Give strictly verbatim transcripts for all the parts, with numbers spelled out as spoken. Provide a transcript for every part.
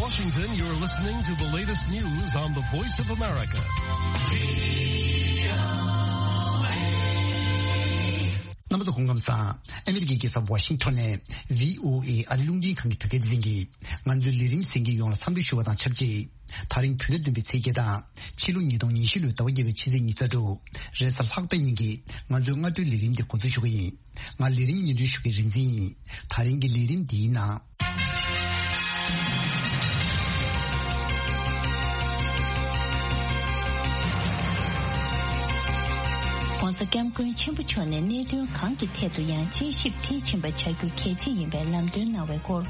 Washington, you're listening to the latest news on the Voice of America. རྣམ་པ་ཚོ་སྐུ་ཁམས་བཟང་། ཨ་མི་རི་ཀའི་རྒྱལ་ས་ཝ་ཤིང་ཊོན་ནས་ཝི་ཨོ་ཨེ་ཨ་རིའི་རླུང་འཕྲིན་ཁང་གི་བོད་སྐད་སྡེ་ཚན་གྱིས་ང་ཚོའི་ལས་རིམ་གསན་མཁན་ཡོངས་ལ་འཚམས་འདྲི་ཞུ་བ་དང་ཆབས་ཅིག་ད་རིང་བོད་ཟླ་བདུན་པའི་ཚེས་བརྒྱད་དང་ཕྱི་ལོ་ཉིས་སྟོང་ཉི་ཤུ་ལོའི་ཟླ་བ་བརྒྱད་པའི་ཕྱི་ཚེས་ཉི་ཤུ་རྩ་དྲུག་རེས་གཟའ་ལྷག་པའི་ཉིན་གྱི་ང་ཚོའི་སྔ་དྲོའི་ལས་རིམ་འདི་འགོ་འཛུགས་ཞུ་གི་ཡིན། ང་ལས་རིམ་སྙན་སྒྲོན་ཞུ་མཁན་རིག་འཛིན་ཡིན། ད་རིང་གི་ལས་རིམ་འདིའི་ནང་།༸གོང་ས་༸སྐྱབས་མགོན་ཆེན་པོ་མཆོག་ནས་གནད་དོན་གང་གི་ཐད་དུ་ཡང་དཔྱད་ཞིབ་མཐིལ་ཕྱིན་པ་བྱ་རྒྱུ་གལ་ཆེ་ཡིན་པའི་ལམ་སྟོན་གནང་བའི་སྐོར།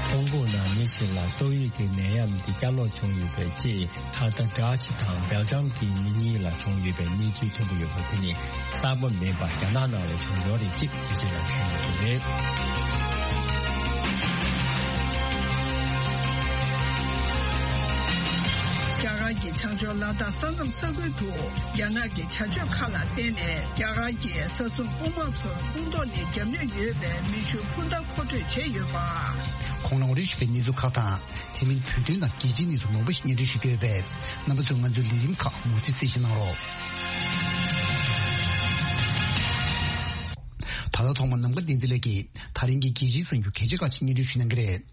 ཧོང་ཀོང་ནང་མི་ཞིག་ལ་ཏོག་དབྱིབས་ཀྱི་ནད་ཡམས་འདི་བསྐྱར་ལོག་བྱུང་ཡོད་པའི་ཅེས། ད་ལྟ་ཌ་ཅི་དང་སྦེལ་ཇམ་གྱི་མི་གཉིས་ལ་བྱུང་ཡོད་པའི་གནས་ཚུལ་ཐོན་གྱི་ཡོད་པ་དེ་ནི་གསར་པ་མིན་པར་རྒྱ་ནག་ནང་ལ་བྱུང་ཡོད་རེད་ཅེས་འགྲེལ་བརྗོད་གནང་མཁན་ཡོད་པ་རེད། རྒྱ་གར་གྱི་བྱང་ཕྱོགས་ལ་དྭགས་ས་མཚམས་ས་ཁུལ་དུ་རྒྱ་ནག་གི་བྱ་སྤྱོད་ཁག་ལ་བརྟེན་ནས་རྒྱ་གར་གྱི་ས་སྲུང་དཔུང་དམག་ཚོར་དཔུང་ཐོག་ནས་རྒྱབ་གནོན་ཡོད་པའི་མེ་ཤུགས་འཕུར་མདའ་མཁོ་སྤྲོད་བྱས་ཡོད་པ། གོང་ནང་འོ་རིགས་ཞུ་བའི་གནས་ཚུལ་ཁག་དང་། དེ་མིན་བོད་དོན་དང་རྒྱལ་སྤྱིའི་གནས་ཚུལ་མང་པོ་ཞིག་སྙན་སྒྲོན་ཞུ་རྒྱུ་ཡོད་པས། རྣམ་པ་ཚོས་ང་ཚོའི་ལས་རིམ་ཁག་མུ་མཐུད་གསན་བཞེས་གནང་རོགས། ད་ལྟ་ཐོག་མར་ནམ་མཁའ་བསྟན་འཛིན་ལགས་ཀྱིས་ད་རིང་གི་རྒྱལ་སྤྱིའི་གསར་འགྱུར་གལ་ཆེ་ཁག་ཅིག་སྙན་སྒྲོན་ཞུ་གནང་གི་རེད།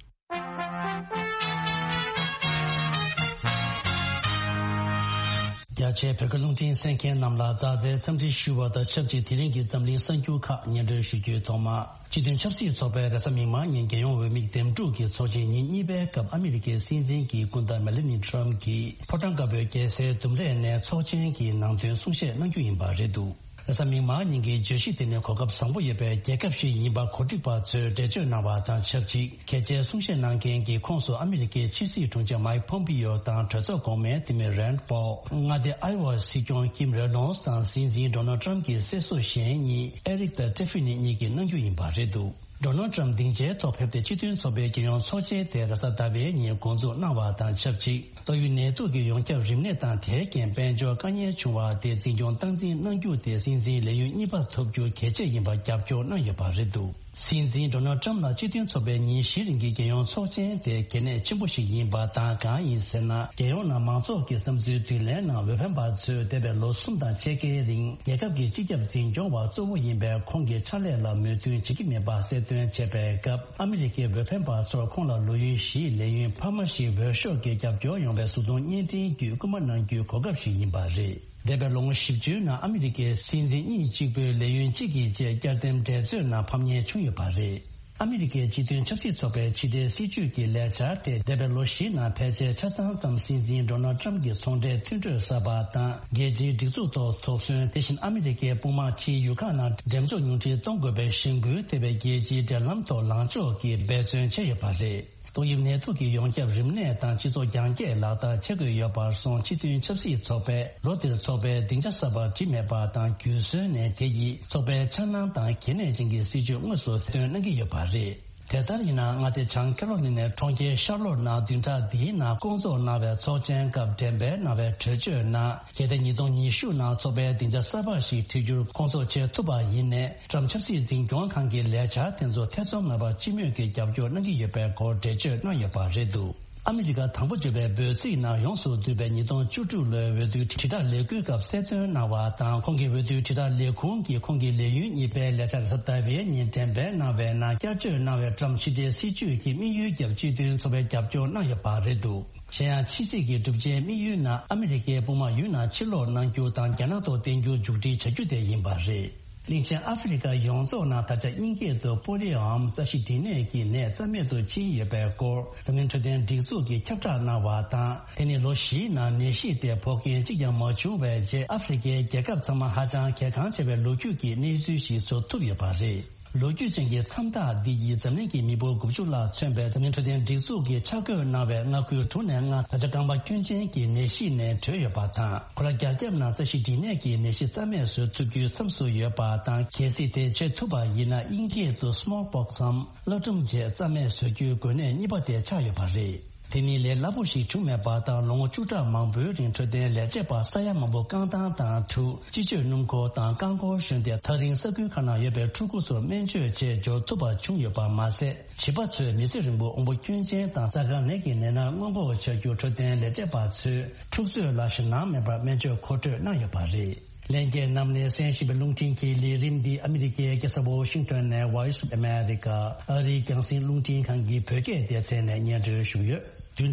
རྒྱ་ཆེའི་བོད་སྐད་རླུང་འཕྲིན་གསན་མཁན་རྣམས་ལ་ཛ་དྲག་འཚམས་འདྲི་ཞུ་བ་དང་ཆབས་ཅིག་དེ་རིང་གི་འཛམ་གླིང་གསར་འགྱུར་ཁག་སྙན་སྒྲོན་ཞུ་རྒྱུའི་ཐོག་མ། སྤྱི་མཐུན་ཆབ་སྲིད་ཚོགས་པའི་རེས་གཟའ་མིག་དམར་ཉིན་རྒྱལ་ཡོངས་འོས་མི་འདེམས་སྒྲུག་གི་ཚོགས་ཆེན་ཉིན་གཉིས་པའི་སྐབས་ཨ་མི་རི་ཀའི་སྲིད་འཛིན་གྱི་སྐུ་ཟླ་མེ་ལ་ནི་ཊམ་གྱིས་ཕོ་བྲང་དཀར་པོའི་རྒྱལ་སའི་ལྡུམ་རའི་གནས་ཚོགས་ཆེན་གྱི་ནང་དོན་གསུང་བཤད་གནང་རྒྱུ་ཡིན་པ་རེད་འདུག་རེས་གཟའ་མིག་དམར་ཉིན་གྱི་བརྗོད་གཞི་དེ་ནི་གོ་སྐབས་བཟང་པོ་ཡོད་པའི་རྒྱལ་ཁབ་ཞིག་ཡིན་པ་གོ་སྒྲིག་པ་ཚོས་འགྲེལ་བརྗོད་གནང་བ་དང་ཆབས་ཅིག་གལ་ཆེའི་གསུང་བཤད་གནང་མཁན་གྱི་ཁོངས་སུ་ཨ་མི་རི་ཀའི་ཕྱི་སྲིད་དྲུང་ཆེ་མའིག་ཕོམ་པིའོ་དང་གྲོས་ཚོགས་གོང་མའི་འཐུས་མི་རན་པོལ། མངའ་སྡེ་ཨའི་ཝ་སྲིད་སྐྱོང་ཀིམ་རེ་ནོལ་དང་སྲིད་འཛིན་ཌོ་ནལ་ཊམ་གྱི་སྲས་སུ་གཞོན་གཉིས་ཨེ་རིག་དང་ཊེ་ཧྥི་ནི་གཉིས་ཀྱིས་གནང་རྒྱུ་ཡིན་པ་རེད་འདུག་ཌོ་ནལ་ཊམ་སྡིངས་ཆའི་ཐོག་ཕེབས་ཏེ་སྤྱི་མཐུན་ཚོགས་པའི་རྒྱལ་ཡོངས་ཚོགས་ཆེན་དེ་རེས་གཟའ་ཟླ་བའི་ཉིན་འགོ་འཛུགས་གནང་བ་དང་ཆབས་ཅིག་ཏོག་དབྱིབས་ནད་དུག་གི་ཡོངས་ཁྱབ་རིམས་ནད་དང་དེའི་རྐྱེན་དཔལ་འབྱོར་དཀའ་ངལ་བྱུང་བ་དེ་འཛིན་སྐྱོང་སྟངས་འཛིན་གནང་རྒྱུ་དེ་སྲིད་འཛིན་ལས་ཡུན་གཉིས་པ་ཐོབ་རྒྱུ་གལ་ཆེ་ཡིན་པར་རྒྱབ་སྐྱོར་གནང་ཡོད་པ་རེད་འདུག་སྲིད་འཛིན་ཌོ་ནལ་ཊམ་ལ་སྤྱི་མཐུན་ཚོགས་པའི་ཉིན་བཞིའི་རིང་གི་རྒྱལ་ཡོངས་ཚོགས་ཆེན་དེ་གལ་གནད་ཆེན་པོ་ཞིག་ཡིན་པ་དང་། གང་ཡིན་ཟེར་ན། རྒྱལ་ཡོངས་ནང་མང་ཚོགས་ཀྱི་བསམ་ཚུལ་བསྡུ་ལེན་ནང་འོས་འཕེན་པ་ཚོས་འདས་པའི་ལོ་གསུམ་དང་ཕྱེད་ཀའི་རིང་རྒྱལ་ཁབ་ཀྱི་སྤྱི་ཁྱབ་འཛིན་སྐྱོང་བ་གཙོ་བོ་ཡིན་པའི་ཁོང་གི་ཕྱག་ལས་ལ་མོས་མཐུན་བྱེད་ཀྱི་མེད་པ་གསལ་སྟོན་བྱས་པའི་སྐབས། ཨ་མི་རི་ཀའི་འོས་འཕེན་པ་ཚོར་ཁོང་ལ་ལོ་ཡུན་བཞིའི་ལས་ཡུན་འཕར་མ་ཞིག་འོས་ཤོག་གི་རྒྱབ་སྐྱོར་ཡོང་བའི་གཟུགས་མཐོང་བརྙན་འཕྲིན་བརྒྱུད་སྐུལ་མ་གནང་རྒྱུའི་གོ་སྐབས་ཤིག་ཡིན་པ་རེད། འདས་པའི་ལོ་ངོ་བཞི་བཅུའི་ནང་ཨ་མི་རི་ཀའི་སྲིད་འཛིན་གཉིས་གཅིག་པུས་ལས་ཡུན་གཅིག་གི་རྗེས་བསྐྱར་ཟླེམ་འགྲན་རྩོད་ནང་ཕམ་ཉེས་བྱུང་ཡོད་པ་རེད། ཨ་མི་རི་ཀའི་སྤྱི་མཐུན་ཆབ་སྲིད་ཚོགས་པའི་ཕྱི་འབྲེལ་སྲིད་ཇུས་ཀྱི་ལས་འཆར་དེ་འདས་པའི་ལོ་བཞིའི་ནང་ཕལ་ཆེར་ཆ་ཚང་ཙམ་སྲིད་འཛིན་ཌོ་ནལ་ཊམ་གྱི་ཚོང་འབྲེལ་མཐུན་གྲོས་གསར་པ་དང་། རྒྱལ་སྤྱིའི་སྒྲིག་འཛུགས་ཐོག་དོགས་ཟོན། དེ་བཞིན་ཨ་མི་རི་ཀའི་དཔུང་དམག་ཕྱིའི་ཡུལ་ཁག་ནང་འགྲེམས་འཇོག་ཉུང་འཕྲི་གཏོང་དགོས་པའི་གཞེན་སྐུལ་ཐེབས་པའི་རྒྱལ་སྤྱིའི་འབྲེལ་ལམ་ཐོག་ལངས་ཕྱོགས་ཀྱིས་འབད་བརྩོན་བྱས་ཡོད་པ་རེད། ཏོག་དབྱིབས་ནད་དུག་གི་ཡོངས་ཁྱབ་རིམས་ནད་དང་སྤྱི་ཚོགས་རྒྱང་བཀྱེད་ལག་བསྟར་བྱེད་དགོས་ཡོད་པར་སོང་། སྤྱི་མཐུན་ཆབ་སྲིད་ཚོགས་པས་ལོ་འདིར་ཚོགས་པའི་སྡིངས་ཆ་གསར་པ་བྲིས་མེད་པ་དང་། རྒྱུན་སྲོལ་ནས་དེ་ཡིས་ཚོགས་པའི་འཆར་སྣང་དང་གལ་གནད་ཅན་གྱི་སྲིད་ཇུས་དངོས་སུ་གསལ་སྟོན་གནང་གི་ཡོད་པ་རེད། དེ་ལྟར་ཡིན་ནའང་། མངའ་སྡེ་བྱང་ཁེ་རོ་ལི་ནའི་གྲོང་ཁྱེར་ཤར་ལོར་ནང་བདུན་ཕྲག་འདིའི་ནང་སྐོང་ཚོགས་གནང་བའི་ཚོགས་ཆེན་སྐབས་འགྲེམས་སྤེལ་གནང་བའི་གྲོས་ཆོད་ནང་། གལ་ཏེ་ཉིས་སྟོང་ཉི་ཤུ་ནང་ཚོགས་པའི་སྡིངས་ཆ་གསར་པ་ཞིག་བྲིས་རྒྱུར་སྐོང་ཚོགས་བྱེད་ཐུབ་པ་ཡིན་ནའི། ཊམ་ཆབ་སྲིད་འཛིན་སྐྱོང་ཁང་གི་ལས་འཆར་དེ་ཚོ་ཐེ་ཚོམ་མེད་པར་སྤྱི་མོས་ཀྱིས་རྒྱབ་སྐྱོར་གནང་གི་ཡོད་པའི་སྐོར་འགྲེལ་བརྗོད་གནང་ཡོད་པ་རེད་འདུག་ཨ་མི་རི་ཀ་དང་པོ་བརྗོད་པའི་འབོད་ཚིག་ནང་ཡོངས་སུ་བསྡུས་པའི་ཉིས་སྟོང་བཅུ་དྲུག་ལོའི་འོས་བསྡུའི་དྲིལ་བསྒྲགས་ལས་འགུལ་སྐབས་གསལ་སྟོན་གནང་བ་དང་། ཁོང་གི་འོས་བསྡུའི་དྲིལ་བསྒྲགས་ལས་ཁུངས་ཀྱིས་ཁོང་གི་ལས་ཡུན་གཉིས་པའི་ལས་འཆར་རེས་གཟའ་ཟླ་བའི་ཉིན་འགྲེམས་སྤེལ་གནང་བའི་ནང་བསྐྱར་བཅོས་གནང་བའི་ཊམ་ཕྱི་འབྲེལ་སྲིད་ཇུས་ཀྱི་དམིགས་ཡུལ་རྒྱབ་སྤྱི་མཐུན་ཚོགས་པས་རྒྱབ་སྐྱོར་གནང་ཡོད་པ་རེད་འདུག་གཞན་ཡང་། ཕྱི་སྲིད་ཀྱི་གྲུབ་ཆའི་དམིགས་ཡུལ་ནང་ཨ་མི་རི་ཀའི་དཔུང་དམག་ཡུལ་ནང་ཕྱིར་ལོག་གནང་རྒྱུ་དང་། རྒྱ་ནག་ཐོག་བརྟེན་རྒྱུ་མཇུག་སྒྲིལ་བྱ་རྒྱུ་དེ་ཡིན་པ་རེད། གླིང་ཆེན་ཨ་ཧྥེ་རི་ཁ་ཡོངས་རྫོགས་ནང་ད་ཆ་དབྱིན་སྐད་དུ་པོ་ལི་ཡོ་མ་རྩ་ཤེད་སྦྲིད་ནད་ཀྱི་ནད་རྩ་མེད་དུ་ཕྱིན་ཡོད་པའི་སྐོར་འཛམ་གླིང་འཕྲོད་བསྟེན་སྒྲིག་འཛུགས་ཀྱིས་ཁྱབ་བསྒྲགས་གནང་བ་དང་། དེ་ནི་ལོ་བཞིའི་ནང་ནད་གཞི་དེ་ཕོག་མཁན་གཅིག་ཀྱང་མ་བྱུང་བའི་རྗེས། ཨ་ཧྥེ་རི་ཁའི་རྒྱལ་ཁབ་ཚང་མ་ཧ་ཅང་གལ་འགངས་ཆེ་བའི་ལོ་རྒྱུས་ཀྱི་གནས་ཚུལ་ཞིག་བཟོ་ཐུབ་ཡོད་པ་རེད། ལོ་རྒྱུས་ཅན་གྱི་མཚམས་རྟགས་འདི་ཡིས་འཛམ་གླིང་གི་མི་འབོར་དགུ་བཅུ་ལྷག་མཚོན་པའི་འཛམ་གླིང་འཕྲོད་བསྟེན་སྒྲིག་འཛུགས་ཀྱིས་ཆ་བགོས་གནང་བའི་མངའ་ཁུལ་དྲུག་ནས་ལྔ་ད་ཆ་རྐང་པ་སྐྱོན་ཅན་གྱི་ནད་གཞི་ནས་གྲོལ་ཡོད་པ་དང་། ཁོ་ར་རྒྱ་ཁྱབ་ནང་རྩ་ཤེད་སྦྲིད་ནད་ཀྱི་ནད་གཞི་རྩ་མེད་བཟོ་ཐུབ་རྒྱུའི་མཚམས་སུ་ཡོད་པ་དང་། གལ་སྲིད་དེ་བྱེད་ཐུབ་པ་ཡིན་ན། དབྱིན་སྐད་དུ་སི་མོལ་པོག་སམ་གླ་སྒྲོམ་བཅས་རྩ་མེད་བཟོ་རྒྱུའི་འགོས་ནད་གཉིས་པ་དེ་ཆགས་ཡོད་པ་རེད། འདི་ནི་ལས་སླ་པོ་ཞིག་བྱུང་མེད་པ་དང་། ལོ་ངོ་བཅུ་ཕྲག་མང་པོའི་རིང་འཕྲོད་བསྟེན་ལས་བྱེད་པ་ས་ཡ་མང་པོ་རྐང་ཐང་དང་ཕྲུག་སྤྱི་སྤྱོད་སྣུམ་འཁོར་དང་རྐང་འཁོར་ཞོན་ཏེ། ཐག་རིང་ས་ཁུལ་ཁག་ནང་ཡོད་པའི་ཕྲུ་གུ་ཚོར་སྨན་བཅོས་བྱེད་འབྱོར་ཐུབ་པ་བྱུང་ཡོད་པ་མ་ཟད། བྱིས་པ་ཚོས་མི་ཚེ་རིང་པོ་དབང་པོ་སྐྱོན་ཅན་དང་རྩ་དཀར་ནད་ཀྱི་ནད་མནར་སྔོན་འགོག་བྱ་རྒྱུར་འཕྲོད་བསྟེན་ལས་བྱེད་པ་ཚོས་ཕྲུག་ཚོའི་ལ་ཞེད་སྣང་མེད་པར་སྨན་བཅོས་མཁོ་སྤྲོད་གནང་ཡོད་པ་རེད། ལྷན་རྒྱས་རྣམས་ནས་གསན་བཞིན་པའི་རླུང་འཕྲིན་གྱི་ལས་རིམ་འདི་ཨ་མི་རི་ཀའི་རྒྱལ་ས་ཝོ་ཤིང་ཏོན་ནས་Voice of America ཨ་རིའི་རྒྱང་སྲིང་རླུང་འཕྲིན་ཁང་གི་བོད་སྐད་སྡེ་ཚན་ནས་སྙན་སྒྲོན་ཞུས་ཡོད། བདུན་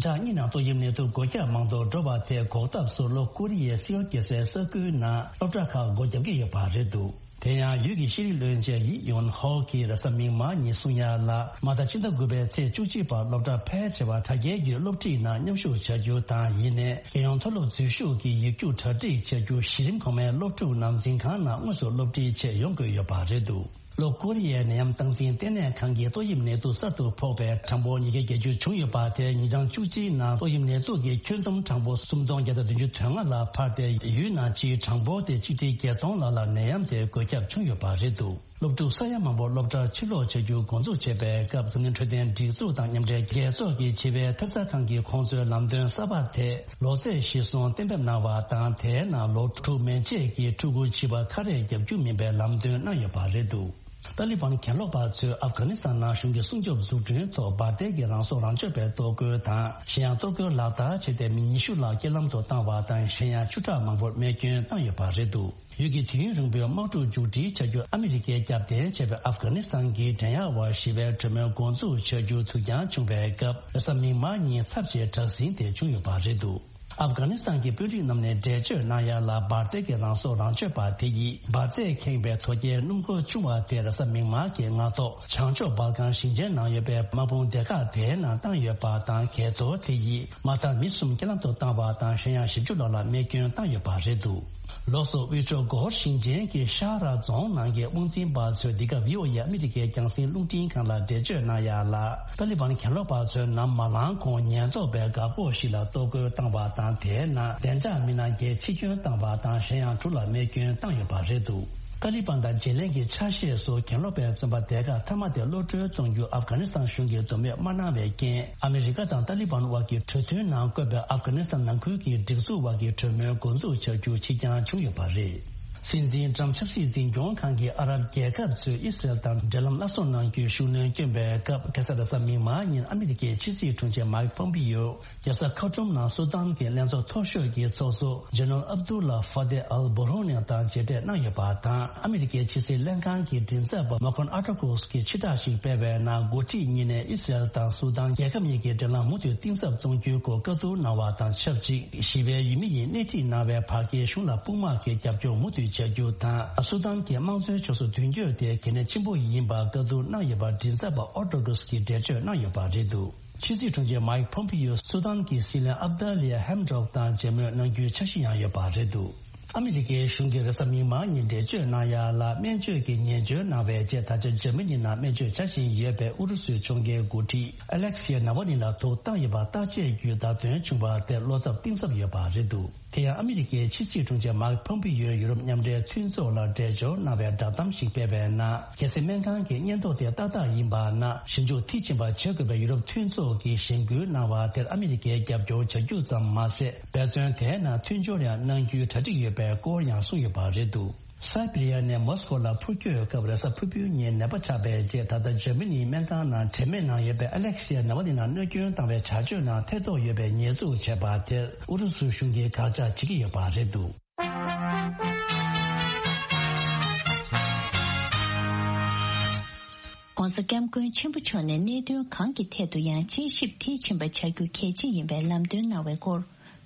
ཕྲག་གཉིས་ནང་ཏོག་དབྱིབས་ནད་དུག་འགོས་ཁྱབ་མང་དུ་འགྲོ་བ་དེ་འགོག་ཐབས་སུ་ལྷོ་ཀོ་རི་ཡའི་སིའོལ་རྒྱལ་སའི་ས་ཁུལ་ནང་སློབ་གྲྭ་ཁག་སྒོ་བརྒྱབ་ཀྱི་ཡོད་པ་རེད་འདུག་དེ་ཡང་ཡུལ་གྱི་ཤེས་རིག་བློན་ཆེན་ཡི་ཡོན་ཧོ་གིས་རེས་གཟའ་མིག་དམར་ཉིན་གསུང་ཡ་ལ། མ་མཐའ་ཕྱི་ཟླ་དགུ་པའི་ཚེས་བཅུ་གཅིག་བར་སློབ་གྲྭ་ཕལ་ཆེ་བ་དྲ་རྒྱའི་བརྒྱུད་སློབ་ཁྲིད་ནང་མཉམ་ཞུགས་བྱ་རྒྱུ་དང་། ཡིན་ནའི་རྒྱལ་ཡོངས་མཐོ་སློབ་འཛུལ་ཞུགས་ཀྱི་ཡིག་རྒྱུགས་གྲ་སྒྲིག་བྱ་རྒྱུ་གཞི་རིམ་གོང་མའི་སློབ་ཕྲུག་ནང་འཛིན་ཁང་ནང་དངོས་སུ་སློབ་ཁྲིད་ཆེད་ཡོང་དགོས་ཡོད་པ་རེད་འདུག་ལྷོ་ཀོ་རི་ཡའི་ནད་ཡམས་སྟངས་འཛིན་ལྟེ་གནས་ཁང་གིས་ཏོག་དབྱིབས་ནད་དུག་གསར་དུ་ཕོག་པའི་གྲངས་འབོར་ཉིས་བརྒྱ་བརྒྱད་ཅུ་བྱུང་ཡོད་པ་དེ་ཉིན་གྲངས་བཅུ་གཅིག་ནང་ཏོག་དབྱིབས་ནད་དུག་གི་ཁྱོན་བསྡོམས་གྲངས་འབོར་སུམ་སྟོང་བརྒྱ་དང་བདུན་ཅུ་དོན་ལྔ་ལ་འཕར་ཏེ། ཡུལ་ནང་སྤྱིའི་གྲངས་འབོར་དེ་ཆིག་ཁྲི་བརྒྱད་སྟོང་ལྷག་ལ་ནད་ཡམས་དེ་འགོས་ཁྱབ་བྱུང་ཡོད་པ་རེད་འདུག་སློབ་ཕྲུག་ས་ཡ་མང་པོ་སློབ་གྲྭར་ཕྱིར་ལོག་བྱ་རྒྱུ་འགོ་འཛུགས་བྱས་པའི་སྐབས། འཛམ་གླིང་འཕྲོད་བསྟེན་སྒྲིག་འཛུགས་དང་མཉམ་འབྲེལ་རྒྱལ་ཚོགས་ཀྱིས་བྱིས་པའི་ཐེབས་རྩ་ཁང་གིས་ཁོང་ཚོའི་ལམ་སྟོན་གསར་པ་དེ་ལོ་ཚད་གཞིར་བཟུང་གཏན་འབེབས་གནང་བ་དང་། དེའི་ནང་ལོ་དྲུག་མན་ཆད་ཀྱི་ཕྲུ་གུ་བྱིས་པ་ཁ་རས་བརྒྱབ་རྒྱུ་མིན་པའི་ལམ་སྟོན་གནང་ཡོད་པ་རེད་འདུག་ཏཱ་ལི་བན་གྱེན་ལོག་པ་ཚོས་ཨབ་གྷ་ནི་སི་ཐན་ནང་གཞུང་གི་སྲུང་སྐྱོབ་འཛུགས་སྐྲུན་ཐོག་འབར་མདེལ་གྱི་རང་སྲོག་རང་གཅོད་པའི་གཏོར་རྒོལ་དང་། གཞན་ཡང་གཏོར་རྒོལ་ལག་བསྟར་བྱས་ཏེ། མི་ཉི་ཤུ་ལྷག་རྐྱེན་ལམ་དུ་བཏང་བ་དང་། གཞན་ཡང་བཅུ་ཕྲག་མང་པོར་རྨས་སྐྱོན་བཏང་ཡོད་པ་རེད་འདུག་ཡུལ་གྱི་དུས་ཡུན་རིང་པོའི་དམག་འཁྲུག་མཇུག་སྒྲིལ་བྱ་རྒྱུར་ཨ་མི་རི་ཀས་རྒྱབ་རྟེན་བྱས་པའི་ཨབ་གྷ་ནི་སི་ཐན་གྱི་འགྲན་ཡག་བར་ཞི་བའི་གྲོས་མོལ་འགོ་འཛུགས་བྱ་རྒྱུ་དུས་འགྱངས་བྱུང་བའི་སྐབས། རེས་གཟའ་མིག་དམར་ཉིན་ཚབས་ཆེའི་དྲག་ཟིང་དེ་བྱུང་ཡོད་པ་རེད་འདུག་ཨབ་གྷ་ནི་སི་ཐན་གྱི་དཔོན་རིགས་རྣམས་ནས་འགྲེལ་བརྗོད་གནང་ཡ་ལ། འབར་མདེལ་གྱི་རང་སྲོག་རང་གཅོད་པ་དེ་ཡིས་འབར་རྫས་ཁེངས་པའི་དོ་སྐྱེལ་སྣུམ་འཁོར་ཆུང་བ་དེ་རེས་གཟའ་མིག་དམར་གྱི་སྔ་ཐོག་བྱང་ཕྱོགས་སྦལ་ཀན་ཞིང་ཆེན་ནང་ཡོད་པའི་དམག་དཔུང་སྡེ་ཁག་དེའི་ནང་བཏང་ཡོད་པ་དང་། གས་གཏོར་དེ་ཡིས་མ་མཐར་མི་གསུམ་རྐྱེན་ལམ་དུ་བཏང་བ་དང་། གཞན་ཡང་བཞི་བཅུ་ལྷག་ལ་རྨས་སྐྱོན་བཏང་ཡོད་པ་རེད་འདུག་ལོགས་སུ་དབུས་ཕྱོགས་སྒོར་ཞིང་ཆེན་གྱི་ཤ་ར་རྫོང་ནང་གི་དབང་འཛིན་པ་ཚོས་འདི་ག་བྷི་ཨོ་ཨེ་ཨ་མི་རི་ཀའི་རྒྱང་སྲིང་རླུང་འཕྲིན་ཁང་ལ་འགྲེལ་བརྗོད་གནང་ཡ་ལ། ཏཱ་ལི་བན་གྱེན་ལོག་པ་ཚོས་ནམ་མ་ལངས་གོང་ཉེན་རྟོག་པས་འགག་སྒོ་ཞིག་ལ་གཏོར་རྒོལ་བཏང་བ་དང་། དེའི་ནང་བདེ་འཇགས་མི་སྣ་བརྒྱད་འཆི་སྐྱོན་བཏང་བ་དང་། གཞན་ཡང་དྲུག་ལ་རྨས་སྐྱོན་བཏང་ཡོད་པ་རེད་འདུག་ཏཱ་ལི་བན་དང་བརྗེ་ལེན་གྱི་ཆ་ཤས་སུ་གྱེན་ལོག་པའི་བཙོན་པ་སྡེ་ཁག་མཐའ་མ་དེ་གློད་གྲོལ་གཏོང་རྒྱུ་ཨབ་གྷ་ནི་སི་ཐན་གཞུང་གིས་འདོད་མོས་མ་གནང་བའི་རྐྱེན། ཨ་མི་རི་ཀ་དང་ཏཱ་ལི་བན་དབར་གྱི་གྲོས་མཐུན་ནང་བཀོད་པའི་ཨབ་གྷ་ནི་སི་ཐན་ནང་ཁུལ་གྱི་སྒྲིག་འཛུགས་དབར་གྱི་གྲོས་མོལ་འགོ་འཛུགས་བྱ་རྒྱུ་ཕྱིར་འགྱངས་བྱུང་ཡོད་པ་རེད། སྲིད་འཛིན་ཀྲམ་ཆབ་སྲིད་འཛིན་སྐྱོང་ཁང་གིས་ཨ་རབ་རྒྱལ་ཁབ་ཚོས་ཨི་སི་རེལ་དང་འབྲེལ་ལམ་སླར་གསོ་གནང་རྒྱུའི་ཤུགས་སྣོན་བསྐྱོན་པའི་སྐབས། ཁ་སང་རེས་གཟའ་མིག་དམར་ཉིན་ཨ་མི་རི་ཀའི་ཕྱི་སྲིད་དྲུང་ཆེ་མཱིག་ཕོམ་པི་ཡོ་རྒྱལ་ས་ཁར་ཊུམ་ནང་སུ་དཱན་གྱི་ལྷན་ཚོགས་མཐོ་ཤོས་ཀྱི་ཚོགས་གཙོ་ཇེ་ནེ་རལ་ཨབ་དུ་ལ་ཧྥ་ཏེ་ཨལ་བྷུ་རྷོ་ནི་དང་མཇལ་འཕྲད་གནང་ཡོད་པ་དང་། ཨ་མི་རི་ཀའི་ཕྱི་སྲིད་ལྷན་ཁང་གི་མགྲིན་ཚབ་པ་མོ་ཁོན་ཨ་ཏོ་ཀོས་ཀྱིས་ཕྱིར་བསྒྲགས་ཤིག་སྤེལ་བའི་ནང་། འགོ་ཁྲིད་གཉིས་ནས་ཨི་སི་རེལ་དང་སུ་དཱན་རྒྱལ་ཁབ་གཉིས་ཀྱི་འབྲེལ་ལམ་མུ་མཐུད་གཏིང་ཟབ་གཏོང་རྒྱུའི་སྐོར་བཀའ་བསྡུར་གནང་བ་དང་ཆབས་ཅིག་ཞི་བའི་ཡུལ་མི་ཡིས་སྣེ་ཁྲིད་གནང་བའི་བར་བརྒལ་གཞུང་ལ་དཔུང་དམག་གི་རྒྱབ་སྐྱོར་མུ་མཐུད་བྱ་རྒྱུ་དང་། སུ་དཱན་གྱི་དམངས་གཙོའི་ཕྱོགས་སུ་མདུན་སྐྱོད་དེ་གལ་གནད་ཆེན་པོ་ཡིན་པ་བཀའ་བསྡུར་གནང་ཡོད་པ་མགྲིན་ཚབ་པ་ཨོ་ཏོ་ཀོས་ཀྱིས་འགྲེལ་བརྗོད་གནང་ཡོད་པ་རེད་འདུག་ཕྱི་སྲིད་དྲུང་ཆེ་མཱིག་ཕོམ་པི་ཡོ་སུ་དཱན་གྱི་སྲིད་བློན་ཨབ་ད་ལི་ཡ་ཧེམ་ཌོག་དང་མཇལ་མོལ་གནང་རྒྱུའི་འཆར་གཞི་ཡང་ཡོད་པ་རེད་འདུག་ཨ་མི་རི་ཀའི་གཞུང་གིས་རེས་གཟའ་མིག་དམར་ཉིན་འགྲེལ་བརྗོད་གནང་ཡ་ལ། སྨན་བཅོས་ཀྱི་ཉེས་སྦྱོར་གནང་བའི་རྗེས། ད་ཆ་འཇར་མ་ནི་ནང་སྨན་བཅོས་བྱ་བཞིན་ཡོད་པའི་ཨུ་རུ་སུའི་གཞུང་གི་འགོ་ཁྲིད་ཨ་ལེག་སི་ཡེ་ནཱ་ཝ་ནི་ལ་དུག་བཏང་ཡོད་པ་བརྟག་དཔྱད་བརྒྱུད་བརྡ་སྟོན་བྱུང་བ་དེར་བློ་འཚབ་གཏིང་ཟབ་ཡོད་པ་རེད་འདུག་དེ་ཡང་ཨ་མི་རི་ཀའི་ཕྱི་སྲིད་དྲུང་ཆེ་མཱིག་ཕོམ་པི་ཡོས་ཡུ་རོབ་མཉམ་འབྲེལ་མཐུན་ཚོགས་ལ་འབྲེལ་འབྱོར་གནང་བའི་བསྒྲགས་གཏམ་ཞིག་སྤེལ་བའི་ནང་། རྒྱལ་སྲིད་སྨན་ཁང་གི་སྙན་ཐོ་དེ་ཏག་ཏག་ཡིན་པ་ན། ཞིབ་འཇུག་མཐིལ་ཕྱིན་པ་བྱེད་དགོས་པའི་ཡུ་རོབ་མཐུན་ཚོགས་ཀྱིས་གཞེན་སྐུལ་གནང་བ་དེར་ཨ་མི་རི་ཀས་རྒྱབ་སྐྱོར་བྱ་རྒྱུ་ཙམ་མ་ཟད། འབད་བརྩོན་དེའི་ནང་མཐུན་སྦྱོར་ཡང་གནང་རྒྱུའི་གྲ་སྒྲིག་ཡོད་པའི་སྐོར་ཡང་གསུངས་ཡོད་པ་རེད་འདུག་སའི་བེ་རི་ཡ་ནས་མོ་སི་ཀོ་ལ་འཕུར་སྐྱོད་སྐབས་རེས་གཟའ་ཕུར་བུའི་ཉིན་ནད་པ་ཆགས་པའི་རྗེས། ད་ལྟ་འཇར་མ་ནིའི་སྨན་ཁང་ནང་དྲན་མེད་ནང་ཡོད་པའི་ཨ་ལེག་སི་ཡ་ནཱ་ཝ་ནི་ལ་གནོད་སྐྱོན་བཏང་བའི་བྱ་སྤྱོད་ནང་ཐེ་གཏོགས་ཡོད་པའི་ཉེས་འཛུགས་བྱས་པ་དེར་ཨུ་རུ་སུ་གཞུང་གིས་དགག་བྱ་བྱེད་ཀྱི་ཡོད་པ་རེད་འདུག༧གོང་ས་༧སྐྱབས་མགོན་ཆེན་པོ་མཆོག་ནས་གནད་དོན་གང་གི་ཐད་དུ་ཡང་དཔྱད་ཞིབ་མཐིལ་ཕྱིན་པ་བྱ་རྒྱུ་གལ་ཆེ་ཡིན་པའི་ལམ་སྟོན་གནང་བའི་སྐོར།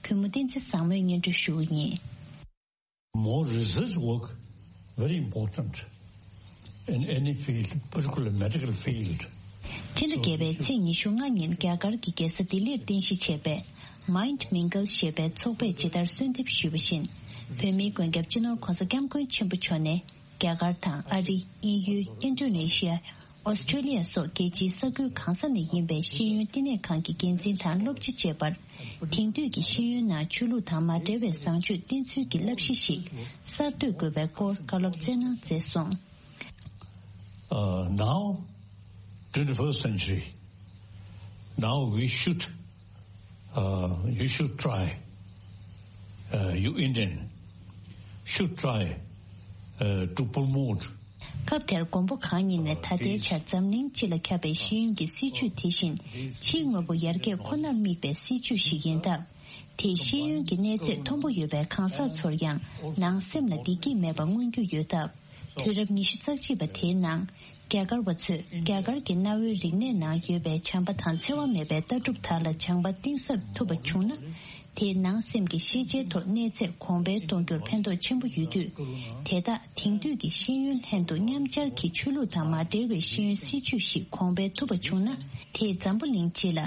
གུས་མོ་བསྟན་འཛིན་བཟང་མོས་སྙན་སྒྲོན་ཞུ་བ་ཡིན། More research work very important in any field, particularly medical field. ཕྱི་ཟླ་བརྒྱད་པའི་ཚེས་ཉི་ཤུ་ལྔ་ཉིན་རྒྱ་གར་གྱི་རྒྱལ་ས་ལྡི་ལིར་རྟེན་གཞི་བྱས་པའི་Mind Mingle ཞེས་པའི་ཚོགས་པས་ཇི་ལྟར་གསོལ་འདེབས་ཞུས་པ་བཞིན། བོད་མིའི་མགོན་སྐྱབས་སྤྱི་ནོར་ྋགོང་ས་ྋསྐྱབས་མགོན་ཆེན་པོ་མཆོག་ནས། རྒྱ་གར་དང་ཨ་རི། དབྱིན་ཡུལ། ཨིན་ཌོ་ནེ་ཤི་ཡ། ཨོ་སི་ཀྲོ་ལི་ཡ་སོགས་རྒྱལ་སྤྱིའི་ས་ཁུལ་གང་ས་ནས་ཡིན་པའི་ཤེས་ཡོན་བསྟི་གནས་ཁང་གི་འགན་འཛིན་དང་སློབ་སྤྱི་བཅས་པར། དེང་དུས་ཀྱི་ཤེས་ཡོན་ནང་ཆོས་ལུགས་དང་མ་འབྲེལ་བའི་བཟང་སྤྱོད་བསྟེན་ཚུལ་གྱི་བསླབ་གཞི་ཞིག་གསར་གཏོད་དགོས་པའི་སྐོར་བཀའ་སློབ་སྩལ་གནང་མཛད་སོང་། Uh, now, twenty-first century, now we should Uh, you should try, uh, you Indian should try, uh, to promote. སྐབས་དེར་མགོན་པོ་གང་ཉིད་ནས་ད་ལྟའི་ཆར་འཛམ་གླིང་སྤྱི་ལ་ཁྱབ་པའི་ཤེས་ཡོན་གྱི་སྲིད་བྱུས་དེ་བཞིན་ཕྱིའི་དངོས་པོ་ཡར་རྒྱས་ཁོ་ནར་དམིགས་པའི་སྲིད་བྱུས་ཤིག་ཡིན་སྟབས། དེས་ཤེས་ཡོན་གྱི་གནས་ཚད་མཐོན་པོ་ཡོད་པའི་གང་ཟག་ཚོར་ཡང་ནང་སེམས་ལ་བདེ་སྐྱིད་མེད་པ་མངོན་རྒྱུ་ཡོད་སྟབས། དུས་རབས་ཉི་ཤུ་རྩ་གཅིག་པ་དེའི་ནང་རྒྱ་གར་བ་ཚོས་རྒྱ་གར་གྱི་གནའ་བོའི་རིག་གནས་ནང་ཡོད་པའི་བྱམས་པ་དང་འཚེ་བ་མེད་པའི་ལྟ་གྲུབ་དག་ལ་སྦྱང་པ་གཏིང་ཟབ་ཐུབ་པ་བྱུང་ན། དེས་ནང་སེམས་ཀྱི་ཤེས་བྱའི་ཐོག་གནས་ཚད་གོང་འཕེལ་གཏོང་རྒྱུར་ཕན་ཐོགས་ཆེན་པོ་ཡོད་དུས། དེ་དག་དེང་དུས་ཀྱི་ཤེས་ཡོན་ལྷན་དུ་མཉམ་སྦྱར་གྱིས་ཆོས་ལུགས་དང་མ་འབྲེལ་བའི་ཤེས་ཡོན་སྲིད་བྱུས་ཤིག་གོང་འཕེལ་ཐུབ་པ་བྱུང་ན། དེས་འཛམ་བུ་གླིང་སྤྱི་ལ།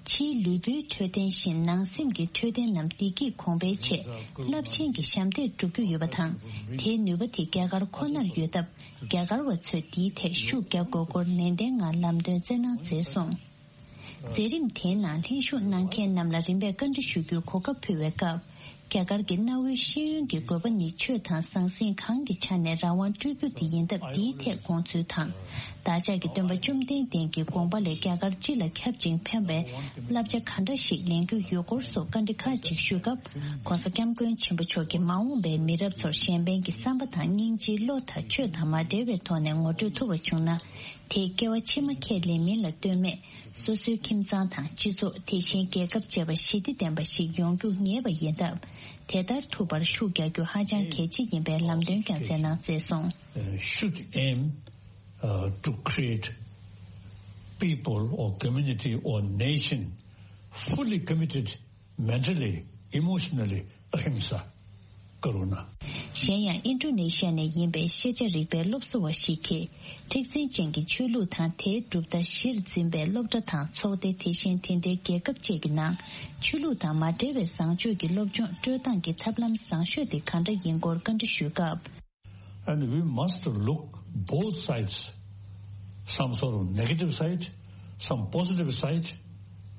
ཕྱིའི་ལུས་པོའི་འཕྲོད་བསྟེན་བཞིན་ནང་སེམས་ཀྱི་འཕྲོད་བསྟེན་ནམ་བདེ་སྐྱིད་གོང་འཕེལ་ཆེད་རླབས་ཆེན་གྱི་ཞབས་འདེགས་སྒྲུབ་རྒྱུ་ཡོད་པ་དང་། དེའི་ནུས་པ་དེ་རྒྱ་གར་ཁོ་ནར་ཡོད་སྟབས། རྒྱ་གར་བ་ཚོས་འདིའི་ཐད་ཤུགས་རྒྱག་དགོས་སྐོར་ནན་ཏན་ངང་ལམ་སྟོན་སྩལ་གནང་མཛད་སོང་། མཛད་རིམ་དེའི་ནང་ལྷན་ཞུགས་གནང་མཁན་རྣམས་ལ་རིམ་པས་བཀའ་འདྲི་ཞུ་རྒྱུའི་གོ་སྐབས་ཕུལ་བའི་སྐབས། རྒྱ་གར་གྱི་གནའ་བོའི་ཤེས་ཡོན་གྱི་དགོས་པ་ནི་ཆོས་དང་ཟང་ཟིང་གང་གི་ཆ་ནས་རང་དབང་སྤྲོད་རྒྱུ་དེ་ཡིན་སྟབས། འདིའི་ཐད་དགོངས་ཚུལ་དང་། བདག་ཅག་གི་སྟོན་པ་བཅོམ་ལྡན་འདས་ཀྱི་དགོངས་པ་ལས་རྒྱ་གར་སྤྱི་ལ་ཁྱབ་ཅིང་ཕན་པའི་བསླབ་བྱ་ག་འདྲ་ཞིག་ལེན་རྒྱུ་ཡོད་སྐོར་སོགས་བཀའ་འདྲི་ཁག་ཅིག་ཞུས་སྐབས། ྋགོང་ས་ྋསྐྱབས་མགོན་ཆེན་པོ་མཆོག་གིས་མ་འོངས་པའི་མི་རབས་ཚོར་གཞན་ཕན་གྱི་བསམ་པ་དང་སྙིང་རྗེའི་བློ་དང་ཆོས་དང་མ་འབྲེལ་བའི་ཐོག་ནས་ངོ་སྤྲོད་ཐུབ་པ་བྱུང་ན། དེས་སྐྱེ་བ་ཕྱི་མ་ཁས་ལེན་མིན་ལ་ལྟོས་མེད། སོ་སོའི་ཁྱིམ་ཚང་དང་སྤྱི་ཚོགས། དེ་བཞིན་རྒྱལ་ཁབ་བཅས་པ་ཞི་བདེ་ལྡན་པ་ཞིག་ཡོང་རྒྱུ་ངེས་པ་ཡིན་སྟབས། དེ་ལྟར་ཐུབ་པར་ཤུགས་རྒྱག་རྒྱུ་ཧ་ཅང་གལ་ཆེ་ཡིན་པའི་ལམ་སྟོན་ཀྱང་མཛད་གནང་མཛད་སོང་། Uh, should aim, uh, to create people or community or nation fully committed mentally, emotionally, ahimsa, karuna. གཞན་ཡང་ཨིན་ཌོ་ནེ་ཤི་ཡ་ནས་ཡིན་པའི་ཤེས་བྱ་རིག་པའི་སློབ་གསོ་བ་ཞིག་གིས། མཁྲེགས་འཛིན་ཅན་གྱི་ཆོས་ལུགས་དང་དེའི་གྲུབ་མཐའ་གཞིར་འཛིན་པའི་སློབ་གྲྭ་དང་ཚོགས་སྡེ། དེ་བཞིན་དེ་འདྲའི་རྒྱལ་ཁབ་བཅས་ཀྱི་ནང་ཆོས་ལུགས་དང་མ་འབྲེལ་བའི་བཟང་སྤྱོད་ཀྱི་སློབ་སྦྱོང་སྤྲོད་སྟངས་ཀྱི་ཐབས་ལམ་བཟང་ཤོས་དེ་ག་འདྲ་ཡིན་སྐོར་བཀའ་འདྲི་ཞུས་སྐབས། And we must look both sides, some sort of negative side, some positive side.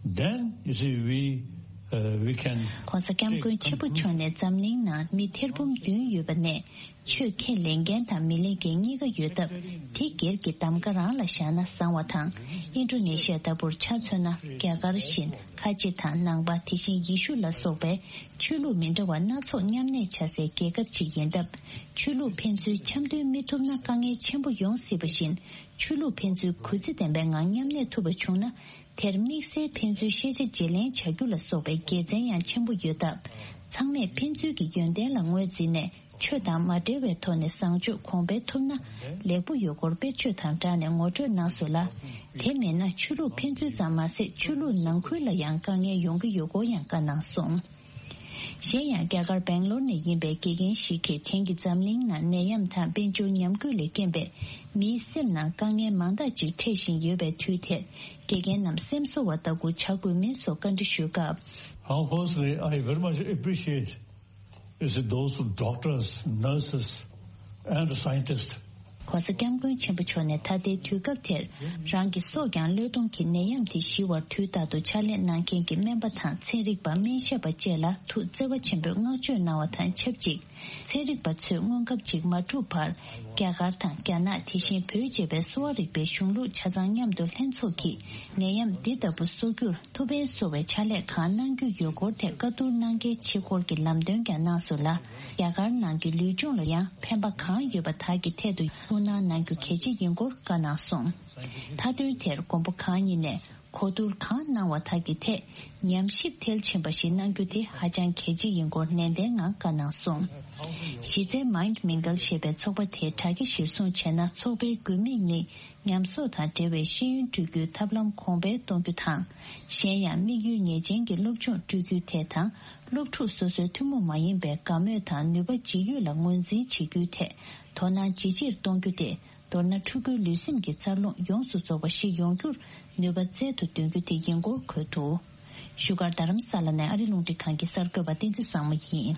Then, you see, we, uh, we can ྋགོང་ས་ྋསྐྱབས་མགོན་ཆེན་པོ་མཆོག་ནས་འཛམ་གླིང་ནང་མི་ཐེར་འབུམ་བདུན་ཡོད་པ་ནས། ཆོས་ཁས་ལེན་མཁན་དང་མི་ལེན་མཁན་གཉིས་ཀ་ཡོད་སྟབས། དེ་སྒེར་གྱི་གདམ་ག་རང་ལ་བཞག་ན་བཟང་བ་དང་། ཨིན་ཌོ་ནེ་ཤི་ཡ་ལྟ་བུར་ཆ་མཚོན་ན། རྒྱ་གར་བཞིན་ཁ་ཆེ་དང་ནང་པ། དེ་བཞིན་ཡེ་ཤུ་ལ་སོགས་པའི་ཆོས་ལུགས་མི་འདྲ་བ་སྣ་ཚོགས་མཉམ་གནས་བྱ་སའི་རྒྱལ་ཁབ་ཅིག་ཡིན་སྟབས། ཆོས་ལུགས་ཕན་ཚུན་འཆམ་མཐུན་མི་ཐུབ་ན་དཀའ་ངལ་ཆེན་པོ་ཡོང་སྲིད་པ་བཞིན། ཆོས་ལུགས་ཕན་ཚུན་གུས་བརྩི་ལྡན་པའི་ངང་མཉམ་གནས་ཐུབ་པ་བྱུང་ན། དེར་དམིགས་བསལ་ཕན་ཚུན་ཤེས་བྱ་བརྗེ་ལེན་བྱ་རྒྱུ་ལ་སོགས་པའི་དགེ་མཚན་ཡང་ཆེན་པོ་ཡོད་སྟབས། ཚང་མས་ཕན་ཚུན་གྱི་ཡོན་ཏན་ལ་ངོས་འཛིན་ནས། ཆོས་དང་མ་འབྲེལ་བའི་ཐོག་ནས་བཟང་སྤྱོད་གོང་འཕེལ་ཐུབ་ན་ལེགས་པོ་ཡོད་སྐོར་དཔེར་བརྗོད་དང་སྦྲགས་ནས་ངོ་སྤྲོད་གནང་སོང་ལ། དེ་མིན་ན་ཆོས་ལུགས་ཕན་ཚུན་ཙམ་མ་ཟད། ཆོས་ལུགས་ནང་ཁུལ་ལ་ཡང་དཀའ་ངལ་ཡོང་གི་ཡོད་སྐོར་ཡང་བཀའ་གནང་སོང་། གཞན་ཡང་རྒྱ་གར་སྦེང་ལོར་ནས་ཡིན་པའི་དགེ་རྒན་ཞིག་གིས། དེང་གི་འཛམ་གླིང་ནང་ནད་ཡམས་དང་དཔལ་འབྱོར་ཉམས་རྒུད་ལས་རྐྱེན་པས་མིའི་སེམས་ནང་དཀའ་ངལ་མང་དག་ཅིག་འཕྲད་བཞིན་ཡོད་པའི་དུས་དེར། དགེ་རྒན་རྣམས་སེམས་གསོ་བ་ལྟ་བུ་བྱ་དགོས་མིན་སོགས་བཀའ་འདྲི་ཞུས་སྐབས། How firstly, I very much appreciate is those doctors, nurses, and scientists. ྋགོང་ས་ྋསྐྱབས་མགོན་ཆེན་པོ་མཆོག་ནས་ད་ལྟའི་དུས་སྐབས་དེར་རང་གི་སྲོག་ཀྱང་བློས་གཏོང་གིས་ནད་ཡམས་དེ་ཞི་བར་དུས་རྟག་ཏུ་ཕྱག་ལས་གནང་མཁན་གྱི་སྨན་པ་དང་ཚན་རིག་པ། སྨན་ཞབས་པ་བཅས་ལ་ཐུགས་བརྩེ་བ་ཆེན་པོས་བསྔགས་བརྗོད་གནང་བ་དང་ཆབས་ཅིག་ཚན་རིག་པ་ཚོས་སྔོན་ཁབ་ཅིག་མ་གྲུབ་བར། རྒྱ་གར་དང་རྒྱ་ནག་དེ་བཞིན་བོད་ཅེས་པའི་གསོ་བ་རིག་པའི་གཞུང་ལུགས་ཆ་ཚང་མཉམ་དུ་ལྷན་ཚོགས་ཀྱིས་ནད་ཡམས་འདི་ལྟ་བུ་གསོ་རྒྱུར་ཐུགས་ཕན་གསོ་བའི་ཕྱག་ལས་གང་གནང་རྒྱུ་ཡོད་སྐོར་ཐད་བཀའ་བསྡུར་གནང་གལ་ཆེ་སྐོར་གྱི་ལམ་སྟོན་ཀྱང་གནང་སོང་ལ། རྒྱ་གར་ནང་གི་ལུས་སྦྱོང་ལ་ཡང་ཕན་པ་གང་ཡོད་པ་དག་གི་ཐད་དུ་ཐུགས་སྣང་གནང་རྒྱུ་གལ་ཆེ་ཡིན་སྐོར་བཀའ་གནང་སོང་། མཐའ་དོན་དེར་མགོན་པོ་གང་ཉིད་ནས་གོ་བསྡུར་གང་གནང་བ་དག་གི་ཐད་ཉམས་ཞིབ་མཐིལ་ཕྱིན་པ་ཞིག་གནང་རྒྱུ་དེ་ཧ་ཅང་གལ་ཆེ་ཡིན་སྐོར་ནན་ཏན་ངང་བཀའ་གནང་སོང་། གཞི་རྩའི་Mind Mingle ཞེས་པའི་ཚོགས་པ་དེ་དྲ་རྒྱ་གཞིར་བཟུང་བྱས་ན། ཚོགས་པའི་དགོས་དམིགས་ནི། ཉམས་གསོག་དང་འབྲེལ་བའི་ཤེས་ཡོན་སྤྲོད་རྒྱུའི་ཐབས་ལམ་གོང་འཕེལ་གཏོང་རྒྱུ་དང་། གཞན་ཡང་དམིགས་ཡུལ་ངེས་ཅན་གྱི་སློབ་སྦྱོང་སྤྲོད་རྒྱུའི་ཐད་དང་། སློབ་ཕྲུག་སོ་སོའི་ཐུན་མོང་མ་ཡིན་པའི་དགའ་མོས་དང་ནུས་པ་ཇི་ཡོད་ལ་ངོས་འཛིན་བྱེད་རྒྱུའི་ཐད་དོ་སྣང་ཇི་ཆེར་གཏོང་རྒྱུ་སྟེ། མདོར་ན་ཕྲུ་གུའི་ལུས་སེམས་ཀྱི་འཚར་ལོངས་ཡོངས་སུ་རྫོགས་པ་ཞིག་ཡོང་རྒྱུར་ནུས་པ་བཙལ་དུ་འདོན་རྒྱུ་དེ་ཡིན་སྐོར་འཁོད་འདུག་བཞུགས་སྒར་རྡ་རམ་ས་ལ་ནས་ཨ་རི་རླུང་འཕྲིན་ཁང་གི་གསར་འགོད་པ་བསྟན་འཛིན་བཟང་མོ་ཡིན།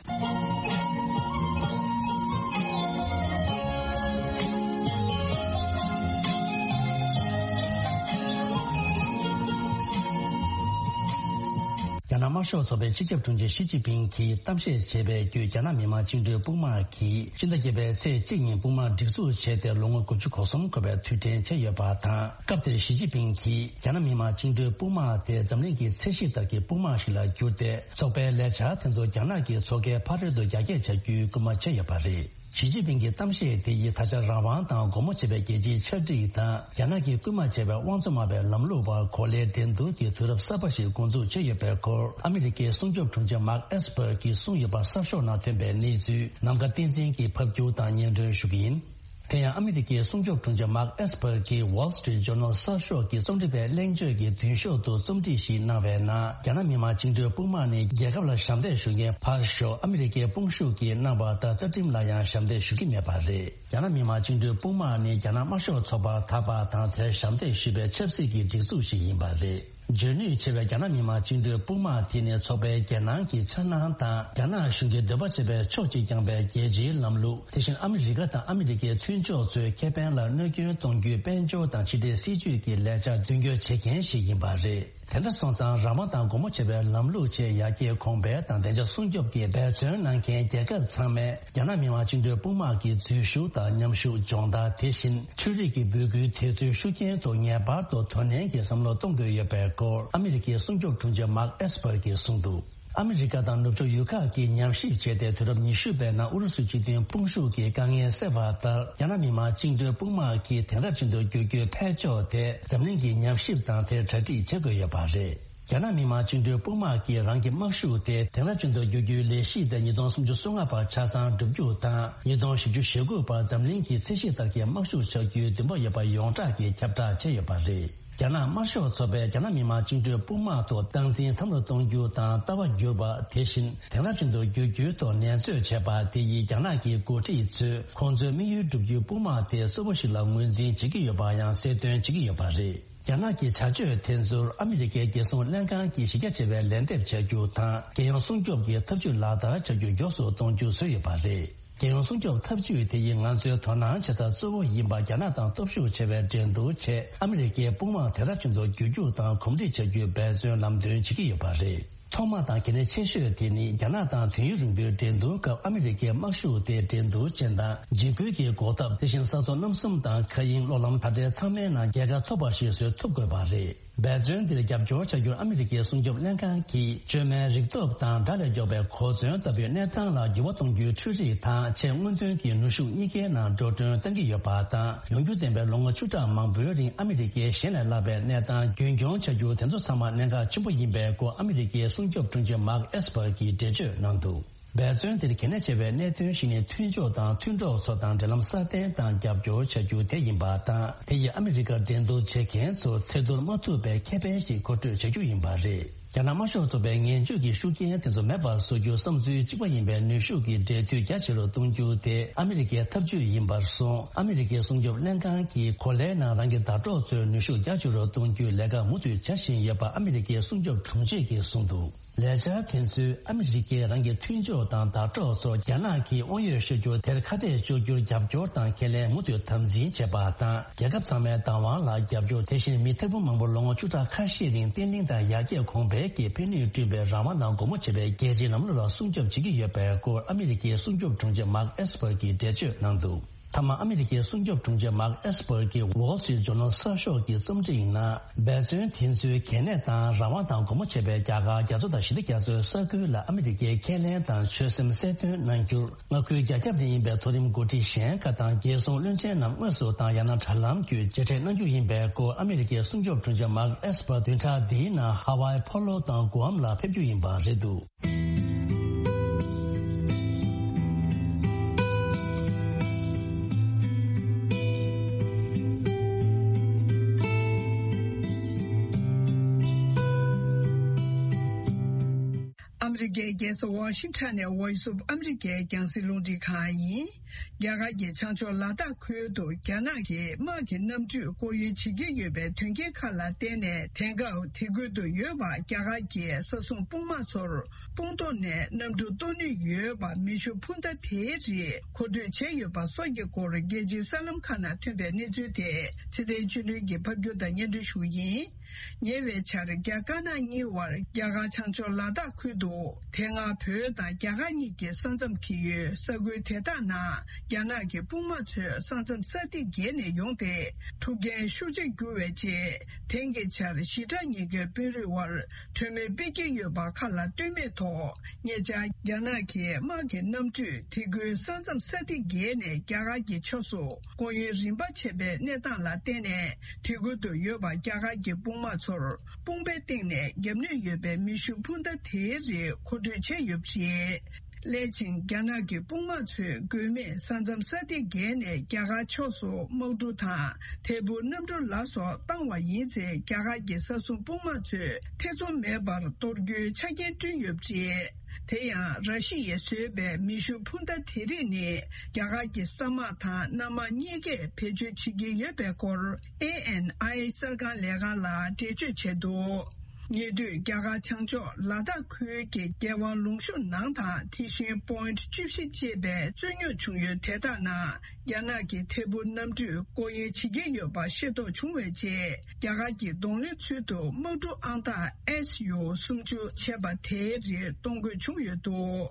རྒྱ་ནག་དམར་ཤོག་ཚོགས་པའི་སྤྱི་ཁྱབ་དྲུང་ཆེ་ཞི་ཅིན་ཕིང་གིས་གཏམ་བཤད་བྱས་པའི་བརྒྱུད། རྒྱ་ནག་མི་དམངས་བཅིངས་འགྲོལ་དཔུང་དམག་གིས་སྤྱི་ཟླ་བརྒྱད་པའི་ཚེས་གཅིག་ཉིན་དཔུང་དམག་སྒྲིག་འཛུགས་བྱས་ཏེ་ལོ་ངོ་དགུ་བཅུ་གོ་གསུམ་འཁོར་བའི་དུས་དྲན་བྱས་ཡོད་པ་དང་། སྐབས་དེར་ཞི་ཅིན་ཕིང་གིས་རྒྱ་ནག་མི་དམངས་བཅིངས་འགྲོལ་དཔུང་དམག་དེ་འཛམ་གླིང་གི་ཚད་གཞི་ལྟར་གྱི་དཔུང་དམག་ཞིག་ལ་བསྒྱུར་ཏེ། ཚོགས་པའི་ལས་འཆར་དེ་ཚོ་རྒྱ་ནག་གི་མཚོ་ཁའི་ཕ་རོལ་ཏུ་རྒྱ་སྐྱེད་བྱ་རྒྱུའི་སྐུལ་མ་བྱས་ཡོད་པ་རེད། ཞི་ཅིན་ཕིང་གི་གཏམ་བཤད་དེ་ཡིས་ད་ཆ་རང་དབང་དང་སྒོ་མོ་འབྱེད་པའི་རྒྱལ་སྤྱིའི་ཆར་སྒྲིག་དང་། རྒྱ་ནག་གིས་སྐུལ་མ་བྱས་པའི་དབང་བཙོང་མ་བའི་ལམ་ལུགས་བར་གོ་ལའི་འགྲན་བསྡུར་གྱི་དུས་རབས་གསར་པ་ཞིག་འགོ་འཛུགས་བྱས་ཡོད་པའི་སྐོར། ཨ་མི་རི་ཀའི་སྲུང་སྐྱོབ་དྲུང་ཆེ་མཱརྐ་ཨེས་པར་གྱིས་གསུངས་ཡོད་པ་གསར་ཤོག་ནང་ཐོན་པའི་གནས་ཚུལ་ནམ་མཁའ་བསྟན་འཛིན་གྱིས་ཕབ་སྒྱུར་དང་སྙན་སྒྲོན་ཞུ་གི་ཡིན། དེ་ཡང་ཨ་མི་རི་ཀའི་སྲུང་སྐྱོབ་དྲུང་ཆེ་མཱརྐ་ཨེས་པར་གྱིས་Wall Street Journal གསར་ཤོག་གི་རྩོམ་སྒྲིག་པའི་གླེང་བརྗོད་ཀྱི་མདུན་ཤོག་ཏུ་རྩོམ་སྒྲིག་ཞིག་གནང་བའི་ནང་། རྒྱ་ནག་མི་དམངས་བཅིངས་འགྲོལ་དཔུང་དམག་ནི་རྒྱལ་ཁབ་ལ་ཞབས་འདེགས་ཞུ་མཁན་ཕར་ཞོག་ཨ་མི་རི་ཀའི་དཔུང་ཤུགས་ཀྱིས་གནང་བ་ལྟར་རྩ་ཁྲིམས་ལ་ཡང་ཞབས་འདེགས་ཞུ་གི་མེད་པ་རེད། རྒྱ་ནག་མི་དམངས་བཅིངས་འགྲོལ་དཔུང་དམག་ནི་རྒྱ་ནག་དམར་ཤོག་ཚོགས་པར་ད་བར་དང་དེར་ཞབས་འདེགས་ཞུས་པའི་ཆབ་སྲིད་ཀྱི་སྒྲིག་འཛུགས་ཤིག་ཡིན་པ་རེད། འཇོན་ནུས་ཆེ་བའི་རྒྱ་ནག་མི་དམངས་བཅིངས་འགྲོལ་དཔུང་དམག་དེ་ནི་ཚོགས་པའི་རྒྱལ་ནང་གི་འཆར་སྣང་དང་། རྒྱ་ནག་གཞུང་གི་འདོད་པ་བྱེད་པའི་ཕྱོགས་གཅིག་རྐྱང་པའི་རྒྱལ་སྤྱིའི་ལམ་ལུགས། དེ་བཞིན་ཨ་མི་རི་ཀ་དང་ཨ་མི་རི་ཀའི་མཐུན་ཕྱོགས་ཚོའི་ཁེ་ཕན་ལ་གནོད་སྐྱོན་གཏོང་རྒྱུའི་དཔལ་འབྱོར་དང་ཕྱི་འབྲེལ་སྲིད་ཇུས་ཀྱི་ལས་འཆར་མདུན་སྐྱོད་བྱེད་མཁན་ཞིག་ཡིན་པ་རེད། དེ་འདྲ་སོང་ཙང་། རང་དབང་དང་སྒོ་མོ་འབྱེད་པའི་ལམ་ལུགས་ཆེད་ཡར་རྒྱས་གོང་འཕེལ་དང་བདེ་འཇགས་སྲུང་སྐྱོབ་ཀྱི་འབད་བརྩོན་གནང་མཁན་རྒྱལ་ཁབ་ཚང་མས། རྒྱ་ནག་མི་དམངས་བཅིངས་འགྲོལ་དཔུང་དམག་གི་འཛུལ་ཞུགས་དང་མཉམ་ཞུགས་སྦྱོང་བརྡར། དེ་བཞིན་འཕྲུལ་རིག་གི་འབོད་སྐུལ་དེ་ཚོའི་ཤུགས་རྐྱེན་ཐོག་ངེས་པར་དུ་དོ་ནན་གྱིས་བསམ་བློ་གཏོང་དགོས་ཡོད་པའི་སྐོར། ཨ་མི་རི་ཀའི་སྲུང་སྐྱོབ་དྲུང་ཆེ་མཱརྐ་ཨེས་པར་གྱིས་གསུངས་འདུག་ཨ་མི་རི་ཀ་དང་ནུབ་ཕྱོགས་ཡུལ་ཁག་གིས་ཉམས་ཞིབ་བྱས་ཏེ། དུས་རབས་ཉི་ཤུ་པའི་ནང་ཨུ་རུ་སུ་སྤྱི་མཐུན་དཔུང་ཤུགས་ཀྱི་དཀའ་ངལ་སེལ་བ་ལྟར། རྒྱ་ནག་མི་དམངས་བཅིངས་འགྲོལ་དཔུང་དམག་གིས་དེང་རབས་ཅན་དུ་བསྒྱུར་རྒྱུའི་འཕེལ་ཕྱོགས་དེ་འཛམ་གླིང་གིས་ཉམས་ཞིབ་དང་དེར་གྲ་སྒྲིག་བྱེད་དགོས་ཡོད་པ་རེད། རྒྱ་ནག་མི་དམངས་བཅིངས་འགྲོལ་དཔུང་དམག་གིས་རང་གི་དམག་ཤུགས་དེ་དེང་རབས་ཅན་དུ་བསྒྱུར་རྒྱུའི་ལས་གཞི་དེ་ཉིས་སྟོང་སུམ་ཅུ་སོ་ལྔ་བར་ཆ་ཚང་འགྲུབ་རྒྱུ་དང་། ཉིས་སྟོང་བཞི་བཅུ་ཞེ་དགུ་བར་འཛམ་གླིང་གི་ཚད་གཞི་ལྟར་གྱི་དམག་ཤུགས་ཆགས་རྒྱུའི་འདུན་པ་ཡོད་པ་ཡོངས་གྲགས་ཀྱིས་ཁྱབ་བསྒྲགས་བྱས་ཡོད་པ་རེད། རྒྱ་ནག་དམར་ཤོག་ཚོགས་པས་རྒྱ་ནག་མི་དམངས་བཅིངས་འགྲོལ་དཔུང་དམག་ཐོག་སྟངས་འཛིན་མཚམས་རེ་གཏོང་རྒྱུ་དང་ལྟ་བ་བསྒྱུར་བ། དེ་བཞིན་དེང་རབས་ཅན་དུ་བསྒྱུར་རྒྱུའི་ཐོག་ནན་བརྩོན་བྱས་པ་དེ་ཡིས། རྒྱ་ནག་གི་འགོ་ཁྲིད་ཚོས་ཁོང་ཚོའི་དམིགས་ཡུལ་བསྒྲུབ་རྒྱུའི་དཔུང་དམག་དེ་གཙོ་བོ་ཞིག་ལ་ངོས་འཛིན་བྱེད་ཀྱི་ཡོད་པ་ཡང་གསལ་སྟོན་བྱེད་ཀྱི་ཡོད་པ་རེད། རྒྱ་ནག་གི་བྱ་སྤྱོད་དེ་ཚོར་ཨ་མི་རི་ཀའི་རྒྱལ་སྲུང་ལྷན་ཁང་གིས་གཞི་རྒྱ་ཆེ་བའི་ལན་འདེབས་བྱ་རྒྱུ་དང་། རྒྱལ་ཡོངས་སྲུང་སྐྱོབ་ཀྱི་ཐབས་ཇུས་ལག་བསྟར་བྱ་རྒྱུ་མགྱོགས་སུ་གཏོང་རྒྱུ་བཟོས་ཡོད་པ་རེད། རྒྱལ་ཡོངས་སྲུང་སྐྱོབ་ཐབས་ཇུས་དེ་ཡིས་ང་ཚོའི་དོ་སྣང་བྱེད་ས་གཙོ་བོ་ཡིན་པ། རྒྱ་ནག་དང་སྟོབས་ཤུགས་ཆེ་བའི་འགྲན་བསྡུར་ཆེད་ཨ་མི་རི་ཀའི་དཔུང་དམག་དེང་རབས་ཅན་དུ་བསྒྱུར་རྒྱུ་དང་གོམས་འདྲིས་བྱ་རྒྱུའི་འབད་བརྩོན་ལམ་སྟོན་བྱེད་ཀྱི་ཡོད་པ་རེད། ཐོག་མ་དང་གལ་གནད་ཆེ་ཤོས་དེ་ནི། རྒྱ་ནག་དང་དུས་ཡུན་རིང་པོའི་འགྲན་བསྡུར་སྐབས་ཨ་མི་རི་ཀའི་དམག་ཤུགས་དེ་འགྲན་བསྡུར་ཅན་དང་འཇིགས་སྐུལ་གྱི་འགོག་ཐབས། དེ་བཞིན་ས་མཚོ་གནམ་གསུམ་དང་མཁའ་དབྱིངས་གློག་ལམ་དག་སྒྲིལ་ཚང་མའི་ནང་རྒྱལ་ཁ་ཐོབ་པ་ཞིག་བཟོ་ཐུབ་དགོས་པ་རེད། འབད་བརྩོན་འདིར་རྒྱབ་སྐྱོར་བྱ་རྒྱུར་ཨ་མི་རི་ཀའི་སྲུང་སྐྱོབ་ལྷན་ཁང་གིས་བཅོས་མའི་རིག་སྟོབས་དང་དགྲ་ལས་མགྱོགས་པའི་གོ་མཚོན་ལྟ་བུའི་གནས་སྟངས་ལ་འགྱུར་བ་གཏོང་རྒྱུའི་འཕྲུལ་རིག་དང་། ཆེས་སྔོན་ཐོན་གྱི་ནུས་ཤུགས་གཉིས་ཀའི་ནང་འགྲོ་གྲོན་གཏང་གི་ཡོད་པ་དང་། ཡོང་རྒྱུ་ལྡན་པའི་ལོ་ངོ་བཅུ་ཕྲག་མང་པོའི་རིང་ཨ་མི་རི་ཀའི་གཞན་ལས་སླ་བའི་གནས་སྟངས་རྒྱུན་འཁྱོངས་བྱ་རྒྱུ་དེ་ཚོ་ཚང་མ་གནད་འགག་ཆེན་པོ་ཡིན་པའི་སྐོར། ཨ་མི་རི་ཀའི་སྲུང་སྐྱོབ་དྲུང་ཆེ་མཱརྐ་ཨེས་པར་གྱིས་འགྲེལ་བརྗོད་གནང་འདུག་འབད་བརྩོན་དེར་གལ་གནད་ཆེ་བའི་གནད་དོན་ཞིག་ནི། མཐུན་ཕྱོགས་དང་མཐུན་གྲོགས་ཚོ་དང་འབྲེལ་ལམ་སྲ་བརྟན་དང་རྒྱབ་སྐྱོར་བྱ་རྒྱུ་དེ་ཡིན་པ་དང་། དེ་ཡིས་ཨ་མི་རི་ཀར་འགྲན་བསྡུར་བྱེད་མཁན་ཚོ་ཚེ་ཐུར་མ་ཐུབ་པའི་ཁེ་ཕན་ཞིག་མཁོ་སྤྲོད་བྱ་རྒྱུ་ཡིན་པ་རེད། རྒྱ་ནག་དམར་ཤོག་ཚོགས་པའི་ངན་ཇུས་ཀྱི་ཤུགས་རྐྱེན་དེ་ཚོ་མེད་པར་བཟོ་རྒྱུ་བསམ་ཚུལ་གཅིག་པ་ཡིན་པའི་ནུས་ཤུགས་ཀྱི་འབྲེལ་མཐུད་རྒྱ་ཆེ་རུ་གཏོང་རྒྱུ་དེ་ཨ་མི་རི་ཀའི་ཐབས་ཇུས་ཡིན་པར་སོང་། ཨ་མི་རི་ཀའི་སྲུང་སྐྱོབ་ལྷན་ཁང་གིས་གོ་ལའི་ནང་རང་གི་ཟླ་གྲོགས་ཚོའི་ནུས་ཤུགས་རྒྱ་ཆེ་རུ་གཏོང་རྒྱུའི་ལས་ཀ་མུ་མཐུད་བྱ་བཞིན་ཡོད་པ་ཨ་མི་རི་ཀའི་སྲུང་སྐྱོབ་དྲུང་ཆེ་གིས་གསུངས་འདུག་ལས་འཆར་དེ་ཚོས་ཨ་མི་རི་ཀས་རང་གི་མཐུན་ཕྱོགས་དང་ཟླ་གྲོགས་ཚོར་རྒྱ་ནག་གིས་དབང་ཡོད་ཤོད་རྒྱུར་དེར་ཁ་གཏད་གཅོག་རྒྱུར་རྒྱབ་སྐྱོར་དང་ཁས་ལེན་མུ་མཐུད་དམ་འཛིན་བྱེད་པ་དང་། རྒྱལ་ཁབ་ཚང་མའི་བདག་དབང་ལ་རྒྱབ་སྐྱོར། དེ་བཞིན་མི་ཐེར་འབུམ་མང་པོ་ལོ་ངོ་བཅུ་ཕྲག་ཁ་ཤས་རིང་བརྟན་ལྷིང་དང་ཡར་རྒྱས་གོང་འཕེལ་གྱི་ཕན་ནུས་བསྐྲུན་པའི་རང་དབང་དང་སྒོ་མོ་འབྱེད་པའི་རྒྱལ་སྤྱིའི་ལམ་ལུགས་ལ་སྲུང་སྐྱོབ་བྱེད་ཀྱི་ཡོད་པའི་སྐོར། ཨ་མི་རི་ཀའི་སྲུང་སྐྱོབ་དྲུང་ཆེ་མཱརྐ་ཨེས་པར་གྱིས་འགྲེལ་བརྗོད་གནང་འདུག་མཐའ་མ་ཨ་མི་རི་ཀའི་སྲུང་སྐྱོབ་དྲུང་ཆེ་མཱརྐ་ཨེས་པར་གྱིས་Wall Street Journal གསར་ཤོག་གི་རྩོམ་སྒྲིག་ནང་། འབད་བརྩོན་དེ་ཚོའི་གལ་གནད་དང་རང་དབང་དང་སྒོ་མོ་འབྱེད་པའི་རྒྱ་གར་རྒྱ་མཚོ་དང་ཞི་བདེ་རྒྱ་མཚོའི་ས་ཁུལ་ལ་ཨ་མི་རི་ཀའི་ཁས་ལེན་དང་ཆོད་སེམས་གསལ་སྟོན་གནང་རྒྱུར། མངའ་ཁུལ་རྒྱ་ཁྱབ་ནས་ཡིན་པའི་མཐོ་རིམ་འགོ་ཁྲིད་གཞན་ཁག་དང་རྒྱལ་སྲུང་བློན་ཆེན་རྣམས་དངོས་སུ་དང་ཡང་ན་དྲ་ལམ་བརྒྱུད་མཇལ་འཕྲད་གནང་རྒྱུ་ཡིན་པའི་སྐོར། ཨ་མི་རི་ཀའི་སྲུང་སྐྱོབ་དྲུང་ཆེ་མཱརྐ་ཨེས་པར་བདུན་ཕྲག་འདིའི་ནང་ཧ་ཝའི་ཕོ་ལོ་དང་གུའམ་ལ་ཕེབས་རྒྱུ་ཡིན་པ་རེད་འདུག་ཨ་མི་རི་ཀའི་རྒྱལ་ས་ཝ་ཤིང་ཊོན་ནས་Voice of America རྒྱང་སྲིང་རླུང་འཕྲིན་ཁང་ཡིན། རྒྱ་གར་གྱི་བྱང་ཕྱོགས་ལ་དྭགས་ཁུལ་དུ་རྒྱ་ནག་གིས་དམག་གི་གནམ་གྲུས་སྐོར་གཡོལ་བྱེད་ཀྱི་ཡོད་པའི་དོན་རྐྱེན་ཁག་ལ་བརྟེན་ནས། དེང་སྐབས་དེ་ཁུལ་དུ་ཡོད་པ་རྒྱ་གར་གྱི་ས་སྲུང་དཔུང་དམག་ཚོར་དཔུང་ཐོག་ནས་གནམ་གྲུ་གཏོར་ནུས་ཡོད་པ་མེ་ཤུགས་འཕུར་མདའ་དེའི་རིགས་མཁོ་སྤྲོད་བྱས་ཡོད་པ་སོགས་ཀྱི་སྐོར། རྒྱལ་སྤྱིའི་གསར་ལམ་ཁག་ནང་ཐོན་པའི་གནས་ཚུལ་དེ་ཚེ་བརྟན་ཆོས་སྒྲོན་གྱིས་ཕབ་སྒྱུར་དང་སྙན་སྒྲོན་ཞུ་གི་ཡིན། ཉེ་བའི་ཆར་རྒྱ་དཀར་ནག་གཉིས་དབར་རྒྱ་གར་བྱང་ཕྱོགས་ལ་དྭགས་ཁུལ་དུ། དེ་སྔ་བོད་དང་རྒྱ་གར་གཉིས་ཀྱི་ས་མཚམས་འཁེལ་ཡུལ་ས་ཁུལ་དེ་དག་ནང་རྒྱ་ནག་གི་དཔུང་དམག་ཚོས་ས་མཚམས་ས་ཐིག་བརྒལ་ནས་ཡོང་སྟེ། འཁྲུག་རྐྱེན་ཤུགས་ཆེར་གྱུར་བའི་རྗེས། དེང་གི་ཆར་ཞི་དྲག་ཉེས་སྐྱོན་དཔོན་རིགས་དབར་གྲོས་མོལ་སྤེལ་གྱི་ཡོད་པ་ཁ་ལ་ལྟོས་མེད་ཐོག་ཉེ་ཆར་རྒྱ་ནག་གི་དམག་གི་གནམ་གྲུས་དེ་ཁུལ་ས་མཚམས་ས་ཐིག་བརྒལ་ནས་རྒྱ་གར་གྱི་ཕྱོགས་སུ་སྐོར་གཡོལ་རིམ་པ་བྱས་པའི་གནས་སྟངས་ལ་བརྟེན་ནས། དེ་ཁུལ་དུ་ཡོད་པ་རྒྱ་གར་གྱི་དཔུང་དམག་ཚོར་དཔུང་པའི་སྟེང་ནས་བརྒྱབ་ནུས་ཡོད་པའི་མེ་ཤུགས་འཕུར་མདའ་དེའི་རིགས་མཁོ་སྤྲོད་བྱས་ཡོད་པ་རེད། སླད་ཕྱིན་རྒྱ་ནག་གི་དཔུང་དམག་ཚོས་དགོས་མེད་ས་མཚམས་ས་ཐིག་བརྒལ་ནས་རྒྱ་གར་ཕྱོགས་སུ་དམག་གྲུ་དང་ཐད་འཕུར་གནམ་གྲུ་ལ་སོགས་བཏང་བ་ཡིན་ཚེ། རྒྱ་གར་གྱི་ས་སྲུང་དཔུང་དམག་ཚོས་ཐེ་ཚོམ་མེད་པར་གཏོར་རྒྱུའི་ཆ་རྐྱེན་བསྐྲུན་ཡོད་པ་རེད། དེ་ཡང་། ར་ཤི་ཡས་བཟོས་པའི་མེ་ཤུགས་འཕུར་མདའ་དེ་རིགས་ནི། རྒྱ་གར་གྱི་ས་དམག་དང་གནམ་དམག་གཉིས་ཀས་བེད་སྤྱོད་བྱེད་ཀྱི་ཡོད་པའི་སྐོར། ཨེ་ཨེན་ཨའི་གསར་ཁང་ལས་ཁང་ལ་འགྲེལ་བརྗོད་བྱས་འདུག་ཉེ་དུས་རྒྱ་གར་བྱང་ཕྱོགས་ལ་དྭགས་ཁུལ་གྱི་རྒྱལ་བ་ལུང་ཤུར་ནང་དང་། དེ་བཞིན་པོ་ཡིན་བཅུ་བཞི་ཅེས་པའི་རྩོད་རྙོག་བྱུང་ཡུལ་དེ་དག་ནང་། རྒྱ་ནག་གི་ཐད་འཕུར་གནམ་གྲུས་སྐོར་གཡོལ་བྱེད་ཀྱི་ཡོད་པ་ཤེས་རྟོགས་བྱུང་བའི་རྗེས། རྒྱ་གར་གྱི་གདོང་ལེན་ཚུལ་དུ་དམག་གྲུ་ཨང་རྟགས་ཨེས་ཡུ་སུམ་ཅུ་བྱས་པ་དེའི་རིགས་གཏོང་དགོས་བྱུང་ཡོད་འདུག་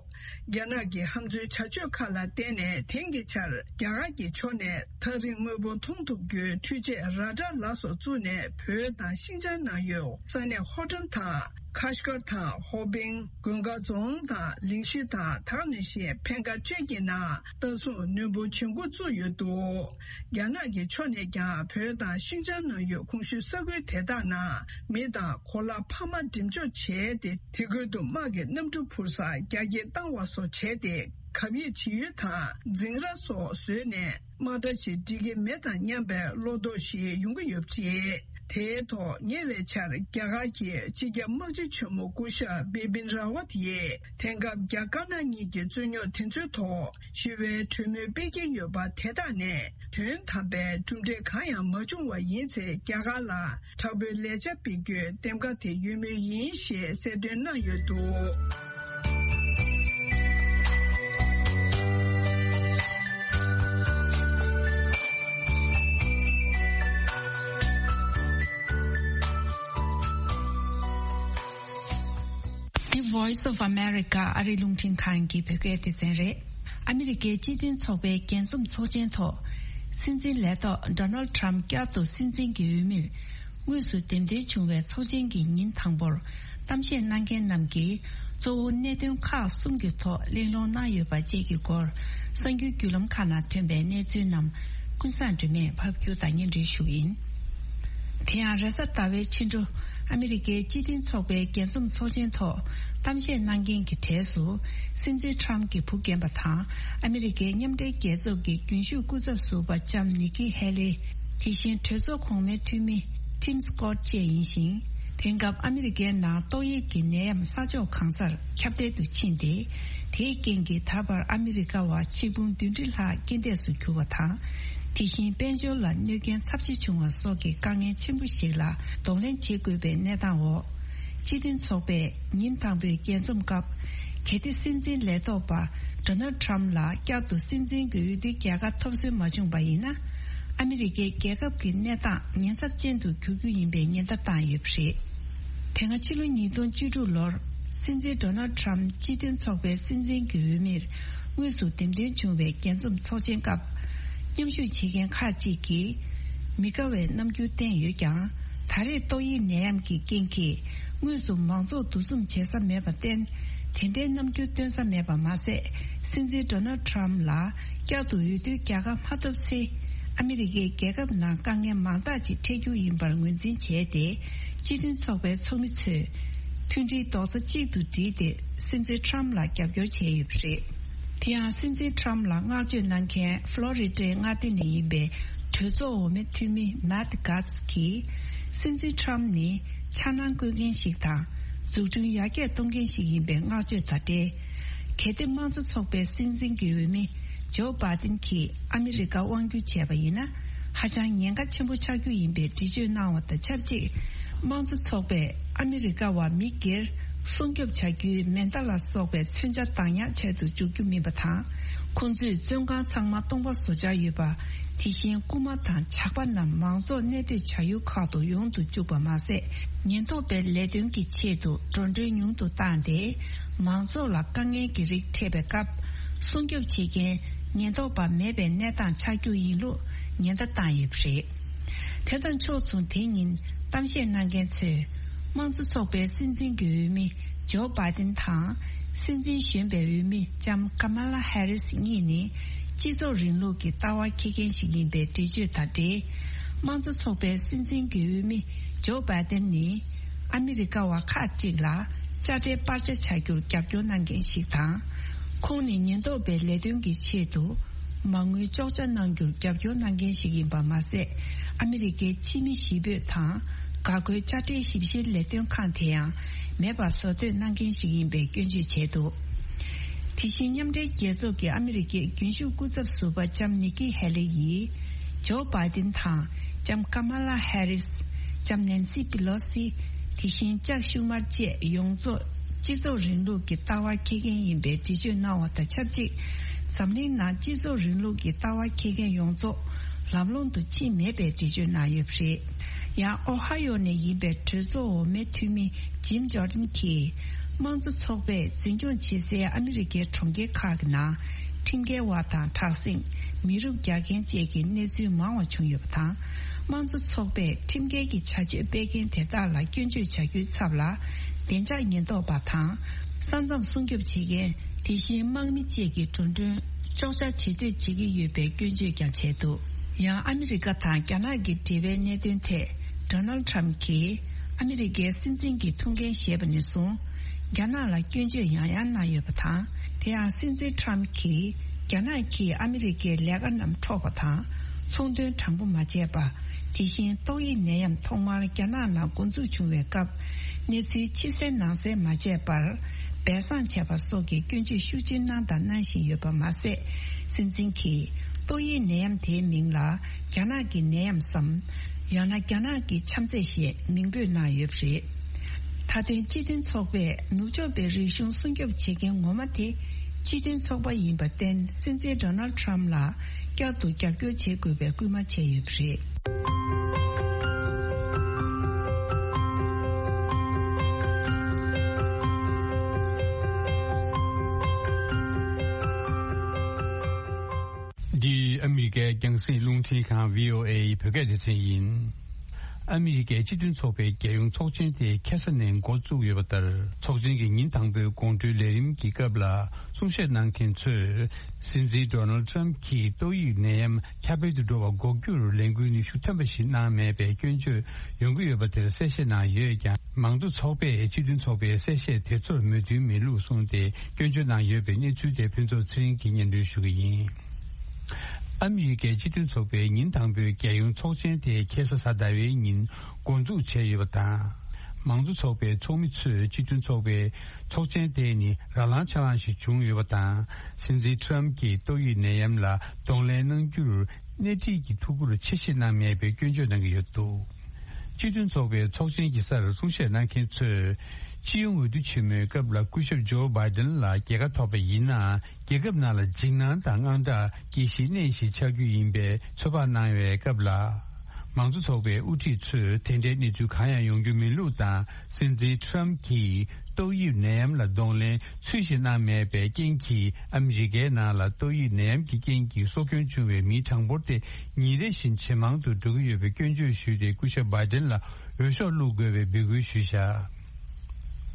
རྒྱ་ནག་གི་ཧམ་འཛུལ་བྱ་སྤྱོད་ཁག་ལ་བརྟེན་ནས། དེང་གི་ཆར་རྒྱ་གར་གྱི་ཕྱོགས་ནས་ཐག་རིང་དངོས་པོ་མཐོང་ཐུབ་རྒྱུའི་འཕྲུལ་ཆས་ར་ཌར་ལ་སོགས་བཙུགས་ནས། བོད་དང་ཤིན་ཅང་ནང་ཡོད་ས་གནས་ཧོ་ཊམ་དང་། ཁ་ཤ་ཀར་དང་། ཧོ་པིང་། མགོན་དཀར་རྫོང་དང་། ལིང་ཤི་དང་། དེ་ནང་བཞིན་འཕན་ཁ་ཊེ་གི་ནང་ལྟ་སྲུང་ནུས་པ་ཇེ་མགྱོགས་བཙུགས་ཡོད་འདུག་རྒྱ་ནག་གི་ཕྱོགས་ནས་ཀྱང་བོད་དང་ཤིན་ཅང་ནང་ཡོད་གོང་ཞུས་ས་ཁུལ་དེ་དག་ནང་མི་དང་གོ་ལ་འཕར་མ་འགྲེམས་འཇོག་བྱས་ཏེ། དེ་ཁུལ་དུ་དམག་གི་གནམ་གྲུ་འཕུར་ས་རྒྱ་སྐྱེད་བཏང་བ་སོགས་བྱས་ཏེ། གབ་ཡིབ་བྱེད་ཡུལ་དང་འཛིང་ར་སོགས་བཟོས་ནས། དམག་གྲ་ཞིག་འགྲིག་གི་མེད་དམ་སྙམ་པའི་བློ་དོགས་ཤིག་ཡོང་གི་ཡོད་པ་རེད། དེའི་ཐོག་ཉེ་བའི་ཆར་རྒྱ་གར་གྱི་སྤྱི་ཁྱབ་དམག་སྤྱི་ཆེན་མོ་སྐུ་ཞབས་བི་པིན་ར་ཝཏ་ཡིས། དེང་སྐབས་རྒྱ་དཀར་ནག་གཉིས་ཀྱི་རྩོད་རྙོག་དེ་ཚོའི་ཐོག་ཞི་བའི་གྲོས་མོལ་སྤེལ་གྱི་ཡོད་པ་དེ་དག་ནས་དོན་དམ་པའི་གྲུབ་འབྲས་གང་ཡང་མ་བྱུང་བ་ཡིན་ཚེ། རྒྱ་གར་ལ་དྲག་པོའི་ལས་འཆར་སྤེལ་རྒྱུའི་འདེམས་ཀ་དེ་ཡོད་མུས་ཡིན་ཞེས་གསལ་སྟོན་གནང་ཡོད་འདུག་འདི་Voice of America ཨ་རིའི་རླུང་འཕྲིན་ཁང་གི་བོད་སྐད་སྡེ་ཚན་རེད། ཨ་མི་རི་ཀའི་སྤྱི་མཐུན་ཚོགས་པའི་རྒྱས་འཛོམས་ཚོགས་ཆེན་ཐོག་སྲིད་འཛིན་ལས་ཐོག་Donald Trump བསྐྱར་དུ་སྲིད་འཛིན་གྱི་འོས་མིར་དངོས་སུ་འདེམས་ཐོན་བྱུང་བའི་ཚོགས་ཆེན་གྱི་ཉིན་དང་པོར། གཏམ་བཤད་གནང་མཁན་རྣམས་ཀྱིས་གཙོ་བོ་གནད་དོན་ཁག་གསུམ་གྱི་ཐོག་གླེང་སློང་གནང་ཡོད་པ་བཅས་ཀྱི་སྐོར། གསར་འགྱུར་བརྒྱུད་ལམ་ཁག་ནང་ཐོན་པའི་གནས་ཚུལ་རྣམས་ཀུན་བཟང་སྒྲོལ་མས་ཕབ་སྒྱུར་དང་སྙན་སྒྲོན་ཞུ་གི་ཡིན། དེ་ཡང་རེས་གཟའ་ཟླ་བའི་ཕྱི་དྲོ། ཨ་མི་རི་ཀའི་སྤྱི་མཐུན་ཚོགས་པའི་རྒྱས་འཛོམས་ཚོགས་ཆེན་ཐོག་གཏམ་བཤད་གནང་མཁན་གྱི་གྲས་སུ། སྲིད་འཛིན་ཁྲམ་གྱི་བུ་རྒན་པ་དང་། ཨ་མི་རི་ཀའི་མཉམ་འབྲེལ་རྒྱལ་ཚོགས་ཀྱི་རྒྱུན་ཞུགས་སྐུ་ཚབ་ཟུར་པ་ལྕམ་ནི་ཀི་ཧེ་ལི། དེ་བཞིན་གྲོས་ཚོགས་གོང་མའི་འཐུས་མི་Tim Scott་བཅས་ཡིན་ཞིང་། དེང་སྐབས་ཨ་མི་རི་ཀའི་ནང་ཏོག་དབྱིབས་ཀྱི་ནད་ཡམས་ས་ཕྱོགས་གང་སར་ཁྱབ་གདལ་དུ་ཕྱིན་ཏེ། དེའི་རྐྱེན་གྱིས་ད་བར་ཨ་མི་རི་ཀ་བ་ཆིག་འབུམ་བདུན་ཁྲི་ལྷག་རྐྱེན་འདས་སུ་གྱུར་བ་དང་། དེ་བཞིན་དཔལ་འབྱོར་ལ་གནོད་རྐྱེན་ཚབས་ཆེ་བྱུང་བ་སོགས་ཀྱི་དཀའ་ངལ་ཆེན་པོ་ཞིག་ལ་གདོང་ལེན་བྱེད་དགོས་པའི་གནས་སྟངས་འོག་སྤྱི་མཐུན་ཚོགས་པས་ཉིན་དང་པོའི་རྒྱས་འཛོམས་སྐབས། གལ་ཏེ་སྲིད་འཛིན་ལས་ཐོག་པ་Donald Trump་ལ་བསྐྱར་དུ་སྲིད་འཛིན་གྱི་འོས་བསྡུའི་རྒྱལ་ཁ་ཐོབ་སྲོལ་མ་བྱུང་བ་ཡིན་ན། ཨ་མི་རི་ཀའི་རྒྱལ་ཁབ་ཀྱི་གནས་སྟངས་ཉེན་ཚབས་ཅན་དུ་འགྱུར་རྒྱུ་ཡིན་པའི་ཉེན་བརྡ་བཏང་ཡོད་པ་རེད། དེ་སྔ་ཕྱི་ལོ་ཉིས་སྟོང་བཅུ་དྲུག་ལོར་སྲིད་འཛིན་Donald Trump་སྤྱི་མཐུན་ཚོགས་པའི་སྲིད་འཛིན་གྱི་འོས་མིར་དངོས་སུ་འདེམས་ཐོན་བྱུང་བའི་རྒྱས་འཛོམས་ཚོགས་ཆེན་སྐབས། མཉམ་ཞུགས་བྱེད་མཁན་ཁག་ཅིག་གིས་མི་དགའ་བའི་རྣམ་འགྱུར་བསྟན་ཡོད་ཀྱང་། ད་རེས་ཏོག་དབྱིབས་ནད་ཡམས་ཀྱི་རྐྱེན་གྱིས་དངོས་སུ་མང་ཚོགས་འདུ་འཛོམས་བྱེད་ས་མེད་པར་བརྟེན། དེ་འདྲའི་རྣམ་འགྱུར་སྟོན་ས་མེད་པ་མ་ཟད། སྲིད་འཛིན་Donald Trump་ལ་བསྐྱར་དུ་འོས་བསྡུའི་རྒྱལ་ཁ་མ་ཐོབ་ཚེ། ཨ་མི་རི་ཀའི་རྒྱལ་ཁབ་ནང་དཀའ་ངལ་མང་དག་ཅིག་འཕྲད་རྒྱུ་ཡིན་པར་ངོས་འཛིན་བྱས་ཏེ། སྤྱི་མཐུན་ཚོགས་པའི་ཚོགས་མི་ཚོས་མཐུན་སྒྲིལ་རྡོག་རྩ་གཅིག་ཏུ་བསྒྲིལ་ཏེ། སྲིད་འཛིན་Trump་ལ་རྒྱབ་སྐྱོར་བྱས་ཡོད་པ་རེད། དེ་ཡང་སྲིད་འཛིན་Trump་ལ་བསྔགས་བརྗོད་གནང་མཁན་ཕློ་རི་ཌའི་མངའ་སྡེ་ནས་ཡིན་པའི་གྲོས་ཚོགས་འོག་མའི་འཐུས་མི་Matt Gaetz་གྱིས། སྲིད་འཛིན་Trump་ནི་འཆར་སྣང་བཀོད་མཁན་ཞིག་དང་། འཛུགས་སྐྲུན་ཡར་རྒྱས་གཏོང་མཁན་ཞིག་ཡིན་པའི་བསྔགས་བརྗོད་དང་འབྲེལ། གལ་ཏེ་དམངས་གཙོ་ཚོགས་པའི་སྲིད་འཛིན་གྱི་འོས་མི་ ཇོ་བྷའི་ཏིན་གྱིས་ཨ་མི་རི་ཀ་དབང་བསྒྱུར་བྱས་པ་ཡིན་ན། ཧ་ཅང་ཉེན་ཁ་ཆེན་པོ་ཆགས་རྒྱུ་ཡིན་པའི་འགྲེལ་བརྗོད་གནང་བ་དང་ཆབས་ཅིག་དམངས་གཙོ་ཚོགས་པས་ཨ་མི་རི་ཀ་བ་མི་སྒེར་སྲུང་སྐྱོབ་བྱ་རྒྱུའི་མེ་མདའ་ལ་སོགས་པའི་མཚོན་ཆ་བདག་ཉར་བྱས་དུ་འཇུག་རྒྱུ་མིན་པ་དང་། ཁོང་ཚོས་བཙོན་ཁང་ཚང་མ་སྟོང་པ་བཟོ་འཆར་ཡོད་པ། དེ་བཞིན་རྐུན་མ་དང་ཇག་པ་རྣམས་མང་ཚོགས་གནས་སྡོད་བྱ་ཡུལ་ཁག་ཏུ་ཡོང་དུ་བཅུག་པ་མ་ཟད། ཉེན་རྟོག་པའི་ལས་དོན་གྱི་ཆེད་དུ་འགྲོ་གྲོན་ཉུང་དུ་བཏང་སྟེ། མང་ཚོགས་ལ་དཀའ་ངལ་གྱི་རིགས་འཕྲད་པའི་སྐབས། སྲུང་སྐྱོབ་བྱེད་མཁན་ཉེན་རྟོག་པ་མེད་པའི་གནས་སྟངས་ཆགས་རྒྱུ་ཡིན་ལུགས་ཉེན་བརྡ་བཏང་ཡོད་པ་རེད། དེ་དང་ཕྱོགས་མཚུངས། དེ་ཉིན་གཏམ་བཤད་གནང་མཁན་ཚོས། དམངས་གཙོ་ཚོགས་པའི་སྲིད་འཛིན་གྱི་འོས་མི་ཇོ་བྷའི་ཏིན་དང་། སྲིད་འཛིན་གཞོན་པའི་འོས་མི་ལྕམ་ཀ་མ་ལ་ཧེ་རིས་གཉིས་ནི། སྤྱི་ཚོགས་རིང་ལུགས་ཀྱི་ལྟ་བ་འཁྱེར་མཁན་ཞིག་ཡིན་པའི་འགྲེལ་བརྗོད་དང་འབྲེལ། དམངས་གཙོ་ཚོགས་པའི་སྲིད་འཛིན་གྱི་འོས་མི་ཇོ་བྷའི་ཏིན་ནི། ཨ་མི་རི་ཀ་བ་ཁག་ཅིག་ལ་དཔྱ་ཁྲལ་སྤར་ཆ་བྱ་རྒྱུར་རྒྱབ་སྐྱོར་གནང་མཁན་ཞིག་དང་། ཁོང་ནི་ཉེན་རྟོག་པའི་ལས་དོན་གྱི་ཆེད་དུ། མ་དངུལ་གཅོག་ཆ་གནང་རྒྱུར་རྒྱབ་སྐྱོར་གནང་མཁན་ཞིག་ཡིན་པ་མ་ཟད། ཨ་མི་རི་ཀའི་ཕྱི་མི་ཞི་སྤོས་དང་། འགག་སྒོའི་དཔྱ་ཁྲལ་ཞིབ་བཤེར་ལས་དོན་ཁང་དེ་ཡང་མེད་པ་བཟོ་འདོད་གནང་མཁན་ཞིག་ཡིན་པའི་སྐྱོན་བརྗོད་བྱས་འདུག་དེ་བཞིན་མཉམ་འབྲེལ་རྒྱལ་ཚོགས་ཀྱི་ཨ་མི་རི་ཀའི་རྒྱུན་ཞུགས་སྐུ་ཚབ་ཟུར་པ་ལྕམ་ནི་ཀི་ཧེ་ལི་ཡིས། ཇོ་བྷའི་ཏིན་དང་ལྕམ་ཀ་མ་ལ་ཧེ་རིས། ལྕམ་ནན་སི་པི་ལོ་སི། དེ་བཞིན་ལྕག་ཤུ་མར་བཅས་ཡོངས་རྫོགས་སྤྱི་ཚོགས་རིང་ལུགས་ཀྱི་ལྟ་བ་འཁྱེར་མཁན་ཡིན་པའི་འགྲེལ་བརྗོད་གནང་བ་དང་ཆབས་ཅིག་འཛམ་གླིང་ནང་སྤྱི་ཚོགས་རིང་ལུགས་ཀྱི་ལྟ་བ་འཁྱེར་མཁན་ཡོངས་རྫོགས་ལམ་ལྷོང་དུ་ཕྱིན་མེད་པའི་འགྲེལ་བརྗོད་གནང་ཡོད་པ་རེད། ཡང་ཨོ་ཧ་ཡོ་ནས་ཡིན་པའི་གྲོས་ཚོགས་འོག་མའི་འཐུས་མི་ཇིམ་ཇོར་ཌན་གྱིས། དམངས་གཙོ་ཚོགས་པས་འཛིན་སྐྱོང་བྱེད་སའི་ཨ་མི་རི་ཀའི་གྲོང་ཁྱེར་ཁག་གི་ནང་ཁྲིམས་འགལ་བ་དང་དྲག་ཟིང་། མི་རུབ་རྒྱག་མཁན་བཅས་ཀྱི་གནས་ཚུལ་མང་བ་བྱུང་ཡོད་པ་དང་། དམངས་གཙོ་ཚོགས་པས་ཁྲིམས་འགལ་གྱི་བྱ་སྤྱོད་སྤེལ་མཁན་དེ་དག་ལ་སྐྱོན་བརྗོད་བྱ་རྒྱུའི་ཚབ་ལ། བདེ་འཇགས་ཉེན་རྟོག་པ་དང་། ས་མཚམས་སྲུང་སྐྱོབ་བྱེད་མཁན། དེ་བཞིན་དམག་མི་བཅས་ཀྱི་འགྲོ་གྲོན་གཅོག་ཆ་བྱེད་འདོད་བྱེད་ཀྱི་ཡོད་པའི་སྐྱོན་བརྗོད་ཀྱང་བྱས་འདུག་ཡང་ཨ་མི་རི་ཀ་དང་རྒྱ་ནག་གི་འབྲེལ་བའི་གནད་དོན་ཐད། ཌོ་ནལ་ཌི་ཊརམ་ཕི་གྱིས་ཨ་མི་རི་ཀའི་སྲིད་འཛིན་གྱི་ཐུགས་འགན་བཞེས་པ་ནས་བཟུང་། རྒྱ་ནག་ལ་སྐྱོན་བརྗོད་ཡང་ཡང་གནང་ཡོད་པ་དང་། དེ་ཡང་སྲིད་འཛིན་ཊརམ་ཕི་གྱིས་རྒྱ་ནག་གིས་ཨ་མི་རི་ཀའི་ལས་ཀ་རྣམས་འཕྲོག་པ་དང་། ཚོང་དོན་དྲང་པོ་མ་བྱས་པ། དེ་བཞིན་ཏོག་དབྱིབས་ནད་ཡམས་ཐོག་མར་རྒྱ་ནག་ནང་འགོ་འཛུགས་བྱུང་བའི་སྐབས། གནས་ཚུལ་ཕྱི་གསལ་ནང་གསལ་མ་བྱས་པར། སྦས་གསང་བྱས་པ་སོགས་ཀྱི་སྐྱོན་བརྗོད་ཤུགས་ཆེ་གནང་དང་གནང་བཞིན་ཡོད་པ་མ་ཟད། སྲིད་འཛིན་གྱིས་ཏོག་དབྱིབས་ནད་ཡམས་དེའི་མིང་ལ་རྒྱ་ནག་གི་ནད་ཡམས་སམ། ཡང་ན་རྒྱ་ནག་གི་ཆམ་ཚད་ཞེས་མིང་འབོད་གནང་ཡོད་པ་རེད། མཐའ་དོན་སྤྱི་མཐུན་ཚོགས་པས་ནུབ་ཕྱོགས་པའི་རིག་གཞུང་སྲུང་སྐྱོབ་བྱེད་མཁན་ངོ་མ་དེ་སྤྱི་མཐུན་ཚོགས་པ་ཡིན་པར་བརྟེན། སྲིད་འཛིན་ཌོ་ནལ་ཌི་ཊརམ་ཕི་ལ་བསྐྱར་དུ་རྒྱབ་སྐྱོར་བྱེད་དགོས་པའི་སྐུལ་མ་བྱས་ཡོད་པ་རེད། འདི་ཨ་མི་རི་ཀའི་རྒྱང་སྲིང་རླུང་འཕྲིན་ཁང་བྷི་ཨོ་ཨེ་ཡི་བོད་སྐད་སྡེ་ཚན་ཡིན། ཨ་མི་རི་ཀའི་སྤྱི་མཐུན་ཚོགས་པའི་རྒྱལ་ཡོངས་ཚོགས་ཆེན་དེ་ཁ་སང་ནས་འགོ་བཙུགས་ཡོད་པ་ལྟར། ཚོགས་ཆེན་གྱི་ཉིན་དང་པོའི་དགོང་དྲོའི་ལས་རིམ་གྱི་སྐབས་ལ་གསུང་བཤད་གནང་མཁན་ཚོས། སྲིད་འཛིན་ཌོ་ནལ་ཌི་ཊརམ་ཕི་གྱིས་ཏོག་དབྱིབས་ནད་ཡམས་ཁྱབ་སྤེལ་དུ་འགྲོ་བ་འགོག་རྒྱུར་ལས་འགུལ་ནུས་ཤུགས་ཐོན་པ་ཞིག་གནང་མེད་པའི་སྐྱོན་བརྗོད་ཡོང་གི་ཡོད་པ་དེར་གསལ་བཤད་གནང་ཡོད་ཀྱང་། མང་གཙོ་ཚོགས་པས་སྤྱི་མཐུན་ཚོགས་པའི་གསལ་བཤད་དེ་ཚོར་མོས་མཐུན་མེད་ལུགས་གསུངས་ཏེ། སྐྱོན་བརྗོད་གནང་ཡོད་པའི་གནས་ཚུལ་དེ་ཕུན་ཚོགས་ཚེ་རིང་གིས་སྙན་སྒྲོན་ཞུ་གི་ཡིན། ཨ་མི་རི་ཀའི་སྤྱི་མཐུན་ཚོགས་པའི་ཉིན་དང་པོའི་རྒྱལ་ཡོངས་ཚོགས་ཆེན་དེ་ཁ་སང་གཟའ་ཟླ་བའི་ཉིན་འགོ་འཛུགས་བྱས་ཡོད་པ་དང་། མང་གཙོ་ཚོགས་པའི་ཚོགས་མི་ཚོས་སྤྱི་མཐུན་ཚོགས་པའི་ཚོགས་ཆེན་དེ་ནི་རང་ལངས་ཆ་ལངས་ཤིག་བྱུང་ཡོད་པ་དང་། སྲིད་འཛིན་ཊརམ་ཕིས་ཏོག་དབྱིབས་ནད་ཡམས་ལ་གདོང་ལེན་གནང་རྒྱུར་སྣེ་ཁྲིད་ཀྱི་ཐུགས་ཁུར་ཆེ་བཞེས་གནང་མེད་པའི་སྐྱོན་བརྗོད་གནང་གི་ཡོད་འདུག་སྤྱི་མཐུན་ཚོགས་པའི་ཚོགས་ཆེན་གྱི་སར་གསུང་བཤད་གནང་མཁན་ཚོས། སྤྱི་ཡོངས་འོས་བསྡུ་ཆེན་མོའི་སྐབས་ལ་སྐུ་ཞབས་ཇོ་བྷའི་ཏིན་ལ་རྒྱལ་ཁ་ཐོབ་པ་ཡིན་ན། རྒྱལ་ཁབ་ནང་ལ་འཇིགས་སྣང་དང་དངངས་སྐྲག་སྐྱེ་གཞིའི་གནས་ཤིག་ཆགས་རྒྱུ་ཡིན་པའི་ཚོད་དཔག་གནང་བའི་སྐབས་ལ། མང་གཙོ་ཚོགས་པའི་དབུ་ཁྲིད་ཚོས་དེ་འདྲའི་གནས་ཚུལ་གང་ཡང་ཡོང་རྒྱུ་མིན་ལུགས་དང་། སྲིད་འཛིན་ཊརམ་ཕིས་ཏོག་དབྱིབས་ནད་ཡམས་ལ་གདོང་ལེན་ཚུལ་བཞིན་གནང་མེད་པའི་རྐྱེན་གྱིས། ཨ་མི་རི་ཀའི་ནང་ལ་ཏོག་དབྱིབས་ནད་ཡམས་ཀྱི་རྐྱེན་གྱིས་སྲོག་སྐྱོན་བྱུང་བའི་མིའི་གྲངས་འབོར་དེ་ཉིན་རེ་བཞིན་ཇེ་མང་དུ་འགྲོ་གི་ཡོད་པའི་སྐྱོན་བརྗོད་ཞུས་ཏེ། སྐུ་ཞབས་བྷའི་ཏིན་ལ་འོས་ཤོག་བླུག་དགོས་པའི་འབོད་སྐུལ་ཞུས་བཞག་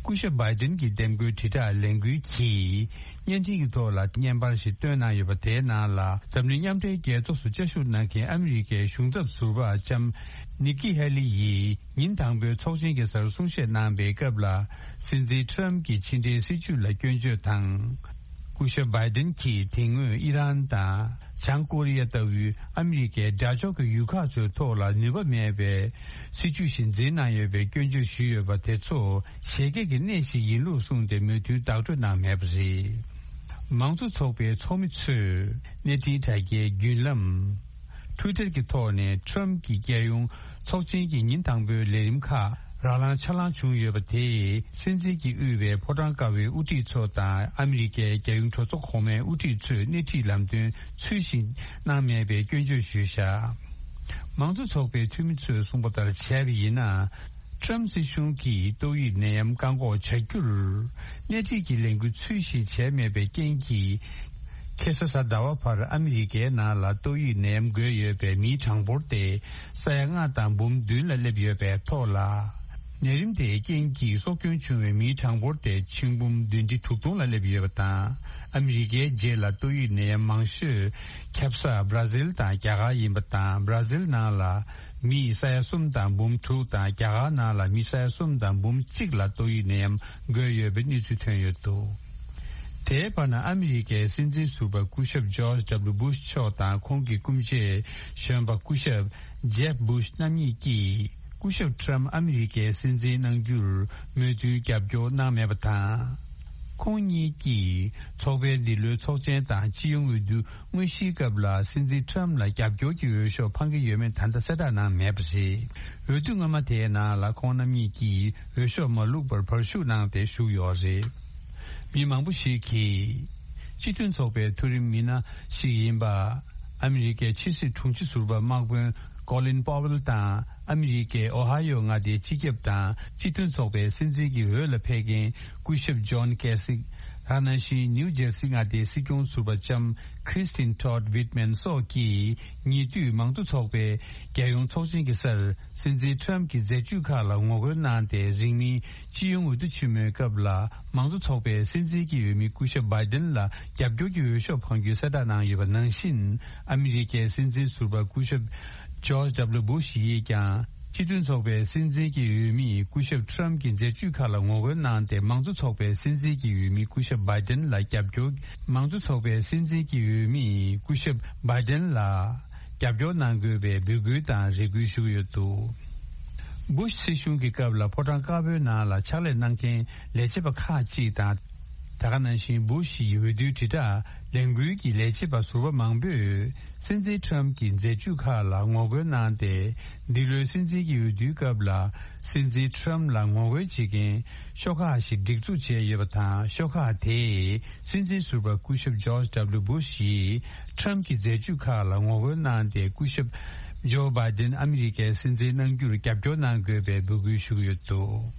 སྐུ་ཞབས་བྷའི་ཏིན་གྱི་འདེམས་བསྐོའི་དྲིལ་བསྒྲགས་ལས་འགུལ་གྱིས་བརྙན་འཕྲིན་གྱི་ཐོག་ལ་བརྙན་པར་ཞིག་བཏོན་གནང་ཡོད་པ། དེའི་ནང་ལ་འཛམ་གླིང་མཉམ་འབྲེལ་རྒྱལ་ཚོགས་སུ་བཅའ་བཞུགས་གནང་མཁན་ཨ་མི་རི་ཀའི་གཞུང་ཚབ་ཟུར་པ་ལྕམ་ནི་ཀི་ཧེ་ལི་ཡིས་ཉིན་དང་པོའི་ཚོགས་ཆེན་གྱི་སར་གསུང་བཤད་གནང་པའི་སྐབས་ལ། སྲིད་འཛིན་ཊརམ་ཕིས་ཕྱི་འབྲེལ་སྲིད་ཇུས་ལ་སྐྱོན་བརྗོད་དང་། སྐུ་ཞབས་བྷའི་ཏིན་གྱིས་དེ་སྔོན་ཨི་རན་དང་། བྱང་ཀོ་རི་ཡ་ལྟ་བུའི་ཨ་མི་རི་ཀའི་དགྲ་ཕྱོགས་ཀྱི་ཡུལ་ཁག་ཚོའི་ཐོག་ལ་ནུས་པ་མེད་པའི་སྲིད་ཇུས་ཤིག་འཛིན་གནང་ཡོད་པའི་སྐྱོན་བརྗོད་ཞུས་ཡོད་པ་དེ་ཚོ་བཞད་གད་ཀྱི་གནས་ཤིག་ཡིན་ལུགས་གསུངས་ཏེ། མོས་མཐུན་བདག་སྤྲོད་གནང་མེད་པ་རེད། མང་གཙོ་ཚོགས་པའི་ཚོགས་མི་ཚོས་གནས་འཕྲིན་དྲ་རྒྱའི་བརྒྱུད་ལམ། Twitter གྱི་ཐོག་ནས་ཊམ་གྱི་རྒྱལ་ཡོངས་ཚོགས་ཆེན་གྱི་ཉིན་དང་པོའི་ལས་རིམ་ཁག་རང་ལངས་ཆ་ལངས་བྱུང་ཡོད་པ་དེས། སྲིད་འཛིན་གྱིས་དབུས་པའི་ཕོ་བྲང་དཀར་པོའི་དབུ་ཁྲིད་ཚོ་དང་ཨ་མི་རི་ཀའི་རྒྱལ་ཡོངས་གྲོས་ཚོགས་གོང་མའི་དབུ་ཁྲིད་ཚོས་སྣེ་ཁྲིད་ལམ་སྟོན་ཚུལ་བཞིན་གནང་མེད་པའི་སྐྱོན་བརྗོད་ཞུས་བཞག། མང་གཙོ་ཚོགས་པའི་འཐུས་མི་ཚོས་གསུངས་པ་ལྟར་བྱས་པ་ཡིན་ན། ཊམ་སྲིད་གཞུང་གིས་ཏོག་དབྱིབས་ནད་ཡམས་བཀག་འགོག་བྱ་རྒྱུར་སྣེ་ཁྲིད་ཀྱི་ལས་འགུལ་ཚུལ་བཞིན་བྱས་མེད་པའི་རྐྱེན་གྱིས། ཁ་སང་གཟའ་ཟླ་བ་བར་ཨ་མི་རི་ཀའི་ནང་ལ་ཏོག་དབྱིབས་ནད་ཡམས་འགོས་ཡོད་པའི་མིའི་གྲངས་འབོར་དེ་ས་ཡ་ལྔ་དང་འབུམ་བདུན་ལ་སླེབས་ཡོད་པའི་ཐོག་ལ། ནད་རིམས་དེའི་རྐྱེན་གྱིས་སྲོག་སྐྱོན་བྱུང་བའི་མིའི་གྲངས་འབོར་དེ་ཆིག་འབུམ་བདུན་ཁྲི་དྲུག་སྟོང་ལ་སླེབས་ཡོད་པ་དང་། ཨ་མི་རི་ཀའི་རྗེས་ལ་ཏོག་དབྱིབས་ནད་ཡམས་མང་ཤོས་ཁྱབ་ས་བྷ་ར་ཟིལ་དང་རྒྱ་གར་ཡིན་པ་དང་། བྷ་ར་ཟིལ་ནང་ལ་མི་ས་ཡ་གསུམ་དང་འབུམ་དྲུག་དང་། རྒྱ་གར་ནང་ལ་མི་ས་ཡ་གསུམ་དང་འབུམ་གཅིག་ལ་ཏོག་དབྱིབས་ནད་ཡམས་འགོས་ཡོད་པའི་གནས་ཚུལ་ཐོན་ཡོད་འདུག། དེའི་བར་ན་ཨ་མི་རི་ཀའི་སྲིད་འཛིན་ཟུར་པ་སྐུ་ཞབས་ཇོརྗ་ཌབ་ལུ་བྷུ་ཤ་མཆོག་དང་ཁོང་གི་སྐུ་མཆེད་གཞོན་པ་སྐུ་ཞབས་ཇེབ་བྷུ་ཤ་རྣམ་གཉིས་ཀྱིས། སྐུ་ཞབས་ཊམ་ཨ་མི་རི་ཀའི་སྲིད་འཛིན་གནང་རྒྱུར་མོས་མཐུན་རྒྱབ་སྐྱོར་གནང་མེད་པ་དང་། ཁོང་གཉིས་ཀྱིས་ཚོགས་པའི་འདི་ལོའི་ཚོགས་ཆེན་དང་སྤྱི་ཡོངས་འོས་བསྡུ་དངོས་གཞིའི་སྐབས་ལ་སྲིད་འཛིན་ཊམ་ལ་རྒྱབ་སྐྱོར་གྱི་འོས་ཤོག་འཕང་གི་ཡོད་མེད་ད་ལྟ་གསལ་བསྒྲགས་གནང་མེད་པ་རེད། འོས་བསྡུ་སྔོན་མ་དེའི་ནང་ལ་ཁོང་རྣམ་གཉིས་ཀྱིས་འོས་ཤོག་མ་བླུགས་པར་བར་ཞུགས་གནང་སྟེ་བཞུགས་ཡོད་རེད། མི་མང་པོ་ཞིག་གིས་སྤྱི་མཐུན་ཚོགས་པའི་མཐོ་རིམ་མི་སྣ་ཞིག་ཡིན་པ། ཨ་མི་རི་ཀའི་ཕྱི་སྲིད་དྲུང་ཆེ་ཟུར་པ་དམག་དཔོན་ཀོ་ལིན་པོ་ཝེལ་དང་། ཨ་མི་རི་ཀའི་ཨོ་ཧ་ཡོ་མངའ་སྡེའི་སྤྱི་ཁྱབ་དང་སྤྱི་མཐུན་ཚོགས་པའི་སྲིད་འཛིན་གྱི་འོས་ལ་ཕེབས་མཁན་སྐུ་ཞབས་ཇོན་ཀེ་སིག། ད་ནང་བཞིན་ནིའུ་ཇེར་སི་མངའ་སྡེའི་སྲིད་སྐྱོང་ཟུར་པ་ལྕམ་ཁྲིས་ཏིན་ཊོད་ཝིད་མན་སོགས་ཀྱིས་ཉེ་དུས་མང་གཙོ་ཚོགས་པའི་རྒྱལ་ཡོངས་ཚོགས་ཆེན་གྱི་སར་སྲིད་འཛིན་ཊམ་གྱི་མཛད་ཇུས་ཁག་ལ་ངོ་རྒོལ་གནང་སྟེ། རིང་མིན་སྤྱི་ཡོངས་འོས་བསྡུ་ཆེན་མོའི་སྐབས་ལ་མང་གཙོ་ཚོགས་པའི་སྲིད་འཛིན་གྱི་འོས་མི་སྐུ་ཞབས་བྷའི་ཌེན་ལ་རྒྱབ་སྐྱོར་གྱི་འོས་ཤོག་འཕང་རྒྱུའི་གསལ་བསྒྲགས་གནང་ཡོད་པ་ནང་བཞིན། ཨ་མི་རི་ཀའི་སྲིད་འཛིན་ཟུར་པ་སྐུ་ཞབས་ཇོརྗ་ཌབ་ལུ་བྷུ་ཤ་ཡིས་ཀྱང་སྤྱི་མཐུན་ཚོགས་པའི་སྲིད་འཛིན་གྱི་འོས་མི་སྐུ་ཞབས་ཊམ་གྱི་མཛད་ཇུས་ཁག་ལ་ངོ་རྒོལ་གནང་སྟེ། མང་གཙོ་ཚོགས་པའི་སྲིད་འཛིན་གྱི་འོས་མི་སྐུ་ཞབས་བྷའི་ཌེན་ལ་རྒྱབ་སྐྱོར། མང་གཙོ་ཚོགས་པའི་སྲིད་འཛིན་གྱི་འོས་མི་སྐུ་ཞབས་བྷའི་ཌེན་ལ་རྒྱབ་སྐྱོར་གནང་དགོས་པའི་འབོད་སྐུལ་དང་རེ་སྐུལ་ཞུ་གི་ཡོད་འདུག། བྷུ་ཤ་སྲིད་གཞུང་གི་སྐབས་ལ་ཕོ་བྲང་དཀར་པོའི་ནང་ལ་ཕྱག་ལས་གནང་མཁན་ལས་བྱེད་པ་ཁག་ཅིག་དང་། ད་ག་ནང་བཞིན་བྷུ་ཤ་ཡི་འོས་བསྡུའི་དྲིལ་བསྒྲགས་ལས་འགུལ་གྱི་ལས་བྱེད་པ་ཟུར་པ་མང་པོས་སྲིད་འཛིན་ཊམ་གྱི་མཛད་ཇུས་ཁག་ལ་ངོ་རྒོལ་གནང་སྟེ། འདི་ལོའི་སྲིད་འཛིན་གྱི་འོས་བསྡུའི་སྐབས་ལ་སྲིད་འཛིན་ཊམ་ལ་ངོ་རྒོལ་བྱེད་མཁན་ཤོག་ཁག་ཞིག་སྒྲིག་འཛུགས་བྱས་ཡོད་པ་དང་། ཤོག་ཁག་དེས་སྲིད་འཛིན་ཟུར་པ་སྐུ་ཞབས་ཇོརྗ་ཌབ་ལུ་བྷུ་ཤ་ཡིས་ཊམ་གྱི་མཛད་ཇུས་ཁག་ལ་ངོ་རྒོལ་གནང་སྟེ། སྐུ་ཞབས་ཇོ་བྷའི་ཌེན་ཨ་མི་རི་ཀའི་སྲིད་འཛིན་གནང་རྒྱུར་རྒྱབ་སྐྱོར་གནང་དགོས་པའི་འབོད་སྐུལ་ཞུ་གི་ཡོད་འདུག།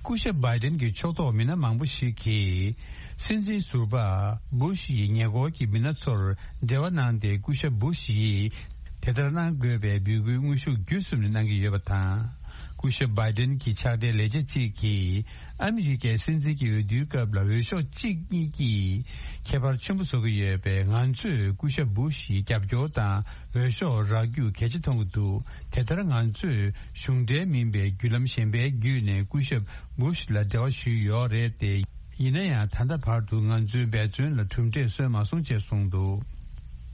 སྐུ་ཞབས་བྷའི་ཌེན་གྱི་ཕྱོགས་གཏོགས་མི་སྣ་མང་པོ་ཞིག་གིས་སྲིད་འཛིན་ཟུར་པ་བྷུ་ཤ་ཡི་ཉེ་འཁོར་གྱི་མི་སྣ་ཚོར་འབྲེལ་བ་གནང་སྟེ། སྐུ་ཞབས་བྷུ་ཤ་ཡིས་དེ་ལྟར་གནང་དགོས་པའི་འབོད་སྐུལ་དངོས་ཤུགས་བརྒྱུད་གསུམ་ནས་གནང་གི་ཡོད་པ་དང་། སྐུ་ཞབས་བྷའི་ཌེན་གྱི་ཕྱག་སྡེའི་ལས་བྱེད་ཅིག་གིས་ཨ་མི་རི་ཀའི་སྲིད་འཛིན་གྱི་འོས་བསྡུའི་སྐབས་ལ་འོས་ཤོག་གཅིག་གཉིས་ཀྱིས་ཁྱད་པར་ཆེན་པོ་བཟོ་གི་ཡོད་པས། ང་ཚོས་སྐུ་ཞབས་བྷུ་ཤ་ཡི་རྒྱབ་སྐྱོར་དང་འོས་ཤོག་རག་རྒྱུ་གལ་ཆེ་མཐོང་གི་འདུག། དེ་ལྟར་ང་ཚོས་གཞུང་འབྲེལ་མིན་པའི་བརྒྱུད་ལམ་གཞན་པའི་བརྒྱུད་ནས་སྐུ་ཞབས་བྷུ་ཤ་ལ་འབྲེལ་བ་ཞུས་ཡོད་རེད་དེ། ཡིན་ན་ཡང་ད་ལྟ་བར་དུ་ང་ཚོའི་འབད་བརྩོན་ལ་གྲུབ་འབྲས་སོན་མ་སོང་ཅེས་གསུངས་འདུག།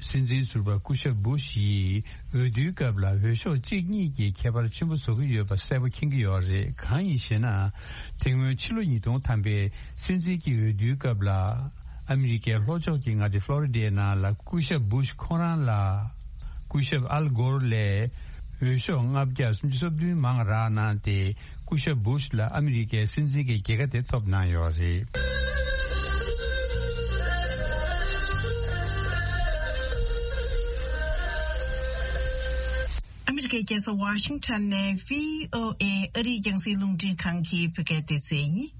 སྲིད་འཛིན་ཟུར་པ་སྐུ་ཞབས་བྷུ་ཤ་ཡིས་འོས་བསྡུའི་སྐབས་ལ་འོས་ཤོག་གཅིག་གཉིས་ཀྱིས་ཁྱད་པར་ཆེན་པོ་བཟོ་གི་ཡོད་པ་གསལ་པོ་མཁྱེན་གྱི་ཡོད་རེད། གང་ཡིན་ཞེ་ན། དེ་སྔོན་ཕྱི་ལོ་ཉིས་སྟོང་ཐམ་པའི་སྲིད་འཛིན་གྱི་འོས་བསྡུའི་སྐབས་ལ། ཨ་མི་རི་ཀའི་ལྷོ་ཕྱོགས་ཀྱི་མངའ་སྡེ་ཕློ་རི་ཌའི་ནང་ལ་སྐུ་ཞབས་བྷུ་ཤ་ཁོང་རང་ལ། སྐུ་ཞབས་ཨལ་གྷོར་ལས་འོས་ཤོག་ལྔ་བརྒྱ་སུམ་ཅུ་སོ་བདུན་མང་རག་གནང་སྟེ། སྐུ་ཞབས་བྷུ་ཤ་ལ་ཨ་མི་རི་ཀའི་སྲིད་འཛིན་གྱི་རྒྱལ་ཁ་དེ་ཐོབ་གནང་ཡོད་རེད། ཨ་མི་རི་ཀའི་རྒྱལ་ས་ཝ་ཤིང་ཊོན་ནས་བྷི་ཨོ་ཨེ་ཨ་རིའི་རྒྱང་སྲིང་རླུང་འཕྲིན་ཁང་གི་བོད་སྐད་སྡེ་ཚན་ཡིན།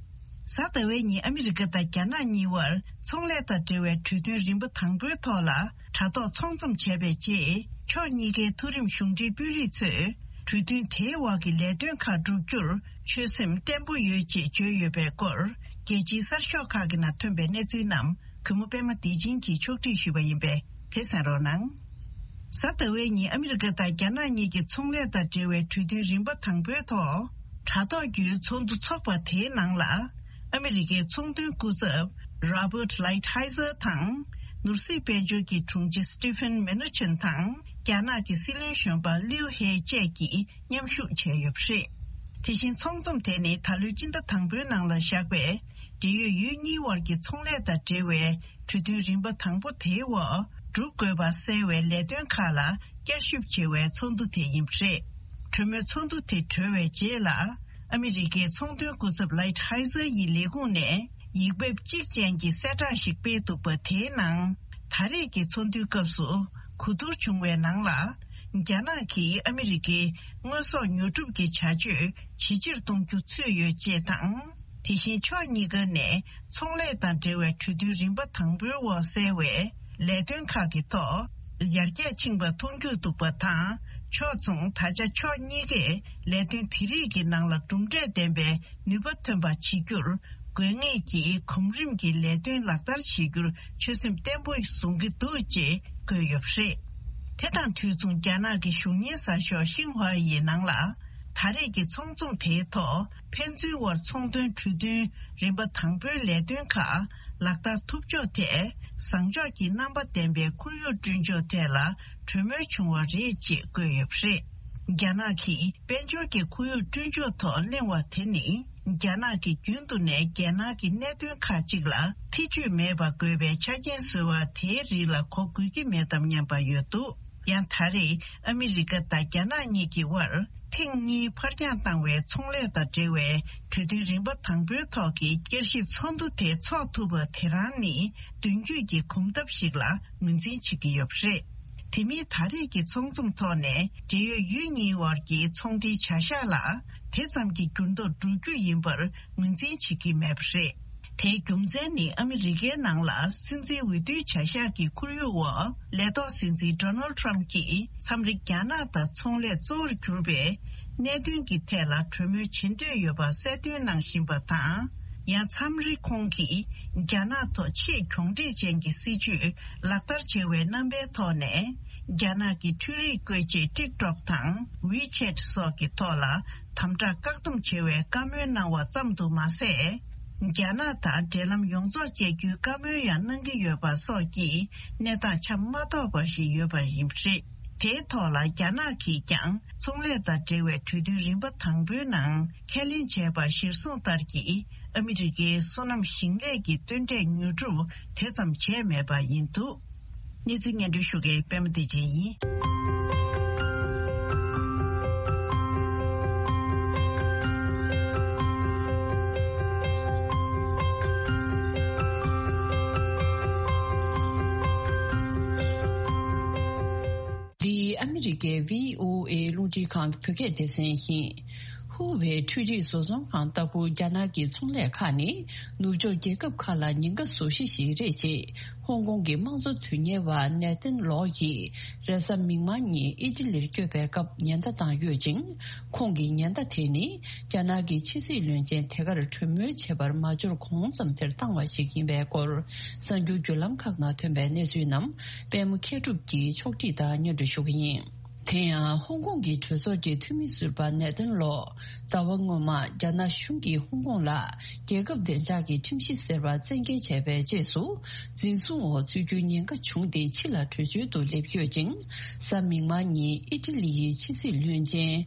གཟའ་ཟླ་བའི་ཉིན་ཨ་མི་རི་ཀ་དང་རྒྱ་ནག་གཉིས་བར་ཚོང་ལས་དང་འབྲེལ་བའི་གྲོས་མཐུན་རིམ་པ་དང་པོའི་ཐོག་ལ་དྲ་ཐོག་ཚོང་འཛོམས་བྱས་པའི་རྗེས། ཕྱོགས་གཉིས་ཀའི་མཐོ་རིམ་གཞུང་འབྲེལ་དཔོན་རིགས་ཚོས་གྲོས་མཐུན་དེའི་འོག་གི་ལས་དོན་ཁག་བསྒྲུབ་རྒྱུར་ཆོད་སེམས་བརྟན་པོ་ཡོད་ཅེས་བརྗོད་ཡོད་པའི་སྐོར། རྒྱལ་སྤྱིའི་གསར་ཤོག་ཁག་གི་ནང་ཐོན་པའི་གནས་ཚུལ་རྣམས་གུས་མོ་པད་མ་བདེ་ཆེན་གྱིས་ཕྱོགས་སྒྲིག་ཞུས་པ་ཡིན་པས། དེ་གསན་རོགས་གནང་། གཟའ་ཟླ་བའི་ཉིན་ཨ་མི་རི་ཀ་དང་རྒྱ་ནག་གཉིས་ཀྱི་ཚོང་ལས་དང་འབྲེལ་བའི་གྲོས་མཐུན་རིམ་པ་དང་པོའི་ཐོག་དྲ་ཐོག་བརྒྱུད་ཚོགས་འདུ་འཚོགས་པ་དེའི་ནང་ལ། ཨ་མི་རི་ཀའི་ཚོང་དོན་སྐུ་ཚབ་Robert Lighthizer དང་། ནོར་སྲིད་དཔལ་འབྱོར་གྱི་དྲུང་ཆེ་Steven Mnuchin དང་། རྒྱ་ནག་གི་སྲིད་བློན་གཞོན་པ་Liu He བཅས་ཀྱིས་མཉམ་ཞུགས་བྱས་ཡོད་པ་རེད། དེ་བཞིན་ཚོགས་འཛོམས་དེ་ནི་ད་ལོའི་སྤྱི་ཟླ་དང་པོའི་ནང་ལ་བཞག་པའི། འབྲེལ་ཡོད་ཡུལ་གཉིས་དབར་གྱི་ཚོང་ལས་དང་འབྲེལ་བའི་གྲོས་མཐུན་རིམ་པ་དང་པོ་དེའི་འོག་སྒྲུབ་དགོས་པ་གསལ་བའི་ལས་དོན་ཁག་ལ་བསྐྱར་ཞིབ་བྱེད་པའི་ཚོགས་འདུ་དེ་ཡིན་པ་རེད། གྲོས་མོལ་ཚོགས་འདུ་དེ་གྲོལ་བའི་རྗེས་ལ། ཨ་མི་རི་ཀའི་ཚོང་དོན་སྐུ་ཚབ་ལའིཊ་ཧའི་ཛར་ཡི་ལས་ཁུངས་ནས་ཡིག་འབེབས་གཅིག་ཅན་གྱི་གསལ་བསྒྲགས་ཤིག་སྤེལ་འདུག་པ། དེའི་ནང་། ད་རེས་ཀྱི་ཚོགས་འདུའི་སྐབས་སུ་གོ་བསྡུར་བྱུང་བའི་ནང་ལ། རྒྱ་ནག་གིས་ཨ་མི་རི་ཀའི་དངོས་ཟོག་ཉོ་སྒྲུབ་ཀྱི་བྱ་སྤྱོད་ཇེ་ཆེར་གཏོང་རྒྱུ་ཚུད་ཡོད་ཅེས་དང་། དེ་བཞིན་ཕྱོགས་གཉིས་ཀ་ནས་ཚོང་ལས་དང་འབྲེལ་བའི་གྲོས་མཐུན་རིམ་པ་དང་པོའི་འོག་གསལ་བའི་ལས་དོན་ཁག་གི་ཐོག་ཡར་རྒྱས་ཕྱིན་པ་མཐོང་རྒྱུ་འདུག་པ་དང་། ཕྱོགས་མཚུངས་ད་ཆ་ཕྱོགས་གཉིས་ཀས་ལས་དོན་དེ་རིགས་ཀྱི་ནང་ལ་གྲུབ་འབྲས་ལྡན་པའི་ནུས་པ་ཐོན་པ་བྱེད་རྒྱུར་དགོས་ངེས་ཀྱི་གོམ་རིམ་གྱི་ལས་དོན་ལག་བསྟར་བྱེད་རྒྱུར་ཆོད་སེམས་བརྟན་པོ་བཟུང་གི་འདུག་ཅེས་བཀོད་ཡོད་པ་རེད། དེ་དང་དུས་མཚུངས་རྒྱ་ནག་གི་གཞུང་གཉེར་གསར་ཤོག་ཤིན་ཧྭ་ཡི་ནང་ལ། ད་རེས་ཀྱི་ཚོགས་འཛོམས་དེའི་ཐོག་ཕན་ཚུན་དབར་ཚོང་དོན་གྲོས་མཐུན་རིམ་པ་དང་པོའི་ལས་དོན་ཁག་ལག་བསྟར་ཐུབ་ཕྱོགས་ཐད་བཟང་ཕྱོགས་ཀྱི་རྣམ་པ་ལྡན་པའི་ཁོར་ཡུག་བསྐྲུན་ཕྱོགས་ཐད་ལ་གྲོས་མོལ་བྱུང་བ་རེད་ཅེས་བཀོད་ཡོད་པ་རེད། རྒྱ་ནག་གིས་དཔལ་འབྱོར་གྱི་ཁོར་ཡུག་བསྐྲུན་ཕྱོགས་ཐོག་གླེང་བ་དེ་ནི། རྒྱ་ནག་གིས་རྒྱུན་དུ་ནས་རྒྱལ་ནང་གི་གནད་དོན་ཁག་ཅིག་ལ་ཐེ་བྱུས་མེད་པ་དགོས་པའི་ཆ་རྐྱེན་བཟོས་པ་དེའི་རིགས་ལ་གོ་དགོས་ཀྱི་མེད་དམ་སྙམ་པ་ཡོད་འདུག། ཡང་ད་རེས་ཨ་མི་རི་ཀ་དང་རྒྱ་ནག་གཉིས་ཀྱི་དབར་ཐེངས་གཉིས་ཕར་འགྱངས་བཏང་བའི་ཚོང་ལས་དང་འབྲེལ་བའི་གྲོས་མཐུན་རིམ་པ་དང་པོའི་ཐོག་གི་བསྐྱར་ཞིབ་ཚོགས་འདུ་དེ་འཚོགས་ཐུབ་པ་དེ་རང་ནི་མདུན་སྐྱོད་ཀྱི་གོམ་སྟབས་ཤིག་ལ་ངོས་འཛིན་བྱེད་ཀྱི་ཡོད་པ་རེད། དེ་མིན་ད་རེས་ཀྱི་ཚོགས་འཛོམས་ཐོག་ནས་འབྲེལ་ཡོད་ཡུལ་གཉིས་དབར་གྱི་ཚོང་འབྲེལ་བྱ་གཞག་ལ་དེ་ཙམ་གྱི་འགྱུར་ལྡོག་འགྲོ་རྒྱུ་ཡིན་པར་ངོས་འཛིན་བྱེད་ཀྱི་མེད་པ་རེད། དེའི་རྒྱུ་མཚན་ནི་ཨ་མི་རི་ཀའི་ནང་ལ་སྲིད་འཛིན་འོས་བསྡུའི་བྱ་གཞག་གི་ཁོར་ཡུག་འོག་ལས་ཐོག་སྲིད་འཛིན་ཌོ་ནལ་ཌི་ཊརམ་ཕི་གྱིས་མཚམས་རེ་རྒྱ་ནག་དང་ཚོང་ལས་གཙོ་བོར་གྱུར་པའི་གནད་དོན་གྱི་ཐད་ལ་གྲོས་མོལ་བྱེད་འདོད་ཡོད་པ་གསལ་སྟོན་གནང་བཞིན་པ་དང་། ཡང་མཚམས་རེ་ཁོང་གིས་རྒྱ་ནག་ཐོག་ཆེས་གྱོང་འབྲེལ་ཅན་གྱི་སྲིད་ཇུས་ལག་བསྟར་བྱེད་པའི་རྣམ་པའི་ཐོག་ནས། རྒྱ་ནག་གི་འཕྲུལ་རིག་བཀོལ་ཆས་ཊིག་ཊོག་དང་ཝི་ཆེ་ཊི་སོགས་ཀྱི་ཐོག་ལ་དམ་དྲག་བཀག་སྡོམ་བྱེད་པའི་བཀའ་མོལ་གནང་བ་ཙམ་དུ་མ་ཟད། རྒྱ་ནག་དང་འབྲེལ་ལམ་ཡོངས་རྫོགས་བཅད་རྒྱུའི་བཀའ་མོལ་ཡང་གནང་གི་ཡོད་པ་སོགས་ཀྱི་གནས་སྟངས་ཆ་མ་རྟོགས་པ་ཞིག་ཡོད་པ་ཡིན་པ་རེད། དེའི་ཐོག་ལ་རྒྱ་ནག་གིས་ཀྱང་ཚོང་ལས་དང་འབྲེལ་བའི་གྲོས་མཐུན་རིམ་པ་དང་པོའི་ནང་ཁས་ལེན་བྱས་པ་གཞིར་བཟུང་ལྟར་གྱི་ཨ་མི་རི་ཀའི་སོ་ནམ་ཞིང་ལས་ཀྱི་སྟོན་འབྲས་ཉོ་སྒྲུབ་དེ་ཙམ་བྱས་མེད་པ་ཡིན་འདུག། གནས་ཚུལ་སྙན་སྒྲོན་ཞུ་མཁན་པད་མ་བདེ་ཆེན་ཡིན། འདི་ཨ་མི་རི་ཀའི་བྷི་ཨོ་ཨེ་རླུང་འཕྲིན་ཁང་གི་བོད་སྐད་སྡེ་ཚན་ཡིན། ཧུ་ཝེ་འཕྲུལ་རིག་བཟོ་ཚོང་ཁང་ལྟ་བུ་རྒྱ་ནག་གི་ཚོང་ལས་ཁག་ནི་ནུབ་ཕྱོགས་རྒྱལ་ཁབ་ཁག་ལ་ཉེན་ཁ་བཟོ་གཞི་ཞིག་རེད་ཅེས་ཧོང་ཀོང་གི་དམངས་གཙོ་དོན་གཉེར་བ་ནེ་ཐན་ལོ་ཡིས་རེས་གཟའ་མིག་དམར་ཉིན་ཨི་ཊ་ལིར་བསྐྱོད་པའི་སྐབས་ཉེན་བརྡ་བཏང་ཡོད་ཅིང་། ཁོང་གིས་ཉེན་བརྡ་དེ་ནི་རྒྱ་ནག་གི་ཕྱི་སྲིད་བློན་ཆེན་དེ་གར་གྲོས་མོལ་བྱེད་པར་མ་འབྱོར་གོང་ཙམ་དེར་བཏང་བ་ཞིག་ཡིན་པའི་སྐོར་གསར་འགྱུར་བརྒྱུད་ལམ་ཁག་ནང་ཐོན་པའི་གནས་ཚུལ་རྣམས་པད་མ་མཁས་གྲུབ་ཀྱིས་ཕྱོགས་སྒྲིག་དང་སྙན་སྒྲོན་ཞུ་གི་ཡིན། དེ་ཡང་ཧོང་ཀོང་གི་གྲོས་ཚོགས་ཀྱི་འཐུས་མི་ཟུར་པ་ནེ་ཐན་ལོ། ཟླ་བ་སྔོན་མ་རྒྱ་ནག་གཞུང་གིས་ཧོང་ཀོང་ལ་རྒྱལ་ཁབ་བདེ་འཇགས་ཀྱི་ཁྲིམས་གཞི་ཟེར་བ་བཙན་འགེལ་བྱས་པའི་རྗེས་སུ། འཛིན་བཟུང་འོག་ཚུད་རྒྱུའི་ཉེན་ཁ་བྱུང་སྟེ་ཕྱི་ལ་བྲོས་བྱོལ་དུ་སླེབས་ཡོད་ཅིང་། གཟའ་མིག་དམར་ཉིན་ཨི་ཊ་ལི་ཡི་ཕྱི་སྲིད་བློན་ཆེན་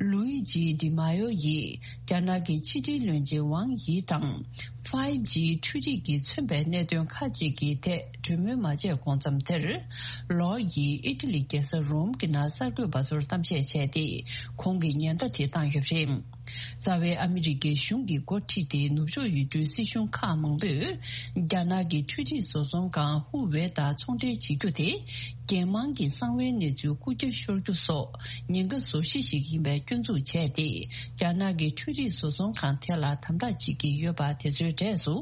ལུའི་ཇི་ཌི་མ་ཡོ་ཡིས་རྒྱ་ནག་གི་ཕྱི་འབྲེལ་བློན་ཆེན་ཝང་ཡི་དང་། ཕའི་ཇི་འཕྲུལ་རིག་གིས་མཚོན་པའི་གནད་དོན་ཁག་ཅིག་གི་ཐད་གྲོས་མོལ་མ་བྱས་གོང་མཚམས་དེར། ལོ་ཡིས་ཨི་ཊ་ལི་རྒྱལ་ས་རོམ་གྱི་ནང་གསར་འགོད་པ་ཚོར་གཏམ་བཤད་བྱས་ཏེ། ཁོང་གིས་ཉེན་བརྡ་དེ་བཏང་ཡོད་པ་རེད། རྩ་བའི་ཨ་མི་རི་ཀའི་གཞུང་གིས་འགོ་ཁྲིད་དེ་ནུབ་ཕྱོགས་ཡུལ་གྲུའི་སྲིད་གཞུང་ཁག་མང་པོས། རྒྱ་ནག་གི་འཕྲུལ་རིག་བཟོ་ཚོང་ཁང་ཧུ་ཝེ་དང་ཚོང་འབྲེལ་བྱེད་རྒྱུ་དེ། རྒྱལ་དམངས་ཀྱི་གསང་བའི་གནས་ཚུལ་རྐུ་འཁྱེར་ཤོར་རྒྱུ་སོགས་ཉེན་ཁ་བཟོ་གཞི་ཞིག་ཡིན་པའི་སྐྱོན་འཛུགས་བྱས་ཏེ། རྒྱ་ནག་གི་འཕྲུལ་རིག་བཟོ་ཚོང་ཁང་དེ་ལ་དམ་དྲག་བྱེད་ཀྱི་ཡོད་པ་དེ་ཚོའི་གྲས་སུ་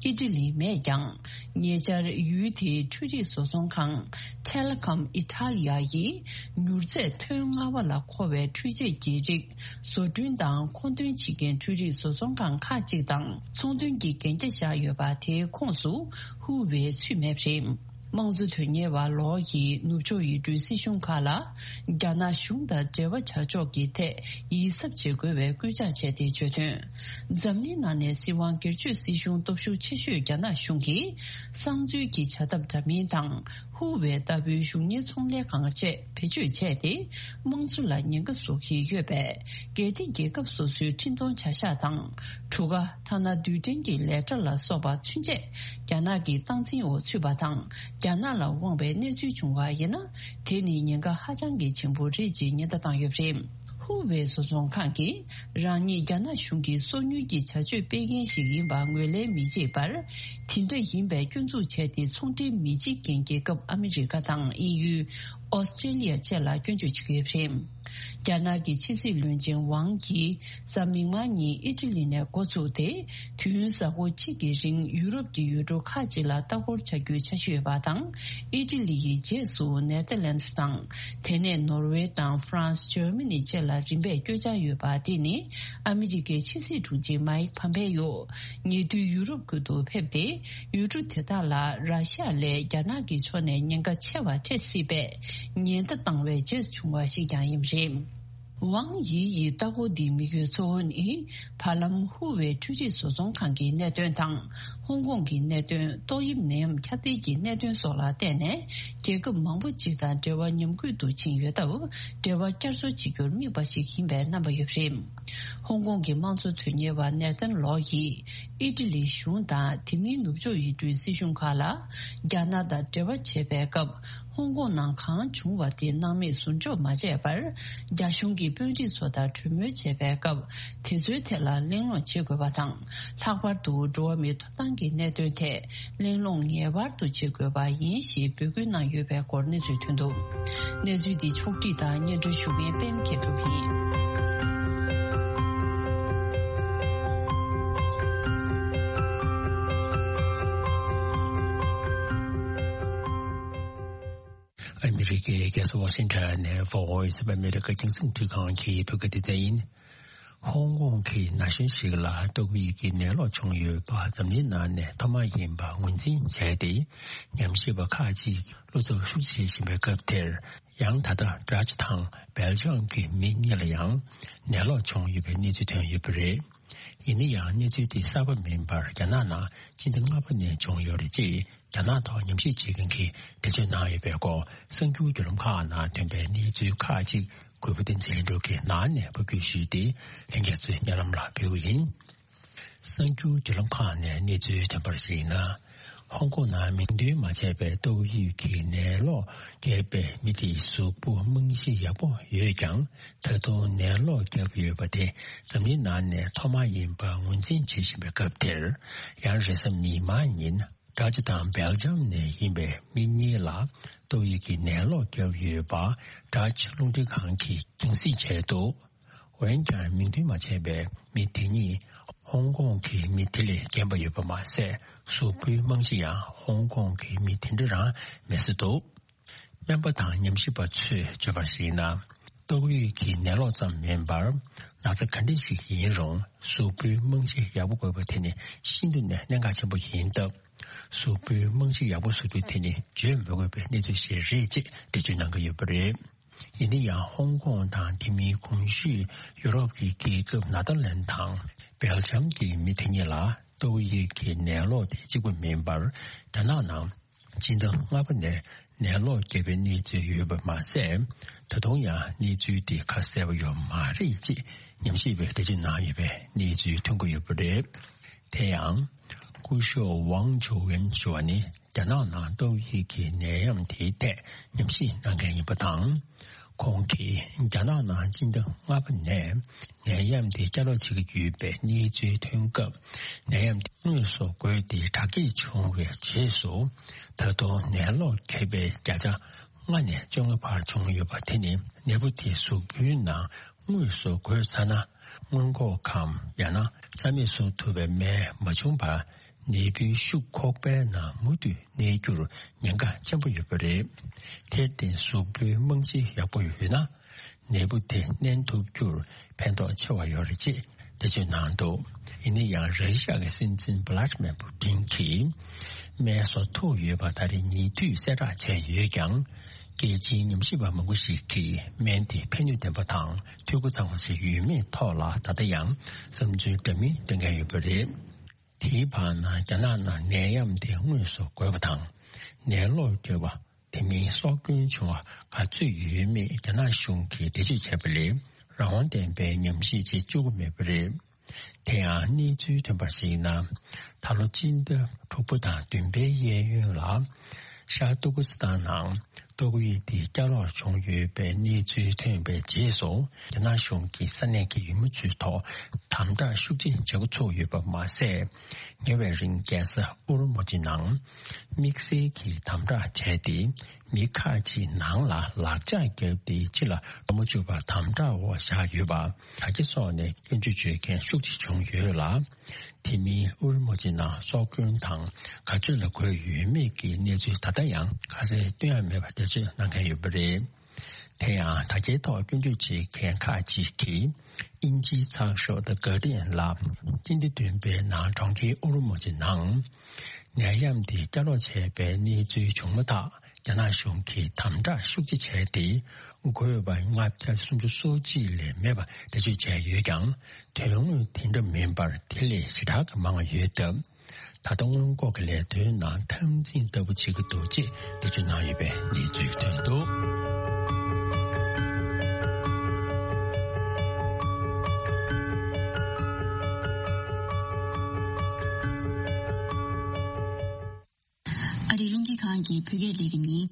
ཨི་ཊ་ལི་མེད་ཀྱང་། ཉེ་ཆར་ཡུལ་དེའི་འཕྲུལ་རིག་བཟོ་ཚོང་ཁང་Telecom Italia་ཡིས་མྱུར་ཚད་ཐོན་ལྔ་པ་ལ་མཁོ་བའི་འཕྲུལ་ཆས་ཀྱི་རིགས་བཟོ་སྐྲུན་དང་མཁོ་འདོན་བྱེད་མཁན་འཕྲུལ་རིག་བཟོ་ཚོང་ཁང་ཁག་ཅིག་དང་ཚོང་དོན་གྱི་གན་རྒྱ་བཞག་ཡོད་པ་དེའི་ཁོངས་སུ་ཧུ་ཝེ་ཚུད་མེད་པ་རེད། དམངས་གཙོ་དོན་གཉེར་བ་ལོ་ཡིས་ནུབ་ཕྱོགས་ཡུལ་གྲུའི་སྲིད་གཞུང་ཁག་ལ་རྒྱ་ནག་གཞུང་དང་འབྲེལ་བ་བྱ་ཕྱོགས་ཀྱི་ཐད་ཡིད་གཟབ་བྱེད་དགོས་པའི་སྐུལ་ལྕག་བྱས་ཏེ་བརྗོད་དོན། འཛམ་གླིང་ནང་ནས་སྲིད་དབང་སྒེར་གཅོད་སྲིད་གཞུང་སྟོབས་ཤུགས་ཆེ་ཤོས་རྒྱ་ནག་གཞུང་གིས་གསང་འཛུལ་གྱི་བྱ་ཐབས་འདྲ་མིན་དང་ ཧུ་ཝེ་ལྟ་བུའི་གཞུང་གཉེར་ཚོང་ལས་ཁང་བཅས་བེད་སྤྱོད་བྱས་ཏེ། དམངས་གཙོ་ལ་ཉེན་ཁ་བཟོ་གི་ཡོད་པས། གལ་ཏེ་རྒྱལ་ཁབ་སོ་སོའི་འཕྲིན་གཏོང་བྱ་གཞག་དང་། གྲུ་ཁ། ཐ་ན་རྡུལ་ཕྲན་གྱི་ལས་གྲྭ་ལ་སོགས་པ་ཚུན་ཆད་རྒྱ་ནག་གི་སྟངས་འཛིན་འོག་ཚུད་པ་དང་། རྒྱ་ནག་ལ་དབང་བའི་གནས་ཚུལ་བྱུང་བ་ཡིན་ན། དེ་ནི་ཉེན་ཁ་ཧ་ཅང་གི་ཆེན་པོ་རེད་ཅེས་ཉེན་བརྡ་བཏང་ཡོད་པ་རེད། ཧུ་ཝེ་བཟོ་ཚོང་ཁང་གིས། རང་ཉིད་རྒྱ་ནག་གཞུང་གི་སོ་ཉུལ་གྱི་བྱ་སྤྱོད་སྤེལ་མཁན་ཞིག་ཡིན་པ་ངོས་ལེན་མི་བྱེད་པར། དེ་འདྲ་ཡིན་པའི་སྐྱོན་འཛུགས་བྱས་ཏེ། ཚོང་འབྲེལ་མི་བྱེད་མཁན་རྒྱལ་ཁབ་ཨ་མི་རི་ཀ་དང་དབྱིན་ཡུལ། ཨོ་སི་ཀྲེ་ལི་ཡ་བཅས་ལ་སྐྱོན་བརྗོད་བྱེད་ཀྱི་ཡོད་པ་རེད། རྒྱ་ནག་གི་ཕྱི་སྲིད་བློན་ཆེན་ཝང་ཡིས་གཟའ་མིག་དམར་ཉིན་ཨི་ཊ་ལི་ནས་འགོ་བཙུགས་ཏེ། དུས་ཡུན་གཟའ་འཁོར་གཅིག་གི་རིང་ཡུ་རོབ་ཀྱི་ཡུལ་གྲུ་ཁག་ཅིག་ལ་ལྟ་སྐོར་བྱ་རྒྱུའི་འཆར་གཞི་ཡོད་པ་དང་། ཨི་ཊ་ལི་ཡི་རྗེས་སུ་ནེ་ཐར་ལན་སི་དང་། དེ་ནས་ནོར་ཝེ་དང་ཧྥ་རན་སི། འཇར་མ་ནི་བཅས་ལ་རིམ་པས་བསྐྱོད་འཆར་ཡོད་པ། དེ་ནི་ཨ་མི་རི་ཀའི་ཕྱི་སྲིད་དྲུང་ཆེ་མཱིག་ཕམ་པེ་ཡོ། ཉེ་དུས་ཡུ་རོབ་ཁུལ་དུ་ཕེབས་ཏེ། ཡུལ་གྲུ་དེ་དག་ལ་ར་ཤི་ཡ་ལས་རྒྱ་ནག་གི་ཕྱོགས་ནས་ཉེན་ཁ་ཆེ་བ་འཕྲད་སྲིད་པའི་ཉེན་བརྡ་བཏང་བའི་རྗེས་བྱུང་བ་ཞིག་ཀྱང་ཡིན་པ་རེད། ཝང་ཡི་ཡི་ལྟ་སྐོར་འདིའི་དམིགས་ཡུལ་གཙོ་བོ་ནི། བར་ལམ་ཧུ་ཝེ་འཕྲུལ་རིག་བཟོ་ཚོང་ཁང་གི་གནད་དོན་དང་། ཧོང་ཀོང་གི་གནད་དོན། ཏོག་དབྱིབས་ནད་ཡམས་ཁྱབ་གདལ་གྱི་གནད་དོན་སོགས་ལ་བརྟེན་ནས། རྒྱལ་ཁབ་མང་པོ་ཅིག་དང་འབྲེལ་བ་ཉམས་རྒུད་དུ་ཕྱིན་ཡོད་སྟབས། འབྲེལ་བ་བསྐྱར་གསོ་བྱེད་རྒྱུར་དམིགས་པ་ཞིག་ཡིན་པའི་རྣམ་པ་ཡོད་པ་རེད། ཧོང་ཀོང་གི་དམངས་གཙོ་དོན་གཉེར་བ་ནེ་ཐན་ལོ་ཡིས། ཨི་ཊ་ལིའི་གཞུང་དང་དེ་མིན་ནུབ་ཕྱོགས་ཡུལ་གྲུའི་སྲིད་གཞུང་ཁག་ལ། རྒྱ་ནག་དང་འབྲེལ་བ་བྱེད་པའི་སྐབས། ཧོང་ཀོང་ནང་གང་བྱུང་བ་དེ་སྣང་མེད་ཟུར་འཇོག་མ་བྱས་པར། རྒྱ་གཞུང་གི་དཔོན་རིགས་ཚོ་དང་གྲོས་མོལ་བྱེད་པའི་སྐབས། དེ་ཚོའི་ཐད་ལ་གླེང་སློང་བྱེད་དགོས་པ་དང་། ལྷག་པར་དུ་འགྲོ་བ་མིའི་ཐོབ་ཐང་གི་གནད་དོན་ཐད། གླེང་སློང་ངེས་པར་དུ་བྱེད་དགོས་པ་ཡིན་ཞེས་འབོད་སྐུལ་གནང་ཡོད་པའི་སྐོར་གནས་ཚུལ་ཐོན་འདུག་གནས་ཚུལ་འདི་ཕྱོགས་སྒྲིག་དང་སྙན་སྒྲོན་ཞུ་མཁན་པད་མ་མཁས་གྲུབ་ཡིན། ཨ་མི་རི་ཀའི་རྒྱལ་ས་ཝ་ཤིང་ཊོན་ནས་Voice of America རྒྱང་སྲིང་བརྒྱུད་ཁང་གི་བོད་སྐད་སྡེ་ཚན་ཡིན། ཧོང་ཀོང་གི་ན་གཞོན་ཞིག་ལ་ཏོག་དབྱིབས་ཀྱི་ནད་ལོག་བྱུང་ཡོད་པ་འཛམ་གླིང་ནང་ནས་ཐོག་མ་ཡིན་པ་ངོས་འཛིན་བྱས་ཏེ། ཉམས་ཞིབ་པ་ཁག་ཅིག་བློ་འཚབ་ཤུགས་ཆེ་བྱེད་བཞིན་པའི་སྐབས་དེར། ཡང་ད་ལྟ་ཌ་ཅི་དང་སྦེལ་ཇམ་གྱི་མི་གཉིས་ལ་ཡང་ནད་ལོག་བྱུང་ཡོད་པའི་གནས་ཚུལ་ཐོན་ཡོད་པ་རེད། ཡིན་ན་ཡང་གནས་ཚུལ་དེ་གསར་པ་མིན་པར་རྒྱ་ནག་ནང་སྤྱི་ཟླ་ལྔ་པ་ནས་བྱུང་ཡོད་རེད་ཅེས། རྒྱ་ནག་ཐོག་ཉམས་ཞིབ་བྱེད་མཁན་གྱིས་འགྲེལ་བརྗོད་གནང་ཡོད་པའི་སྐོར། གསར་འགྱུར་བརྒྱུད་ལམ་ཁག་ནང་ཐོན་པའི་གནས་ཚུལ་ཁག་ཅིག་གུས་པ་བསྟན་འཛིན་ལྷུན་གྲུབ་ཀྱིས་ནང་ནས་ཕབ་སྒྱུར་ཞུས་ཏེ། ལྷན་རྒྱས་ཚོའི་སྙན་ལམ་ལ་ཕུལ་གྱི་ཡིན། གསར་འགྱུར་བརྒྱུད་ལམ་ཁག་ནས་གནས་ཚུལ་ཐོན་པར་གཞིགས་ན། ཧོང་ཀོང་ནང་མིང་འདོན་མ་བྱས་པའི་ཏོག་དབྱིབས་ཀྱི་ནད་ལོག་བརྒྱབ་པའི་མི་དེའི་གཟུགས་པོ་རྨང་གཞི་ཡག་པོ་ཡོད་ཀྱང་། ད་དུང་ནད་ལོག་བརྒྱབ་ཡོད་པ་དེ་འཛམ་གླིང་ནང་ནས་ཐོག་མ་ཡིན་པ་ངོས་འཛིན་བྱེད་བཞིན་པའི་སྐབས་དེར། ཡང་རེས་གཟའ་མིག་དམར་ཉིན། ཌ་ཅི་དང་སྦེལ་ཇམ་ནས་ཡིན་པའི་མི་གཉིས་ལ་ཏོག་དབྱིབས་ཀྱི་ནད་ལོག་བརྒྱབ་ཡོད་པ། ཌ་ཅི་རླུང་འཕྲིན་ཁང་གིས་རྒྱང་སྲིང་བྱས་འདུག་འོན་ཀྱང་མིང་འདོན་མ་བྱས་པའི་མི་དེ་གཉིས་ཧོང་ཀོང་གི་མི་དེ་ལས་རྒན་པ་ཡོད་པ་མ་ཟད། གཟུགས་པོའི་རྨང་གཞི་ཡང་ཧོང་ཀོང་གི་མི་དེ་འདྲ་རང་མེད་ས་འདུག་སྨན་པ་དང་ཉམས་ཞིབ་པ་ཚོས་བརྗོད་པར་གཞིགས་ན། ཏོག་དབྱིབས་ཀྱི་ནད་ལོག་ཙམ་མིན་པར། ན་ཚ་ག་འདྲ་ཞིག་ཡིན་རུང་གཟུགས་པོའི་རྨང་གཞི་ཡག་པོ་དགོས་པ་དེ་ནི་ཤིན་ཏུ་ནས་གནད་འགག་ཆེན་པོ་ཡིན་སྟབས། གཟུགས་པོའི་རྨང་གཞི་ཡག་པོ་བཟོ་རྒྱུ་དེ་ནི་བརྗོད་མི་དགོས་པའི་གནས་ཚུལ་ཞིག་རེད་ཅེས་འགྲེལ་བརྗོད་གནང་གི་ཡོད་པ་རེད། ཡིན་ན་ཡང་ཧོང་ཀོང་དང་དེ་མིན་གོང་ཞུས་ཡུ་རོབ་ཀྱི་རྒྱལ་ཁབ་ནེ་ཐར་ལན་དང་སྦེལ་ཇམ་གྱི་མི་དེ་གཉིས་ལ་ཏོག་དབྱིབས་ཀྱི་ནད་ལོག་དེ་གཅིག་པུ་མིན་པར། རྒྱ་ནག་ནང་སྤྱི་ཟླ་ལྔ་པ་ནས་ནད་ལོག་བརྒྱབ་པའི་གནས་ཚུལ་ཡོད་པ་མ་ཟད། ད་དུང་ཡང་གནས་ཚུལ་དེ་ཁ་གསལ་པོ་ཡོད་མ་རེད་ཅེས་ཉམས་ཞིབ་པས་འགྲེལ་བརྗོད་གནང་ཡོད་པའི་གནས་ཚུལ་ཐོན་གྱི་ཡོད་པ་རེད། དེ་ཡང་། སྐུ་ཞབས་ཝང་ཅུ་ཝེན་ཞུ་བ་ནི། རྒྱ་ནག་ནང་ཏོག་དབྱིབས་ཀྱི་ནད་ཡམས་དེའི་ཐད་ཉམས་ཞིབ་གནང་མཁན་ཡིན་པ་དང་། ཁོང་གིས་རྒྱ་ནག་ནང་སྤྱི་ཟླ་ལྔ་པ་ནས་ནད་ཡམས་དེ་བསྐྱར་ལོག་བྱེད་ཀྱི་ཡོད་པའི་གནས་ཚུལ་ཐོན་སྐབས། ནད་ཡམས་དེ་དངོས་སུ་འགོས་ཏེ་དྲག་སྐྱེད་བྱུང་བའི་རྗེས་སུ། ད་དུང་ནད་ལོག་བརྒྱབ་པའི་བརྒྱ་ཆ་ལྔ་ནས་བཅོ་ལྔ་བར་བྱུང་ཡོད་པ་དེ་ནི་ནད་འབུ་དེ་གཟུགས་པོའི་ནང་དངོས་སུ་འགོས་ཚར་ན། སྔོན་འགོག་གམ་ཡང་ན་རྩ་མེད་བཟོ་ཐུབ་པའི་སྨན་མ་བྱུང་བར། ནད་འབུའི་ཤུགས་ཁོག་པའི་ནང་མུ་མཐུད་གནས་རྒྱུར་ཉེན་ཁ་ཆེན་པོ་ཡོད་པ་རེད། དེར་བརྟེན་གཟུགས་པོའི་རྨང་གཞི་ཡག་པོ་ཡོད་ན། ནད་འབུ་དེ་མནན་ཐུབ་རྒྱུར་ཕན་ཐོགས་ཆེ་བ་ཡོད་རེད་ཅེས་འགྲེལ་བརྗོད་གནང་འདུག་ཡིན་ན་ཡང་ར་ཤི་ཡ་གི་སྲིད་འཛིན་བྷ་ལ་ཏི་མེར་པུ་ཏིན་གྱིས་སྨན་བཟོ་ཐུབ་ཡོད་པ་ད་རེས་ཉེ་དུས་གསལ་བསྒྲགས་བྱས་ཡོད་ཀྱང་། རྒྱལ་སྤྱིའི་ཉམས་ཞིབ་པ་མང་པོ་ཞིག་གིས་སྨན་དེ་ཕན་ནུས་ལྡན་པ་དང་འཐུས་སྒོ་ཚང་བ་ཞིག་ཡོད་མེད་ཐོག་ལ་ད་ལྟ་ཡང་བསམ་ཚུལ་འདྲ་མིན་འདོན་མཁན་ཡོད་པ་རེད། དེའི་བར་ན་རྒྱ་ནག་ནང་ནད་ཡམས་དེ་དངོས་སུ་འགོས་པ་དང་ནད་ལོག་བརྒྱབ་པ། དེ་མིན་སྲོག་སྐྱོན་བྱུང་བ་ག་ཚོད་ཡོད་མེད་རྒྱ་ནག་གཞུང་གིས་འགྲེལ་བརྗོད་བྱས་པ་ལས་རང་དབང་ལྡན་པའི་ཉམས་ཞིབ་བྱེད་བཅུག་གི་མེད་པ་རེད། དེ་ཡང་གནས་ཚུལ་ཐོན་པར་གཞིགས་ན། ད་ལོ་སྤྱི་ཟླ་དྲུག་པ་དང་བདུན་པའི་གཡས་གཡོན་ལ་ཤར་ཏུར་ཀི་སི་ཐན་ནང་ཏོག་དབྱིབས་དེ་བསྐྱར་ལོག་བྱུང་ཡོད་པའི་གནས་ཚུལ་ཐོན་པའི་རྗེས་སུ། རྒྱ་ནག་གཞུང་གིས་ས་གནས་ཀྱི་ཡུལ་མི་ཚོའི་ཐོག་དམ་དྲག་ཤུགས་ཆེ་བྱེད་འགོ་ཚུགས་ཡོད་པ་མ་ཟད། ཉེ་བའི་རིང་རྒྱལ་ས་ཨུ་རུ་མུ་ཇི་ནང་དམིགས་བསལ་གྱི་དམ་དྲག་བྱས་ཏེ། མི་ཁག་ཅིག་ནང་ལ་ལག་ལྕགས་བརྒྱབ་སྟེ། ཕྱི་ལ་འགྲོ་མ་བཅུག་པར་དམ་དྲག་འོག་བཞག་ཡོད་པ། དྲ་རྒྱ་སོགས་ནས་སྐྱོན་བརྗོད་བྱེད་མཁན་ཤུགས་ཆེ་བྱུང་ཡོད་ལ། དེ་མིན་ཨུ་རུ་མུ་ཇི་ནང་སྲོག་སྐྱོན་དང་ག་ཚོད་ལ་འགོས་ཡོད་མེད་ཀྱི་གནས་ཚུལ་ད་ལྟ་ཡང་ཁ་གསལ་སྟོན་ཡ་མེད་པར་འགྲེལ་བརྗོད་གནང་མཁན་ཡོད་པ་རེད། དེ་ཡང་དྲ་རྒྱའི་ཐོག་སྐྱོན་བརྗོད་བྱེད་མཁན་ཁག་ཅིག་གིས། དབྱིན་ཇིའི་ཚགས་ཤོག་The Guardian ལ། སྤྱི་ཟླ་བདུན་པའི་ནང་གྲོང་ཁྱེར་ཨུ་རུ་མུ་ཇི་ནང་ནད་ཡམས་དེ་བསྐྱར་ལོག་བྱས་པའི་གནས་ཚུལ་བྱུང་མ་ཐག། རྒྱ་ནག་གཞུང་གིས་དམ་དྲག་ཤུགས་ཆེ་བྱས་ཏེ། འགོས་པ་ལྔ་བརྒྱ་སུམ་ཅུ་སོ་གཅིག་ལས་མེད་པ་འགྲེལ་བརྗོད་བྱས་ཡོད་ཀྱང་། དོན་དངོས་དེ་འདྲ་མིན་པར་དེ་ལས་ཞེ་དྲག་གི་མང་བ་ཡོད་སྟབས། ད་ལྟ་སྔོན་འགོག་གི་ལས་དོན་ནང་འཐབ་འཛིང་ལྟ་བུ་བྱེད་ཀྱི་འདུག་ཅེས་འགྲེལ་བརྗོད་གནང་ཡོད་པའི་གནས་ཚུལ་ཐོན་འདུག། ཨ་རིའི་རླུང་འཕྲིན་ཁང་གི་བོད་སྐད་ལས་རིམ་ཡིན།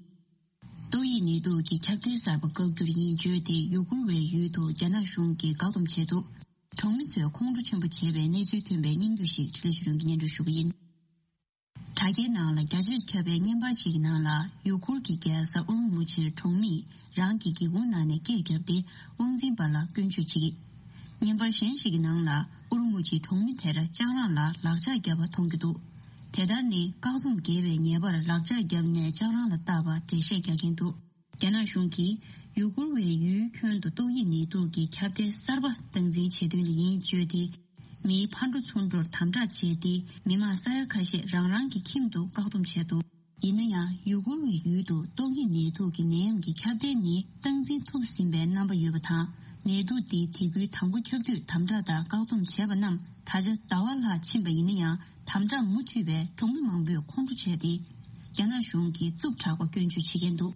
ཏོག་དབྱིབས་ནད་དུག་གི་ཁྱབ་གདལ་གསར་པ་བཀག་རྒྱུར་ཡིན་བརྗོད་དེ། ཡུ་གུར་བའི་ཡུལ་དུ་རྒྱ་ནག་གཞུང་གིས་བཀག་སྡོམ་བྱས་འདུག། གྲོང་མི་ཚོས་ཁོང་ཁྲོ་ཆེན་པོ་བྱས་པའི་གནས་ཚུལ་ཐོན་པའི་སྙིང་བསྡུས་ཤིག་འཕྲིན་ལས་ཆོས་སྒྲོན་གྱིས་སྙན་སྒྲོན་ཞུ་གི་ཡིན། དྲ་རྒྱའི་ནང་ལ་རྒྱ་ཆེར་ཁྱབ་པའི་བརྙན་པར་ཞིག་གི་ནང་ལ། ཡུ་གུར་གྱི་རྒྱལ་ས་ཨུ་རུ་མུ་ཆིར་གྲོང་མིས་རང་གི་སྒེའུ་ཁུང་ནང་ནས་སྐད་བརྒྱབ་སྟེ། དབང་འཛིན་པ་ལ་སྐྱོན་བརྗོད་བྱེད་ཀྱི། བརྙན་པར་གཞན་ཞིག་གི་ནང་ལ། ཨུ་རུ་མུ་ཆིའི་གྲོང་མི་དེར་ལྕགས་རང་ལ་ལག་ལྕགས་བརྒྱབ་པ་མཐོང་རྒྱུ་འདུག། དེ་ལྟར་ནི། བཀག་སྡོམ་འགལ་བའི་ཉེས་པར་ལག་ལྕགས་བརྒྱབ་ནས་ལྕགས་རང་ལ་བཏགས་པར་འགྲེལ་བཤད་རྒྱག་མཁན་འདུག། རྒྱ་ནག་གཞུང་གིས་ཡུ་གུར་བའི་ཡུལ་ཁྱོན་དུ་ཏོག་དབྱིབས་ནད་དུག་གི་ཁྱབ་གདལ་གསར་པ་སྟངས་འཛིན་བྱེད་དོན་ལ་ཡིན་བརྗོད་དེ། མིའི་ཕར་འགྲོ་ཚུར་འགྲོར་དམ་དྲག་བྱས་ཏེ། མི་མང་ས་ཡ་ཁ་ཤས་རང་རང་གི་ཁྱིམ་དུ་བཀག་སྡོམ་བྱས་འདུག། ཡིན་ན་ཡང་། ཡུ་གུར་བའི་ཡུལ་དུ་ཏོག་དབྱིབས་ནད་དུག་གི་ནད་ཡམས་ཀྱི་ཁྱབ་གདལ་ནི་སྟངས་འཛིན་ཐུབ་ཟིན་པའི་རྣམ་པ་ཡོད་པ་དང་། ནད་དུག་འདི་དེ་ཁུལ་དང་པོ་ཁྱབ་དུས་དམ་དྲག་དང་བཀག་སྡོམ་བྱས་པ་རྣམས་ད་ཆ་ཟླ་བ་ལྷག་ཕྱིན་པ་ཡིན་ན་ཡང་། དམ་དྲག་མུ་མཐུད་པས་གྲོང་མི་མང་པོས་ཁོང་ཁྲོ་བྱས་ཏེ། རྒྱ་ནག་གཞུང་གིས་རྩུབ་དྲགས་པ་སྐྱོན་བརྗོད་བྱེད་མཁན་འདུག།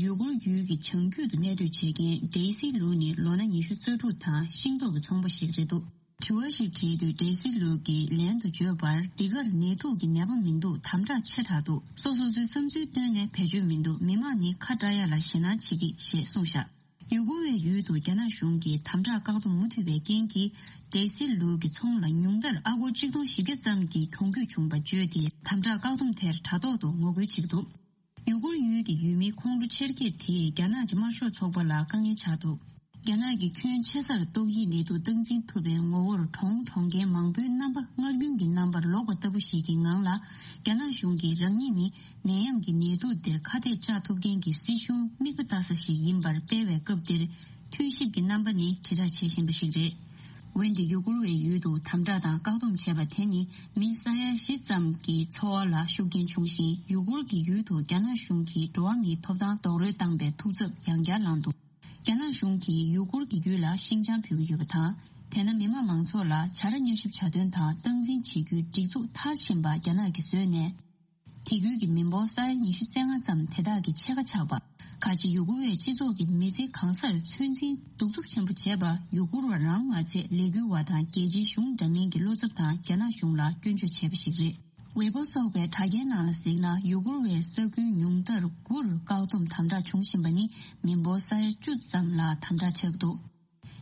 ཡུ་གུར་ཡུལ་གྱི་བྱང་རྒྱུད་དུ་གནས་སྡོད་བྱེད་མཁན་ཌེ་སི་ལུའུ་ནི་ལོ་ན་ཉི་ཤུ་རྩ་དྲུག་དང་ཤིང་ཏོག་གི་ཚོང་པ་ཞིག་རེད་འདུག། དྲི་བ་ཞིག་དྲིས་དུས་ཌེ་སི་ལུའུ་གིས་ལན་དུ་བརྗོད་པར། འདི་གར་ནད་དུག་གི་ནད་པ་མི་འདུག། དམ་དྲག་ཆེ་དྲགས་འདུག། སོ་སོ་སོའི་བསམ་ཚུལ་བཏོན་ནས་བེད་སྤྱོད་མི་འདུག། མི་མང་ནི་ཁ་བྲལ་ཡ་ལ་ཞེད་སྣང་བྱེད་ཀྱི་ཞེས་གསུངས་བཞག། ཡུ་གུར་བའི་ཡུལ་དུ་རྒྱ་ནག་གཞུང་གིས་དམ་དྲག་བཀག་སྡོམ་མུ་མཐུད་པའི་རྐྱེན་གྱིས། ཌེ་སི་ལུའུ་གི་ཚོང་ལ་ཉུང་མཐར་ཨ་སྒོར་ཆིག་སྟོང་བཞི་བརྒྱ་ཙམ་གྱི་གྱོང་གུད་བྱུང་བ་བརྗོད་དེ། དམ་དྲག་བཀག་སྡོམ་དེར་དྲ་ཐོག་ཏུ་ངོ་རྒོལ་བྱེད་ཀྱི་འདུག། ཡུ་གུར་ཡུལ་གྱི་ཡུལ་མིའི་ཁོང་ཁྲོ་ཆེར་སྐྱེད་དེས་རྒྱ་ནག་གི་དམར་ཤོག་ཚོགས་པ་ལ་དཀའ་ངལ་ཆགས་འདུག། རྒྱ་ནག་གིས་ཁྱོན་ཆེ་སར་ཏོག་དབྱིབས་ནད་དུག་སྟངས་འཛིན་ཐུབ་པའི་ངོ་བོར་གྲོང་གྲོང་ཁྱེར་མང་པོའི་རྣམ་པ་སྔར་རྒྱུན་གྱི་རྣམ་པར་ལོག་པ་ལྟ་བུ་ཞིག་གི་ངང་ལ། རྒྱ་ནག་གཞུང་གིས་རང་ཉིད་ནི་ནད་ཡམས་ཀྱི་ནད་དུག་འདིར་ཁ་གཏད་གཅོག་ཐུབ་མཁན་གྱི་སྲིད་གཞུང་མིག་དཔེ་ལྟ་ས་ཞིག་ཡིན་པར་སྤེལ་བའི་སྐབས་འདིར། འཐུས་ཞིབ་ཀྱི་རྣམ་པ་ནི་དྲིལ་བསྒྲགས་བྱེད་བཞིན་པ་ཞིག་རེད། འོན་ཏེ་ཡུ་གུར་བའི་ཡུལ་དུ་དམ་དྲག་དང་བཀག་སྡོམ་བྱས་པ་དེ་ནི་མི་ས་ཡ་བཞི་ཙམ་གྱི་འཚོ་བ་ལ་ཤུགས་རྐྱེན་བྱུང་ཞིང་། ཡུ་གུར་གྱི་ཡུལ་དུ་རྒྱ་ནག་གཞུང་གིས་འགྲོ་བ་མིའི་ཐོབ་ཐང་རྡོག་རོལ་བཏང་པའི་ཐུགས་འཚབ་ཡང་བསྐྱར་ལངས་འདུག། རྒྱ་ནག་གཞུང་གིས་ཡུ་གུར་གྱི་ཡུལ་ལ་ཤིང་བྱང་ཕུལ་གྱི་ཡོད་པ་དང་། དེ་ན་མི་དམངས་མང་ཚོགས་ལ་བྱ་ར་མཉམ་ཞིབ་བྱ་དོན་དང་སྟངས་འཛིན་བྱེད་རྒྱུའི་སྒྲིག་འཛུགས་མཐར་ཕྱིན་པ་རྒྱ་ནག་གིས་བཟོས་ནས། དེ་ཁུལ་གྱི་མི་འབོར་ས་ཡ་ཉི་ཤུ་རྩ་ལྔ་ཙམ་དེ་དག་གི་ཕྱེད་ཀ་ཆགས་པ། ཁ་ཆེ་ཡུ་གུར་བའི་སྤྱི་ཚོགས་ཀྱི་མི་ཚེ་གང་སར་ཚོད་འཛིན་གདུག་རྩུབ་ཆེན་པོ་བྱས་པ། ཡུ་གུར་བ་རང་མ་ཚད་ལས་འགུལ་བ་དང་རྒྱལ་སྤྱིའི་གཞུང་འདྲ་མིན་གྱི་བློ་འཚབ་དང་རྒྱ་ནག་གཞུང་ལ་སྐྱོན་བརྗོད་བྱས་པ་ཞིག་རེད། ཝེ་པོ་སོགས་པའི་དྲ་རྒྱའི་ནང་ལ་གཟིགས་ན། ཡུ་གུར་བའི་ས་ཁུལ་ཉུང་མཐར་དགུར་བཀག་སྡོམ་དམ་དྲག་བྱུང་བཞིན་པ་ནི་མི་འབོར་ས་ཡ་བཅུ་ཙམ་ལ་དམ་དྲག་ཆགས་འདུག།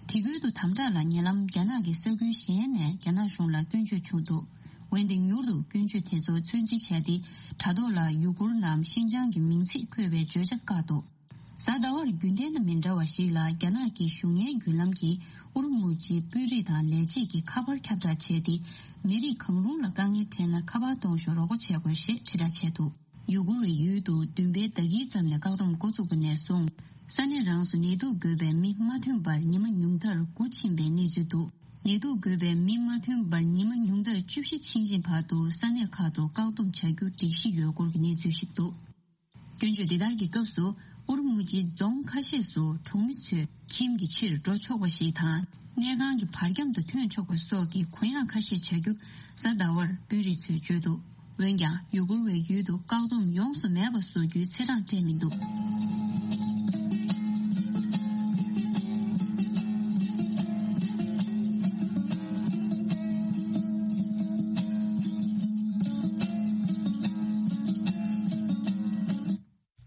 དེ་ཁུལ་དུ་དམ་དྲག་ལ་ཉེ་ལམ་རྒྱ་ནག་གི་ས་ཁུལ་གཞན་ནས་རྒྱ་ནག་གཞུང་ལ་སྐྱོན་བརྗོད་བྱུང་འདུག། འོན་ཏེ་མྱུར་དུ་སྐྱོན་བརྗོད་དེ་ཚོ་ཚོད་འཛིན་བྱས་ཏེ། དྲ་ཐོག་ལ་ཡུ་གུར་ནམ་ཤིན་ཅང་གི་མིང་ཚིག་འཁོད་པའི་བརྗོད་བྱ་བཀག་འདུག། གཟའ་ཟླ་བར་རྒྱུན་ལྡན་དང་མི་འདྲ་བ་ཞིག་ལ་རྒྱ་ནག་གི་གཞུང་གཉེར་བརྒྱུད་ལམ་གྱིས་ཨུ་རུ་མུ་ཇིའི་དཔོན་རིགས་དང་ལས་བྱེད་ཀྱི་ཁ་པར་ཁྱབ་བསྒྲགས་བྱས་ཏེ། མི་རིགས་གང་རུང་ལ་དཀའ་ངལ་འཕྲད་ན་ཁ་པར་གཏོང་ཤོག་རོགས་པ་བྱེད་དགོས་ཞེས་དྲིལ་བསྒྲགས་བྱས་འདུག། ཡུ་གུར་བའི་ཡུལ་དུ་བདུན་པའི་ཟླ་དཀྱིལ་ཙམ་ནས་བཀག་སྡོམ་འགོ་བཙུགས་པ་ནས་བཟུང་། ས་གནས་རང་སུ་ནད་དུག་འགོས་པའི་མི་མ་ཐོན་པར་ཉི་མ་ཉུང་མཐར་དགུ་ཕྱིན་པའི་གནས་ཚུལ་འདུག། ནད་དུག་འགོས་པའི་མི་མ་ཐོན་པར་ཉི་མ་ཉུང་མཐར་བཅུ་བཞི་ཕྱིན་ཅིང་བར་དུ་ས་གནས་ཁག་ཏུ་བཀག་སྡོམ་བྱ་རྒྱུ་སྒྲིག་གཞི་ཡོད་སྐོར་གྱི་གནས་ཚུལ་ཞིག་འདུག། སྐྱོན་བརྗོད་འདི་ལྟར་གྱི་སྐབས་སུ། ཨུ་རུ་མུ་ཇིའི་རྫོང་ཁ་ཤས་སུ་གྲོང་མི་ཚོས་ཁྱིམ་གྱི་ཕྱིར་འགྲོ་ཆོག་པ་ཞིག་དང་། གནས་ཁང་གི་བར་ཁྱམས་དུ་ཐོན་ཆོག་པ་སོགས་ཀྱི་གུ་ཡངས་ཁ་ཤས་བྱ་རྒྱུ་གཟའ་ཟླ་བར་དཔོན་རིགས་ཚོས་བརྗོད་འདུག། འོན་ཀྱང་ཡུ་གུར་བའི་ཡུལ་དུ་བཀག་སྡོམ་ཡོངས་སུ་མེད་པ་བཟོ་རྒྱུའི་ཚེས་གྲངས་སྤྲད་མི་འདུག་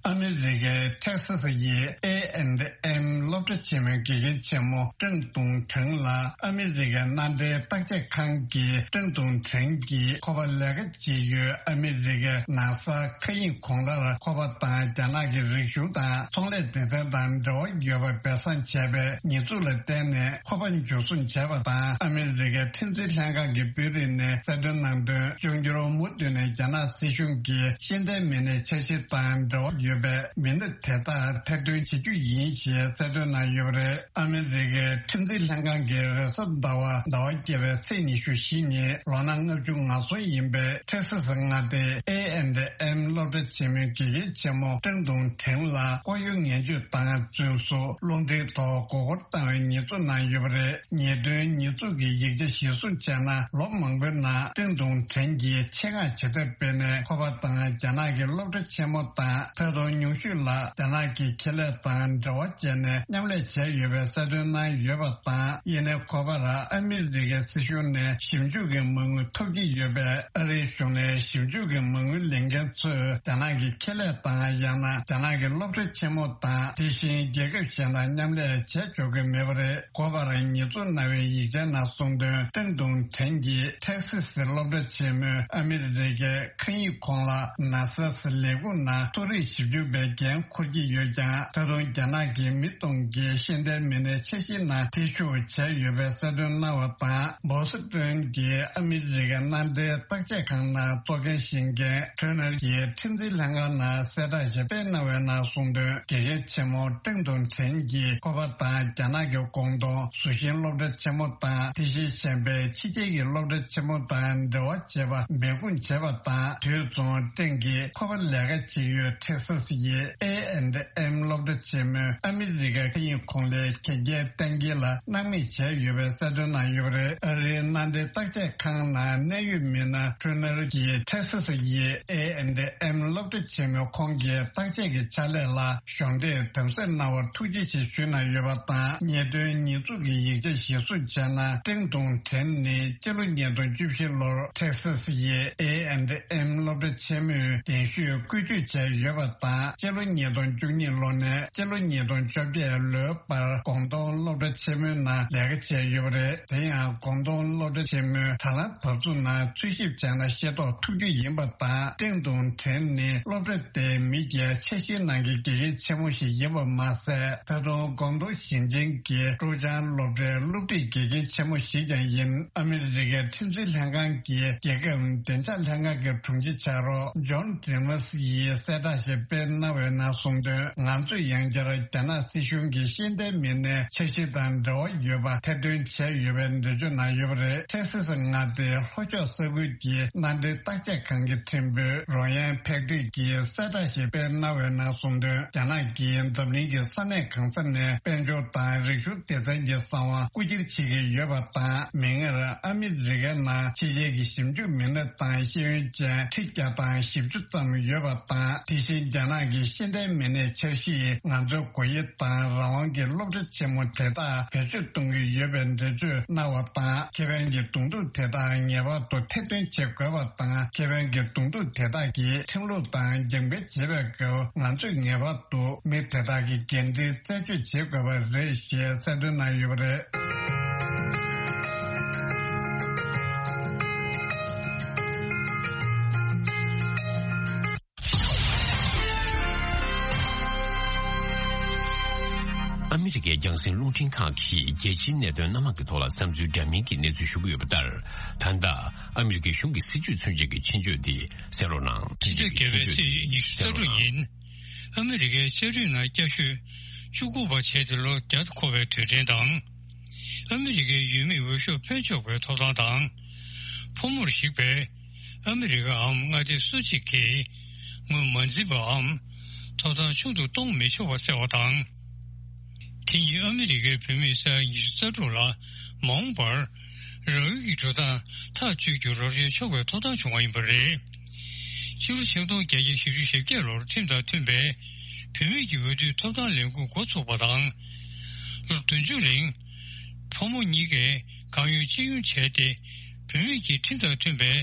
ཨ་མི་རི་ཀའི་ཐེག་སི་སི་ཡི་ཨེ་ཨེན་ཨེམ་སློབ་གྲྭ་ཆེན་མོའི་དགེ་རྒན་ཆེན་མོ་ཀྲང་ཏུང་ཁྲེང་ལ་ཨ་མི་རི་ཀའི་མནའ་འབྲེལ་བརྟག་དཔྱད་ཁང་གི་ཀྲང་ཏུང་ཁྲེང་གིས་ཁོ་པ་ལས་ཀ་བྱེད་ཡུལ་ཨ་མི་རི་ཀའི་ནཱ་སཱ་མཁའ་དབྱིངས་གོང་ལར་ཁོ་པ་དང་རྒྱ་ནག་གི་རིག་གཞུང་དང་ཚོང་ལས་སྡེ་ཚན་དང་འབྲེལ་བ་ཡོད་པ་སྦས་གསང་བྱས་པའི་ཉེས་འཛུགས་ལ་བརྟེན་ནས་ཁོ་པ་འཇུ་བཟུང་བྱས་པ་དང་ཨ་མི་རི་ཀའི་ཁྲིམས་འཛིན་ལྷན་ཁང་གི་དཔོན་རིགས་ནས་གསལ་སྟོན་གནང་དོན། བཅིངས་འགྲོལ་མུ་མཐུད་ནས་རྒྱ་ནག་སྲིད་གཞུང་གིས་ཤེས་ལྡན་མི་སྣའི་འཆར་གཞི་དང་འབྲེལ་བ་ཡོད་པའི་མི་སྣ་དེ་དག་ཐེར་འདོན་བྱེད་རྒྱུ་ཡིན་ཞེས་གསལ་སྟོན་གནང་ཡོད་པ་རེད། ཨ་མི་རི་ཀའི་ཁྲིམས་འཛིན་ལྷན་ཁང་གིས་རེས་གཟའ་ཟླ་བ་ཟླ་བ་བརྒྱད་པའི་ཚེས་ཉི་ཤུ་བཞི་ཉིན་ལོ་ན་ལྔ་བཅུ་ང་གསུམ་ཡིན་པའི་ཐེག་སི་སི་མངའ་སྡེའི་ཨེ་ཨེན་ཨེམ་སློབ་གྲྭ་ཆེན་མོའི་དགེ་རྒན་ཆེན་མོ་ཀྲང་ཏུང་ཁྲེང་ལ་ལྐོག་གཡོ་ངན་སྤྱོད་དང་རྫུན་བཟོ། རླུང་འཕྲིན་ཐོག་མགོ་སྐོར་བཏང་བའི་ཉེས་འཛུགས་གནང་ཡོད་པ་རེད། ཉེས་དོན་ཉེས་འཛུགས་ཀྱི་ཡིག་ཆ་གཞིར་བཟུང་བྱས་ན། ལོ་མང་པོའི་ནང་ཀྲང་ཏུང་ཁྲེང་གིས་ཆེད་མངགས་བྱེད་ཐབས་སྤེལ་ནས་ཁོ་པ་དང་རྒྱ་ནག་གི་སློབ་གྲྭ་ཆེན་མོ་དང་། ད་དུང་ཉུང་ཤོས་ལ་རྒྱ་ནག་གི་ཁེ་ལས་དང་འབྲེལ་བ་བྱས་ནས་མཉམ་ལས་བྱས་ཡོད་པའི་གསལ་སྟོན་གནང་ཡོད་པ་དང་། ཡིན་ནའི་ཁོ་པར་ཨ་མི་རི་ཀའི་སྲིད་གཞུང་ནས་ཞིབ་འཇུག་གི་མ་དངུལ་ཐོབ་ཀྱི་ཡོད་པས། ཨ་རིའི་གཞུང་ནས་ཞིབ་འཇུག་གི་མ་དངུལ་ལེན་མཁན་ཚོས་རྒྱ་ནག་གི་ཁེ་ལས་དང་། ཡང་ན་རྒྱ་ནག་གི་སློབ་གྲྭ་ཆེན་མོ་དང་། དེ་བཞིན་རྒྱལ་ཁབ་གཞན་དང་མཉམ་ལས་བྱས་ཆོག་གི་མེད་པ་རེད། འགོ་པར་ཉེས་འཛུགས་གནང་བའི་ཡིག་ཆའི་ནང་གསུངས་དོན། ཀྲང་ཏུང་ཁྲེང་གིས་ཐེག་སི་སི་སློབ་གྲྭ་ཆེན་མོའི་ཨ་མི་རི་ཀའི་མཁའ་དབྱིངས་གོང་ལ་ནཱ་སཱ་ལས་ཁུངས་ནང་མཐོ་རིམ་ཞིབ་འཇུག་པའི་འགན་འཁུར་གྱི་ཡོད་ཀྱང་། ད་དུང་རྒྱ་ནག་གི་མི་སྟོང་གི་ཤེས་ལྡན་མི་སྣའི་འཆར་གཞིའི་ནང་འཐེན་ཤུགས་བྱས་ཡོད་པའི་གསལ་སྟོན་གནང་བ་དང་། བོ་སི་ཏོན་གྱི་ཨ་མི་རི་ཀའི་མནའ་འབྲེལ་བརྟག་དཔྱད་ཁང་ནང་གཙོ་འགན་བཞེས་མཁན་ཁྲོན་ནར་གྱིས་ཁྲིམས་འཛིན་ལྷན་ཁང་ནང་གསལ་བསྒྲགས་ཤིག་སྤེལ་གནང་བའི་ནང་གསུངས་དོན། དགེ་རྒན་ཆེན་མོ་ཀྲང་ཏུང་ཁྲེང་གིས་ཁོ་པ་དང་རྒྱ་ནག་གི་ཀོང་ཏུང་ཟུར་ཤིང་སློབ་གྲྭ་ཆེན་མོ་དང་། དེ་བཞིན་གཞན་པའི་ཕྱི་རྒྱལ་གྱི་སློབ་གྲྭ་ཆེན་མོ་དང་འབྲེལ་བ་བྱེད་པ་མེད་ཁུངས་བྱས་པ་དང་། དུས་མཚུངས་ཀྲང་གིས་ཁོ་པ་ལས་ཀ་བྱེད་ཡུལ་ཐེག་སཱ་སི་ཡི་ཨེ་ཨེན་ཨེམ་སློབ་གྲྭ་ཆེན་མོའི་ཨ་མི་རི་ཀའི་མཁའ་དབྱིངས་གོང་ལའི་གན་རྒྱའི་གཏན་འཁེལ་ལ་སྣང་མེད་བྱས་ཡོད་པའི་གསལ་སྟོན་གནང་ཡོད་པ་རེད། ཨ་རིའི་མནའ་འབྲེལ་བརྟག་དཔྱད་ཁང་ནང་གནད་ཡོད་མི་སྣ་ཁྲོན་ནར་གྱིས་ཐེག་སཱ་སི་ཡི་ཨེ་ཨེན་ཨེམ་སློབ་གྲྭ་ཆེན་མོའི་ཁོང་གི་བརྟག་དཔྱད་ཀྱི་ཕྱག་ལས་ལ་གཞོགས་འདེགས་དམ་ཟབ་གནང་བར་ཐུགས་རྗེ་ཆེ་ཞུས་གནང་ཡོད་པ་དང་། ཉེས་དོན་ཉེས་འཛུགས་ཀྱི་ཡིག་ཆ་གཞིར་བཟུང་བྱས་ན། ཀྲེང་ཏུང་ཁྲེན་ནི་སྤྱི་ལོ་ཉིས་སྟོང་བཅུ་བཞི་ལོར་ཐེག་སཱ་སི་ཡི་ཨེ་ཨེན་ཨེམ་སློབ་གྲྭ་ཆེན་མོའི་གདན་ཞུས་བཀོལ་སྤྱོད་བྱས་ཡོད་པ་དང་། སྤྱི་ལོ་ཉིས་སྟོང་བཅུ་གཉིས་ལོ་ནས་སྤྱི་ལོ་ཉིས་སྟོང་བཅོ་བརྒྱད་ལོའི་བར་ཀོང་ཏུང་སློབ་གྲྭ་ཆེན་མོའི་ནང་ལས་ཀ་བྱས་ཡོད་པ་རེད། དེ་ཡང་ཀོང་ཏུང་སློབ་གྲྭ་ཆེན་མོའི་དྲ་ལམ་བབ་ཚུགས་ནང་འཚོལ་ཞིབ་བྱས་ན་ཤེས་རྟོགས་ཐུབ་རྒྱུ་ཡིན་པ་དང་། ཀྲེང་ཏུང་ཁྲེན་ནི་སློབ་གྲྭ་དེའི་མི་སྒེར་འཆར་གཞིའི་ནང་གི་དགེ་རྒན་ཆེན་མོ་ཞིག་ཡིན་པ་མ་ཟད། ད་དུང་ཀོང་ཏུང་ཞིང་ཆེན་གྱི་ཀྲུའུ་ཅང་སློབ་གྲྭའི་སློབ་ཁྲིད་དགེ་རྒན་ཆེན་མོ་ཞིག་ཀྱང་ཡིན། ཨ་མི་རི་ཀའི་ཁྲིམས་འཛིན་ལྷན་ཁང་གི་རྒྱལ་ཁབ་བདེ་འཇགས་ལྷན་ཁང་གི་དྲུང་ཆེ་ཕྱག་རོགས་ཇོན་ཌི་མཱས་ཡིས་གསལ་བསྒྲགས་ཤིག་སྤེལ་གནང་བའི་ནང་གསུངས་དོན། ང་ཚོས་ཡང་བསྐྱར་རྒྱ་ནག་སྲིད་གཞུང་གི་ཤེས་ལྡན་མི་སྣའི་འཆར་གཞི་དང་འབྲེལ་བ་ཡོད་པ་ཐེར་འདོན་བྱས་ཡོད་པའི་འགྲེལ་བརྗོད་གནང་ཡོད་པ་རེད། ཐེག་སི་སི་མངའ་སྡེའི་ལྷོ་ཕྱོགས་ས་ཁུལ་གྱི་མནའ་འབྲེལ་བརྟག་དཔྱད་ཁང་གི་ཁྲིམས་དཔོན་རོ་ཡན་ཕེག་ཏིག་གིས་གསལ་བསྒྲགས་ཤིག་སྤེལ་གནང་བའི་ནང་གསུངས་དོན། རྒྱ་ནག་གིས་འཛམ་གླིང་གི་ས་གནས་གང་ས་ནས་དཔལ་འབྱོར་དང་རིག་གཞུང་སྡེ་ཚན་གྱི་གསང་བ་རྐུ་འཁྱེར་བྱེད་ཀྱི་ཡོད་པ་དང་། མིག་སྔར་ཨ་མི་རི་ཀའི་ནང་ཕྱི་རྒྱལ་གྱི་ཞིབ་འཇུག་མི་སྣ་དང་ཤེས་ཡོན་ཅན་ཁྲི་བརྒྱ་དང་བཞི་བཅུ་ཙམ་ཡོད་པ་དང་། དེ་བཞིན་རྒྱ་ནག་གི་ཤེས་ལྡན་མི་སྣའི་འཆར་གཞི་ང་ཚོའི་སྒོ་དབྱེ་དང་རང་དབང་གི་སློབ་གྲྭ་ཆེན་མོ་དེ་དག་བེད་སྤྱོད་གཏོང་གི་ཡོད་པའི་འགྲེལ་བརྗོད་གནང་བ་དང་། ཁེ་ཕན་གྱི་གདོང་ཐུག་དེ་དག་ངེས་པར་དུ་ཐེར་འདོན་བྱེད་དགོས་པ་དང་། ཁེ་ཕན་གྱི་གདོང་ཐུག་དེ་དག་གི་ཁྲིམས་ལུགས་དང་རྒྱབ་འགལ་བྱེད་པའི་སྐབས། ང་ཚོས་ངེས་པར་དུ་མི་དེ་དག་གི་འགན་འཁྲི་རྩད་གཅོད་བྱེད་དགོས་པ་རེད་ཞེས་གསལ་སྟོན་གནང་ཡོད་པ་རེད། ཨ་མི་རི་ཀའི་རྒྱང་སྲིང་རླུང་འཕྲིན་ཁང་གིས་རྒྱལ་སྤྱིའི་གནད་དོན་སྣ་མང་གི་ཐོག་ལ་བསམ་ཚུལ་འདྲ་མིན་གྱི་གནས་ཚུལ་ཞུ་གི་ཡོད་པ་ལྟར། ད་ལྟ་ཨ་མི་རི་ཀའི་གཞུང་གི་སྲིད་ཇུས་མཚོན་བྱེད་ཀྱི་ཆེད་བརྗོད་འདི་གསན་རོགས་གནང་། ཕྱི་ཚེས་བརྒྱད་པའི་ཚེས་ཉི་ཤུ་རྩ་དྲུག་ཉིན། ཨ་མི་རི་ཀའི་ལྕགས་རིགས་ནང་སྐྱ་ཤོད་བཅུ་དགུ་པ་བྱས་ཏེ་ལོ་བརྒྱ་འཁོར་བའི་དུས་དྲན་དང་། ཨ་མི་རི་ཀའི་ཡུལ་མིའི་འོས་ཤོག་འཕེན་ཆོག་པའི་ཐོབ་ཐང་དང་། ཕོ་མོར་གཞིགས་པའི་ཨ་མི་རི་ཀའམ་མངའ་སྡེ་སུ་གཅིག་གིས་ངོས་མ་འཛིན་པའམ་ཐོབ་ཐང་ཆུང་དུ་གཏོང་མི་ཆོག་པ་གསལ་བ་དང་། དེ་ཉིད་ཨ་མི་རི་ཀའི་བོད་མིས་སྤྱི་ཟླ་ཉི་ཤུ་རྩ་དྲུག་ལ་མ་འོངས་པར་རང་ཡུལ་གྱི་འགྲོ་སྟངས་ཐག་གཅོད་རྒྱུར་རོགས་རམ་ཆོག་པའི་ཐོབ་ཐང་བྱུང་བ་ཡིན་པ་རེད། ཕྱི་ལོ་ཆིག་སྟོང་བརྒྱད་བརྒྱ་བཞི་བཅུ་ཞེ་བརྒྱད་ལོར་ཁྲིམས་དང་མཐུན་པའི་བུད་མེད་ཀྱི་འོས་བསྡུའི་ཐོབ་ཐང་ལས་འགུལ་འགོ་ཚུགས་པ་དང་། ལོ་བདུན་ཅུ་རིང་ཕོ་མོ་གཉིས་ཀས་གང་ཡོད་ཅི་ཡོང་བྱས་ཏེ། བུད་མེད་ཀྱིས་ཁྲིམས་དང་མཐུན་པའི་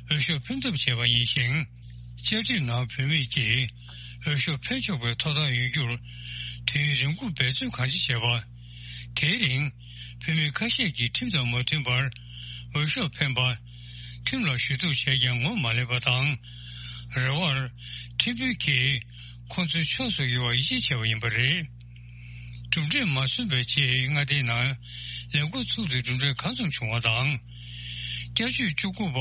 འོས་ཤོག་འཕེན་ཐབས་བྱས་པ་ཡིན་ཞིང་། བཅའ་ཁྲིམས་ནང་བུད་མེད་ཀྱིས་འོས་ཤོག་འཕེན་ཆོག་པའི་ཐོབ་ཐང་ཡོད་རྒྱུར་དུས་ཡུན་རིང་པོ་འབད་བརྩོན་གང་ཆེ་བྱས་པ། དེའི་རིང་བུད་མེད་ཁ་ཤས་ཀྱིས་ཁྲིམས་དང་མ་མཐུན་པར་འོས་ཤོག་འཕེན་པ། ཁྲིམས་ལ་ཞུ་གཏུག་བྱས་ཀྱང་ངོ་མ་ལེན་པ་དང་། རེ་བར་ཁྲིམས་དཔོན་གྱིས་ཁོང་ཚོའི་ཕྱོགས་སུ་ཡོང་བར་ཡིད་ཆེས་བྱས་པ་ཡིན་པ་རེད། གྲུབ་འབྲས་མ་སོན་པའི་རྗེས་མངའ་སྡེའི་ནང་ལས་འགོ་ཚུགས་ཏེ་གྲུབ་འབྲས་གང་འཚམ་བྱུང་བ་དང་། བསྐྱར་བཅོས་བཅུ་དགུ་པ་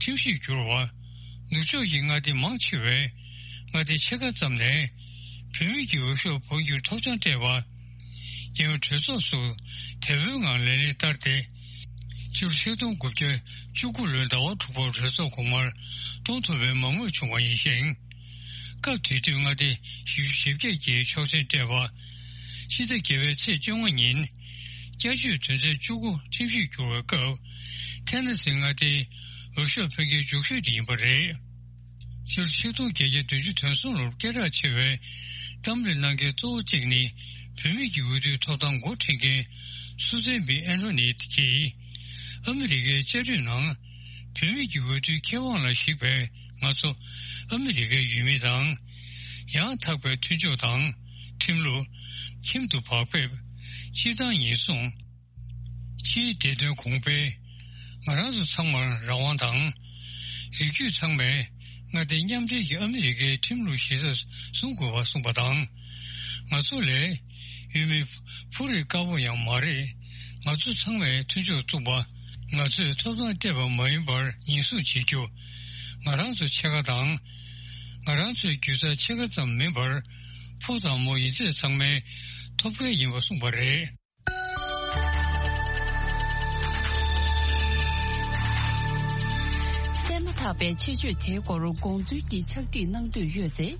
ཁྲིམས་གཞི་བསྒྱུར་བ། ནུབ་ཕྱོགས་ཀྱི་མངའ་སྡེ་མང་ཆེ་བས་མངའ་སྡེ་ཕྱེད་ཀ་ཙམ་ནས་བུད་མེད་ཀྱི་འོས་ཤོག་འཕོ་འགྱུར་ཐོབ་ཐང་སྤྲད་པ། རྒྱལ་ཡོངས་གྲོས་ཚོགས་སུ་དལ་པོའི་ངང་ལག་ལེན་བསྟར་ཏེ། ཕྱི་ལོ་ཆིག་སྟོང་དགུ་བརྒྱ་བཅུ་དགུ་ལོའི་ཟླ་བ་དྲུག་པར་གྲོས་ཚོགས་གོང་མར་གཏོང་ཐུབ་པའི་མང་མོས་བྱུང་བ་ཡིན་ཞིང་། སྐབས་དེ་དུས་མངའ་སྡེ་བཞི་བཅུ་ཞེ་བརྒྱད་ཀྱིས་ཆོག་མཆན་སྤྲད་པ། ཕྱི་ཟླ་བརྒྱད་པའི་ཚེས་བཅོ་ལྔ་ཉིན། བསྐྱར་བཅོས་དོན་ཚན་བཅུ་དགུ་ཁྲིམས་གཞི་བསྒྱུར་བའི་སྐབས། ཐེ་ན་སི་མངའ་སྡེའི་འོས་ཤོག་འཕེན་མཁན་མཇུག་ཤོས་དེ་ཡིན་པ་རེད། ཕྱི་ལོ་ཆིག་སྟོང་བརྒྱད་བརྒྱ་བདུན་ཅུ་དོན་གསུམ་ལོར་སྐད་གྲགས་ཆེ་བའི་གཏམ་གླེང་གནང་མཁན་གཙོ་བོ་གཅིག་ནི། བུད་མེད་ཀྱི་འོས་བསྡུའི་ཐོབ་ཐང་འགོ་ཁྲིད་མཁན་སུ་ཛན་བི་ཨན་ཐོ་ནི་གྱིས། ཨ་མི་རི་ཀའི་བཅའ་ཁྲིམས་ནང་བུད་མེད་ཀྱི་འོས་བསྡུའི་ཁེ་དབང་ལ་གཞིགས་པའི་ང་ཚོ་ཨ་མི་རི་ཀའི་ཡུལ་མི་དང་། ཡང་དག་པའི་མཐུན་ཕྱོགས་དང་ཁྲིམས་ལུགས། ཁྱིམ་དུ་བག་ཕེབས། སྤྱིར་བཏང་ཉེན་སྲུང་། ཕྱིའི་བདེ་དོན་གོང་འཕེལ། ང་རང་ཚོ་ཚང་མར་རང་དབང་དང་། རིགས་རྒྱུད་ཚང་མས་མངའ་སྡེ་མཉམ་འབྲེལ་གྱི་ཨ་མི་རི་ཀའི་ཁྲིམས་ལུགས་གཞི་རྩ་སྲུང་དགོས་པ་གསུངས་པ་དང་། ང་ཚོ་ལས་ཡུལ་མི་ཕོ་རིགས་དཀར་པོ་ཡང་མ་རེད། ང་ཚོ་ཚང་མས་མཐུན་ཕྱོགས་བཙུགས་པ། ང་ཚོས་ཐོབ་ཐང་སྤྲད་པ་མ་ཡིན་པར་ཉེན་སྲུང་བྱེད་རྒྱུ། ང་རང་ཚོ་ཕྱེད་ཀ་དང་། ང་རང་ཚོའི་རྒྱུ་རྩ་ཕྱེད་ཀ་ཙམ་མིན་པར། ཕོ་དང་མོ་ཡིན་ཚད་ཚང་མའི་ཐོབ་སྐལ་ཡིན་པ་གསུངས་པ་རེད། གསན་མ་ཐག་པའི་ཆེད་བརྗོད་དེའི་སྐོར་དགོངས་ཚུལ་གྱི་ཕྱག་བྲིས་གནང་འདོད་ཡོད་ཚེ།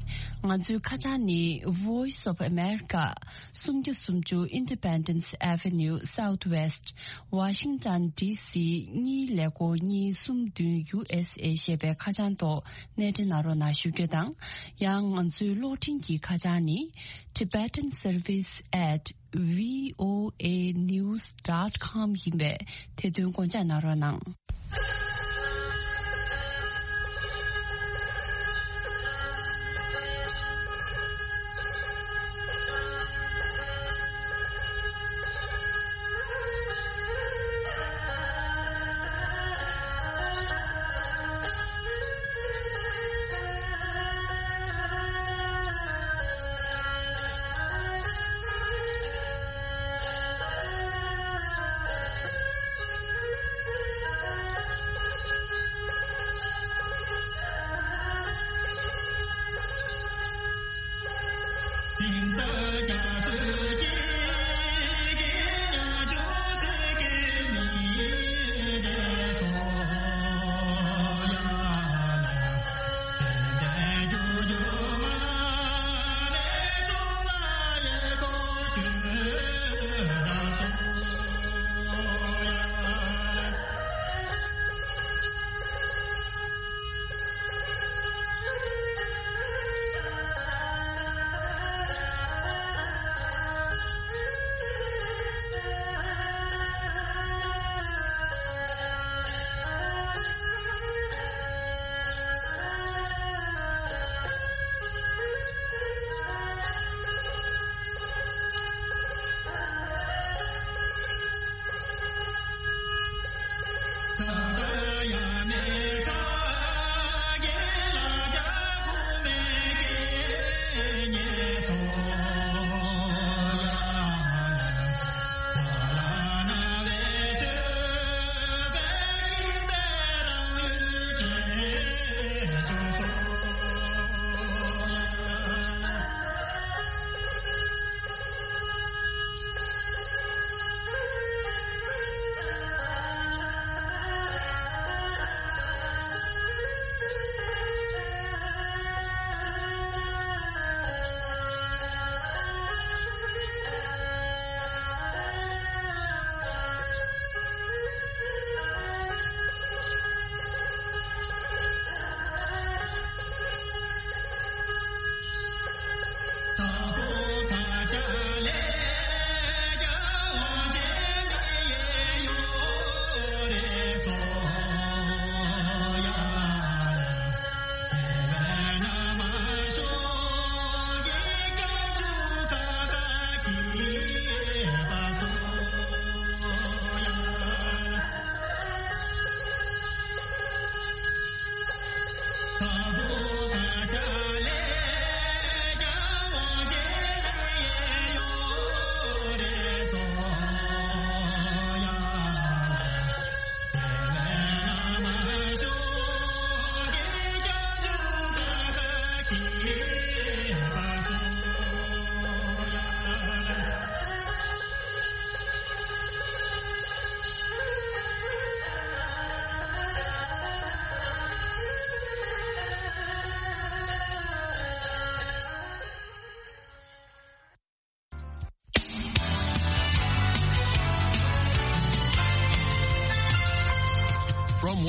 ང་ཚོའི་ཁ་བྱང་ནི། Voice of America། སུམ་བརྒྱ་སུམ་ཅུ་Independence Avenue Southwest། Washington D C གཉིས་ཀླད་ཀོར་གཉིས་གསུམ་བདུན། U S A ཞེས་པའི་ཁ་བྱང་ཐོག་གནས་འདྲེན་གནང་རོགས་གནང་ཞུ་རྒྱུ་དང་། ཡང་ང་ཚོའི་གློག་འཕྲིན་གྱི་ཁ་བྱང་ནི། Tibetan Service at V O A news dot com ཡིན་པས། དེ་དོན་དགོངས་འཇགས་གནང་རོགས་གནང་།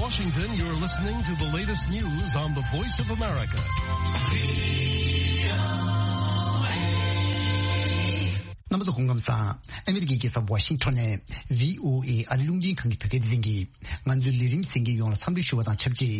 Washington, you're listening to the latest news on the Voice of America. རྣམ་པ་ཚོ་སྐུ་ཁམས་བཟང་། ཨ་མི་རི་ཀའི་རྒྱལ་ས་ཝ་ཤིང་ཊོན་ནས་བྷི་ཨོ་ཨེ་ཨ་རིའི་རླུང་འཕྲིན་ཁང་གི་བོད་སྐད་སྡེ་ཚན་གྱིས་ང་ཚོའི་ལས་རིམ་གསན་མཁན་ཡོངས་ལ་འཚམས་འདྲི་ཞུ་བ་དང་ཆབས་ཅིག་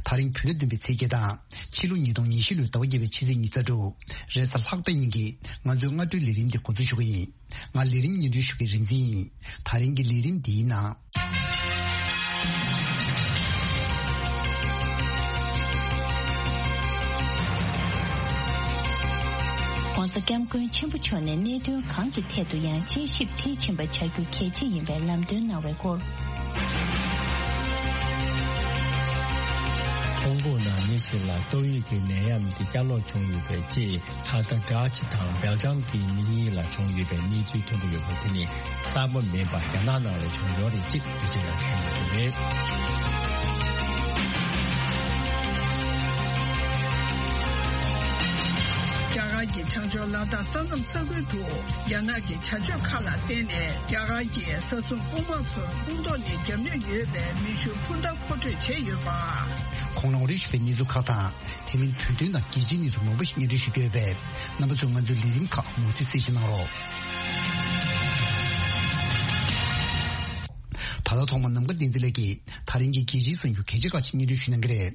ད་རིང་བོད་ཟླ་བདུན་པའི་ཚེས་བརྒྱད་དང་ཕྱི་ལོ་ཉིས་སྟོང་ཉི་ཤུ་ལོའི་ཟླ་བ་བརྒྱད་པའི་ཕྱི་ཚེས་ཉི་ཤུ་རྩ་དྲུག་རེས་གཟའ་ལྷག་པའི་ཉིན་གྱི་ང་ཚོའི་སྔ་དྲོའི་ལས་རིམ་འདི་འགོ་འཛུགས་ཞུ་གི་ཡིན། ང་ལས་རིམ་སྙན་སྒྲོན་ཞུ་མཁན་རིག་འཛིན་ཡིན། ད་རིང་གི་ལས་རིམ་འདིའི་ནང་།༸གོང་ས་༸སྐྱབས་མགོན་ཆེན་པོ་མཆོག་ནས་གནད་དོན་གང་གི་ཐད་དུ་ཡང་དཔྱད་ཞིབ་མཐིལ་ཕྱིན་པ་བྱ་རྒྱུ་གལ་ཆེ་ཡིན་པའི་ལམ་སྟོན་གནང་བའི་སྐོར། ཧོང་ཀོང་ནང་མི་ཚོ་ལ་ཏོག་དབྱིབས་ཀྱི་ནད་ཡམས་དེ་བསྐྱར་ལོག་བྱུང་ཡོད་པའི་ཅེས། ད་ལྟ་ཌ་ཅི་དང་སྦེལ་ཇམ་གྱི་མི་གཉིས་ལ་བྱུང་ཡོད་པའི་གནས་ཚུལ་ཐོན་གྱི་ཡོད་པ་དེ་ནི་གསར་པ་མིན་པར་རྒྱ་ནག་ནང་ལ་བྱུང་ཡོད་རེད་ཅེས་འགྲེལ་བརྗོད་གནང་མཁན་ཡོད་པ་རེད། རྒྱ་གར་གྱི་བྱང་ཕྱོགས་ལ་དྭགས་ས་མཚམས་ས་ཁུལ་དུ་རྒྱ་ནག་གི་བྱ་སྤྱོད་ཁག་ལ་བརྟེན་ནས་རྒྱ་གར་གྱི་ས་སྲུང་དཔུང་དམག་ཚོར་དཔུང་ཐོག་ནས་རྒྱབ་གནོན་ཡོད་པའི་མེ་ཤུགས་འཕུར་མདའ་མཁོ་སྤྲོད་བྱས་ཡོད་པ། ཁོང་རང་རེ་ཞུ་བའི་གནས་ཚུལ་ཁག་དང་། དེ་མིན་བོད་དོན་དང་རྒྱལ་སྤྱིའི་གནས་ཚུལ་མང་པོ་ཞིག་སྙན་སྒྲོན་ཞུ་རྒྱུ་ཡོད་པས། རྣམ་པ་ཚོས་ང་ཚོའི་ལས་རིམ་ཁག་མུ་མཐུད་གསན་བཞེས་གནང་རོགས། ད་ལྟ་ཐོག་མར་ནམ་མཁའ་བསྟན་འཛིན་ལགས་ཀྱིས་ད་རིང་གི་རྒྱལ་སྤྱིའི་གསར་འགྱུར་གལ་ཆེ་ཁག་ཅིག་སྙན་སྒྲོན་ཞུ་གནང་གི་རེད།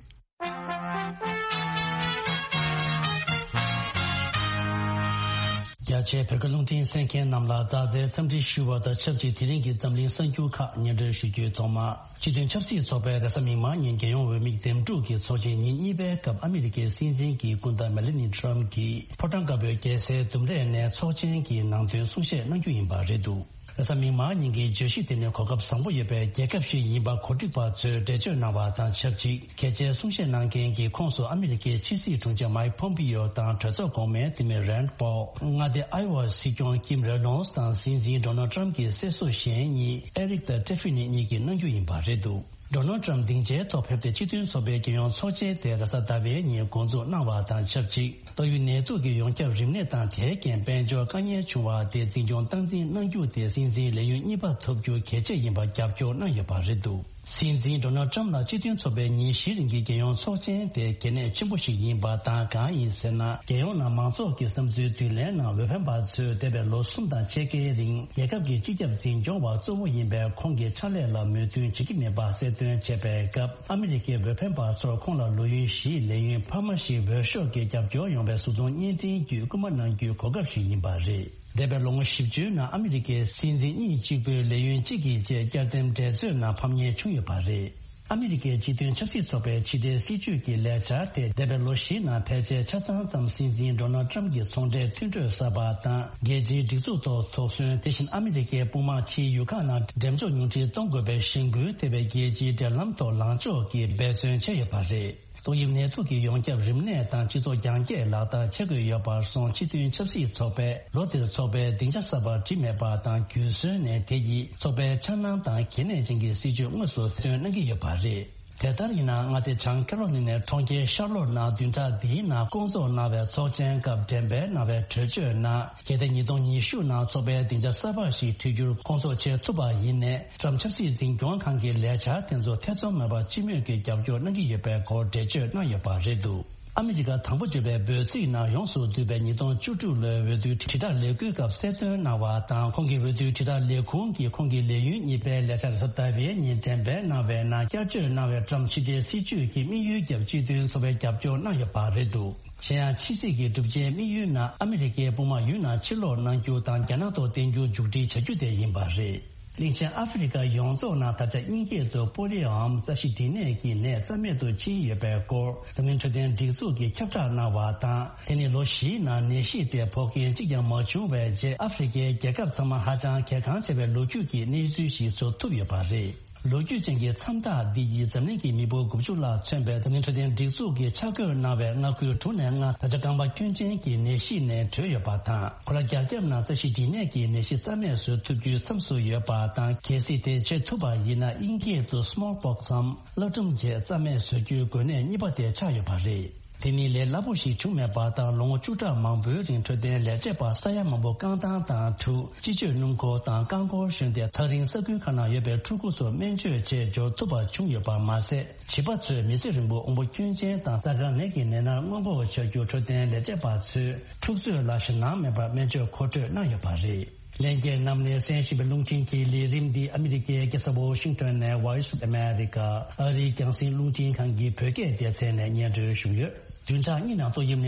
རྒྱ་ཆེའི་བོད་སྐད་རླུང་འཕྲིན་གསན་མཁན་རྣམས་ལ་ཛ་དྲག་འཚམས་འདྲི་ཞུ་བ་དང་ཆབས་ཅིག་དེ་རིང་གི་འཛམ་གླིང་གསར་འགྱུར་ཁག་སྙན་སྒྲོན་ཞུ་རྒྱུའི་ཐོག་མ། སྤྱི་མཐུན་ཆབ་སྲིད་ཚོགས་པའི་རེས་གཟའ་མིག་དམར་ཉིན་རྒྱལ་ཡོངས་འོས་མི་འདེམས་སྒྲུག་གི་ཚོགས་ཆེན་ཉིན་གཉིས་པའི་སྐབས་ཨ་མི་རི་ཀའི་སྲིད་འཛིན་གྱི་སྐུ་ཟླ་མེ་ལ་ནི་ཊམ་གྱིས་ཕོ་བྲང་དཀར་པོའི་རྒྱལ་སའི་ལྡུམ་རའི་གནས་ཚོགས་ཆེན་གྱི་ནང་དོན་གསུང་བཤད་གནང་རྒྱུ་ཡིན་པ་རེད་འདུག་རེས་གཟའ་མིག་དམར་ཉིན་གྱི་བརྗོད་གཞི་དེ་ནི་གོ་སྐབས་བཟང་པོ་ཡོད་པའི་རྒྱལ་ཁབ་ཞིག་ཡིན་པ་གོ་སྒྲིག་པ་ཚོས་འགྲེལ་བརྗོད་གནང་བ་དང་ཆབས་ཅིག་གལ་ཆེའི་གསུང་བཤད་གནང་མཁན་གྱི་ཁོངས་སུ་ཨ་མི་རི་ཀའི་ཕྱི་སྲིད་དྲུང་ཆེ་མའིག་ཕོམ་པིའོ་དང་གྲོས་ཚོགས་གོང་མའི་འཐུས་མི་རན་པོལ། མངའ་སྡེ་ཨའི་ཝ་སྲིད་སྐྱོང་ཀིམ་རེ་ནོལ་དང་སྲིད་འཛིན་ཌོ་ནལ་ཊམ་གྱི་སྲས་སུ་གཞན་གཉིས་ཨེ་རིག་དང་ཊེ་ཧྥི་ནི་གཉིས་ཀྱིས་གནང་རྒྱུ་ཡིན་པ་རེད་འདུག་ཌོ་ནལ་ཊམ་སྡིངས་ཆའི་ཐོག་ཕེབས་ཏེ་སྤྱི་མཐུན་ཚོགས་པའི་རྒྱལ་ཡོངས་ཚོགས་ཆེན་དེ་རེས་གཟའ་ཟླ་བའི་ཉིན་འགོ་འཛུགས་གནང་བ་དང་ཆབས་ཅིག་ཏོག་དབྱིབས་ནད་དུག་གི་ཡོངས་ཁྱབ་རིམས་ནད་དང་དེའི་རྐྱེན་དཔལ་འབྱོར་དཀའ་ངལ་བྱུང་བ་དེ་འཛིན་སྐྱོང་སྟངས་འཛིན་གནང་རྒྱུ་དེ་སྲིད་འཛིན་ལས་ཡུན་གཉིས་པ་ཐོབ་རྒྱུ་གལ་ཆེ་ཡིན་པར་རྒྱབ་སྐྱོར་གནང་ཡོད་པ་རེད་འདུག་སྲིད་འཛིན་ཌོ་ནལ་ཊམ་ལ་སྤྱི་མཐུན་ཚོགས་པའི་ཉིན་བཞིའི་རིང་གི་རྒྱལ་ཡོངས་ཚོགས་ཆེན་དེ་གལ་གནད་ཆེན་པོ་ཞིག་ཡིན་པ་དང་གང་ཡིན་ཟེར་ན། རྒྱལ་ཡོངས་ནང་མང་ཚོགས་ཀྱི་བསམ་ཚུལ་བསྡུ་ལེན་ནང་འོས་འཕེན་པ་ཚོས་འདས་པའི་ལོ་གསུམ་དང་ཕྱེད་ཀའི་རིང་རྒྱལ་ཁབ་ཀྱི་སྤྱི་ཁྱབ་འཛིན་སྐྱོང་བ་གཙོ་བོ་ཡིན་པའི་ཁོང་གི་ཕྱག་ལས་ལ་མོས་མཐུན་བྱེད་ཀྱི་མེད་པ་གསལ་སྟོན་བྱས་པའི་སྐབས། ཨ་མི་རི་ཀའི་འོས་འཕེན་པ་ཚོར་ཁོང་ལ་ལོ་ཡུན་བཞིའི་ལས་ཡུན་འཕར་མ་ཞིག་འོས་ཤོག་གི་རྒྱབ་སྐྱོར་ཡོང་བའི་གཟུགས་མཐོང་བརྙན་འཕྲིན་བརྒྱུད་སྐུལ་མ་གནང་རྒྱུའི་གོ་སྐབས་ཤིག་ཡིན་པ་རེད། འདས་པའི་ལོ་ངོ་བཞི་བཅུའི་ནང་ཨ་མི་རི་ཀའི་སྲིད་འཛིན་གཉིས་གཅིག་པུས་ལས་ཡུན་གཅིག་གི་རྗེས་བསྐྱར་ཟླེམ་འགྲན་རྩོད་ནང་ཕམ་ཉེས་བྱུང་ཡོད་པ་རེད། ཨ་མི་རི་ཀའི་སྤྱི་མཐུན་ཆབ་སྲིད་ཚོགས་པའི་ཕྱི་འབྲེལ་སྲིད་ཇུས་ཀྱི་ལས་འཆར་དེ་འདས་པའི་ལོ་བཞིའི་ནང་ཕལ་ཆེར་ཆ་ཚང་ཙམ་སྲིད་འཛིན་ཌོ་ནལ་ཊམ་གྱི་ཚོང་འབྲེལ་མཐུན་གྲོས་གསར་པ་དང་རྒྱལ་སྤྱིའི་སྒྲིག་འཛུགས་ཐོག་དོགས་ཟོན། དེ་བཞིན་ཨ་མི་རི་ཀའི་དཔུང་དམག་ཕྱིའི་ཡུལ་ཁག་ནང་འགྲེམས་འཇོག་ཉུང་འཕྲི་གཏོང་དགོས་པའི་གཞེན་སྐུལ་ཐེབས་པའི་རྒྱལ་སྤྱིའི་འབྲེལ་ལམ་ཐོག་ལངས་ཕྱོགས་ཀྱིས་འབད་བརྩོན་བྱས་ཡོད་པ་རེད། ཏོག་དབྱིབས་ནད་དུག་གི་ཡོངས་ཁྱབ་རིམས་ནད་དང་སྤྱི་ཚོགས་རྒྱང་བསྐྱེད་ལག་བསྟར་བྱེད་དགོས་ཡོད་པར་སོང་། སྤྱི་མཐུན་ཆབ་སྲིད་ཚོགས་པས་ལོ་འདིར་ཚོགས་པའི་སྡིངས་ཆ་གསར་པ་བྲིས་མེད་པ་དང་རྒྱུན་སྲོལ་ནས་དེ་ཡིས་ཚོགས་པའི་འཆར་སྣང་དང་གལ་གནད་ཅན་གྱི་སྲིད་ཇུས་དངོས་སུ་གསལ་སྟོན་གནང་གི་ཡོད་པ་རེད། དེ་ལྟར་ཡིན་ན་མངའ་སྡེ་བྱང་ཁེ་རོ་ལི་ནའི་གྲོང་ཁྱེར་ཤར་ལོར་ནང་བདུན་ཕྲག་འདིའི་ནང་སྐོང་ཚོགས་གནང་བའི་ཚོགས་ཆེན་སྐབས་འགྲེམས་སྤེལ་གནང་བའི་གྲོས་ཆོད་ནང་། གལ་ཏེ་ཉིས་སྟོང་ཉི་ཤུ་ནང་ཚོགས་པའི་སྡིངས་ཆ་གསར་པ་ཞིག་བྲིས་རྒྱུར་སྐོང་ཚོགས་བྱེད་ཐུབ་པ་ཡིན་ནའི། ཊམ་ཆབ་སྲིད་འཛིན་སྐྱོང་ཁང་གི་ལས་འཆར་དེ་ཚོ་ཐེ་ཚོམ་མེད་པར་སྤྱི་མོས་ཀྱིས་རྒྱབ་སྐྱོར་གནང་གི་ཡོད་པའི་སྐོར་འགྲེལ་བརྗོད་གནང་ཡོད་པ་རེད་འདུག་ཨ་མི་རི་ཀ་དང་པོ་བརྗོད་པའི་འབོད་ཚིག་ནང་ཡོངས་སུ་བསྡུས་པའི་ཉིས་སྟོང་བཅུ་དྲུག་ལོའི་འོས་བསྡུའི་དྲིལ་བསྒྲགས་ལས་འགུལ་སྐབས་གསལ་སྟོན་གནང་བ་དང་། ཁོང་གི་འོས་བསྡུའི་དྲིལ་བསྒྲགས་ལས་ཁུངས་ཀྱིས་ཁོང་གི་ལས་ཡུན་གཉིས་པའི་ལས་འཆར་རེས་གཟའ་ཟླ་བའི་ཉིན་འགྲེམས་སྤེལ་གནང་བའི་ནང་བསྐྱར་བཅོས་གནང་བའི་ཊམ་ཕྱི་འབྲེལ་སྲིད་ཇུས་ཀྱི་དམིགས་ཡུལ་རྒྱབ་སྤྱི་མཐུན་ཚོགས་པས་རྒྱབ་སྐྱོར་གནང་ཡོད་པ་རེད་འདུག་གཞན་ཡང་ཕྱི་སྲིད་ཀྱི་གྲུབ་ཆའི་དམིགས་ཡུལ་ནང་ཨ་མི་རི་ཀའི་དཔུང་དམག་ཡུལ་ནང་ཕྱིར་ལོག་གནང་རྒྱུ་དང་རྒྱ་ནག་ཐོག་བརྟན་འགྱུར་མཇུག་སྒྲིལ་བྱ་རྒྱུ་དེ་ཡིན་པ་རེད། གླིང་ཆེན་ཨ་ཧྥེ་རི་ཁ་ཡོངས་རྫོགས་ནང་ད་ཆ་དབྱིན་སྐད་དུ་པོ་ལི་ཡོ་ཨམ་རྩ་ཤེད་སྦྲིད་ནད་ཀྱི་ནད་རྩ་མེད་དུ་ཕྱིན་ཡོད་པའི་སྐོར་འཛམ་གླིང་འཕྲོད་བསྟེན་སྒྲིག་འཛུགས་ཀྱིས་ཁྱབ་བསྒྲགས་གནང་བ་དང་། དེ་ནི་ལོ་བཞིའི་ནང་ནད་གཞི་དེ་ཕོག་མཁན་གཅིག་ཀྱང་མ་བྱུང་བའི་རྗེས། ཨ་ཧྥེ་རི་ཁའི་རྒྱལ་ཁབ་ཚང་མ་ཧ་ཅང་གལ་འགངས་ཆེ་བའི་ལོ་རྒྱུས་ཀྱི་གནས་ཚུལ་ཞིག་བཟོ་ཐུབ་ཡོད་པ་རེད། ལོ་རྒྱུས་ཅན་གྱི་མཚམས་རྟགས་འདི་ཡིས་འཛམ་གླིང་གི་མི་འབོར་དགུ་བཅུ་ལྷག་མཚོན་པའི་འཛམ་གླིང་འཕྲོད་བསྟེན་སྒྲིག་འཛུགས་ཀྱིས་ཆ་བགོས་གནང་བའི་མངའ་ཁུལ་དྲུག་ནས་ལྔ་ད་ཆ་རྐང་པ་སྐྱོན་ཅན་གྱི་ནད་གཞི་ནས་གྲོལ་ཡོད་པ་དང་། ཁོ་རང་རྒྱ་ཁྱབ་ནང་རྩ་ཤེད་སྦྲིད་ནད་ཀྱི་ནད་གཞི་རྩ་མེད་བཟོ་ཐུབ་རྒྱུའི་མཚམས་སུ་ཡོད་པ་དང་། གལ་སྲིད་དེ་བྱེད་ཐུབ་པ་ཡིན་ན། དབྱིན་སྐད་དུ་སི་མོལ་པོག་སམ་གླ་སྒྲོམ་བཅས་རྩ་མེད་བཟོ་རྒྱུའི་འགོས་ནད་གཉིས་པ་དེ་ཆགས་ཡོད་པ་རེད། དེ་ནི་ལས་སླ་པོ་ཞིག་བྱུང་མེད་པ་དང་། ལོ་ངོ་བཅུ་ཕྲག་མང་པོའི་རིང་འཕྲོད་བསྟེན་ལས་བྱེད་པ་ས་ཡ་མང་པོ་རྐང་ཐང་དང་འཁྲུག་སྤྱི་སྤྱོད་སྣུམ་འཁོར་དང་རྐང་འཁོར་ཞོན་ཏེ། ཐག་རིང་ས་ཁུལ་ཁག་ནང་ཡོད་པའི་ཕྲུ་གུ་ཚོར་སྨན་བཅོས་བྱེད་འབྱོར་ཐུབ་པ་བྱུང་ཡོད་པ་མ་ཟད། བྱིས་པ་ཚོས་མི་ཚེ་རིང་པོ་དབང་པོ་སྐྱོན་ཅན་དང་རྩ་དཀར་ནད་ཀྱི་ནད་མནར་སྔོན་འགོག་བྱ་རྒྱུར་འཕྲོད་བསྟེན་ལས་བྱེད་པ་ཚོས་ཕྲུག་ཚོ་ལ་ཞེད་སྣང་མེད་པར་སྨན་བཅོས་མཁོ་སྤྲོད་གནང་ཡོད་པ་རེད། ལྷན་རྒྱས་རྣམས་ནས་གསན་བཞིན་པའི་རླུང་འཕྲིན་གྱི་ལས་རིམ་འདི་ཨ་མི་རི་ཀའི་རྒྱལ་ས་ཝོ་ཤིང་ཏོན་ནས་Voice of America ཨ་རིའི་རྒྱང་སྲིང་རླུང་འཕྲིན་ཁང་གི་བོད་སྐད་སྡེ་ཚན་ནས་སྙན་སྒྲོན་ཞུས་ཡོད། བདུན་ཕྲག་གཉིས་ནང་ཏོག་དབྱིབས་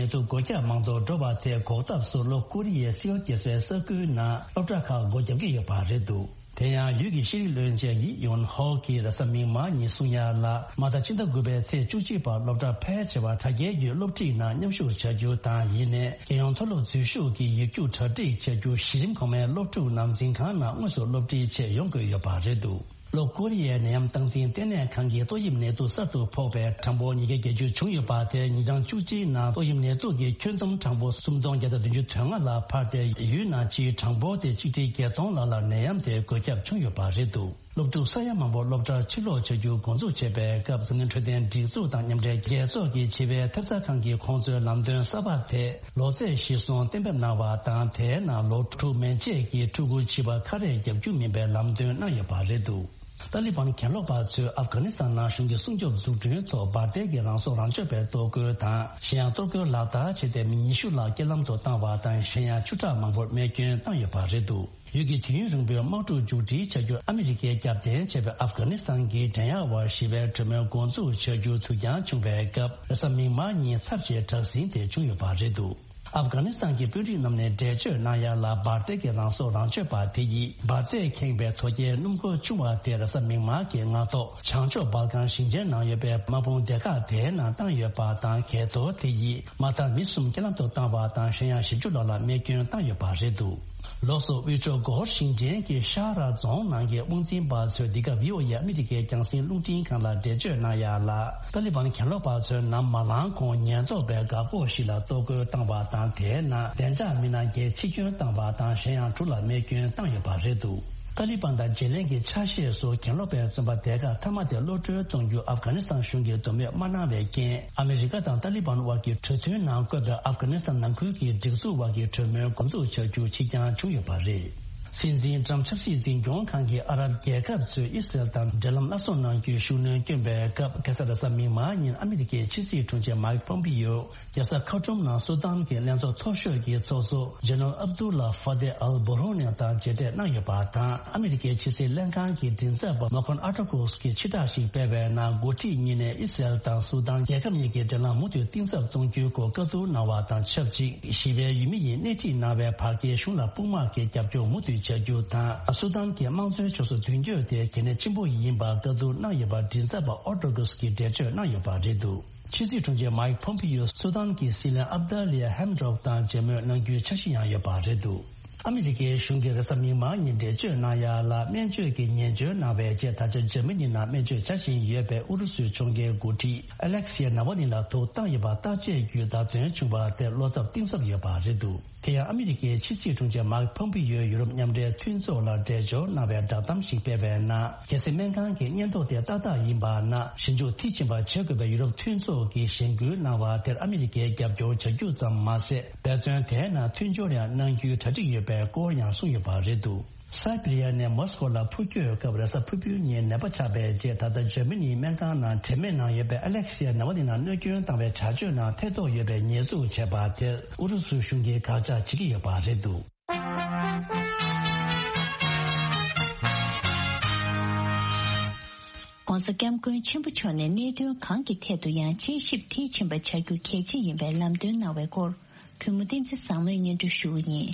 ནད་དུག་འགོས་ཁྱབ་མང་དུ་འགྲོ་བ་དེ་འགོག་ཐབས་སུ་ལྷོ་ཀོ་རི་ཡའི་སིའོལ་རྒྱལ་སའི་ས་ཁུལ་ནང་སློབ་གྲྭ་ཁག་སྒོ་བརྒྱབ་ཀྱི་ཡོད་པ་རེད་འདུག་དེ་ཡང་ཡུལ་གྱི་ཤེས་རིག་བློན་ཆེན་ཡི་ཡོན་ཧོ་གིས་རེས་གཟའ་མིག་དམར་ཉིན་གསུང་ཡ་ལ། མ་མཐའ་ཕྱི་ཟླ་དགུ་པའི་ཚེས་བཅུ་གཅིག་བར་སློབ་གྲྭ་ཕལ་ཆེ་བར་དྲ་རྒྱའི་བརྒྱུད་སློབ་ཁྲིད་ནང་མཉམ་ཞུགས་བྱ་རྒྱུ་དང་། ཡིན་ནའི་རྒྱལ་ཡོངས་མཐོ་སློབ་འཛུལ་ཞུགས་ཀྱི་ཡིག་རྒྱུགས་གྲ་སྒྲིག་བྱ་རྒྱུ་གཞི་རིམ་གོང་མའི་སློབ་ཕྲུག་ནང་འཛིན་ཁང་ནང་དངོས་སུ་སློབ་ཁྲིད་ཆེད་ཡོང་དགོས་ཡོད་པ་རེད་འདུག་ལྷོ་ཀོ་རི་ཡའི་ནད་ཡམས་སྟངས་འཛིན་ལྟེ་གནས་ཁང་གིས་ཏོག་དབྱིབས་ནད་དུག་གསར་དུ་ཕོག་པའི་གྲངས་འབོར་ཉིས་བརྒྱ་བརྒྱད་ཅུ་བྱུང་ཡོད་པ་དེ་ཉིན་གྲངས་བཅུ་གཅིག་ནང་ཏོག་དབྱིབས་ནད་དུག་གི་ཁྱོན་བསྡོམས་གྲངས་འབོར་སུམ་སྟོང་བརྒྱ་དང་བདུན་ཅུ་དོན་ལྔ་ལ་འཕར་ཏེ། ཡུལ་ནང་སྤྱིའི་གྲངས་འབོར་དེ་ཆིག་ཁྲི་བརྒྱད་སྟོང་ལྷག་ལ་ནད་ཡམས་དེ་འགོས་ཁྱབ་བྱུང་ཡོད་པ་རེད་འདུག་སློབ་ཕྲུག་ས་ཡ་མང་པོ་སློབ་གྲྭར་ཕྱིར་ལོག་བྱ་རྒྱུ་འགོ་འཛུགས་བྱས་པའི་སྐབས། འཛམ་གླིང་འཕྲོད་བསྟེན་སྒྲིག་འཛུགས་དང་མཉམ་འབྲེལ་རྒྱལ་ཚོགས་ཀྱིས་བྱིས་པའི་ཐེབས་རྩ་ཁང་གི་ཁོང་ཚོའི་ལམ་སྟོན་གསར་པ་དེ་ལོ་ཚད་གཞིར་བཟུང་གཏན་འབེབས་གནང་བ་དང་། དེའི་ནང་ལོ་དྲུག་མན་ཆད་ཀྱི་ཕྲུ་གུ་བྱིས་པ་ཁ་རས་བརྒྱབ་རྒྱུ་མིན་པའི་ལམ་སྟོན་གནང་ཡོད་པ་རེད་འདུག་ཏཱ་ལི་བན་གྱེན་ལོག་པ་ཚོས་ཨབ་གྷ་ནི་སི་ཐན་ནང་གཞུང་གི་སྲུང་སྐྱོབ་འཛུགས་སྐྲུན་ཐོག་འབར་མདེལ་གྱི་རང་སྲོག་རང་གཅོད་པའི་གཏོར་རྒོལ་དང་། གཞན་ཡང་གཏོར་རྒོལ་ལག་བསྟར་བྱས་ཏེ་མི་ཉི་ཤུ་ལྷག་རྐྱེན་ལམ་དུ་བཏང་བ་དང་། གཞན་ཡང་ཆུ་ཁྲག་མང་པོར་རྨས་སྐྱོན་བཏང་ཡོད་པ་རེད་འདུག་ཡུལ་གྱི་དུས་ཡུན་རིང་པོའི་དམག་འཁྲུག་མཇུག་སྒྲིལ་བྱ་རྒྱུར་ཨ་མི་རི་ཀས་རྒྱབ་རྟེན་བྱས་པའི་ཨབ་གྷ་ནི་སི་ཐན་གྱི་འགྲན་ཡག་བར་ཞི་བའི་གྲོས་མོལ་འགོ་འཛུགས་བྱ་རྒྱུ་དུས་འགྱངས་བྱུང་བའི་སྐབས། རེས་གཟའ་མིག་དམར་ཉིན་ཚབས་ཆེའི་དྲག་ཟིང་དེ་བྱུང་ཡོད་པ་རེད་འདུག་ཨབ་གྷ་ནི་སི་ཐན་གྱི་དཔོན་རིགས་རྣམས་ནས་འགྲེལ་བརྗོད་གནང་ཡ་ལ། འབར་མདེལ་གྱི་རང་སྲོག་རང་གཅོད་པ་དེ་ཡིས་འབར་མདེལ་ཁེངས་པའི་དོ་སྐྱེལ་སྣུམ་འཁོར་ཆུང་བ་དེ་རེས་གཟའ་མིག་དམར་གྱི་སྔ་ཐོག་བྱང་ཕྱོགས་སྦལ་ཀན་ཞིང་ཆེན་ནང་ཡོད་པའི་དམག་དཔུང་སྡེ་ཁག་དེའི་ནང་བཏང་ཡོད་པ་དང་། གས་གཏོར་དེ་ཡིས་མ་མཐར་མི་གསུམ་རྐྱེན་ལམ་དུ་བཏང་བ་དང་། གཞན་ཡང་བཞི་བཅུ་ལྷག་ལ་རྨས་སྐྱོན་བཏང་ཡོད་པ་རེད་འདུག་ལོགས་སུ་དབུས་ཕྱོགས་སྒོར་ཞིང་ཆེན་གྱི་ཤ་ར་རྫོང་ནང་གི་དབང་འཛིན་པ་ཚོས་འདི་ག་བྷི་ཨོ་ཨེ་ཨ་མི་རི་ཀའི་རྒྱང་སྲིང་རླུང་འཕྲིན་ཁང་ལ་འགྲེལ་བརྗོད་གནང་ཡ་ལ། ཏཱ་ལི་བན་གྱེན་ལོག་པ་ཚོས་ནམ་མ་ལངས་གོང་ཉེན་རྟོག་པས་འགག་སྒོ་ཞིག་ལ་གཏོར་རྒོལ་བཏང་བ་དང་། དེའི་ནང་བདེ་འཇགས་མི་སྣ་བརྒྱད་འཆི་སྐྱོན་བཏང་བ་དང་། གཞན་ཡང་དྲུག་ལ་རྨས་སྐྱོན་བཏང་ཡོད་པ་རེད་འདུག་ཏཱ་ལི་བན་དང་ཇེ་ལེན་གྱི་ཆ་ཤས་སུ་གྱེན་ལོག་པའི་བཙོན་པ་སྡེ་ཁག་མཐའ་མ་དེ་གློད་གྲོལ་གཏོང་རྒྱུ་ཨབ་གྷ་ནི་སི་ཐན་གཞུང་གིས་འདོད་མོས་མ་གནང་བའི་རྐྱེན། ཨ་མི་རི་ཀ་དང་ཏཱ་ལི་བན་དབར་གྱི་གྲོས་མཐུན་ནང་བཀོད་པའི་ཨབ་གྷ་ནི་སི་ཐན་ནང་ཁུལ་གྱི་སྒྲིག་འཛུགས་དབར་གྱི་གྲོས་མོལ་འགོ་འཛུགས་བྱ་རྒྱུ་ཕྱིར་འགྱངས་བྱུང་ཡོད་པ་རེད། སྲིད་འཛིན་ཀྲམ་ཆབ་སྲིད་འཛིན་སྐྱོང་ཁང་གིས་ཨ་རབ་རྒྱལ་ཁབ་ཚོས་ཨི་སི་རེལ་དང་འབྲེལ་ལམ་སླར་གསོ་གནང་རྒྱུའི་ཤུགས་སྣོན་བསྐྱོན་པའི་སྐབས། ཁ་སང་རེས་གཟའ་མིག་དམར་ཉིན་ཨ་མི་རི་ཀའི་ཕྱི་སྲིད་དྲུང་ཆེ་མཱིག་ཕོམ་པི་ཡོ་རྒྱལ་ས་ཁར་ཊུམ་ནང་སུ་དཱན་གྱི་ལྷན་ཚོགས་མཐོ་ཤོས་ཀྱི་ཚོགས་གཙོ་ཇེ་ནེ་རལ་ཨབ་དུ་ལ་ཧྥ་ཏེ་ཨལ་བྷུ་རོ་ནི་དང་མཇལ་འཕྲད་གནང་ཡོད་པ་དང་། ཨ་མི་རི་ཀའི་ཕྱི་སྲིད་ལྷན་ཁང་གི་མགྲིན་ཚབ་པ་མོ་ཁོན་ཨ་ཏོ་ཀོས་ཀྱིས་ཕྱིར་བསྒྲགས་ཤིག་སྤེལ་བའི་ནང་། འགོ་ཁྲིད་གཉིས་ནས་ཨི་སི་རེལ་དང་སུ་དཱན་རྒྱལ་ཁབ་གཉིས་ཀྱི་འབྲེལ་ལམ་མུ་མཐུད་གཏིང་ཟབ་གཏོང་རྒྱུའི་སྐོར་བཀའ་བསྡུར་གནང་བ་དང་ཆབས་ཅིག་ཞི་བའི་ཡུལ་མི་ཡིས་སྣེ་ཁྲིད་གནང་བའི་བར་བརྒལ་གཞུང་ལ་དཔུང་དམག་གི་རྒྱབ་སྐྱོར་མུ་མཐུད་བྱ་རྒྱུ་དང་། སུ་དཱན་གྱི་དམངས་གཙོའི་ཕྱོགས་སུ་མདུན་སྐྱོད་དེ་གལ་གནད་ཆེན་པོ་ཡིན་པ་བཀའ་བསྡུར་གནང་ཡོད་པ་མགྲིན་ཚབ་པ་ཨོ་ཏོ་གུས་ཀྱིས་འགྲེལ་བརྗོད་གནང་ཡོད་པ་རེད་འདུག་ཕྱི་སྲིད་དྲུང་ཆེ་མཱིག་ཕོམ་པི་ཡོ་སུ་དཱན་གྱི་སྲིད་བློན་ཨབ་དཱ་ལི་ཡ་ཧེམ་ཌོབ་དང་མཇལ་མོལ་གནང་རྒྱུའི་འཆར་གཞི་ཡང་ཡོད་པ་རེད་འདུག་ཨ་མི་རི་ཀའི་གཞུང་གིས་རེས་གཟའ་མིག་དམར་ཉིན་འགྲེལ་བརྗོད་གནང་ཡ་ལ། སྨན་བཅོས་ཀྱི་ཉེས་འཛུགས་གནང་བའི་རྗེས། ད་ཆ་འཇར་མ་ནི་ནང་སྨན་བཅོས་བྱ་བཞིན་ཡོད་པའི་ཨུ་རུ་སུའི་གཞུང་གི་འགོ་ཁྲིད་ཨ་ལེག་སི་ཡ་ནཱ་ཝ་ནི་ལ་དུག་བཏང་ཡོད་པ་བརྟག་དཔྱད་བརྒྱུད་བརྡ་སྟོན་བྱུང་བ་དེར་བློ་འཚབ་གཏིང་ཟབ་ཡོད་པ་རེད་འདུག་དེ་ཡང་ཨ་མི་རི་ཀའི་ཕྱི་སྲིད་དྲུང་ཆེ་མཱིག་ཕོམ་པི་ཡོས་ཡུ་རོབ་མཉམ་འབྲེལ་མཐུན་ཚོགས་ལ་འབྲེལ་འབྱོར་གནང་བའི་བསྒྲགས་གཏམ་ཞིག་སྤེལ་བའི་ནང་། རྒྱལ་སྲིད་སྨན་ཁང་གི་སྙན་ཐོ་དེ་ཏག་ཏག་ཡིན་པ་ན། ཞིབ་འཇུག་མཐིལ་ཕྱིན་པ་བྱེད་དགོས་པའི་ཡུ་རོབ་མཐུན་ཚོགས་ཀྱིས་གཞེན་སྐུལ་གནང་བ་དེར་ཨ་མི་རི་ཀས་རྒྱབ་སྐྱོར་བྱ་རྒྱུ་ཙམ་མ་ཟད། འབད་བརྩོན་དེའི་ནང་མཐུན་སྦྱོར་ཡང་གནང་རྒྱུའི་གྲ་སྒྲིག་ཡོད་པའི་སྐོར་ཡང་གསུངས་ཡོད་པ་རེད་འདུག་སའི་པི་རི་ཡ་ནས་མོ་སི་ཀོ་ལ་འཕུར་སྐྱོད་སྐབས་རེས་གཟའ་ཕུར་བུའི་ཉིན་ནད་པ་ཆགས་པའི་རྗེས། ད་ལྟ་འཇར་མ་ནིའི་སྨན་ཁང་ནང་དྲན་མེད་ནང་ཡོད་པའི་ཨ་ལེག་སི་ཡ་ནཱ་ཝ་ནི་ལ་གནོད་སྐྱོན་བཏང་བའི་བྱ་སྤྱོད་ནང་ཐེ་གཏོགས་ཡོད་པའི་ཉེས་འཛུགས་བྱས་པ་དེར་ཨུ་རུ་སུ་གཞུང་གིས་དགག་བྱ་བྱེད་ཀྱི་ཡོད་པ་རེད་འདུག༧གོང་ས་༧སྐྱབས་མགོན་ཆེན་པོ་མཆོག་ནས་གནད་དོན་གང་གི་ཐད་དུ་ཡང་དཔྱད་ཞིབ་མཐིལ་ཕྱིན་པ་བྱ་རྒྱུ་གལ་ཆེ་ཡིན་པའི་ལམ་སྟོན་གནང་བའི་སྐོར། གུས་མོ་བསྟན་འཛིན་བཟང་མོས་སྙན་སྒྲོན་ཞུ་བ་ཡིན།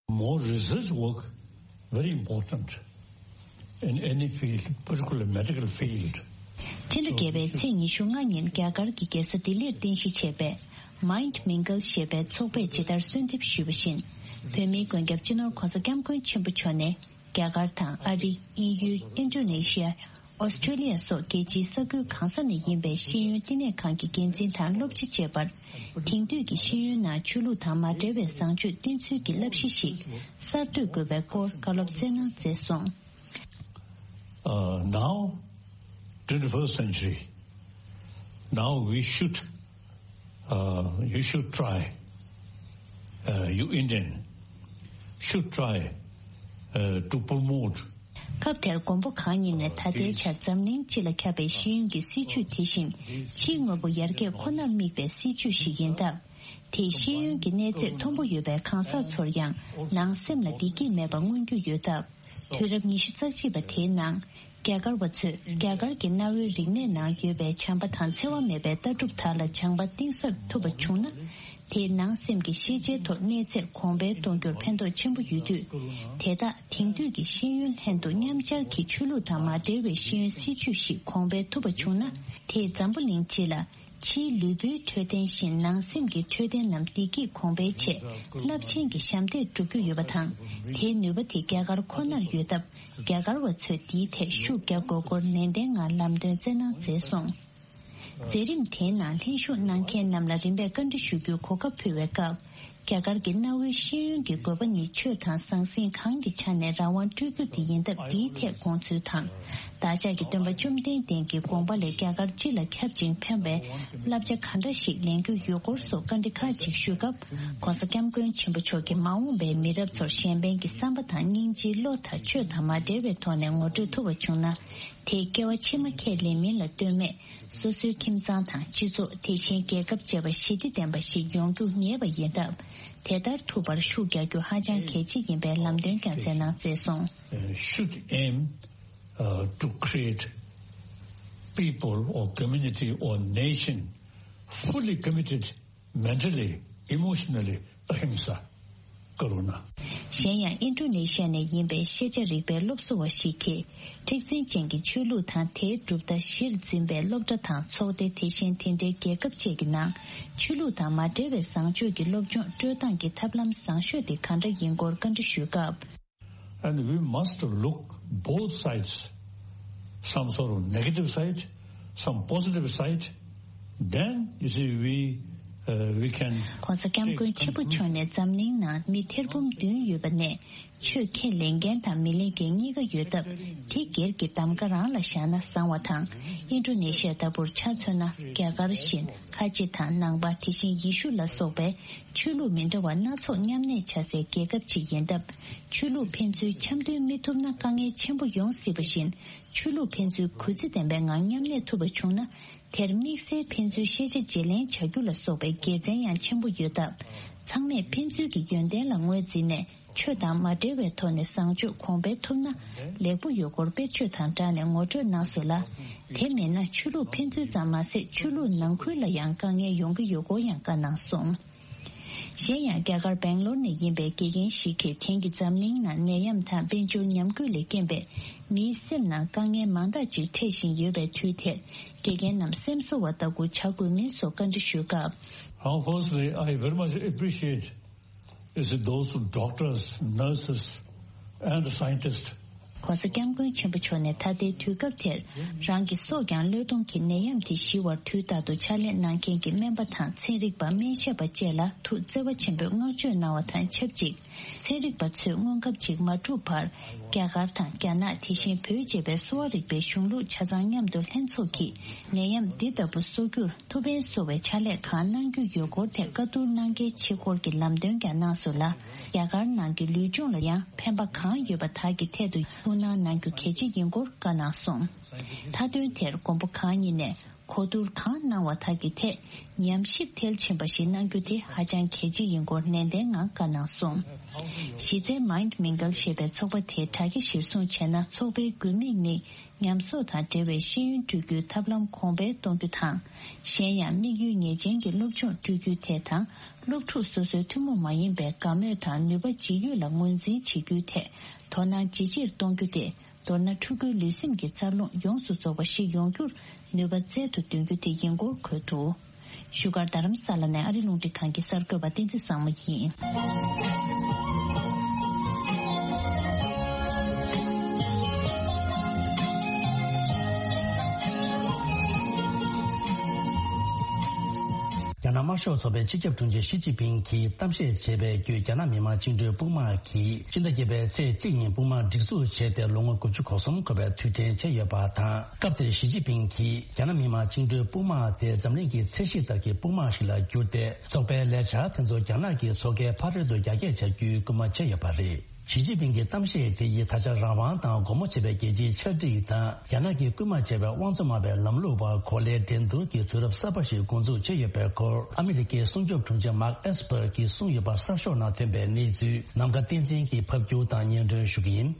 More research work very important in any field, particularly medical field. ཕྱི་ཟླ་བརྒྱད་པའི་ཚེས་ཉི་ཤུ་ལྔ་ཉིན་རྒྱ་གར་གྱི་རྒྱལ་ས་ལྡི་ལིར་རྟེན་གཞི་བྱས་པའི་Mind Mingle ཞེས་པའི་ཚོགས་པས་ཇི་ལྟར་གསོལ་འདེབས་ཞུས་པ་བཞིན། བོད་མིའི་མགོན་སྐྱབས་སྤྱི་ནོར་༧གོང་ས་༧སྐྱབས་མགོན་ཆེན་པོ་མཆོག་ནས། རྒྱ་གར་དང་ཨ་རི། དབྱིན་ཡུལ། ཨིན་ཌོ་ནེ་ཤི་ཡ། ཨོ་སི་ཀྲོ་ལི་ཡ་སོགས་རྒྱལ་སྤྱིའི་ས་ཁུལ་གང་ས་ནས་ཡིན་པའི་ཤེས་ཡོན་བསྟི་གནས་ཁང་གི་འགན་འཛིན་དང་སློབ་སྤྱི་བཅས་པར། དེང་དུས་ཀྱི་ཤེས་ཡོན་ནང་ཆོས་ལུགས་དང་མ་འབྲེལ་བའི་བཟང་སྤྱོད་བསྟེན་ཚུལ་གྱི་བསླབ་གཞི་ཞིག་གསར་གཏོད་དགོས་པའི་སྐོར་བཀའ་སློབ་སྩལ་གནང་མཛད་སོང་། Uh, now, twenty-first century, now we should Uh, you should try. Uh, you Indian should try uh, to promote. སྐབས་དེར་མགོན་པོ་གང་ཉིད་ནས་ད་ལྟའི་ཆར་འཛམ་གླིང་སྤྱི་ལ་ཁྱབ་པའི་ཤེས་ཡོན་གྱི་སྲིད་བྱུས་དེ་བཞིན་ཕྱིའི་དངོས་པོ་ཡར་རྒྱས་ཁོ་ནར་དམིགས་པའི་སྲིད་བྱུས་ཤིག་ཡིན་སྟབས། དེས་ཤེས་ཡོན་གྱི་གནས་ཚད་མཐོན་པོ་ཡོད་པའི་གང་ཟག་ཚོར་ཡང་ནང་སེམས་ལ་བདེ་སྐྱིད་མེད་པ་མངོན་རྒྱུ་ཡོད་སྟབས། དུས་རབས་ཉི་ཤུ་རྩ་གཅིག་པ་དེའི་ནང་རྒྱ་གར་བ་ཚོས་རྒྱ་གར་གྱི་གནའ་བོའི་རིག་གནས་ནང་ཡོད་པའི་བྱམས་པ་དང་འཚེ་བ་མེད་པའི་ལྟ་གྲུབ་དག་ལ་སྦྱང་པ་གཏིང་ཟབ་ཐུབ་པ་བྱུང་ན། དེས་ནང་སེམས་ཀྱི་ཤེས་བྱའི་ཐོག་གནས་ཚད་གོང་འཕེལ་གཏོང་རྒྱུར་ཕན་ཐོགས་ཆེན་པོ་ཡོད་དུས། དེ་དག་དེང་དུས་ཀྱི་ཤེས་ཡོན་ལྷན་དུ་མཉམ་སྦྱར་གྱིས་ཆོས་ལུགས་དང་མ་འབྲེལ་བའི་ཤེས་ཡོན་སྲིད་བྱུས་ཤིག་གོང་འཕེལ་ཐུབ་པ་བྱུང་ན། དེས་འཛམ་བུ་གླིང་སྤྱི་ལ། ཕྱིའི་ལུས་པོའི་འཕྲོད་བསྟེན་བཞིན་ནང་སེམས་ཀྱི་འཕྲོད་བསྟེན་རྣམས་བདེ་སྐྱིད་གོང་འཕེལ་ཆེད་རླབས་ཆེན་གྱི་ཞབས་འདེགས་སྒྲུབ་རྒྱུ་ཡོད་པ་དང་། དེའི་ནུས་པ་དེ་རྒྱ་གར་ཁོ་ནར་ཡོད་སྟབས། རྒྱ་གར་བ་ཚོས་འདིའི་ཐད་ཤུགས་རྒྱག་དགོས་སྐོར་ནན་ཏན་ངང་ལམ་སྟོན་སྩལ་གནང་མཛད་སོང་། མཛད་རིམ་དེའི་ནང་ལྷན་ཞུགས་གནང་མཁན་རྣམས་ལ་རིམ་པས་བཀའ་འདྲི་ཞུ་རྒྱུའི་གོ་སྐབས་ཕུལ་བའི་སྐབས། རྒྱ་གར་གྱི་གནའ་བོའི་ཤེས་ཡོན་གྱི་དགོས་པ་ནི་ཆོས་དང་ཟང་ཟིང་གང་གི་ཆ་ནས་རང་དབང་སྤྲོད་རྒྱུ་དེ་ཡིན་སྟབས། འདིའི་ཐད་དགོངས་ཚུལ་དང་། བདག་ཅག་གི་སྟོན་པ་བཅོམ་ལྡན་འདས་ཀྱི་དགོངས་པ་ལས་རྒྱ་གར་སྤྱི་ལ་ཁྱབ་ཅིང་ཕན་པའི་བསླབ་བྱ་ག་འདྲ་ཞིག་ལེན་རྒྱུ་ཡོད་སྐོར་སོགས་བཀའ་འདྲི་ཁག་ཅིག་ཞུས་སྐབས། ྋགོང་ས་ྋསྐྱབས་མགོན་ཆེན་པོ་མཆོག་གིས་མ་འོངས་པའི་མི་རབས་ཚོར་གཞན་ཕན་གྱི་བསམ་པ་དང་སྙིང་རྗེའི་བློ་དག་ཆོས་དང་མ་འབྲེལ་བའི་ཐོག་ནས་ངོ་སྤྲོད་ཐུབ་པ་བྱུང་ན། དེས་སྐྱེ་བ་ཕྱི་མ་ཁས་ལེན་མིན་ལ་ལྟོས་མེད། སོ་སོའི་ཁྱིམ་ཚང་དང་སྤྱི་ཚོགས། དེ་བཞིན་རྒྱལ་ཁབ་བཅས་པ་ཞི་བདེ་ལྡན་པ་ཞིག་ཡོང་རྒྱུ་ངེས་པ་ཡིན་སྟབས། དེ་ལྟར་ཐུབ་པར་ཤུགས་རྒྱག་རྒྱུ་ཧ་ཅང་གལ་ཆེ་ཡིན་པའི་ལམ་སྟོན་ཀྱང་མཛད་གནང་མཛད་སོང་། Uh, should aim uh, to create people or community or nation fully committed mentally, emotionally, ahimsa, karuna. གཞན་ཡང་ཨིན་ཌོ་ནེ་ཤི་ཡ་ནས་ཡིན་པའི་ཤེས་བྱ་རིག་པའི་སློབ་གསོ་བ་ཞིག་གིས། མཁྲེགས་འཛིན་ཅན་གྱི་ཆོས་ལུགས་དང་དེའི་གྲུབ་མཐའ་གཞིར་འཛིན་པའི་སློབ་གྲྭ་དང་ཚོགས་སྡེ། དེ་བཞིན་དེ་འདྲའི་རྒྱལ་ཁབ་བཅས་ཀྱི་ནང་ཆོས་ལུགས་དང་མ་འབྲེལ་བའི་བཟང་སྤྱོད་ཀྱི་སློབ་སྦྱོང་སྤྲོད་སྟངས་ཀྱི་ཐབས་ལམ་བཟང་ཤོས་དེ་ག་འདྲ་ཡིན་སྐོར་བཀའ་འདྲི་ཞུས་སྐབས། And we must look both sides, some sort of negative side, some positive side. Then, you see, we, uh, we can. ྋགོང་ས་ྋསྐྱབས་མགོན་ཆེན་པོ་མཆོག་ནས་འཛམ་གླིང་ནང་མི་ཐེར་འབུམ་བདུན་ཡོད་པ་ནས། ཆོས་ཁས་ལེན་མཁན་དང་མི་ལེན་མཁན་གཉིས་ཀ་ཡོད་སྟབས། དེ་སྒེར་གྱི་གདམ་ག་རང་ལ་བཞག་ན་བཟང་བ་དང་། ཨིན་ཌོ་ནེ་ཤི་ཡ་ལྟ་བུར་ཆ་མཚོན་ན། རྒྱ་གར་བཞིན་ཁ་ཆེ་དང་ནང་པ། དེ་བཞིན་ཡེ་ཤུ་ལ་སོགས་པའི་ཆོས་ལུགས་མི་འདྲ་བ་སྣ་ཚོགས་མཉམ་གནས་བྱ་སའི་རྒྱལ་ཁབ་ཅིག་ཡིན་སྟབས། ཆོས་ལུགས་ཕན་ཚུན་འཆམ་མཐུན་མི་ཐུབ་ན་དཀའ་ངལ་ཆེན་པོ་ཡོང་སྲིད་པ་བཞིན། ཆོས་ལུགས་ཕན་ཚུན་གུས་བརྩི་ལྡན་པའི་ངང་མཉམ་གནས་ཐུབ་པ་བྱུང་ན། དེར་དམིགས་བསལ་ཕན་ཚུན་ཤེས་བྱ་བརྗེ་ལེན་བྱ་རྒྱུ་ལ་སོགས་པའི་དགེ་མཚན་ཡང་ཆེན་པོ་ཡོད་སྟབས། ཚང་མས་ཕན་ཚུན་གྱི་ཡོན་ཏན་ལ་ངོས་འཛིན་ནས། ཆོས་དང་མ་འབྲེལ་བའི་ཐོག་ནས་བཟང་སྤྱོད་གོང་འཕེལ་ཐུབ་ན་ལེགས་པོ་ཡོད་སྐོར་དཔེར་བརྗོད་དང་སྦྲགས་ནས་ངོ་སྤྲོད་གནང་སོང་ལ། དེ་མིན་ན་ཆོས་ལུགས་ཕན་ཚུན་ཙམ་མ་ཟད། ཆོས་ལུགས་ནང་ཁུལ་ལ་ཡང་དཀའ་ངལ་ཡོང་གི་ཡོད་སྐོར་ཡང་བཀའ་གནང་སོང་། གཞན་ཡང་། རྒྱ་གར་བེང་ལོར་ནས་ཡིན་པའི་དགེ་རྒན་ཞིག་གིས། དེང་གི་འཛམ་གླིང་ནང་ནད་ཡམས་དང་དཔལ་འབྱོར་ཉམས་རྒུད་ལས་རྐྱེན་པས། མིའི་སེམས་ནང་དཀའ་ངལ་མང་དག་ཅིག་འཕྲད་བཞིན་ཡོད་པའི་དུས་དེར། དགེ་རྒན་རྣམས་སེམས་གསོ་བ་ལྟ་བུ་བྱ་དགོས་མིན་སོགས་བཀའ་འདྲི་ཞུས་སྐབས། Now, firstly, I very much appreciate is those doctors, nurses, and scientists. ྋགོང་ས་ྋསྐྱབས་མགོན་ཆེན་པོ་མཆོག་ནས་ད་ལྟའི་དུས་སྐབས་དེར། རང་གི་སྲོག་ཀྱང་བློས་གཏོང་གིས་ནད་ཡམས་དེ་ཞི་བར་དུས་རྟག་ཏུ་ཕྱག་ལས་གནང་མཁན་གྱི་སྨན་པ་དང་ཚན་རིག་པ། སྨན་ཞབས་པ་བཅས་ལ་ཐུགས་བརྩེ་བ་ཆེན་པོས་བསྔགས་བརྗོད་གནང་བ་དང་ཆབས་ཅིག། ཚན་རིག་པ་ཚོས་སྔོན་ཁབ་ཅིག་མ་གྲུབ་བར། རྒྱ་གར་དང་རྒྱ་ནག། དེ་བཞིན་བོད་ཅེས་པའི་གསོ་བ་རིག་པའི་གཞུང་ལུགས་ཆ་ཚང་མཉམ་དུ་ལྷན་ཚོགས་ཀྱིས་ནད་ཡམས་འདི་ལྟ་བུ་གསོ་རྒྱུར་ཐུགས་ཕན་གསོ་བའི་ཕྱག་ལས་གང་གནང་རྒྱུ་ཡོད་སྐོར་ཐད་བཀའ་བསྡུར་གནང་གལ་ཆེ་སྐོར་གྱི་ལམ་སྟོན་ཀྱང་གནང་སོང་ལ། རྒྱ་གར་ནང་གི་ལུས་སྦྱོང་ལ་ཡང་ཕན་པ་གང་ཡོད་པ་དག་གི་ཐད་དུ་ཐུགས་སྣང་གནང་རྒྱུ་གལ་ཆེ་ཡིན་སྐོར་བཀའ་གནང་སོང་། མཐའ་དོན་དེར་མགོན་པོ་གང་ཉིད་ནས། གོ་བསྡུར་གང་གནང་བ་དག་གི་ཐད་ཉམས་ཞིབ་མཐིལ་ཕྱིན་པ་ཞིག་གནང་རྒྱུ་དེ་ཧ་ཅང་གལ་ཆེ་ཡིན་སྐོར་ནན་ཏན་ངང་བཀའ་གནང་སོང་། གཞི་རྩའི་མའིན་ཌི་མིང་གལ་ཞེས་པའི་ཚོགས་པ་དེའི་དྲ་རྒྱ་གཞིར་བཟུང་བྱས་ན། ཚོགས་པའི་དགོས་དམིགས་ནི་ཉམས་གསོག་དང་འབྲེལ་བའི་ཤེས་ཡོན་སྤྲོད་རྒྱུའི་ཐབས་ལམ་གོང་འཕེལ་གཏོང་རྒྱུ་དང་། གཞན་ཡང་། དམིགས་ཡུལ་ངེས་ཅན་གྱི་སློབ་སྦྱོང་སྤྲོད་རྒྱུའི་ཐད་དང་། སློབ་ཕྲུག་སོ་སོའི་ཐུན་མོང་མ་ཡིན་པའི་དགའ་མོས་དང་ནུས་པ་ཇི་ཡོད་ལ་ངོས་འཛིན་བྱེད་རྒྱུའི་ཐད་དོ་སྣང་ཇེ་ཆེར་གཏོང་རྒྱུ་དེ། མདོར་ན། ཕྲུ་གུའི་ལུས་སེམས་ཀྱི་འཚར་ལོངས་ཡོངས་སུ་རྫོགས་པ་ཞིག་ཡོང་རྒྱུར་ནུས་པ་རྩལ་དུ་འདོན་རྒྱུ་དེ་ཡིན་སྐོར་འཁོད་འདུག། བཞུགས་སྒར་རྡ་རམ་ས་ལ་ནས་ཨ་རི་རླུང་འཕྲིན་ཁང་གི་གསར་འགོད་པ་བསྟན་འཛིན་བཟང་མོ་ཡིན། རྒྱ་ནག་དམར་ཤོག་ཚོགས་པའི་སྤྱི་ཁྱབ་དྲུང་ཆེ་ཞི་ཅིན་ཕིང་གིས་གཏམ་བཤད་བྱས་པའི་བརྒྱུད། རྒྱ་ནག་མི་དམངས་བཅིངས་འགྲོལ་དཔུང་དམག་གིས་ཕྱི་ཟླ་བརྒྱད་པའི་ཚེས་གཅིག་ཉིན་དཔུང་དམག་སྒྲིག་འཛུགས་བྱས་ཏེ་ལོ་ངོ་དགུ་བཅུ་གོ་གསུམ་འཁོར་བའི་དུས་དྲན་བྱས་ཡོད་པ་དང་། སྐབས་དེར་ཞི་ཅིན་ཕིང་གིས་རྒྱ་ནག་མི་དམངས་བཅིངས་འགྲོལ་དཔུང་དམག་དེ་འཛམ་གླིང་གི་ཚད་གཞི་ལྟར་གྱི་དཔུང་དམག་ཞིག་ལ་བསྒྱུར་ཏེ། ཚོགས་པའི་ལས་འཆར་དེ་ཚོ་རྒྱ་ནག་གི་མཚོ་ཁའི་ཕ་རོལ་ཏུ་རྒྱ་སྐྱེད་བྱ་རྒྱུའི་སྐུལ་མ་བྱས་ཡོད་པ་རེད། ཞི་ཅིན་ཕིང་གི་གཏམ་བཤད་དེ་ཡིས་ད་ཆ་རང་དབང་དང་སྒོ་མོ་འབྱེད་པའི་རྒྱལ་སྤྱིའི་ཆར་སྒྲིག་དང་། རྒྱ་ནག་གིས་སྐུལ་མ་བྱས་པའི་དབང་བཙོང་མ་པའི་ལམ་ལུགས་བར་གོ་ལའི་འགྲན་བསྡུར་གྱི་དུས་རབས་གསར་པ་ཞིག་འགོ་འཛུགས་བྱས་ཡོད་པའི་སྐོར། ཨ་མི་རི་ཀའི་སྲུང་སྐྱོབ་དྲུང་ཆེ་མཱརྐ་ཨེས་པར་གྱིས་གསུངས་ཡོད་པ་གསར་ཤོག་ནང་ཐོན་པའི་གནས་ཚུལ་ནམ་མཁའ་བསྟན་འཛིན་གྱིས་ཕབ་སྒྱུར་དང་སྙན་སྒྲོན་ཞུ་གི་ཡིན།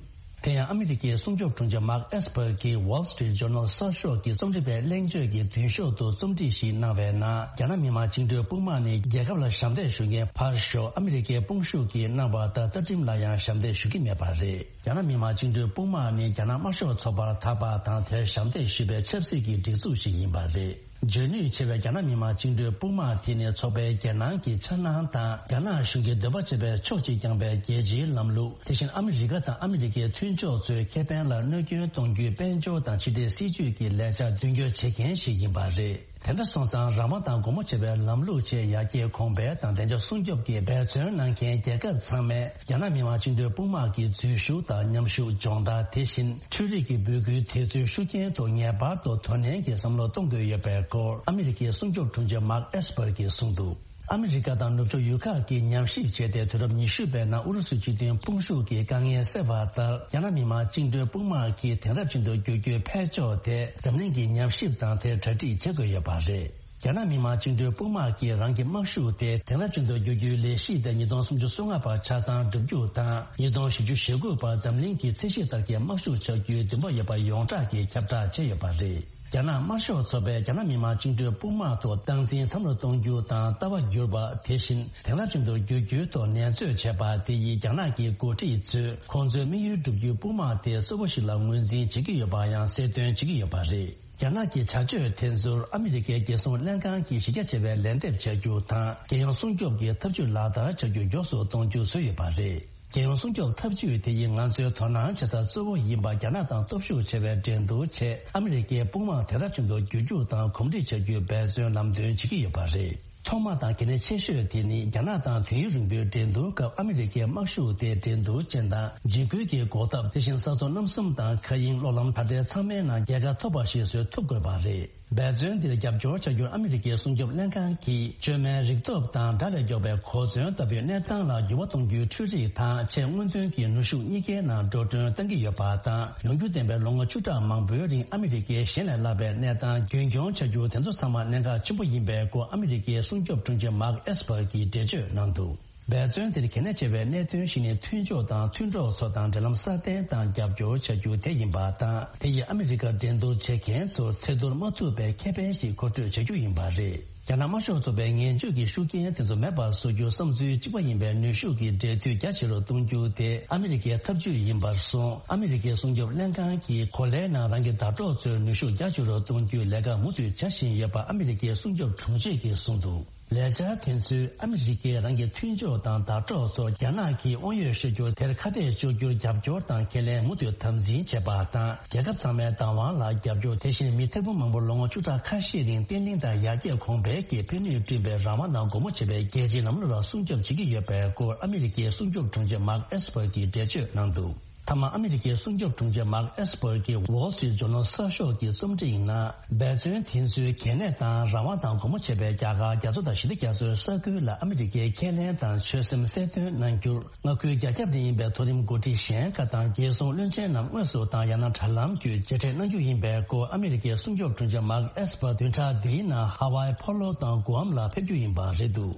དེ་ཡང་ཨ་མི་རི་ཀའི་སྲུང་སྐྱོབ་དྲུང་ཆེ་མཱརྐ་ཨེས་པར་གྱིས་Wall Street Journal གསར་ཤོག་གི་རྩོམ་སྒྲིག་པའི་གླེང་བརྗོད་ཀྱི་མདུན་ཤོག་ཏུ་རྩོམ་སྒྲིག་ཞིག་གནང་བའི་ནང་། རྒྱ་ནག་མི་དམངས་བཅིངས་འགྲོལ་དཔུང་དམག་ནི་རྒྱལ་ཁབ་ལ་ཞབས་འདེགས་ཞུ་མཁན་ཕར་ཞོག་ཨ་མི་རི་ཀའི་དཔུང་ཤུགས་ཀྱིས་གནང་བ་ལྟར་རྩ་ཁྲིམས་ལ་ཡང་ཞབས་འདེགས་ཞུ་གི་མེད་པ་རེད། རྒྱ་ནག་མི་དམངས་བཅིངས་འགྲོལ་དཔུང་དམག་ནི་རྒྱ་ནག་དམར་ཤོག་ཚོགས་པར་ཐར་པ་དང་། དེར་ཞབས་འདེགས་ཞུས་པའི་ཆབ་སྲིད་ཀྱི་སྒྲིག་འཛུགས་ཤིག་ཡིན་པ་རེད། འཇོན་ནུས་ཆེ་བའི་རྒྱ་ནག་མི་དམངས་བཅིངས་འགྲོལ་དཔུང་དམག་དེ་ནི་ཚོགས་པའི་རྒྱལ་ནང་གི་འཆར་སྣང་དང་། རྒྱ་ནག་གཞུང་གི་འདོད་པ་བྱས་པའི་ཕྱོགས་གཅིག་རྐྱང་པའི་རྒྱལ་སྤྱིའི་ལམ་ལུགས། དེ་བཞིན་ཨ་མི་རི་ཀ་དང་ཨ་མི་རི་ཀའི་མཐུན་ཕྱོགས་ཚོའི་ཁེ་ཕན་ལ་གནོད་སྐྱོན་གཏོང་རྒྱུའི་དཔལ་འབྱོར་དང་ཕྱི་འབྲེལ་སྲིད་ཇུས་ཀྱི་ལས་འཆར་མདུན་སྐྱོད་བྱེད་མཁན་ཞིག་ཡིན་པ་རེད། དེ་འདྲ་སོང་ཙང་། རང་དབང་དང་སྒོ་མོ་འབྱེད་པའི་ལམ་ལུགས་ཆེད་ཡར་རྒྱས་གོང་འཕེལ་དང་བདེ་འཇགས་སྲུང་སྐྱོབ་ཀྱི་འབད་བརྩོན་གནང་མཁན་རྒྱལ་ཁབ་ཚང་མས། རྒྱ་ནག་མི་དམངས་བཅིངས་འགྲོལ་དཔུང་དམག་གི་འཛུལ་ཞུགས་དང་མཉམ་ཞུགས་སྦྱོང་བརྡར། དེ་བཞིན་འཕྲུལ་རིག་གི་འབོད་སྐུལ་དེ་ཚོའི་ཤུགས་རྐྱེན་ཐོག་ངེས་པར་དུ་དོ་ནན་གྱིས་བསམ་བློ་གཏོང་དགོས་ཡོད་པའི་སྐོར། ཨ་མི་རི་ཀའི་སྲུང་སྐྱོབ་དྲུང་ཆེ་མཱརྐ་ཨེས་པར་གྱིས་གསུངས་འདུག་ཨ་མི་རི་ཀ་དང་ནུབ་ཕྱོགས་ཡུལ་ཁག་གིས་ཉམས་ཞིབ་བྱས་ཏེ། དུས་རབས་ཉི་ཤུ་པའི་ནང་ཨུ་རུ་སུའི་སྤྱི་མཐུན་དཔུང་ཤུགས་ཀྱི་དཀའ་ངལ་སེལ་བ་ལྟར། རྒྱ་ནག་མི་དམངས་བཅིངས་འགྲོལ་དཔུང་དམག་གིས་དེང་རབས་ཅན་དུ་བསྒྱུར་རྒྱུའི་འཕེལ་ཕྱོགས་དེ་འཛམ་གླིང་གིས་ཉམས་ཞིབ་དང་། དེར་གྲ་སྒྲིག་བྱེད་དགོས་ཡོད་པ་རེད། རྒྱ་ནག་མི་དམངས་བཅིངས་འགྲོལ་དཔུང་དམག་གིས་རང་གི་དམག་ཤུགས་དེ་དེང་རབས་ཅན་དུ་བསྒྱུར་རྒྱུའི་ལས་གཞི་དེ་ཉིས་སྟོང་སུམ་ཅུ་སོ་ལྔ་བར་ཆ་ཚང་འགྲུབ་རྒྱུ་དང་། ཉིས་སྟོང་བཞི་བཅུ་ཞེ་དགུ་བར་འཛམ་གླིང་གི་ཚད་གཞི་ལྟར་གྱི་དམག་ཤུགས་ཆགས་རྒྱུའི་འདུན་པ་ཡོད་པ་ཡོངས་གྲགས་ཀྱིས་ཁྱབ་བསྒྲགས་བྱས་ཡོད་པ་རེད། རྒྱ་ནག་དམར་ཤོག་ཚོགས་པས་རྒྱ་ནག་མི་དམངས་བཅིངས་འགྲོལ་དཔུང་དམག་ཐོག་སྟངས་འཛིན་མཐའ་མར་གཏོང་རྒྱུ་དང་། ལྟ་བ་བསྒྱུར་བ། དེ་བཞིན་དེང་རབས་ཅན་དུ་བསྒྱུར་རྒྱུའི་ཐོག་འགྲན་རྩོད་བྱས་པ་དེ་ཡིས། རྒྱ་ནག་གི་འགོ་ཁྲིད་ཚོས་ཁོང་ཚོའི་དམིགས་ཡུལ་བསྒྲུབ་རྒྱུའི་དཔུང་དམག་དེ་གཙོ་བོ་ཞིག་ལ་ངོས་འཛིན་བྱེད་ཀྱི་ཡོད་པ་ཡང་གསལ་སྟོན་བྱེད་ཀྱི་ཡོད་པ་རེད། རྒྱ་ནག་གི་བྱ་སྤྱོད་དེ་ཚོར་ཨ་མི་རི་ཀའི་རྒྱལ་སྲུང་ལྷན་ཁང་གིས་གཞི་རྒྱ་ཆེ་བའི་ལན་འདེབས་བྱ་རྒྱུ་དང་། རྒྱལ་ཡོངས་སྲུང་སྐྱོབ་ཀྱི་ཐབས་ཇུས་ལག་བསྟར་བྱ་རྒྱུ་མགྱོགས་སུ་གཏོང་རྒྱུ་བཟོས་ཡོད་པ་རེད། རྒྱལ་ཡོངས་སྲུང་སྐྱོབ་ཐབས་ཇུས་དེ་ཡིས་ང་ཚོའི་དོ་སྣང་བྱེད་ས་གཙོ་བོ་ཡིན་པ། རྒྱ་ནག་དང་སྟོབས་ཤུགས་ཆེ་བའི་འགྲན་བསྡུར་ཆེད་ཨ་མི་རི་ཀའི་དཔུང་དམག་དེང་རབས་ཅན་དུ་བསྒྱུར་རྒྱུ་དང་གོམས་འདྲིས་བྱ་རྒྱུའི་འབད་བརྩོན་ལམ་སྟོན་བྱེད་ཀྱི་ཡོད་པ་རེད། ཐོག་མ་དང་གལ་གནད་ཆེ་ཤོས་དེ་ནི། རྒྱ་ནག་དང་དུས་ཡུན་རིང་པོའི་འགྲན་བསྡུར་སྐབས་ཨ་མི་རི་ཀའི་དམག་ཤུགས་དེ་འགྲན་བསྡུར་ཅན་དང་། འཇིགས་སྐུལ་གྱི་འགོག་ཐབས། དེ་བཞིན་ས་མཚམས་གནམ་གསུམ་དང་མཁའ་དབྱིངས། གློག་ལམ་དྲ་སྦྲེལ་ཚང་མའི་ནང་རྒྱལ་ཁ་ཐོབ་པ་ཞིག་བཟོ་ཐུབ་དགོས་པ་རེད། འབད་བརྩོན་འདིར་རྒྱབ་སྐྱོར་བྱ་རྒྱུར་ཨ་མི་རི་ཀའི་སྲུང་སྐྱོབ་ལྷན་ཁང་གིས། བཅོས་མའི་རིག་སྟོབས་དང་དགྲ་ལས་མགྱོགས་པའི་གོ་མཚོན་ལྟ་བུའི་གནས་སྟངས་ལ་འགྱུར་བ་གཏོང་རྒྱུའི་འཕྲུལ་རིག་དང་། ཆེས་སྔོན་ཐོན་གྱི་ནུས་ཤུགས་གཉིས་ཀའི་ནང་འགྲོ་གྲོན་གཏང་གི་ཡོད་པ་དང་། ཡོང་རྒྱུ་ལྡན་པའི་ལོ་ངོ་བཅུ་ཕྲག་མང་པོའི་རིང་ཨ་མི་རི་ཀའི་གཞན་ལས་སླ་བའི་གནས་སྟངས་རྒྱུན་འཁྱོངས་བྱ་རྒྱུ། དེ་ཚོ་ཚང་མ་གནད་འགག་ཆེན་པོ་ཡིན་པའི་སྐོར། ཨ་མི་རི་ཀའི་སྲུང་སྐྱོབ་དྲུང་ཆེ་མཱརྐ་ཨེས་པར་གྱིས་འགྲེལ་བརྗོད་གནང་འདུག་འབད་བརྩོན་དེར་གལ་གནད་ཆེ་བའི་གནད་དོན་ཞིག་ནི། མཐུན་ཕྱོགས་དང་མཐུན་གྲོགས་ཚོ་དང་འབྲེལ་ལམ་སྲ་བརྟན་དང་རྒྱབ་སྐྱོར་བྱ་རྒྱུ་དེ་ཡིན་པ་དང་། དེ་ཡིས་ཨ་མི་རི་ཀར་འགྲན་བསྡུར་བྱེད་མཁན་ཚོར་ཚེ་ཐར་མ་ཐུབ་པའི་ཁེ་ཕན་ཞིག་མཁོ་སྤྲོད་བྱ་རྒྱུ་ཡིན་པ་རེད། རྒྱ་ནག་དམར་ཤོག་ཚོགས་པའི་ངན་བྱུས་ཀྱི་ཤུགས་རྐྱེན་དེ་ཚོ་མེད་པར་བཟོ་རྒྱུ། བསམ་ཚུལ་གཅིག་པ་ཡིན་པའི་ནུས་ཤུགས་ཀྱི་འབྲེལ་མཐུད་རྒྱ་ཆེ་རུ་གཏོང་རྒྱུ་དེ་ཨ་མི་རི་ཀའི་ཐབས་ཇུས་ཡིན་པར་སོང་། ཨ་མི་རི་ཀའི་སྲུང་སྐྱོབ་ལྷན་ཁང་གིས་གོ་ལའི་ནང་རང་གི་ཟླ་གྲོགས་ཚོའི་ནུས་ཤུགས་རྒྱ་ཆེ་རུ་གཏོང་རྒྱུའི་ལས་ཀ་མུ་མཐུད་བྱ་བཞིན་ཡོད་པ་ཨ་མི་རི་ཀའི་སྲུང་སྐྱོབ་དྲུང་ཆེ་གིས་གསུངས་འདུག་ལས་འཆར་དེ་ཚོས་ཨ་མི་རི་ཀས་རང་གི་མཐུན་ཕྱོགས་དང་ཟླ་གྲོགས་ཚོར་རྒྱ་ནག་གིས་དབང་ཡོད་ཤོར་རྒྱུར། དེར་ཁ་གཏད་གཅོག་རྒྱུར་རྒྱབ་སྐྱོར་དང་ཁས་ལེན་མུ་མཐུད་དམ་འཛིན་བྱེད་པ་དང་། རྒྱལ་ཁབ་ཚང་མའི་བདག་དབང་ལ་རྒྱབ་སྐྱོར། དེ་བཞིན་མི་ཐེར་འབུམ་མང་པོ་ལོ་ངོ་བཅུ་ཕྲག་ཁ་ཤས་རིང་བརྟན་ལྷིང་དང་ཡར་རྒྱས་གོང་འཕེལ་གྱི་ཕན་ནུས་བསྐྲུན་པའི་རང་དབང་དང་སྒོ་མོ་འབྱེད་པའི་རྒྱལ་སྤྱིའི་ལམ་ལུགས་ལ་སྲུང་སྐྱོབ་བྱེད་ཀྱི་ཡོད་པའི་སྐོར། ཨ་མི་རི་ཀའི་སྲུང་སྐྱོབ་དྲུང་ཆེ་མཱརྐ་ཨེས་པར་གྱིས་འགྲེལ་བརྗོད་གནང་འདུག་མཐའ་མ། ཨ་མི་རི་ཀའི་སྲུང་སྐྱོབ་དྲུང་ཆེ་མཱརྐ་ཨེས་པར་གྱིས་Wall Street Journal གསར་ཤོག་གི་རྩོམ་སྒྲིག་ནང་། འབད་བརྩོན་དེ་ཚོའི་གལ་གནད་དང་། རང་དབང་དང་སྒོ་མོ་འབྱེད་པའི་རྒྱལ་ཁ་རྒྱ་མཚོ་དང་ཞི་བདེ་རྒྱ་མཚོའི་ས་ཁུལ་ལ་ཨ་མི་རི་ཀའི་ཁས་ལེན་དང་ཆོད་སེམས་གསལ་སྟོན་གནང་རྒྱུར། མངའ་ཁུལ་རྒྱ་ཁྱབ་ནས་ཡིན་པའི་མཐོ་རིམ་འགོ་ཁྲིད་གཞན་ཁག་དང་རྒྱལ་སྲུང་བློན་ཆེན་རྣམས་དངོས་སུ་དང་ཡང་ན་དྲ་ལམ་བརྒྱུད་མཇལ་འཕྲད་གནང་རྒྱུ་ཡིན་པའི་སྐོར། ཨ་མི་རི་ཀའི་སྲུང་སྐྱོབ་དྲུང་ཆེ་མཱརྐ་ཨེས་པར་བདུན་ཕྲག་འདིའི་ནང་ཧ་ཝའི་ཕོ་ལོ་དང་གུ་ཨམ་ལ་ཕེབས་རྒྱུ་ཡིན་པ་རེད་འདུག་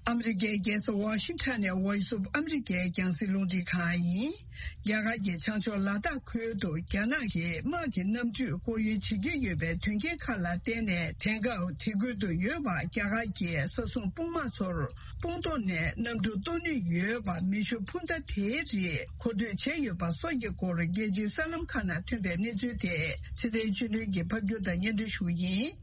ཨ་མི་རི་ཀའི་རྒྱལ་ས་ཝ་ཤིང་ཊོན་ནས་Voice of America རྒྱང་སྲིང་རླུང་འཕྲིན་ཁང་ཡིན། རྒྱ་གར་གྱི་བྱང་ཕྱོགས་ལ་དྭགས་ཁུལ་དུ་རྒྱ་ནག་གིས་དམག་གི་གནམ་གྲུས་སྐོར་གཡོལ་བྱེད་ཀྱི་ཡོད་པའི་དོན་རྐྱེན་ཁག་ལ་བརྟེན་ནས། དེང་སྐབས་དེ་ཁུལ་དུ་ཡོད་པ་རྒྱ་གར་གྱི་ས་སྲུང་དཔུང་དམག་ཚོར་དཔུང་ཐོག་ནས་གནམ་གྲུ་གཏོར་ནུས་ཡོད་པ་མེ་ཤུགས་འཕུར་མདའ་དེའི་རིགས་མཁོ་སྤྲོད་བྱས་ཡོད་པ་སོགས་ཀྱི་སྐོར། རྒྱལ་སྤྱིའི་གསར་ལམ་ཁག་ནང་ཐོན་པའི་གནས་ཚུལ་དེ་ཚེ་བརྟན་ཆོས་སྒྲོན་གྱིས་ཕབ་སྒྱུར་དང་སྙན་སྒྲོན་ཞུ་གི་ཡིན།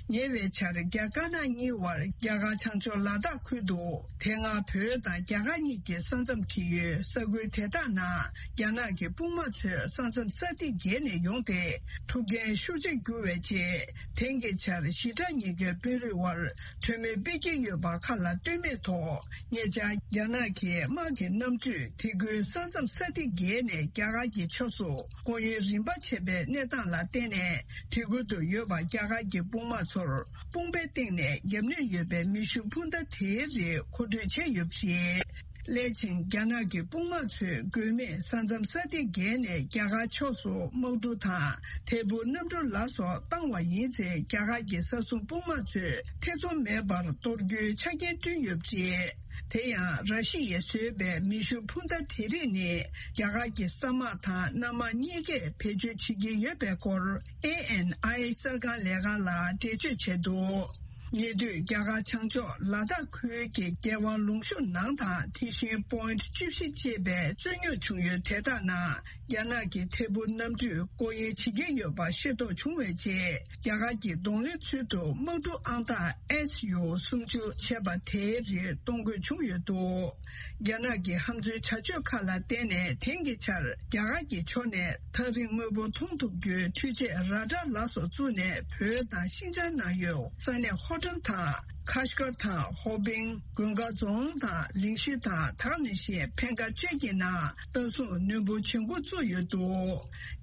ཉེ་བའི་ཆར་རྒྱ་དཀར་ནག་གཉིས་བར་རྒྱ་གར་བྱང་ཕྱོགས་ལ་དྭགས་ཁུལ་དུ། དེ་སྔ་བོད་དང་རྒྱ་གར་གཉིས་ཀྱི་ས་མཚམས་འཁེལ་ཡུལ་ས་ཁུལ་དེ་དག་ནང་རྒྱ་ནག་གི་དཔུང་དམག་ཚོས་ས་མཚམས་ས་ཐིག་བརྒལ་ནས་ཡོང་སྟེ། འཁྲུག་རྐྱེན་ཤུགས་ཆེར་གྱུར་བའི་རྗེས། དེང་གི་ཆར་ཞི་དྲག་ཉེས་སྐྱོན་དཔོན་རིགས་དབར་གྲོས་མོལ་སྤེལ་གྱི་ཡོད་པ་ཁག་ལ་ལྟོས་མེད་ཐོག་ཉེ་ཆར་རྒྱ་ནག་གི་དམག་གི་གནམ་གྲུས་དེ་ཁུལ་ས་མཚམས་ས་ཐིག་བརྒལ་ནས་རྒྱ་གར་གྱི་ཕྱོགས་སུ་སྐོར་གཡོལ་རིམ་པ་བྱས་པའི་གནས་སྟངས་ལ་བརྟེན་ནས། དེ་ཁུལ་དུ་ཡོད་པ་རྒྱ་གར་གྱི་དཔུང་དམག་ཚོར་དཔུང་པའི་སྟེང་ནས་བརྒྱབ་ནུས་ཡོད་པའི་མེ་ཤུགས་འཕུར་མདའ་དེའི་རིགས་མཁོ་སྤྲོད་བྱས་ཡོད་པ་རེད། སླད་ཕྱིན་རྒྱ་ནག་གི་དཔུང་དམག་ཚོས་དགོས་མེད་ས་མཚམས་ས་ཐིག་བརྒལ་ནས་རྒྱ་གར་ཕྱོགས་སུ་དམག་གྲུ་དང་ཐད་འཕུར་གནམ་གྲུ་ལ་སོགས་བཏང་བ་ཡིན་ཚེ། རྒྱ་གར་གྱི་ས་སྲུང་དཔུང་དམག་ཚོས་ཐེ་ཚོམ་མེད་པར་གཏོར་རྒྱུའི་ཆ་རྐྱེན་བསྐྲུན་ཡོད་པ་རེད། དེ་ཡང་། ར་ཤི་ཡས་བཟོས་པའི་མེ་ཤུགས་འཕུར་མདའ་དེ་རིགས་ནི། རྒྱ་གར་གྱི་ས་དམག་དང་གནམ་དམག་གཉིས་ཀས་བེད་སྤྱོད་བྱེད་ཀྱི་ཡོད་པའི་སྐོར། ཨེ་ཨེན་ཨའི་གསར་ཁང་ལས་ཁང་ལ་འགྲེལ་བརྗོད་བྱས་འདུག་ཉེ་དུས་རྒྱ་གར་བྱང་ཕྱོགས་ལ་དྭགས་ཁུལ་གྱི་རྒྱལ་དབང་ལུང་གཤོང་ནང་དང་། དེ་བཞིན་པོ་ཡིན་ཊི་བཅུ་བཞི་ཅེས་པའི་རྩོད་རྙོག་བྱུང་ཡུལ་དེ་དག་ནང་། རྒྱ་ནག་གི་ཐད་འཕུར་གནམ་གྲུས་སྐོར་གཡོལ་བྱེད་ཀྱི་ཡོད་པ་ཤེས་རྟོགས་བྱུང་བའི་རྗེས། རྒྱ་གར་གྱིས་གདོང་ལེན་ཚུལ་དུ་དམག་གྲུ་ཨང་རྟགས་ཨེས་ཡུ་སུམ་ཅུ་བྱས་པ་དེའི་རིགས་གཏོང་དགོས་བྱུང་ཡོད་འདུག་རྒྱ་ནག་གི་ཧམ་འཛུལ་བྱ་སྤྱོད་ཁག་ལ་བརྟེན་ནས། དེང་གི་ཆར་རྒྱ་གར་གྱི་ཕྱོགས་ནས་ཐག་རིང་དངོས་པོ་མཐོང་ཐུབ་རྒྱུའི་འཕྲུལ་ཆས་ར་ཌར་ལ་སོགས་བཙུགས་ནས། བོད་དང་ཤིན་ཅང་ནང་ཡོད་ས་གནས་ཧོ་ཊལ་དང་། ཁ་ཤ་ཀར་དང་ཧོ་པིང་། དགོན་ཁག་རྫོང་དང་གླིང་གཞི་དང་། ད་ག་ནང་བཞིན་འཕེན་ཁ་བཅས་ཀྱི་ནང་ལྟ་སྲུང་ནུས་པ་ཇེ་མགྱོགས་བཙུགས་ཡོད་འདུག་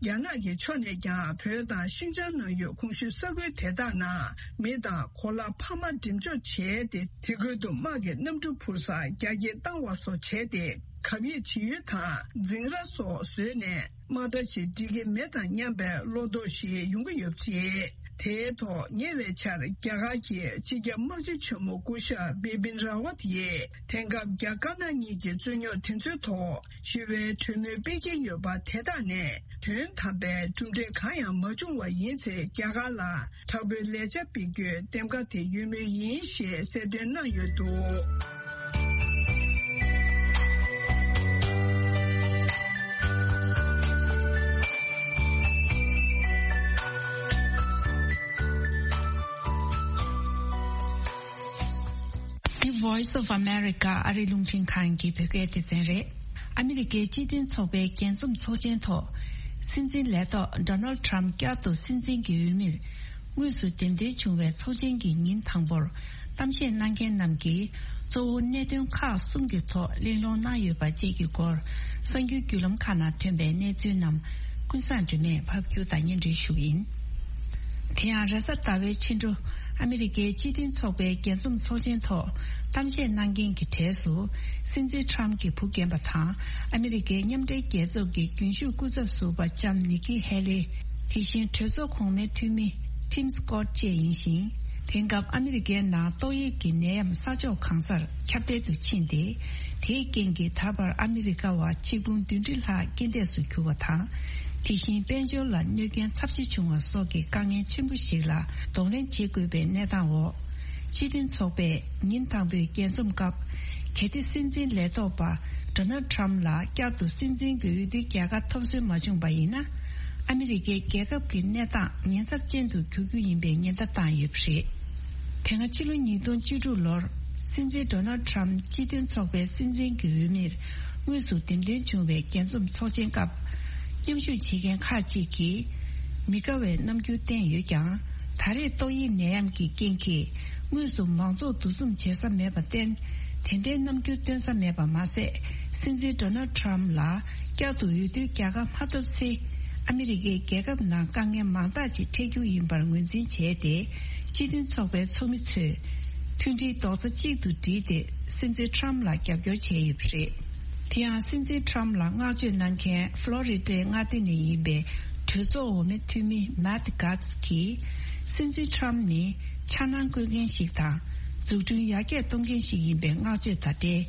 རྒྱ་ནག་གི་ཕྱོགས་ནས་ཀྱང་བོད་དང་ཤིན་ཅང་ནང་ཡོད་གོང་ཞུས་ས་ཁུལ་དེ་དག་ནང་མི་དང་གོ་ལ་འཕར་མ་འགྲེམས་འཇོག་བྱས་ཏེ། དེ་ཁུལ་དུ་དམག་གི་གནམ་གྲུ་འཕུར་ས་རྒྱ་སྐྱེད་བཏང་བ་སོགས་བྱས་ཏེ། གབ་ཡིབ་བྱེད་ཡུལ་དང་འཛིང་ར་སོགས་བཟོས་ནས། དམག་གྲ་ཞིག་འགྲིག་གི་མེད་དམ་སྙམ་པའི་བློ་དོགས་ཤིག་ཡོང་གི་ཡོད་པ་རེད། དེའི་ཐོག་ཉེ་བའི་ཆར་རྒྱ་གར་གྱི་སྤྱི་ཁྱབ་དམག་སྤྱི་ཆེན་མོ་སྐུ་ཞབས་བི་པིན་ར་ཝཏ་ཡིས། དེང་སྐབས་རྒྱ་དཀར་ནག་གཉིས་ཀྱི་རྩོད་རྙོག་དེ་ཚོའི་ཐོག་ཞི་བའི་གྲོས་མོལ་སྤེལ་གྱི་ཡོད་པ་དེ་དག་ནས་དོན་དམ་པའི་གྲུབ་འབྲས་གང་ཡང་མ་བྱུང་བ་ཡིན་ཚེ། རྒྱ་གར་ལ་དྲག་པོའི་ལས་འཆར་སྤེལ་རྒྱུའི་འདེམས་ཀ་དེ་ཡོད་མུས་ཡིན་ཞེས་གསལ་སྟོན་གནང་ཡོད་འདུག་འདི་Voice of America ཨ་རིའི་རླུང་འཕྲིན་ཁང་གི་བོད་སྐད་སྡེ་ཚན་རེད། ཨ་མི་རི་ཀའི་སྤྱི་མཐུན་ཚོགས་པའི་རྒྱས་འཛོམས་ཚོགས་ཆེན་ཐོག་སྲིད་འཛིན་ལས་ཐོག་Donald Trump བསྐྱར་དུ་སྲིད་འཛིན་གྱི་འོས་མིར་དངོས་སུ་འདེམས་ཐོན་བྱུང་བའི་ཚོགས་ཆེན་གྱི་ཉིན་དང་པོར། གཏམ་བཤད་གནང་མཁན་རྣམས་ཀྱིས་གཙོ་བོ་གནད་དོན་ཁག་གསུམ་གྱི་ཐོག་གླེང་སློང་གནང་ཡོད་པ་བཅས་ཀྱི་སྐོར། གསར་འགྱུར་བརྒྱུད་ལམ་ཁག་ནང་ཐོན་པའི་གནས་ཚུལ་རྣམས་ཀུན་བཟང་སྒྲོལ་མས་ཕབ་སྒྱུར་དང་སྙན་སྒྲོན་ཞུ་གི་ཡིན། དེ་ཡང་རེས་གཟའ་ཟླ་བའི་ཕྱི་དྲོ། ཨ་མི་རི་ཀའི་སྤྱི་མཐུན་ཚོགས་པའི་རྒྱས་འཛོམས་ཚོགས་ཆེན་ཐོག་གཏམ་བཤད་གནང་མཁན་གྱི་གྲས་སུ། སྲིད་འཛིན་ཁྲམ་གྱི་བུ་རྒན་པ་དང་། ཨ་མི་རི་ཀའི་མཉམ་འབྲེལ་རྒྱལ་ཚོགས་ཀྱི་རྒྱུན་ཞུགས་སྐུ་ཚབ་ཟུར་པ་ལྕམ་ནི་ཀི་ཧེ་ལི། དེ་བཞིན་གྲོས་ཚོགས་གོང་མའི་འཐུས་མི་Tim Scott་བཅས་ཡིན་ཞིང་། དེང་སྐབས་ཨ་མི་རི་ཀའི་ནང་ཏོག་དབྱིབས་ཀྱི་ནད་ཡམས་ས་ཕྱོགས་གང་སར་ཁྱབ་གདལ་དུ་ཕྱིན་ཏེ། དེའི་རྐྱེན་གྱིས་ད་བར་ཨ་མི་རི་ཀ་བ་ཆིག་འབུམ་བདུན་ཁྲི་ལྷག་རྐྱེན་འདས་སུ་གྱུར་བ་དང་། དེ་བཞིན་དཔལ་འབྱོར་ལ་གནོད་རྐྱེན་ཚབས་ཆེ་བྱུང་བ་སོགས་ཀྱི་དཀའ་ངལ་ཆེན་པོ་ཞིག་ལ་གདོང་ལེན་བྱེད་དགོས་པའི་གནས་སྟངས་འོག་སྤྱི་མཐུན་ཚོགས་པས་ཉིན་དང་པོའི་རྒྱས་འཛོམས་སྐབས། གལ་ཏེ་སྲིད་འཛིན་ལས་ཐོག་པ་Donald Trump་ལ་བསྐྱར་དུ་སྲིད་འཛིན་གྱི་འོས་བསྡུའི་རྒྱལ་ཁ་ཐོབ་སོན་མ་བྱུང་བ་ཡིན་ན། ཨ་མི་རི་ཀའི་རྒྱལ་ཁབ་ཀྱི་གནས་སྟངས་ཉེན་ཚབས་ཅན་དུ་འགྱུར་རྒྱུ་ཡིན་པའི་ཉེན་བརྡ་བཏང་ཡོད་པ་རེད། དེ་སྔ་ཕྱི་ལོ་ཉིས་སྟོང་བཅུ་དྲུག་ལོར་སྲིད་འཛིན་Donald Trump་སྤྱི་མཐུན་ཚོགས་པའི་སྲིད་འཛིན་གྱི་འོས་མིར་དངོས་སུ་འདེམས་ཐོན་བྱུང་བའི་རྒྱས་འཛོམས་ཚོགས་ཆེན་སྐབས། མཉམ་ཞུགས་བྱེད་མཁན་ཁག་ཅིག་གིས་མི་དགའ་བའི་རྣམ་འགྱུར་བསྟན་ཡོད་ཀྱང་། ད་རེས་ཏོག་དབྱིབས་ནད་ཡམས་ཀྱི་རྐྱེན་གྱིས་དངོས་སུ་མང་ཚོགས་འདུ་འཛོམས་བྱེད་ས་མེད་པར་བརྟེན། དེ་འདྲའི་རྣམ་འགྱུར་སྟོན་ས་མེད་པ་མ་ཟད། སྲིད་འཛིན་Donald Trump་ལ་བསྐྱར་དུ་འོས་བསྡུའི་རྒྱལ་ཁ་མ་ཐོབ་ཚེ། ཨ་མི་རི་ཀའི་རྒྱལ་ཁབ་ནང་དཀའ་ངལ་མང་དག་ཅིག་འཕྲད་རྒྱུ་ཡིན་པར་ངོས་འཛིན་བྱས་ཏེ། སྤྱི་མཐུན་ཚོགས་པའི་ཚོགས་མི་ཚོས་མཐུན་སྒྲིལ་རྡོག་རྩ་གཅིག་ཏུ་བསྒྲིལ་ཏེ། སྲིད་འཛིན་Trump་ལ་རྒྱབ་སྐྱོར་བྱས་ཡོད་པ་རེད། དེ་ཡང་སྲིད་འཛིན་Trump་ལ་བསྔགས་བརྗོད་གནང་མཁན་ཕློ་རི་ཌའི་མངའ་སྡེ་ནས་ཡིན་པའི་གྲོས་ཚོགས་འོག་མའི་འཐུས་མི་Matt Gaetz་གྱིས། སྲིད་འཛིན་Trump་ནི་འཆར་སྣང་བཀོད་མཁན་ཞིག་དང་། འཛུགས་སྐྲུན་ཡར་རྒྱས་གཏོང་མཁན་ཞིག་ཡིན་པའི་བསྔགས་བརྗོད་དང་འབྲེལ།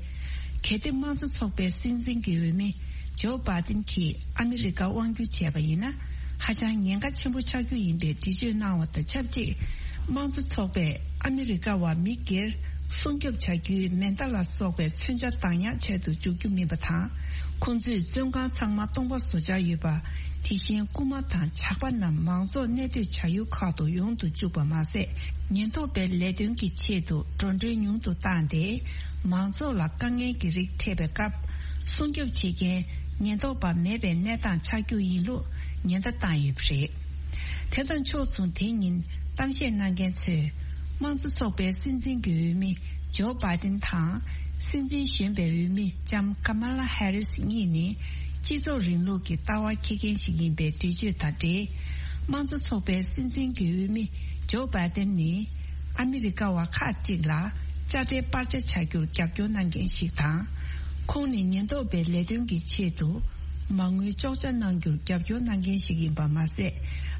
གལ་ཏེ་དམངས་གཙོ་ཚོགས་པའི་སྲིད་འཛིན་གྱི་འོས་མི་ ཇོ་བྷ་དིན་གྱིས་ཨ་མི་རི་ཀ་དབང་བསྒྱུར་བྱས་པ་ཡིན་ན། ཧ་ཅང་ཉེན་ཁ་ཆེན་པོ་ཆགས་རྒྱུ་ཡིན་པའི་འགྲེལ་བརྗོད་གནང་བ་དང་ཆབས་ཅིག་དམངས་གཙོ་ཚོགས་པས་ཨ་མི་རི་ཀ་བ་མི་སྒེར་སྲུང་སྐྱོབ་བྱ་རྒྱུའི་མེ་མདའ་ལ་སོགས་པའི་མཚོན་ཆ་བདག་ཉར་བྱས་དུ་འཇུག་རྒྱུ་མིན་པ་དང་། ཁོང་ཚོས་བཙོན་ཁང་ཚང་མ་སྟོང་པ་བཟོ་འཆར་ཡོད་པ། དེ་བཞིན་རྐུན་མ་དང་ཇག་པ་རྣམས་མང་ཚོགས་གནས་སྡོད་བྱ་ཡུལ་ཁག་ཏུ་ཡོང་དུ་བཅུག་པ་མ་ཟད། ཉེན་རྟོག་པའི་ལས་དོན་གྱི་ཆེད་དུ་འགྲོ་གྲོན་ཉུང་དུ་བཏང་སྟེ། མང་ཚོགས་ལ་དཀའ་ངལ་གྱི་རིགས་འཕྲད་པའི་སྐབས། སྲུང་སྐྱོབ་བྱེད་མཁན་ཉེན་རྟོག་པ་མེད་པའི་གནས་སྟངས་ཆགས་རྒྱུ་ཡིན་ལུགས་ཉེན་བརྡ་བཏང་ཡོད་པ་རེད། དེ་དང་ཕྱོགས་མཚུངས། དེ་ཉིན་གཏམ་བཤད་གནང་མཁན་ཚོས། དམངས་གཙོ་ཚོགས་པའི་སྲིད་འཛིན་གྱི་འོས་མི་ཇོ་བྷ་དིན་དང་། སྲིད་འཛིན་གཞོན་པའི་འོས་མི་ལྕམ་ཀ་མ་ལ་ཧེ་རིས་གཉིས་ནི། སྤྱི་ཚོགས་རིང་ལུགས་ཀྱི་ལྟ་བ་འཁྱེར་མཁན་ཞིག་ཡིན་པའི་འགྲེལ་བརྗོད་དང་འབྲེལ། དམངས་གཙོ་ཚོགས་པའི་སྲིད་འཛིན་གྱི་འོས་མི་ཇོ་བྷ་དིན་ནི། ཨ་མི་རི་ཀ་བ་ཁག་ཅིག་ལ་དཔྱ་ཁྲལ་སྤར་ཆ་བྱ་རྒྱུར་རྒྱབ་སྐྱོར་གནང་མཁན་ཞིག་དང་། ཁོང་ནི་ཉེན་རྟོག་པའི་ལས་དོན་གྱི་ཆེད་དུ། མ་དངུལ་གཅོག་ཆ་གནང་རྒྱུར་རྒྱབ་སྐྱོར་གནང་མཁན་ཞིག་ཡིན་པ་མ་ཟད།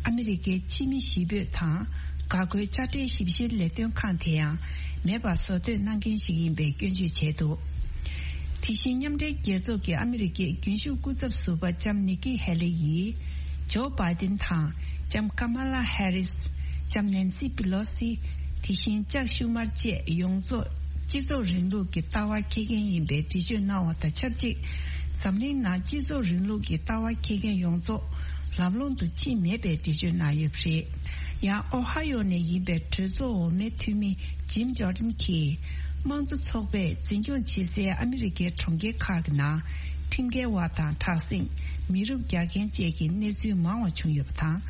ཨ་མི་རི་ཀའི་ཕྱི་མི་གཞིས་སྤོས་དང་འགག་སྒོའི་དཔྱ་ཁྲལ་ཞིབ་བཤེར་ལས་དོན་ཁང་དེ་ཡང་མེད་པ་བཟོ་འདོད་གནང་མཁན་ཞིག་ཡིན་པའི་སྐྱོན་བརྗོད་བྱས་འདུག་དེ་བཞིན་མཉམ་འབྲེལ་རྒྱལ་ཚོགས་ཀྱི་ཨ་མི་རི་ཀའི་རྒྱུན་ཞུགས་སྐུ་ཚབ་ཟུར་པ་ལྕམ་ནི་ཀི་ཧེ་ལི་ཡིས། ཇོ་བྷ་དིན་དང་ལྕམ་ཀ་མ་ལ་ཧེ་རིས། ལྕམ་ནན་སི་པི་ལོ་སི། དེ་བཞིན་ཅག་ཤུ་མར་བཅས་ཡོངས་རྫོགས་སྤྱི་ཚོགས་རིང་ལུགས་ཀྱི་ལྟ་བ་འཁྱེར་མཁན་ཡིན་པའི་འགྲེལ་བརྗོད་གནང་བ་དང་ཆབས་ཅིག་འཛམ་གླིང་ནང་སྤྱི་ཚོགས་རིང་ལུགས་ཀྱི་ལྟ་བ་འཁྱེར་མཁན་ཡོངས་རྫོགས་ལམ་ལྷོང་དུ་ཕྱིན་མེད་པའི་འགྲེལ་བརྗོད་གནང་ཡོད་པ་རེད། ཡང་ཨོ་ཧ་ཡོ་ནས་ཡིན་པའི་གྲོས་ཚོགས་འོག་མའི་འཐུས་མི་ཇིམ་ཇོར་ཌན་གྱིས། དམངས་གཙོ་ཚོགས་པས་འཛིན་སྐྱོང་བྱེད་སའི་ཨ་མི་རི་ཀའི་གྲོང་ཁྱེར་ཁག་གི་ནང་ཁྲིམས་འགལ་བ་དང་དྲག་ཟིང་། མི་རུབ་རྒྱག་མཁན་བཅས་ཀྱི་གནས་ཚུལ་མང་བ་བྱུང་ཡོད་པ་དང་།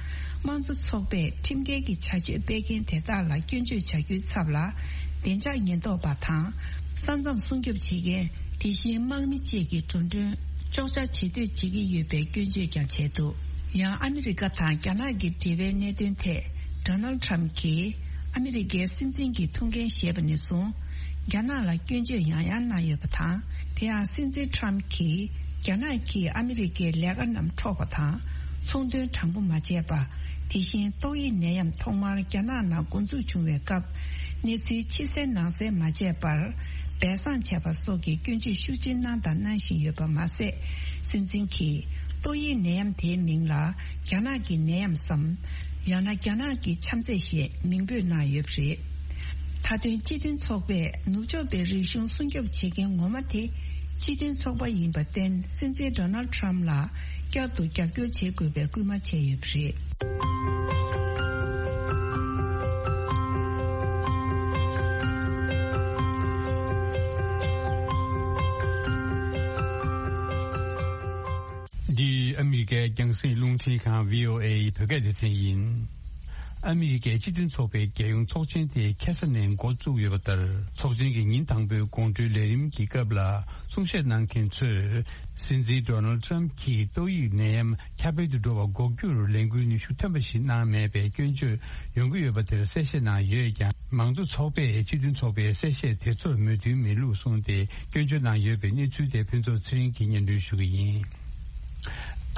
དམངས་གཙོ་ཚོགས་པས་ཁྲིམས་འགལ་གྱི་བྱ་སྤྱོད་སྤེལ་མཁན་དེ་དག་ལ་སྐྱོན་བརྗོད་བྱ་རྒྱུའི་ཚབ་ལ། བདེ་འཇགས་ཉེན་རྟོག་པ་དང་། ས་མཚམས་སྲུང་སྐྱོབ་བྱེད་མཁན། དེ་བཞིན་དམག་མི་བཅས་ཀྱི་འགྲོ་གྲོན་གཅོག་ཆ་བྱེད་འདོད་བྱེད་ཀྱི་ཡོད་པའི་སྐྱོན་བརྗོད་ཀྱང་བྱས་འདུག་ཡང་ཨ་མི་རི་ཀ་དང་རྒྱ་ནག་གི་འབྲེལ་བའི་གནད་དོན་ཐད། ཌོ་ནལ་ཌི་ཊརམ་ཕི་གྱིས་ཨ་མི་རི་ཀའི་སྲིད་འཛིན་གྱི་ཐུགས་འགན་བཞེས་པ་ནས་བཟུང་། རྒྱ་ནག་ལ་སྐྱོན་བརྗོད་ཡང་ཡང་གནང་ཡོད་པ་དང་། དེ་ཡང་སྲིད་འཛིན་ཊརམ་ཕི་གྱིས་རྒྱ་ནག་གིས་ཨ་མི་རི་ཀའི་ལས་ཀ་རྣམས་འཕྲོག་པ་དང་། ཚོང་དོན་དྲང་པོ་མ་བྱས་པ། དེ་བཞིན་ཏོག་དབྱིབས་ནད་ཡམས་ཐོག་མར་རྒྱ་ནག་ནང་འགོ་འཛུགས་བྱུང་བའི་སྐབས། གནས་ཚུལ་ཕྱི་གསལ་ནང་གསལ་མ་བྱས་པར། སྦས་གསང་བྱས་པ་སོགས་ཀྱི་སྐྱོན་བརྗོད་ཤུགས་ཆེ་གནང་དང་གནང་བཞིན་ཡོད་པ་མ་ཟད། སྲིད་འཛིན་གྱིས་ཏོག་དབྱིབས་ནད་ཡམས་དེའི་མིང་ལ་རྒྱ་ནག་གི་ནད་ཡམས་སམ། ཡང་ན་རྒྱ་ནག་གི་ཆམ་ཚད་ཞེས་མིང་འབོད་གནང་ཡོད་པ་རེད། མཐའ་དོན་སྤྱི་མཐུན་ཚོགས་པས་ནུབ་ཕྱོགས་པའི་རིག་གཞུང་སྲུང་སྐྱོབ་བྱེད་མཁན་ངོ་མ་དེ་སྤྱི་མཐུན་ཚོགས་པ་ཡིན་པར་བརྟེན། སྲིད་འཛིན་ཌོ་ནལ་ཌི་ཊརམ་ཕི་ལ་བསྐྱར་དུ་རྒྱབ་སྐྱོར་བྱེད་དགོས་པའི་སྐུལ་མ་བྱས་ཡོད་པ་རེད། འདི་ཨ་མི་རི་ཀའི་རྒྱང་སྲིང་རླུང་འཕྲིན་ཁང་བྷི་ཨོ་ཨེ་ཡི་བོད་སྐད་སྡེ་ཚན་ཡིན། ཨ་མི་རི་ཀའི་སྤྱི་མཐུན་ཚོགས་པའི་རྒྱལ་ཡོངས་ཚོགས་ཆེན་དེ་ཁ་སང་ནས་འགོ་བཙུགས་ཡོད་པ་ལྟར། ཚོགས་ཆེན་གྱི་ཉིན་དང་པོའི་དགོང་དྲོའི་ལས་རིམ་གྱི་སྐབས་ལ་གསུང་བཤད་གནང་མཁན་ཚོས། སྲིད་འཛིན་ཌོ་ནལ་ཌི་ཊརམ་ཕི་གྱིས་ཏོག་དབྱིབས་ནད་ཡམས་ཁྱབ་སྤེལ་དུ་འགྲོ་བ་འགོག་རྒྱུར་ལས་འགུལ་ནུས་ཤུགས་ཐོན་པ་ཞིག་གནང་མེད་པའི་སྐྱོན་བརྗོད་ཡོང་གི་ཡོད་པ་དེར་གསལ་བཤད་གནང་ཡོད་ཀྱང་། མང་གཙོ་ཚོགས་པས་སྤྱི་མཐུན་ཚོགས་པའི་གསལ་བཤད་དེ་ཚོར་མོས་མཐུན་མེད་ལུགས་གསུངས་ཏེ། སྐྱོན་བརྗོད་གནང་ཡོད་པའི་གནས་ཚུལ་དེ་ཕུན་ཚོགས་ཚེ་རིང་གིས་སྙན་སྒྲོན་ཞུ་གི་ཡིན།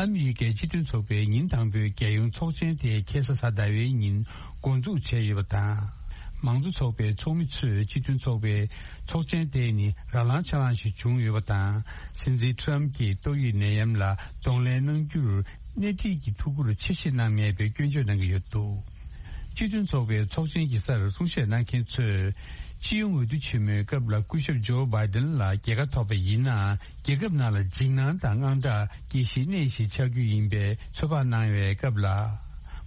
ཨ་མི་རི་ཀའི་སྤྱི་མཐུན་ཚོགས་པའི་ཉིན་དང་པོའི་རྒྱལ་ཡོངས་ཚོགས་ཆེན་དེ་ཁ་སང་གཟའ་ཟླ་བའི་ཉིན་འགོ་འཛུགས་བྱས་ཡོད་པ་དང་། མང་གཙོ་ཚོགས་པའི་ཚོགས་མི་ཚོས་སྤྱི་མཐུན་ཚོགས་པའི་ཚོགས་ཆེན་དེ་ནི་རང་ལངས་ཆ་ལངས་ཤིག་བྱུང་ཡོད་པ་དང་། སྲིད་འཛིན་ཊརམ་ཕི་གྱིས་ཏོག་དབྱིབས་ནད་ཡམས་ལ་གདོང་ལེན་གནང་རྒྱུར་སྣེ་ཁྲིད་ཀྱི་ཐུགས་ཁུར་ཆེ་བཞེས་གནང་མེད་པའི་སྐྱོན་བརྗོད་གནང་གི་ཡོད་འདུག་སྤྱི་མཐུན་ཚོགས་པའི་ཚོགས་ཆེན་གྱི་སར་གསུང་བཤད་གནང་མཁན་ཚོས། སྤྱི་ཡོངས་འོས་བསྡུ་ཆེན་མོའི་སྐབས་ལ་སྐུ་ཞབས་ཇོ་བྷའི་ཏིན་ལ་རྒྱལ་ཁ་ཐོབ་པ་ཡིན་ན། རྒྱལ་ཁབ་ནང་ལ་འཇིགས་སྣང་དང་དངངས་སྐྲག་སྐྱེ་གཞིའི་གནས་ཤིག་ཆགས་རྒྱུ་ཡིན་པའི་ཚོད་དཔག་གནང་བའི་སྐབས་ལ།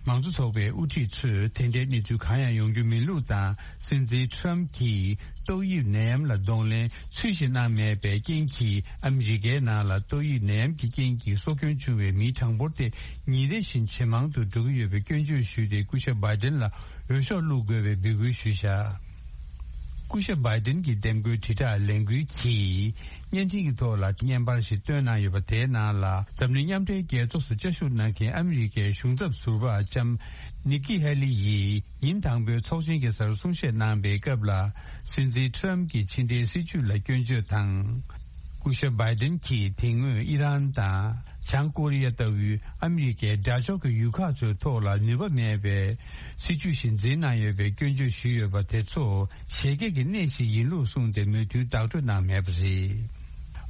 མང་གཙོ་ཚོགས་པའི་དབུ་ཁྲིད་ཚོས་དེ་འདྲའི་གནས་ཚུལ་གང་ཡང་ཡོང་རྒྱུ་མིན་ལུགས་དང་། སྲིད་འཛིན་ཊརམ་ཕི་གྱིས་ཏོག་དབྱིབས་ནད་ཡམས་ལ་གདོང་ལེན་ཚུལ་བཞིན་གནང་མེད་པའི་རྐྱེན་གྱིས། ཨ་མི་རི་ཀའི་ནང་ལ་ཏོག་དབྱིབས་ནད་ཡམས་ཀྱི་རྐྱེན་གྱིས་སྲོག་སྐྱོན་བྱུང་བའི་མིའི་གྲངས་འབོར་དེ་ཉིན་རེ་བཞིན་ཇེ་མང་དུ་འགྲོ་གི་ཡོད་པའི་སྐྱོན་བརྗོད་ཞུས་ཏེ། སྐུ་ཞབས་བྷའི་ཏིན་ལ་འོས་ཤོག་བླུག་དགོས་པའི་འབོད་སྐུལ་ཞུས་བཞག་སྐུ་ཞབས་བྷའི་ཏིན་གྱི་འདེམས་བསྐོའི་དྲིལ་བསྒྲགས་ལས་འགུལ་གྱིས་བརྙན་འཕྲིན་གྱི་ཐོག་ལ་བརྙན་པར་ཞིག་བཏོན་གནང་ཡོད་པ། དེའི་ནང་ལ་འཛམ་གླིང་མཉམ་འབྲེལ་རྒྱལ་ཚོགས་སུ་བཅའ་བཞུགས་གནང་མཁན་ཨ་མི་རི་ཀའི་གཞུང་ཚབ་ཟུར་པ་ལྕམ་ནི་ཀི་ཧེ་ལི་ཡིས་ཉིན་དང་པོའི་ཚོགས་ཆེན་གྱི་སར་གསུང་བཤད་གནང་པའི་སྐབས་ལ། སྲིད་འཛིན་ཊརམ་ཕི་གྱི་ཕྱི་འབྲེལ་སྲིད་ཇུས་ལ་སྐྱོན་བརྗོད་དང་། སྐུ་ཞབས་བྷའི་ཏིན་གྱིས་དེ་སྔོན་ཨི་རན་དང་། བྱང་ཀོ་རི་ཡ་ལྟ་བུའི་ཨ་མི་རི་ཀའི་དགྲ་ཕྱོགས་ཀྱི་ཡུལ་ཁག་ཚོའི་ཐོག་ལ་ནུས་པ་མེད་པའི་སྲིད་ཇུས་ཤིག་འཛིན་གནང་ཡོད་པའི་སྐྱོན་བརྗོད་ཞུས་ཡོད་པ་དེ་ཚོ་བཞད་གད་ཀྱི་གནས་ཤིག་ཡིན་ལུགས་གསུངས་ཏེ། མོས་མཐུན་བདག་སྤྲོད་གནང་མེད་པ་རེད།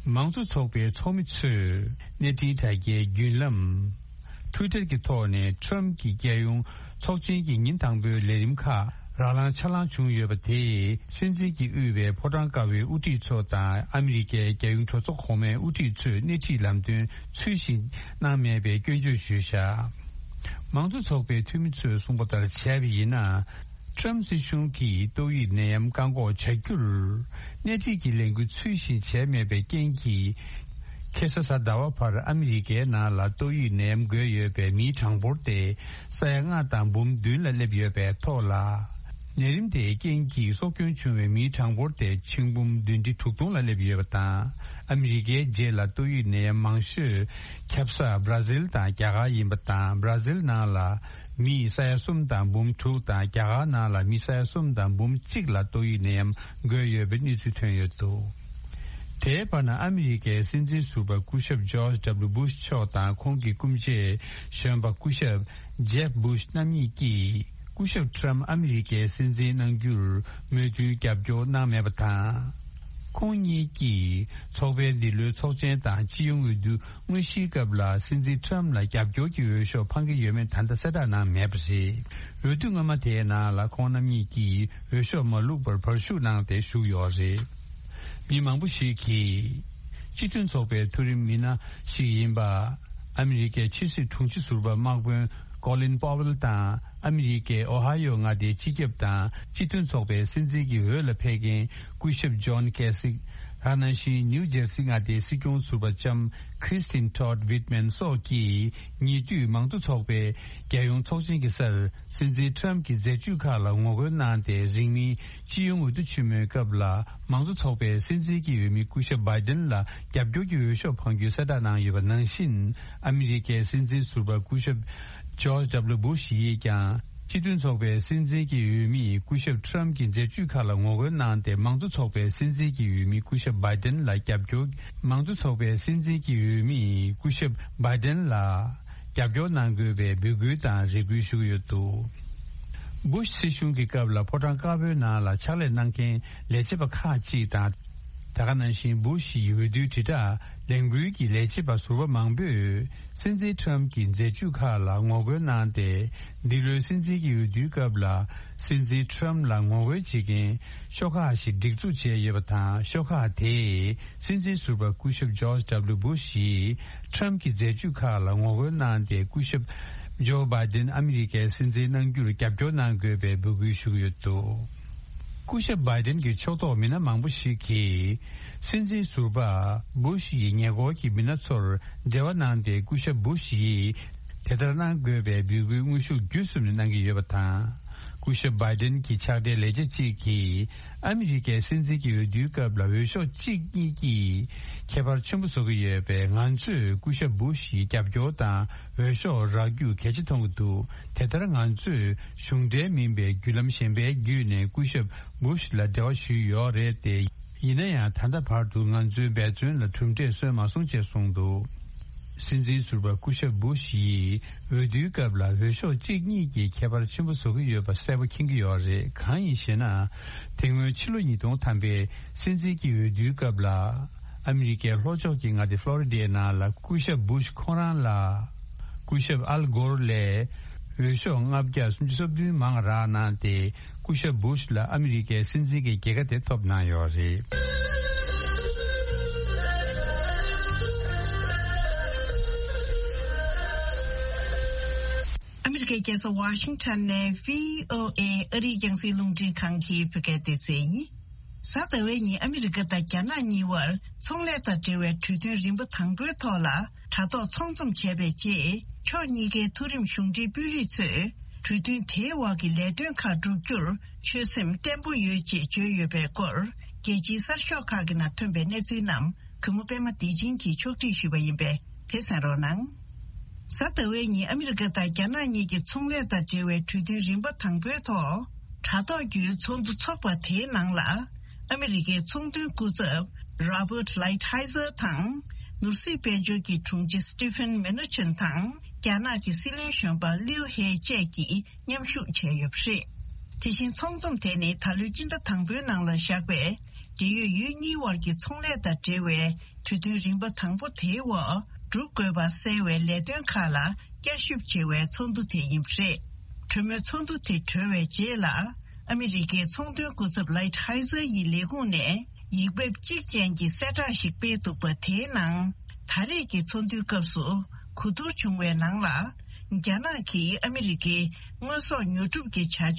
མང་གཙོ་ཚོགས་པའི་ཚོགས་མི་ཚོས། གནས་འཕྲིན་དྲ་རྒྱའི་བརྒྱུད་ལམ། Twitter གྱི་ཐོག་ནས་ཁྲམ་གྱི་རྒྱལ་ཡོངས་ཚོགས་ཆེན་གྱི་ཉིན་དང་པོའི་ལས་རིམ་ཁག་རང་ལངས་ཆ་ལངས་བྱུང་ཡོད་པ་དེས། སྲིད་འཛིན་གྱིས་དབུས་པའི་ཕོ་བྲང་ཀ་བའི་དབུ་ཁྲིད་ཚོ་དང་ཨ་མི་རི་ཀའི་རྒྱལ་ཡོངས་གྲོས་ཚོགས་གོང་མའི་དབུ་ཁྲིད་ཚོས་སྣེ་ཁྲིད་ལམ་སྟོན་ཚུལ་བཞིན་གནང་མེད་པའི་སྐྱོན་བརྗོད་ཞུས་བཞག། མང་གཙོ་ཚོགས་པའི་འཐུས་མི་ཚོས་གསུངས་པ་ལྟར་བྱས་པ་ཡིན་ན། ཁྲམ་སྲིད་གཞུང་གིས་ཏོག་དབྱིབས་ནད་ཡམས་བཀག་འགོག་བྱ་རྒྱུར་སྣེ་ཁྲིད་ཀྱི་ལས་འགུལ་ཚུལ་བཞིན་བྱས་མེད་པའི་རྐྱེན་གྱིས། ཁ་སང་གཟའ་ཟླ་བ་བར་ཨ་མི་རི་ཀའི་ནང་ལ་ཏོག་དབྱིབས་ནད་ཡམས་འགོས་ཡོད་པའི་མིའི་གྲངས་འབོར་དེ་ས་ཡ་ལྔ་དང་འབུམ་བདུན་ལ་སླེབས་ཡོད་པའི་ཐོག་ལ། ནད་རིམས་དེའི་རྐྱེན་གྱིས་སྲོག་སྐྱོན་བྱུང་བའི་མིའི་གྲངས་འབོར་དེ་ཆིག་འབུམ་བདུན་ཁྲི་དྲུག་སྟོང་ལ་སླེབས་ཡོད་པ་དང་། ཨ་མི་རི་ཀའི་རྗེས་ལ་ཏོག་དབྱིབས་ནད་ཡམས་མང་ཤོས་ཁྱབ་ས་བྷ་ར་ཟིལ་དང་རྒྱ་གར་ཡིན་པ་དང་། བྷ་ར་ཟིལ་ནང་ལ་མི་ས་ཡ་གསུམ་དང་འབུམ་དྲུག་དང་། རྒྱ་གར་ནང་ལ་མི་ས་ཡ་གསུམ་དང་འབུམ་གཅིག་ལ་ཏོག་དབྱིབས་ནད་ཡམས་འགོས་ཡོད་པའི་གནས་ཚུལ་ཐོན་ཡོད་འདུག། དེའི་བར་ན་ཨ་མི་རི་ཀའི་སྲིད་འཛིན་ཟུར་པ་སྐུ་ཞབས་ཇོརྗ་ཌབ་ལུ་སྦུ་ཤ་མཆོག་དང་ཁོང་གི་སྐུ་མཆེད་གཞོན་པ་སྐུ་ཞབས་ཇེབ་སྦུ་ཤ་རྣམ་གཉིས་ཀྱིས། སྐུ་ཞབས་ཁྲམ་ཨ་མི་རི་ཀའི་སྲིད་འཛིན་གནང་རྒྱུར་མོས་མཐུན་རྒྱབ་སྐྱོར་གནང་མེད་པ་དང་། ཁོང་གཉིས་ཀྱིས་ཚོགས་པའི་འདི་ལོའི་ཚོགས་ཆེན་དང་སྤྱི་ཡོངས་འོས་བསྡུ་དངོས་གཞིའི་སྐབས་ལ་སྲིད་འཛིན་ཁྲམ་ལ་རྒྱབ་སྐྱོར་གྱི་འོས་ཤོག་འཕང་གི་ཡོད་མེད་ད་ལྟ་གསལ་བསྒྲགས་གནང་མེད་པ་རེད། འོས་བསྡུ་སྔོན་མ་དེའི་ནང་ལ་ཁོང་རྣམ་གཉིས་ཀྱིས་འོས་ཤོག་མ་བླུགས་པར་བར་ཞུགས་གནང་སྟེ་བཞུགས་ཡོད་རེད། མི་མང་པོ་ཞིག་གིས་སྤྱི་མཐུན་ཚོགས་པའི་མཐོ་རིམ་མི་སྣ་ཞིག་ཡིན་པ། ཨ་མི་རི་ཀའི་ཕྱི་སྲིད་དྲུང་ཆེ་ཟུར་པ་དམག་དཔོན་ཀོ་ལིན་པོ་ཝེལ་དང་། ཨ་མི་རི་ཀའི་ཨོ་ཧ་ཡོ་མངའ་སྡེའི་སྤྱི་ཁྱབ་དང་སྤྱི་མཐུན་ཚོགས་པའི་སྲིད་འཛིན་གྱི་འོས་ལ་ཕེབས་མཁན་སྐུ་ཞབས་ཇོན་ཀེ་སིག། ད་ག་ནང་བཞིན་ནིའུ་ཇར་སི་མངའ་སྡེའི་སྲིད་སྐྱོང་ཟུར་པ་ལྕམ་ཁྲིས་ཏིན་ཊོཌ་ཝིད་མན་སོགས་ཀྱིས་ཉེ་དུས་མང་གཙོ་ཚོགས་པའི་རྒྱལ་ཡོངས་ཚོགས་ཆེན་གྱི་སར། སྲིད་འཛིན་ཁྲམ་གྱི་མཛད་སྤྱོད་ཁག་ལ་ངོ་རྒོལ་གནང་སྟེ། རིང་མིན་སྤྱི་ཡོངས་འོས་བསྡུ་ཆེན་མོའི་སྐབས་ལ་མང་གཙོ་ཚོགས་པའི་སྲིད་འཛིན་གྱི་འོས་མི་སྐུ་ཞབས་བྷའི་ཏིན་ལ་རྒྱབ་སྐྱོར་གྱི་འོས་ཤོག་འཕང་རྒྱུའི་གསལ་བསྒྲགས་གནང་ཡོད་པ་ནང་བཞིན། ཨ་མི་རི་ཀའི་སྲིད་འཛིན་ཟུར་པ་སྐུ་ཞབས་ཇོརྗ་ཌབ་ལུ་སྦུ་ཤ་ཡིས་ཀྱང་། སྤྱི་མཐུན་ཚོགས་པའི་སྲིད་འཛིན་གྱི་འོས་མིས་སྐུ་ཞབས་ཁྲམ་གྱི་མཛད་སྤྱོད་ཁག་ལ་ངོ་རྒོལ་གནང་སྟེ། མང་གཙོ་ཚོགས་པའི་སྲིད་འཛིན་གྱི་འོས་མི་སྐུ་ཞབས་བྷའི་ཏིན་ལ་རྒྱབ་སྐྱོར། མང་གཙོ་ཚོགས་པའི་སྲིད་འཛིན་གྱི་འོས་མིས་སྐུ་ཞབས་བྷའི་ཏིན་ལ། རྒྱབ་སྐྱོར་གནང་དགོས་པའི་འབོད་སྐུལ་དང་རེ་སྐུལ་ཞུ་གི་ཡོད་འདུག། སྦུ་ཤ་སྲིད་གཞུང་གི་སྐབས་ལ་ཕོ་བྲང་དཀར་པོའི་ནང་ལ་ཕྱག་ལས་གནང་མཁན་ལས་བྱེད་པ་ཁག་ཅིག་དང་། ད་ག་ནང་བཞིན་སྦུ་ཤ་ཡི་འོས་བསྡུའི་དྲིལ་བསྒྲགས་ལས་འགུལ་གྱི་ལས་བྱེད་པ་ཟུར་པ་མང་པོས་སྲིད་འཛིན་ཁྲམ་གྱི་མཛད་སྤྱོད་ཁག་ལ་ངོ་རྒོལ་གནང་སྟེ། འདི་ལོའི་སྲིད་འཛིན་གྱི་འོས་བསྡུའི་སྐབས་ལ་སྲིད་འཛིན་ཁྲམ་ལ་ངོ་རྒོལ་བྱེད་མཁན་ཤོག་ཁག་ཞིག་སྒྲིག་འཛུགས་བྱས་ཡོད་པ་དང་། ཤོག་ཁག་དེས། སྲིད་འཛིན་ཟུར་པ་སྐུ་ཞབས་ཇོརྗ་ཌབ་ལུ་སྦུ་ཤ་ཡིས་ཁྲམ་གྱི་མཛད་སྤྱོད་ཁག་ལ་ངོ་རྒོལ་གནང་སྟེ། སྐུ་ཞབས་ཇོ་བྷའི་ཏིན་ཨ་མི་རི་ཀའི་སྲིད་འཛིན་གནང་རྒྱུར་རྒྱབ་སྐྱོར་གནང་དགོས་པའི་འབོད་སྐུལ་ཞུ་གི་ཡོད་འདུག། སྐུ་ཞབས་བྷའི་ཏིན་གྱི་ཕྱོགས་གཏོགས་མི་སྣ་མང་པོ་ཞིག་གིས། སྲིད་འཛིན་ཟུར་པ་སྦུ་ཤ་ཡི་ཉེ་འཁོར་གྱི་མི་སྣ་ཚོར་འབྲེལ་བ་གནང་སྟེ། སྐུ་ཞབས་སྦུ་ཤ་ཡིས་དེ་ལྟར་གནང་དགོས་པའི་འབོད་སྐུལ་དངོས་ཤུགས་བརྒྱུད་གསུམ་ནས་གནང་གི་ཡོད་པ་དང་། སྐུ་ཞབས་བྷའི་ཏིན་གྱི་ཕྱག་སྦྲེལ་ལས་བྱེད་ཅིག་གིས། ཨ་མི་རི་ཀའི་སྲིད་འཛིན་གྱི་འོས་བསྡུའི་སྐབས་ལ་འོས་ཤོག་གཅིག་གཉིས་ཀྱིས་ཁྱད་པར་ཆེན་པོ་བཟོ་གི་ཡོད་པས། ང་ཚོས་སྐུ་ཞབས་སྦུ་ཤ་ཡི་རྒྱབ་སྐྱོར་དང་འོས་ཤོག་རག་རྒྱུ་གལ་ཆེ་མཐོང་གི་འདུག། དེ་ལྟར་ང་ཚོས་གཞུང་འབྲེལ་མིན་པའི་བརྒྱུད་ལམ་གཞན་པའི་བརྒྱུད་ནས་སྐུ་ཞབས་སྦུ་ཤ་ལ་འབྲེལ་བ་ཞུས་ཡོད་རེད་དེ། ཡིན་ན་ཡང་ད་ལྟ་བར་དུ་ང་ཚོའི་འབད་བརྩོན་ལ་གྲུབ་འབྲས་སོན་མ་སོང་ཅེས་གསུངས་འདུག། སྲིད་འཛིན་ཟུར་པ་སྐུ་ཞབས་སྦུ་ཤ་ཡིས་འོས་བསྡུའི་སྐབས་ལ་འོས་ཤོག་གཅིག་གཉིས་ཀྱིས་ཁྱད་པར་ཆེན་པོ་བཟོ་གི་ཡོད་པ་གསལ་པོ་མཁྱེན་གྱི་ཡོད་རེད། གང་ཡིན་ཞེ་ན། དེ་སྔོན་ཕྱི་ལོ་ཉིས་སྟོང་ཐམ་པའི་སྲིད་འཛིན་གྱི་འོས་བསྡུའི་སྐབས་ལ། ཨ་མི་རི་ཀའི་ལྷོ་ཕྱོགས་ཀྱི་མངའ་སྡེ་ཕློ་རི་ཌའི་ནང་ལ་སྐུ་ཞབས་སྦུ་ཤ་ཁོང་རང་ལ། སྐུ་ཞབས་ཨལ་གོར་ལས་འོས་ཤོག་ལྔ་བརྒྱ་སུམ་ཅུ་སོ་བདུན་མང་རག་གནང་སྟེ། སྐུ་ཞབས་སྦུ་ཤ་ལ་ཨ་མི་རི་ཀའི་སྲིད་འཛིན་གྱི་རྒྱལ་ཁ་དེ་ཐོབ་གནང་ཡོད་རེད། ཨ་མི་རི་ཀའི་རྒྱལ་ས་ཝ་ཤིང་ཊོན་ནས་བྷི་ཨོ་ཨེ་ཨ་རིའི་རྒྱང་སྲིང་རླུང་འཕྲིན་ཁང་གི་བོད་སྐད་སྡེ་ཚན་ཡིན། གཟའ་ཟླ་བའི་ཉིན་ཨ་མི་རི་ཀ་དང་རྒྱ་ནག་གཉིས་བར་ཚོང་ལས་དང་འབྲེལ་བའི་གྲོས་མཐུན་རིམ་པ་དང་པོའི་ཐོག་ལ་དྲ་ཐོག་ཚོང་འཛོམས་བྱས་པའི་རྗེས། ཕྱོགས་གཉིས་ཀའི་མཐོ་རིམ་གཞུང་འབྲེལ་དཔོན་རིགས་ཚོས་གྲོས་མཐུན་དེའི་འོག་གི་ལས་དོན་ཁག་བསྒྲུབ་རྒྱུར་ཆོད་སེམས་བརྟན་པོ་ཡོད་ཅེས་བརྗོད་ཡོད་པའི་སྐོར། རྒྱལ་སྤྱིའི་གསར་ཤོག་ཁག་གི་ནང་ཐོན་པའི་གནས་ཚུལ་རྣམས་གུས་མོ་པད་མ་བདེ་ཆེན་གྱིས་ཕྱོགས་སྒྲིག་ཞུས་པ་ཡིན་པས་དེ་གསན་རོགས་གནང་། གཟའ་ཟླ་བའི་ཉིན་ཨ་མི་རི་ཀ་དང་རྒྱ་ནག་གཉིས་ཀྱི་ཚོང་ལས་དང་འབྲེལ་བའི་གྲོས་མཐུན་རིམ་པ་དང་པོའི་ཐོག་དྲ་ཐོག་བརྒྱུད་ཚོགས་འདུ་འཚོགས་པ་དེའི་ནང་ལ། ཨ་མི་རི་ཀའི་ཚོང་དོན་སྐུ་ཚབ་Robert Lighthizer་དང་། ནོར་སྲིད་དཔལ་འབྱོར་གྱི་དྲུང་ཆེ་Steven Mnuchin་དང་། རྒྱ་ནག་གི་སྲིད་བློན་གཞོན་པ་Liu He་བཅས་ཀྱིས་མཉམ་ཞུགས་བྱས་ཡོད་པ་རེད། དེ་བཞིན་ཚོགས་འཛོམས་དེ་ནི་ད་ལོའི་སྤྱི་ཟླ་དང་པོའི་ནང་ལ་བཞག་པའི་འབྲེལ་ཡོད་ཡུལ་གཉིས་དབར་གྱི་ཚོང་ལས་དང་འབྲེལ་བའི་གྲོས་མཐུན་རིམ་པ་དང་པོ་དེའི་འོག་ སྒྲུབ་དགོས་པ་གསལ་བའི་ལས་དོན་ཁག་ལ་བསྐྱར་ཞིབ་བྱེད་པའི་ཚོགས་འདུ་དེ་ཡིན་པ་རེད། གྲོས་མོལ་ཚོགས་འདུ་དེ་གྲོལ་བའི་རྗེས་ལ། ཨ་མི་རི་ཀའི་ཚོང་དོན་སྐུ་ཚབ་ལའིད་ཧའི་ཛར་ཡི་ལས་ཁུངས་ནས་ཡིག་འབེབས་གཅིག་ཅན་གྱི་གསལ་བསྒྲགས་ཤིག་སྤེལ་འདུག་པ། དེའི་ནང་། ད་རེས་ཀྱི་ཚོགས་འདུའི་སྐབས་སུ་གོ་བསྡུར་བྱུང་བའི་ནང་ལ། རྒྱ་ནག་གིས་ཨ་མི་རི་ཀའི་དངོས་ཟོག་ཉོ་སྒྲུབ་ཀྱི་བྱ་སྤྱོད་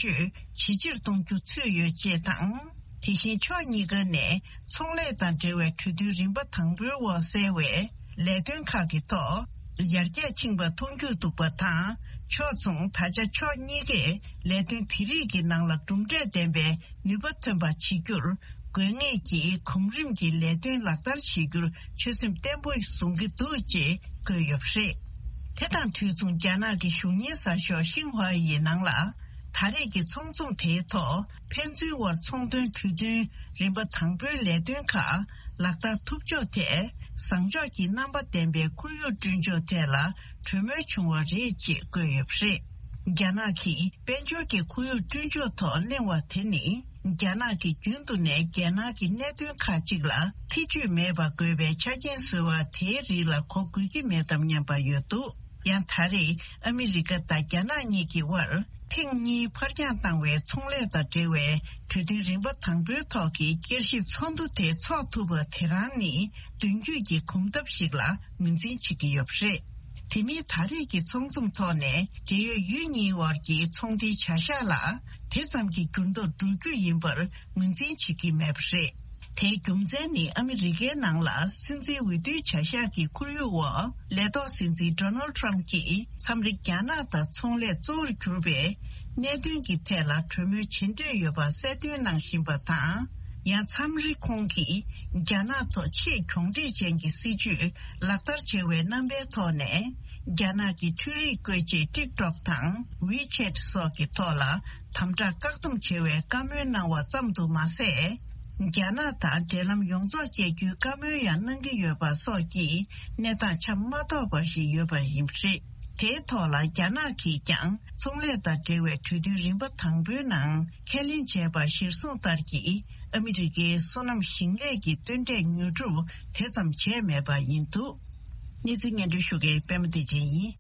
ཇེ་ཆེར་གཏོང་རྒྱུ་ཚུད་ཡོད་ཅེས་དང་། དེ་བཞིན་ཕྱོགས་གཉིས་ཀ་ནས་ཚོང་ལས་དང་འབྲེལ་བའི་གྲོས་མཐུན་རིམ་པ་དང་པོའི་འོག་གསལ་བའི་ལས་དོན་ཁག་གི་ཐོག་ཡར་རྒྱས་ཕྱིན་པ་མཐོང་རྒྱུ་འདུག་པ་དང་། ཕྱོགས་མཚུངས་ད་ཆ་ཕྱོགས་གཉིས་ཀས་ལས་དོན་དེ་རིགས་ཀྱི་ནང་ལ་གྲུབ་འབྲས་ལྡན་པའི་ནུས་པ་ཐོན་པ་བྱེད་རྒྱུར་དགོས་ངེས་ཀྱི་གོམ་རིམ་གྱི་ལས་དོན་ལག་བསྟར་བྱེད་རྒྱུར་ཆོད་སེམས་བརྟན་པོ་བཟུང་གི་འདུག་ཅེས་བཀོད་ཡོད་པ་རེད། དེ་དང་དུས་མཚུངས་རྒྱ་ནག་གི་གཞུང་གཉེར་གསར་ཤོག་ཤིན་ཧྭ་ཡི་ནང་ལ། ད་རེས་ཀྱི་ཚོགས་འཛོམས་དེའི་ཐོག་ཕན་ཚུན་དབར་ཚོང་དོན་གྲོས་མཐུན་རིམ་པ་དང་པོའི་ལས་དོན་ཁག་ལག་བསྟར་ཐུབ་ཕྱོགས་ཐད་བཟང་ཕྱོགས་ཀྱི་རྣམ་པ་ལྡན་པའི་ཁོར་ཡུག་བསྐྲུན་ཕྱོགས་ཐད་ལ་གྲོས་མོལ་བྱུང་བ་རེད་ཅེས་བཀོད་ཡོད་པ་རེད། རྒྱ་ནག་གིས་དཔལ་འབྱོར་གྱི་ཁོར་ཡུག་བསྐྲུན་ཕྱོགས་ཐོག་གླེང་བ་དེ་ནི། རྒྱ་ནག་གིས་རྒྱུན་དུ་ནས་རྒྱལ་ནང་གི་གནད་དོན་ཁག་ཅིག་ལ་ཐེ་ཇུས་མེད་པ་དགོས་པའི་ཆ་རྐྱེན་བཟོ་བ་དེའི་རིགས་ལ་གོ་དགོས་ཀྱི་མེད་དམ་སྙམ་པ་ཡོད་འདུག། ཡང་ད་རེས་ཨ་མི་རི་ཀ་དང་རྒྱ་ནག་གཉིས་ཀྱི་དབར་ཐེངས་གཉིས་ཕར་འགྱངས་བཏང་བའི་ཚོང་ལས་དང་འབྲེལ་བའི་གྲོས་མཐུན་རིམ་པ་དང་པོའི་ཐོག་གི་བསྐྱར་ཞིབ་ཚོགས་འདུ་དེ་འཚོགས་ཐུབ་པ་དེ་རང་ནི་མདུན་སྐྱོད་ཀྱི་གོམ་སྟབས་ཤིག་ལ་ངོས་འཛིན་བྱེད་ཀྱི་ཡོད་པ་རེད། དེ་མིན་ད་རེས་ཀྱི་ཚོགས་འཛོམས་ཐོག་ནས་འབྲེལ་ཡོད་ཡུལ་གཉིས་དབར་གྱི་ཚོང་འབྲེལ་བྱ་གཞག་ལ་དེ་ཙམ་གྱི་འགྱུར་ལྡོག་འགྲོ་རྒྱུ་ཡིན་པར་ངོས་འཛིན་བྱེད་ཀྱི་མེད་པ་རེད། དེའི་རྒྱུ་མཚན་ནི་ཨ་མི་རི་ཀའི་ནང་ལ་སྲིད་འཛིན་འོས་བསྡུའི་བྱ་གཞག་གི་ཁོར་ཡུག་འོག་ལས་ཐོག་སྲིད་འཛིན་ཌོ་ནལ་ཊམ་གྱིས་མཚམས་རེ་རྒྱ་ནག་དང་ཚོང་ལས་གཙོ་བོར་གྱུར་པའི་གནད་དོན་གྱི་ཐད་ལ་གྲོས་མོལ་བྱེད་འདོད་ཡོད་པ་གསལ་སྟོན་གནང་བཞིན་པ་དང་། ཡང་མཚམས་རེ་ཁོང་གིས་རྒྱ་ནག་ཐོག་ཆེས་གྱོང་འབྲེལ་ཅན་གྱི་སྲིད་ཇུས་ལག་བསྟར་བྱེད་པའི་རྣམ་པའི་ཐོག་ནས། རྒྱ་ནག་གི་འཕྲུལ་རིག་བཀོལ་ཆས་ཊིག་ཊོག་དང་ཝི་ཆེ་ཊི་སོགས་ཀྱི་ཐོག་ལ་དམ་དྲག་བཀག་སྡོམ་བྱེད་པའི་བཀའ་མོལ་གནང་བ་ཙམ་དུ་མ་ཟད། རྒྱ་ནག་དང་འབྲེལ་ལམ་ཡོངས་རྫོགས་བཅད་རྒྱུའི་བཀའ་མོལ་ཡང་གནང་གི་ཡོད་པ་སོགས་ཀྱི་གནས་སྟངས་ཆ་མ་རྟོགས་པ་ཞིག་ཡོད་པ་ཡིན་པ་རེད། དེའི་ཐོག་ལ་རྒྱ་ནག་གིས་ཀྱང་ཚོང་ལས་དང་འབྲེལ་བའི་གྲོས་མཐུན་རིམ་པ་དང་པོའི་ནང་ཁས་ལེན་བྱས་པ་གཞིར་བཟུང་ལྟར་གྱི་ཨ་མི་རི་ཀའི་སོ་ནམ་ཞིང་ལས་ཀྱི་སྟོན་འབྲས་ཉོ་སྒྲུབ་དེ་ཙམ་བྱས་མེད་པ་ཡིན་འདུག། གནས་ཚུལ་སྙན་སྒྲོན་ཞུ་མཁན་པད་མ་བདེ་ཆེན་ཡིན།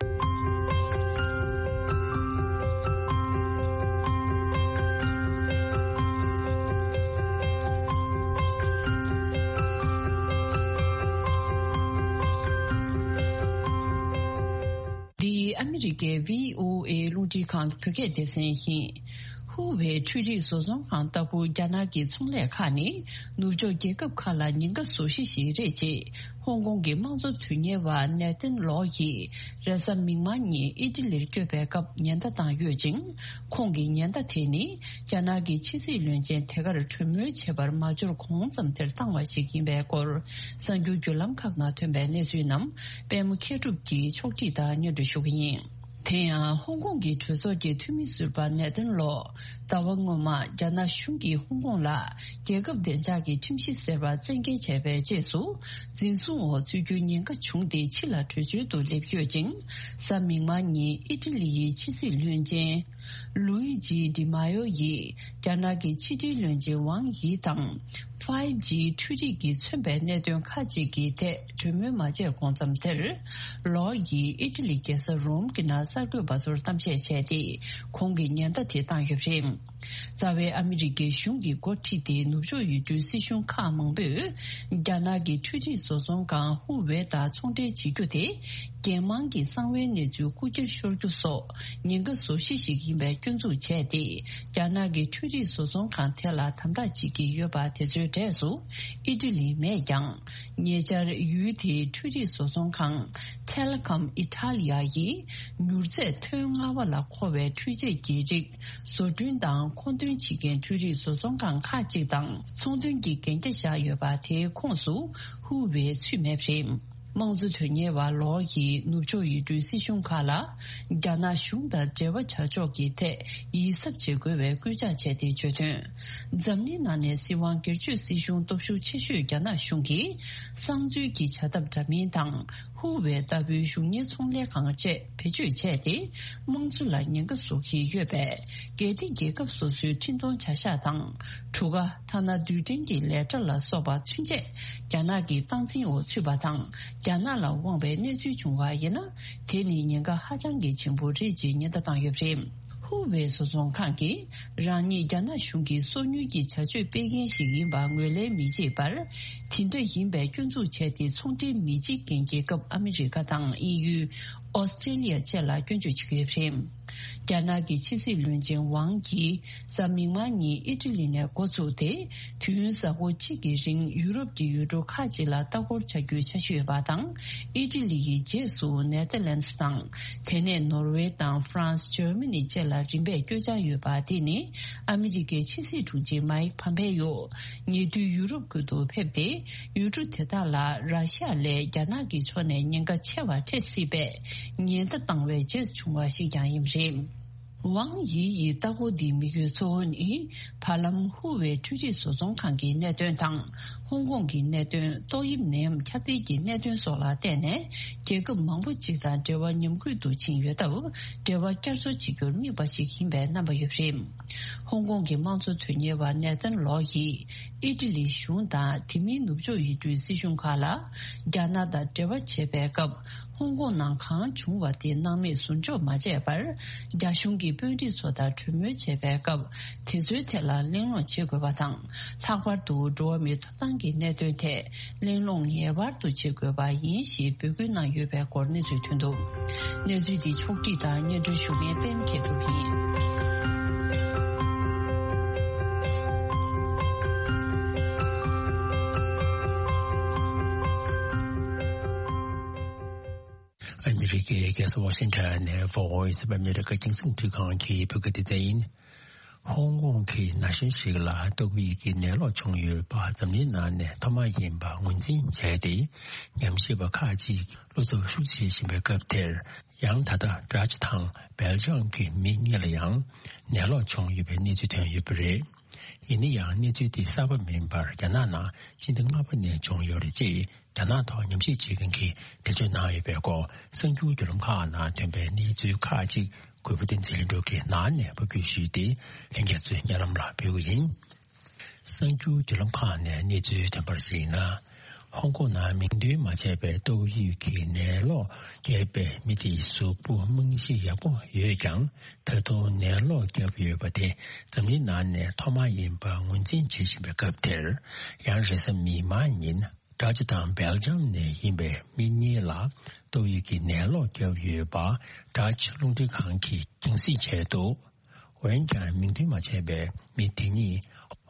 འདི་ཨ་མི་རི་ཀའི་བྷི་ཨོ་ཨེ་རླུང་འཕྲིན་ཁང་གི་བོད་སྐད་སྡེ་ཚན་ཡིན། ཧུའུ་ཝེ་འཕྲུལ་རིག་བཟོ་ཚོང་ཁང་ལྟ་བུ་རྒྱ་ནག་གི་ཚོང་ལས་ཁག་ནི་ནུབ་ཕྱོགས་རྒྱལ་ཁབ་ཁག་ལ་ཉེན་ཁ་བཟོ་གཞི་ཞིག་རེད་ཅེས་ཧོང་ཀོང་གི་དམངས་གཙོ་དོན་གཉེར་བ་ནེ་ཐན་ལོ་ཡིས་རེས་གཟའ་མིག་དམར་ཉིན་ཨི་ཊ་ལིར་བསྐྱོད་པའི་སྐབས་ཉེན་བརྡ་བཏང་ཡོད་ཅིང་། ཁོང་གི་ཉེན་བརྡ་དེ་ནི་རྒྱ་ནག་གི་ཕྱི་སྲིད་བློན་ཆེན་དེ་གར་གྲོས་མོལ་བྱེད་པར་མ་འབྱོར་གོང་ཙམ་དེར་བཏང་བ་ཞིག་ཡིན་པའི་སྐོར་གསར་འགྱུར་བརྒྱུད་ལམ་ཁག་ནང་ཐོན་པའི་གནས་ཚུལ་རྣམས་པད་མ་མཁས་གྲུབ་ཀྱིས་ཕྱོགས་སྒྲིག་དང་སྙན་སྒྲོན་ཞུ་གི་ཡིན། དེ་ཡང་ཧོང་ཀོང་གི་གྲོས་ཚོགས་ཀྱི་འཐུས་མི་ཟུར་པ་ནེ་ཐན་ལོ། ཟླ་བ་སྔོན་མ་རྒྱ་ནག་གཞུང་གིས་ཧོང་ཀོང་ལ་རྒྱལ་ཁབ་བདེ་འཇགས་ཀྱི་ཁྲིམས་གཞི་ཟེར་བ་བཙན་འགེལ་བྱས་པའི་རྗེས་སུ། འཛིན་བཟུང་འོག་ཚུད་རྒྱུའི་ཉེན་ཁ་བྱུང་སྟེ་ཕྱི་ལ་བྲོས་བྱོལ་དུ་སླེབས་ཡོད་ཅིང་། གཟའ་མིག་དམར་ཉིན་ཨི་ཊ་ལི་ཡི་ཕྱི་སྲིད་བློན་ཆེན། ལུའི་ཇི་ཌི་མ་ཡོ་ཡིས་རྒྱ་ནག་གི་ཕྱི་འབྲེལ་བློན་ཆེན་ཝང་ཡི་དང་། ཕའིབ་ཇི་འཕྲུལ་རིག་གིས་མཚོན་པའི་གནད་དོན་ཁག་ཅིག་གི་ཐད་གྲོས་མོལ་མ་བྱས་གོང་ཙམ་དེར། ལོ་ཡིས་ཨི་ཊ་ལི་རྒྱལ་ས་རོམ་གྱི་ནང་གསར་འགོད་པ་ཚོར་གཏམ་བཤད་བྱས་ཏེ། ཁོང་གིས་ཉེན་བརྡ་དེ་བཏང་ཡོད་པ་རེད། རྩ་བའི་ཨ་མི་རི་ཀའི་གཞུང་གིས་འགོ་ཁྲིད་དེ་ནུབ་ཕྱོགས་ཡུལ་གྲུའི་སྲིད་གཞུང་ཁག་མང་པོས། རྒྱ་ནག་གི་འཕྲུལ་རིག་བཟོ་ཚོང་ཁང་ཧུ་ཝེ་དང་ཚོང་འབྲེལ་བྱེད་རྒྱུ་དེ། རྒྱལ་དམངས་ཀྱི་གསང་བའི་གནས་ཚུལ་རྐུ་འཁྱེར་ཤོར་རྒྱུ་སོགས་ཉེན་ཁ་བཟོ་གཞི་ཞིག་ཡིན་པའི་སྐྱོན་འཛུགས་བྱས་ཏེ། རྒྱ་ནག་གི་འཕྲུལ་རིག་བཟོ་ཚོང་ཁང་དེ་ལ་དམ་དྲག་བྱེད་ཀྱི་ཡོད་པ་དེ་ཚོའི་གྲས་སུ་ཨི་ཊ་ལི་མེད་ཀྱང་། ཉེ་ཆར་ཡུལ་དེའི་འཕྲུལ་རིག་བཟོ་ཚོང་ཁང་Telecom Italia ཡིས་མྱུར་ཚད་ཐོན་སྔ་བ་ལ་མཁོ་བའི་འཕྲུལ་ཆས་ཀྱི་རིགས་བཟོ་སྐྲུན་དང་མཁོ་འདོན་བྱེད་མཁན་འཕྲུལ་རིག་བཟོ་ཚོང་ཁང་ཁག་ཅིག་དང་ཚོང་དོན་གྱི་གན་རྒྱ་བཞག་ཡོད་པ་དེའི་ཁོངས་སུ་ཧུའུ་ཝེ་ཚུད་མེད་པ་རེད། དམངས་གཙོ་དོན་གཉེར་བ་ལོ་ཡིས་ནུབ་ཕྱོགས་ཡུལ་གྲུའི་སྲིད་གཞུང་ཁག་ལ་རྒྱ་ནག་གཞུང་དང་འབྲེལ་བ་བྱ་ཕྱོགས་ཀྱི་ཐད་ཡིད་གཟབ་བྱེད་དགོས་པའི་སྐུལ་ལྕག་བྱས་ཏེ་བརྗོད་དོན། འཛམ་གླིང་ནང་ནས་སྲིད་དབང་སྒེར་གཅོད་སྲིད་གཞུང་སྟོབས་ཤུགས་ཆེ་ཤོས་རྒྱ་ནག་གཞུང་གིས་གསང་འཛུལ་གྱི་བྱ་ཐབས་འདྲ་མིན་དང་། ཧུ་ཝེ་ལྟ་བུའི་གཞུང་གཉེར་ཚོང་ལས་ཁང་བཅས་བེད་སྤྱོད་བྱས་ཏེ། དམངས་གཙོ་ལ་ཉེན་ཁ་བཟོ་གི་ཡོད་པས། གལ་ཏེ་རྒྱལ་ཁབ་སོ་སོའི་འཕྲིན་གཏོང་བྱ་གཞག་དང་། གྲུ་ཁ། ཐ་ན་རྡུལ་ཕྲན་གྱི་ལས་གྲྭ་ལ་སོགས་པ་ཚུན་ཆད་རྒྱ་ནག་གི་སྟངས་འཛིན་འོག་ཚུད་པ་དང་། རྒྱ་ནག་ལ་དབང་བའི་གནས་ཚུལ་བྱུང་བ་ཡིན་ན། དེ་ནི་ཉེན་ཁ་ཧ་ཅང་གི་ཆེན་པོ་རེད་ཅེས་ཉེན་བརྡ་བཏང་ཡོད་པ་རེད། ཧུ་ཝེ་བཟོ་ཚོང་ཁང་གིས་རང་ཉིད་རྒྱ་ནག་གཞུང་གི་སོ་ཉུལ་གྱི་བྱ་སྤྱོད་སྤེལ་མཁན་ཞིག་ཡིན་པ་ངོས་ལེན་མི་བྱེད་པར། དེ་འདྲ་ཡིན་པའི་སྐྱོན་འཛུགས་བྱས་ཏེ། ཚོང་འབྲེལ་མི་བྱེད་མཁན་རྒྱལ་ཁབ་ཨ་མི་རི་ཀ་དང་དབྱིན་ཡུལ། ཨོ་སི་ཀྲེ་ལི་ཡ་བཅས་ལ་སྐྱོན་བརྗོད་བྱེད་ཀྱི་ཡོད་པ་རེད། རྒྱ་ནག་གི་ཕྱི་སྲིད་བློན་ཆེན་ཝང་ཡིས་གཟའ་མིག་དམར་ཉིན་ཨི་ཊ་ལི་ནས་འགོ་བཙུགས་ཏེ། དུས་ཡུན་གཟའ་འཁོར་གཅིག་གི་རིང་ཡུ་རོབ་ཀྱི་ཡུལ་གྲུ་ཁག་ཅིག་ལ་ལྟ་སྐོར་བྱ་རྒྱུའི་འཆར་གཞི་ཡོད་པ་དང་། ཨི་ཊ་ལི་ཡི་རྗེས་སུ་ནེ་ཐར་ལན་སི་དང་། དེ་ནས་ནོར་ཝེ་དང་ཧྥ་རན་སི། འཇར་མ་ནི་བཅས་ལ་རིམ་པས་བསྐྱོད་འཆར་ཡོད་པ། དེ་ནི་ཨ་མི་རི་ཀའི་ཕྱི་སྲིད་དྲུང་ཆེ་མའིག་ཕམ་པེ་ཡོ། ཉེ་དུས་ཡུ་རོབ་ཁུལ་དུ་ཕེབས་ཏེ། ཡུལ་གྲུ་དེ་དག་ལ་ར་ཤི་ཡ་ལས་རྒྱ་ནག་གི་ཕྱོགས་ནས་ཉེན་ཁ་ཆེ་བ་འཕྲད་སྲིད་པའི་ཉེན་བརྡ་བཏང་བའི་རྗེས་བྱུང་བ་ཞིག་ཀྱང་ཡིན་པ་རེད། ཝང་ཡི་ཡི་ལྟ་སྐོར་འདིའི་དམིགས་ཡུལ་གཙོ་བོ་ནི། བར་ལམ་ཧུ་ཝེ་འཕྲུལ་རིག་བཟོ་ཚོང་ཁང་གི་གནད་དོན་དང་། ཧོང་ཀོང་གི་གནད་དོན། ཏོག་དབྱིབས་ནད་ཡམས་ཁྱབ་གདལ་གྱི་གནད་དོན་སོགས་ལ་བརྟེན་ནས། རྒྱལ་ཁབ་མང་པོ་ཅིག་དང་འབྲེལ་བ་ཉམས་རྒུད་དུ་ཕྱིན་ཡོད་སྟབས། འབྲེལ་བ་བསྐྱར་གསོ་བྱེད་རྒྱུར་དམིགས་པ་ཞིག་ཡིན་པའི་རྣམ་པ་ཡོད་པ་རེད། ཧོང་ཀོང་གི་དམངས་གཙོ་དོན་གཉེར་བ་ནེ་ཐན་ལོ་ཡིས། ཨི་ཊ་ལིའི་གཞུང་དང་། དེ་མིན་ནུབ་ཕྱོགས་ཡུལ་གྲུའི་སྲིད་གཞུང་ཁག་ལ། རྒྱ་ནག་དང་འབྲེལ་བ་བྱེད་པའི་སྐབས། ཧོང་ཀོང་ནང་གང་བྱུང་བ་དེ་སྣང་མེད་ཟུར་འཇོག་མ་བྱས་པར། རྒྱ་གཞུང་གི་དཔོན་རིགས་ཚོ་དང་གྲོས་མོལ་བྱེད་པའི་སྐབས། དེ་ཚོའི་ཐད་ལ་གླེང་སློང་བྱེད་དགོས་པ་དང་། ལྷག་པར་དུ་འགྲོ་བ་མིའི་ཐོབ་ཐང་གི་གནད་དོན་ཐད་གླེང་སློང་ངེས་པར་དུ་བྱེད་དགོས་པ་ཡིན་ཞེས་འབོད་སྐུལ་གནང་ཡོད་པའི་སྐོར་གནས་ཚུལ་ཐོན་འདུག་གནས་ཚུལ་འདི་ཕྱོགས་སྒྲིག་དང་སྙན་སྒྲོན་ཞུ་མཁན་པད་མ་མཁས་གྲུབ་ཡིན། ཨ་མི་རི་ཀའི་རྒྱལ་ས་ཝ་ཤིང་ཊོན་ནས་Voice of America རྒྱང་སྲིང་བརྒྱུད་ཁང་གི་བོད་སྐད་སྡེ་ཚན་ཡིན། ཧོང་ཀོང་གི་ན་གཞོན་ཞིག་ལ་ཏོག་དབྱིབས་ཀྱི་ནད་ལོག་བྱུང་ཡོད་པ་འཛམ་གླིང་ནང་ནས་ཐོག་མ་ཡིན་པ་ངོས་འཛིན་བྱས་ཏེ། ཉམས་ཞིབ་པ་ཁག་ཅིག་བློ་འཚབ་ཤུགས་ཆེ་བཞིན་པའི་སྐབས་དེར། ཡང་ད་ལྟ་ཌ་ཅི་དང་སྦེལ་ཇམ་གྱི་མི་གཉིས་ལ་ཡང་ནད་ལོག་བྱུང་ཡོད་པའི་གནས་ཚུལ་ཐོན་ཡོད་པ་རེད། ཡིན་ན་ཡང་གནས་ཚུལ་དེ་གསར་པ་མིན་པར་རྒྱ་ནག་ནང་སྤྱི་ཟླ་ལྔ་པ་ནས་བྱུང་ཡོད་རེད་ཅེས། རྒྱ་ནག་ཐོག་ཉམས་ཞིབ་བྱེད་མཁན་གྱིས་འགྲེལ་བརྗོད་གནང་ཡོད་པའི་སྐོར། གསར་འགྱུར་བརྒྱུད་ལམ་ཁག་ནང་ཐོན་པའི་གནས་ཚུལ་ཁག་ཅིག་གུས་པ་བསྟན་འཛིན་ལྷུན་གྲུབ་ཀྱིས་ནང་ནས་ཕབ་སྒྱུར་ཞུས་ཏེ། ལྷན་རྒྱས་ཚོའི་སྙན་ལམ་ལ་ཕུལ་གྱི་ཡིན། གསར་འགྱུར་བརྒྱུད་ལམ་ཁག་ནས་གནས་ཚུལ་ཐོན་པར་གཞིགས་ན། ཧོང་ཀོང་ནང་མིང་འདོན་མ་བྱས་པའི་ཏོག་དབྱིབས་ཀྱི་ནད་ལོག་བརྒྱབ་པའི་མི་དེའི་གཟུགས་པོ་རྨང་གཞི་ཡག་པོ་ཡོད་ཀྱང་། ད་དུང་ནད་ལོག་བརྒྱབ་ཡོད་པ་དེ་འཛམ་གླིང་ནང་ནས་ཐོག་མ་ཡིན་པ་ངོས་འཛིན་བྱེད་བཞིན་པའི་སྐབས་དེར། ཡང་རེས་གཟའ་མིག་དམར་ཉིན། ཌ་ཅི་དང་སྦེལ་ཇམ་ནས་ཡིན་པའི་མི་གཉིས་ལ་ཏོག་དབྱིབས་ཀྱི་ནད་ལོག་བརྒྱབ་ཡོད་པ། ཌ་ཅི་རླུང་འཕྲིན་ཁང་གིས་རྒྱང་སྲིང་བྱས་འདུག་འོན་ཀྱང་མིང་འདོན་མ་བྱས་པའི་མི་དེ་གཉིས་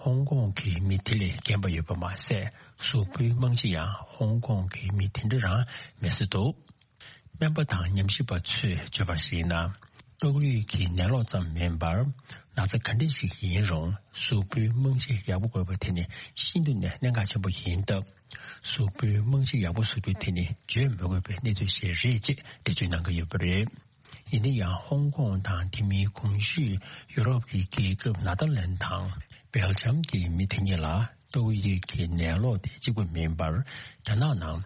ཧོང་ཀོང་གི་མི་དེ་ལས་རྒན་པ་ཡོད་པ་མ་ཟད། གཟུགས་པོའི་རྨང་གཞི་ཡང་ཧོང་ཀོང་གི་མི་དེ་འདྲ་རང་མེད་ས་འདུག་སྨན་པ་དང་ཉམས་ཞིབ་པ་ཚོས་བརྗོད་པར་གཞིགས་ན། ཏོག་དབྱིབས་ཀྱི་ནད་ལོག་ཙམ་མིན་པར། ན་ཚ་ག་འདྲ་ཞིག་ཡིན་རུང་གཟུགས་པོའི་རྨང་གཞི་ཡག་པོ་དགོས་པ་དེ་ནི་ཤིན་ཏུ་ནས་གནད་འགག་ཆེན་པོ་ཡིན་སྟབས། གཟུགས་པོའི་རྨང་གཞི་ཡག་པོ་བཟོ་རྒྱུ་དེ་ནི་བརྗོད་མི་དགོས་པའི་གནས་ཚུལ་ཞིག་རེད་ཅེས་འགྲེལ་བརྗོད་གནང་གི་ཡོད་པ་རེད། ཡིན་ན་ཡང་ཧོང་ཀོང་དང་དེ་མིན་གོང་ཞུས་ཡུ་རོབ་ཀྱི་རྒྱལ་ཁབ་ནེ་ཐར་ལན་དང་སྦེལ་ཇམ་གྱི་མི་དེ་གཉིས་ལ་ཏོག་དབྱིབས་ཀྱི་ནད་ལོག་དེ་གཅིག་པུ་མིན་པར། རྒྱ་ནག་ནང་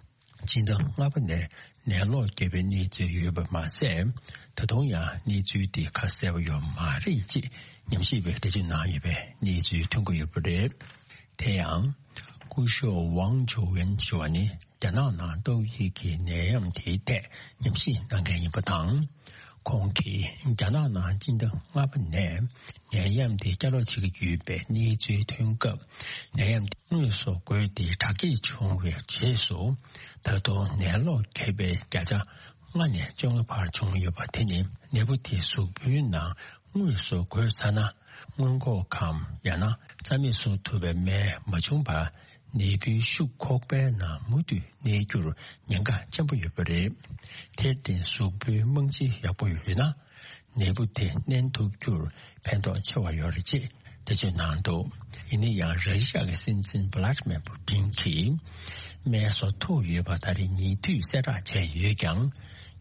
སྤྱི་ཟླ་ལྔ་པ་ནས་ནད་ལོག་བརྒྱབ་པའི་གནས་ཚུལ་ཡོད་པ་མ་ཟད། ད་དུང་ཡང་གནས་ཚུལ་དེ་ཁ་གསལ་པོ་ཡོད་མ་རེད་ཅེས་ཉམས་ཞིབ་པས་འགྲེལ་བརྗོད་གནང་ཡོད་པའི་གནས་ཚུལ་ཐོན་གྱི་ཡོད་པ་རེད། དེ་ཡང་། སྐུ་ཞབས་ཝང་ཆོ་ཝེན་ཞུ་བ་ནི། རྒྱ་ནག་ནང་ཏོག་དབྱིབས་ཀྱི་ནད་ཡམས་དེའི་ཐད་ཉམས་ཞིབ་གནང་མཁན་ཡིན་པ་དང་། ཁོང་གིས་རྒྱ་ནག་ནང་སྤྱི་ཟླ་ལྔ་པ་ནས་ནད་ཡམས་དེ་བསྐྱར་ལོག་བྱེད་ཀྱི་ཡོད་པའི་གནས་ཚུལ་ཐོན་སྐབས། ནད་ཡམས་དེ་དངོས་སུ་འགོས་ཏེ་དྲག་སྐྱེད་བྱུང་བའི་རྗེས་སུ། ད་དུང་ནད་ལོག་བརྒྱབ་པའི་བརྒྱ་ཆ་ལྔ་ནས་བཅོ་ལྔ་བར་བྱུང་ཡོད་པ་དེ་ནི། ནད་འབུ་དེ་གཟུགས་པོའི་ནང་དངོས་སུ་འགོས་ཚར་ན། སྔོན་འགོག་གམ་ཡང་ན་རྩ་མེད་བཟོ་ཐུབ་པའི་སྨན་མ་བྱུང་བར། ནད་འབུའི་ཤུགས་ཁོག་པའི་ནང་མུ་མཐུད་གནས་རྒྱུར་ཉེན་ཁ་ཆེན་པོ་ཡོད་པ་རེད། དེར་བརྟེན་གཟུགས་པོའི་རྨང་གཞི་ཡག་པོ་ཡོད་ན། ནད་འབུ་དེ་གནོན་ཐུབ་རྒྱུར་ཕན་ཐོགས་ཆེ་བ་ཡོད་རེད་ཅེས་འགྲེལ་བརྗོད་གནང་འདུག་ཡིན་ན་ཡང་ར་ཤི་ཡ་གི་སྲིད་འཛིན་ཝ་ལ་ཏི་མེར་པུ་ཏིན་གྱིས་སྨན་བཟོ་ཐུབ་ཡོད་པ་ད་རེས་ཉེ་དུས་གསལ་བསྒྲགས་བྱས་ཡོད་ཀྱང་།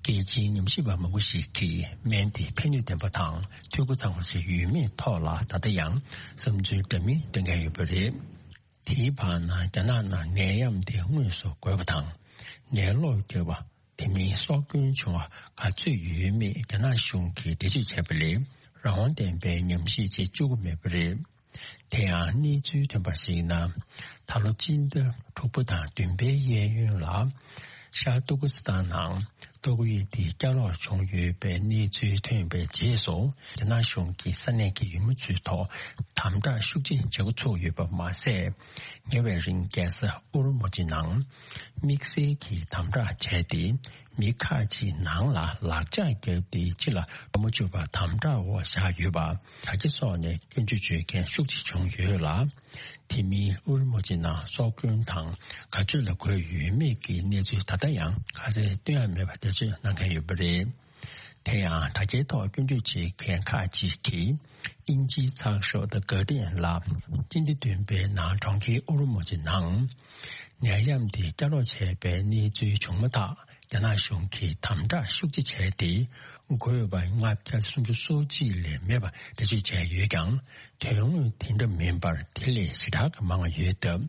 རྒྱལ་སྤྱིའི་ཉམས་ཞིབ་པ་མང་པོ་ཞིག་གིས་སྨན་དེ་ཕན་ནུས་ལྡན་པ་དང་འཐུས་སྒོ་ཚང་བ་ཞིག་ཡོད་མེད་ཐོག་ལ་ད་ལྟ་ཡང་བསམ་ཚུལ་འདྲ་མིན་འདོན་མཁན་ཡོད་པ་རེད། དེའི་བར་ན་རྒྱ་ནག་ནང་ནད་ཡམས་དེ་དངོས་སུ་འགོས་པ་དང་ནད་ལོག་བརྒྱབ་པ། དེ་མིན་སྲོག་སྐྱོན་བྱུང་བ་ག་ཚོད་ཡོད་མེད་རྒྱ་ནག་གཞུང་གིས་འགྲེལ་བརྗོད་བྱས་པ་ལས་རང་དབང་ལྡན་པའི་ཉམས་ཞིབ་བྱེད་བཅུག་གི་མེད་པ་རེད། དེ་ཡང་གནས་ཚུལ་ཐོན་པར་གཞིགས་ན། ད་ལོ་སྤྱི་ཟླ་དྲུག་པ་དང་བདུན་པའི་གཡས་གཡོན་ལ། ཤར་ཏུར་ཀི་སི་ཐན་ནང་ཏོག་དབྱིབས་དེ་བསྐྱར་ལོག་བྱུང་ཡོད་པའི་གནས་ཚུལ་ཐོན་པའི་རྗེས་སུ། རྒྱ་ནག་གཞུང་གིས་ས་གནས་ཀྱི་ཡུལ་མི་ཚོའི་ཐོག་དམ་དྲག་ཤུགས་ཆེ་བྱེད་འགོ་ཚུགས་ཡོད་པ་མ་ཟད། ཉེ་བའི་རིང་རྒྱལ་ས་ཨུ་རུ་མུ་ཅི་ནང་དམིགས་བསལ་གྱི་དམ་དྲག་བྱས་ཏེ། མི་ཁག་ཅིག་ནང་ལ་ལག་ཆ་བརྒྱབ་སྟེ་ཕྱི་ལ་ལོག་མ་བཅུག་པར་དམ་དྲག་འོག་བཞག་ཡོད་པ། དྲ་རྒྱ་སོགས་ནས་སྐྱོན་བརྗོད་བྱེད་མཁན་ཤུགས་ཆེ་བྱུང་ཡོད་ལ། དེ་མིན་ཨུ་རུ་མུ་ཅི་ནང་སྲོག་སྐྱོན་དང་ག་ཚོད་ལ་འགོས་ཡོད་མེད་ཀྱི་གནས་ཚུལ་ད་ལྟ་ཡང་ཁ་གསལ་སྟོན་ཡ་མེད་པ་འགྲེལ་བརྗོད་གནང་མཁན་ཡོད་པ་རེད། དེ་ཡང་དྲ་རྒྱའི་ཐོག་སྐྱོན་བརྗོད་བྱེད་མཁན་ཁག་ཅིག་གིས་དབྱིན་ཇིའི་ཚགས་ཤོག་The Guardian ལ། སྤྱི་ཟླ་བདུན་པའི་ནང་གྲོང་ཁྱེར་ཨུ་རུ་མུ་ཅི་ནང་ནད་ཡམས་དེ་བསྐྱར་ལོག་བྱས་པའི་གནས་ཚུལ་བྱུང་མ་ཐག་རྒྱ་ནག་གཞུང་གིས་དམ་དྲག་ཤུགས་ཆེ་བྱས་ཏེ། འགོས་པ་ལྔ་བརྒྱ་སུམ་ཅུ་སོ་གཅིག་ལས་མེད་པ་འགྲེལ་བརྗོད་བྱས་ཡོད་ཀྱང་། དོན་དངོས་དེ་འདྲ་མིན་པར་དེ་ལས་ཞེ་དྲག་གི་མང་བ་ཡོད་སྟབས།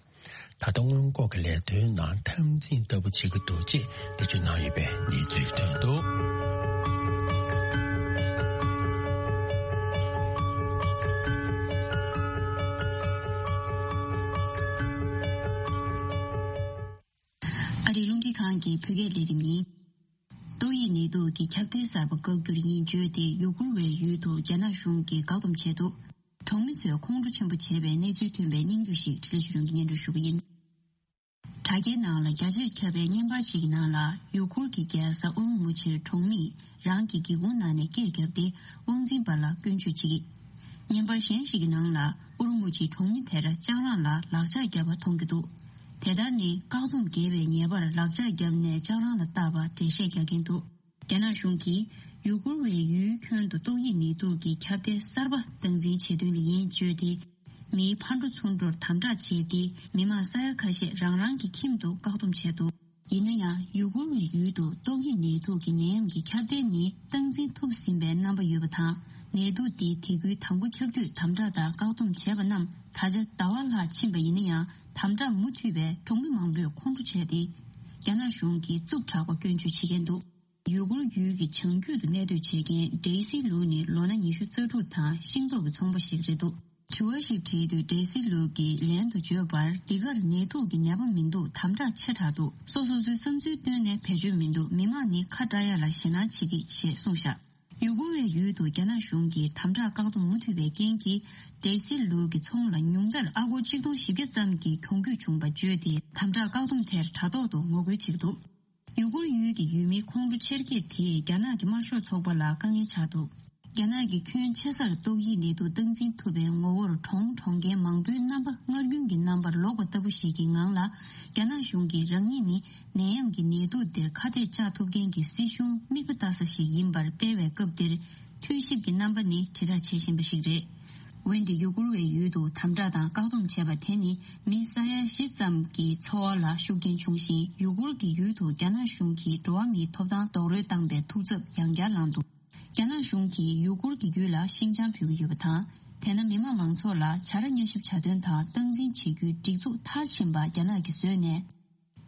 ད་ལྟ་སྔོན་འགོག་གི་ལས་དོན་ནང་འཐབ་འཛིང་ལྟ་བུ་བྱེད་ཀྱི་འདུག་ཅེས་འགྲེལ་བརྗོད་གནང་ཡོད་པའི་གནས་ཚུལ་ཐོན་འདུག། ཨ་རིའི་རླུང་འཕྲིན་ཁང་གི་བོད་སྐད་ལས་རིམ་ཡིན། ཏོག་དབྱིབས་ནད་དུག་གི་ཁྱབ་གདལ་གསར་པ་བཀག་རྒྱུར་ཡིན་བརྗོད་དེ་ཡུ་གུར་བའི་ཡུལ་དུ་རྒྱ་ནག་གཞུང་གིས་བཀག་སྡོམ་བྱས་འདུག། གྲོང་མི་ཚོས་ཁོང་ཁྲོ་ཆེན་པོ་བྱས་པའི་གནས་ཚུལ་ཐོན་པའི་སྙིང་བསྡུས་ཤིག་འཕྲིན་ལས་ཆོས་སྒྲོན་གྱིས་སྙན་སྒྲོན་ཞུ་གི་ཡིན། དྲ་རྒྱའི་ནང་ལ་རྒྱ་ཆེར་ཁྱབ་པའི་བརྙན་པར་ཞིག་གི་ནང་ལ་ཡུ་གུར་གྱི་རྒྱལ་ས་ཨུ་རུ་མུ་ཆིར་གྲོང་མིས་རང་གི་སྒེའུ་ཁུང་ནང་ནས་སྐད་བརྒྱབ་སྟེ་དབང་འཛིན་པ་ལ་སྐྱོན་བརྗོད་བྱེད་ཀྱི། བརྙན་པར་གཞན་ཞིག་གི་ནང་ལ་ཨུ་རུ་མུ་ཆིའི་གྲོང་མི་དེར་ལྕགས་རང་ལ་ལག་ཆ་བརྒྱབ་པ་མཐོང་རྒྱུ་འདུག། དེ་ལྟར་ནི་བཀག་སྡོམ་འགལ་བའི་ཉེས་པར་ལག་ཆ་བརྒྱབ་ནས་ལྕགས་རང་ལ་བཏགས་པ་འགྲེལ་བཤད་རྒྱག་གིན་འདུག། རྒྱ་ནག་གཞུང་གིས་ཡུ་གུར་བའི་ཡུལ་ཁྱོན་དུ་ཏོག་དབྱིབས་ནད་དུག་གི་ཁྱབ་གདལ་གསར་པ་སྟངས་འཛིན་བྱེད་དོན་ལ་ཡིན་བརྗོད་དེ། མིའི་ཕར་འགྲོ་ཚུར་འགྲོར་དམ་དྲག་བྱས་ཏེ། མི་མང་ས་ཡ་ཁ་ཤས་རང་རང་གི་ཁྱིམ་དུ་བཀག་སྡོམ་བྱས་འདུག། ཡིན་ན་ཡང་ཡུ་གུར་བའི་ཡུལ་དུ་ཏོག་དབྱིབས་ནད་དུག་གི་ནད་ཡམས་ཀྱི་ཁྱབ་གདལ་ནི་སྟངས་འཛིན་ཐུབ་ཟིན་པའི་རྣམ་པ་ཡོད་པ་དང་། ནད་དུག་འདི་དེ་ཁུལ་དང་པོ་ཁྱབ་དུས་དམ་དྲག་དང་བཀག་སྡོམ་བྱས་པ་རྣམས་ད་ཆ་ཟླ་བ་ལྷག་ཕྱིན་པ་ཡིན་ན་ཡང་། དམ་དྲག་མུ་མཐུད་པས་གྲོང་མི་མང་པོས་ཁོང་ཁྲོ་བྱས་ཏེ། རྒྱ་ནག་གཞུང་གིས་རྩུབ་དྲགས་པ་སྐྱོན་བརྗོད་བྱེད་ཀྱིན་འདུག། ཡུ་གུར་ཡུལ་གྱི་བྱང་རྒྱུད་དུ་གནས་སྡོད་བྱེད་མཁན་ཌེ་སི་ལུའུ་ནི་ལོ་ན་ཉི་ཤུ་རྩ་དྲུག་དང་ཤིང་ཏོག་གི་ཚོང་པ་ཞིག་རེད་འདུག། དྲི་བ་ཞིག་དྲིས་དུས་ཌེ་སི་ལུའུ་གིས་ལན་དུ་བརྗོད་པར། འདི་གར་ནད་དུག་གི་ནད་པ་མི་འདུག། དམ་དྲག་ཆེ་དྲགས་འདུག། སོ་སོ་སོའི་བསམ་ཚུལ་བཏོན་ནས་བེད་སྤྱོད་མི་འདུག། མི་མང་ནི་ཁ་བཀྲ་ཡ་ལ་ཞེད་སྣང་བྱེད་ཀྱི་ཞེས་གསུངས་བཞག། ཡུ་གུར་བའི་ཡུལ་དུ་རྒྱ་ནག་གཞུང་གིས་དམ་དྲག་བཀག་སྡོམ་མུ་མཐུད་པའི་རྐྱེན་གྱིས། ཌེ་སི་ལུའུ་གི་ཚོང་ལ་ཉུང་མཐར་ཨ་སྒོར་ཆིག་སྟོང་བཞི་བརྒྱ་ཙམ་གྱི་གྱོང་གུད་བྱུང་བ་བརྗོད་དེ། དམ་དྲག་བཀག་སྡོམ་དེར་དྲ་ཐོག་ཏུ་ངོ་རྒོལ་བྱེད་ཀྱི་འདུག། ཡུ་གུར་ཡུལ་གྱི་ཡུལ་མི་ཁོང་ཁྲོ་ཆེར་སྐྱེད་དེས་རྒྱ་ནག་གི་དམར་ཤོག་ཚོགས་པ་ལ་དཀའ་ངལ་ཆགས་འདུག། རྒྱ་ནག་གིས་ཁྱོན་ཆེ་སར་ཏོག་དབྱིབས་ནད་དུག་སྟངས་འཛིན་ཐུབ་པའི་ངོ་བོར་གྲོང་གྲོང་ཁྱེར་མང་པོའི་རྣམ་པ་སྔར་རྒྱུན་གྱི་རྣམ་པར་ལོག་པ་ལྟ་བུ་ཞིག་གི་ངང་ལ། རྒྱ་ནག་གཞུང་གིས་རང་ཉིད་ནི་ནད་ཡམས་ཀྱི་ནད་དུག་འདིར་ཁ་གཏད་གཅོག་ཐུབ་མཁན་གྱི་སྲིད་གཞུང་མིག་དཔེ་ལྟ་ས་ཞིག་ཡིན་པར་སྤེལ་བའི་སྐབས་འདིར། འཐུས་ཞིབ་ཀྱི་རྣམ་པ་ནི་དྲིལ་བསྒྲགས་བྱེད་བཞིན་པ་ཞིག་རེད། འོན་ཏེ་ཡུ་གུར་བའི་ཡུལ་དུ་དམ་དྲག་དང་བཀག་སྡོམ་བྱས་པ་དེ་ནི་མི་ས་ཡ་བཞི་ཙམ་གྱི་འཚོ་བ་ལ་ཤུགས་རྐྱེན་བྱུང་ཞིང་། ཡུ་གུར་གྱི་ཡུལ་དུ་རྒྱ་ནག་གཞུང་གིས་འགྲོ་བ་མིའི་ཐོབ་ཐང་རྡོག་རོལ་བཏང་པའི་ཐུགས་འཚབ་ཡང་བསྐྱར་བསླངས་འདུག། རྒྱ་ནག་གཞུང་གིས་ཡུ་གུར་གྱི་ཡུལ་ལ་ཤིང་བྱང་ཕུལ་གྱི་ཡོད་པ་དང་། དེས་ན་མི་མང་མང་ཚོགས་ལ་བྱ་ར་མཉམ་ཞིབ་བྱ་དོན་དང་སྟངས་འཛིན་བྱེད་རྒྱུའི་སྒྲིག་འཛུགས་མཐར་ཕྱིན་པ་རྒྱ་ནག་གིས་བཟོས་ནས།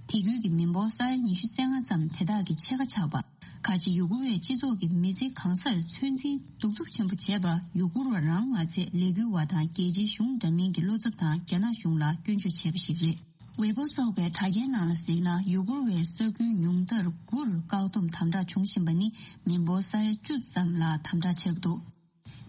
དེ་ཁུལ་གྱི་མི་འབོར་ས་ཡ་ཉི་ཤུ་རྩ་ལྔ་ཙམ་དེ་དག་གི་ཕྱེད་ཀ་ཆགས་པ། ཁ་ཆེ་ཡུ་གུར་བའི་སྤྱི་ཚོགས་ཀྱི་མི་ཚེ་གང་སར་ཚོད་འཛིན་གདུག་རྩུབ་ཆེན་པོ་བྱས་པ། ཡུ་གུར་བ་རང་མ་ཚད་ལས་འགུལ་བ་དང་རྒྱལ་སྤྱིའི་གཞུང་འདྲ་མིན་གྱི་བློ་འཚབ་དང་རྒྱ་ནག་གཞུང་ལ་སྐྱོན་བརྗོད་བྱས་པ་ཞིག་རེད། ཝེ་པོ་སོགས་པའི་དྲ་རྒྱའི་ནང་ལ་གཟིགས་ན། ཡུ་གུར་བའི་ས་ཁུལ་ཉུང་མཐར་དགུར་བཀག་སྡོམ་དམ་དྲག་བྱུང་བཞིན་པ་ནི་མི་འབོར་ས་ཡ་བཅུ་ཙམ་ལ་དམ་དྲག་ཆགས་འདུག།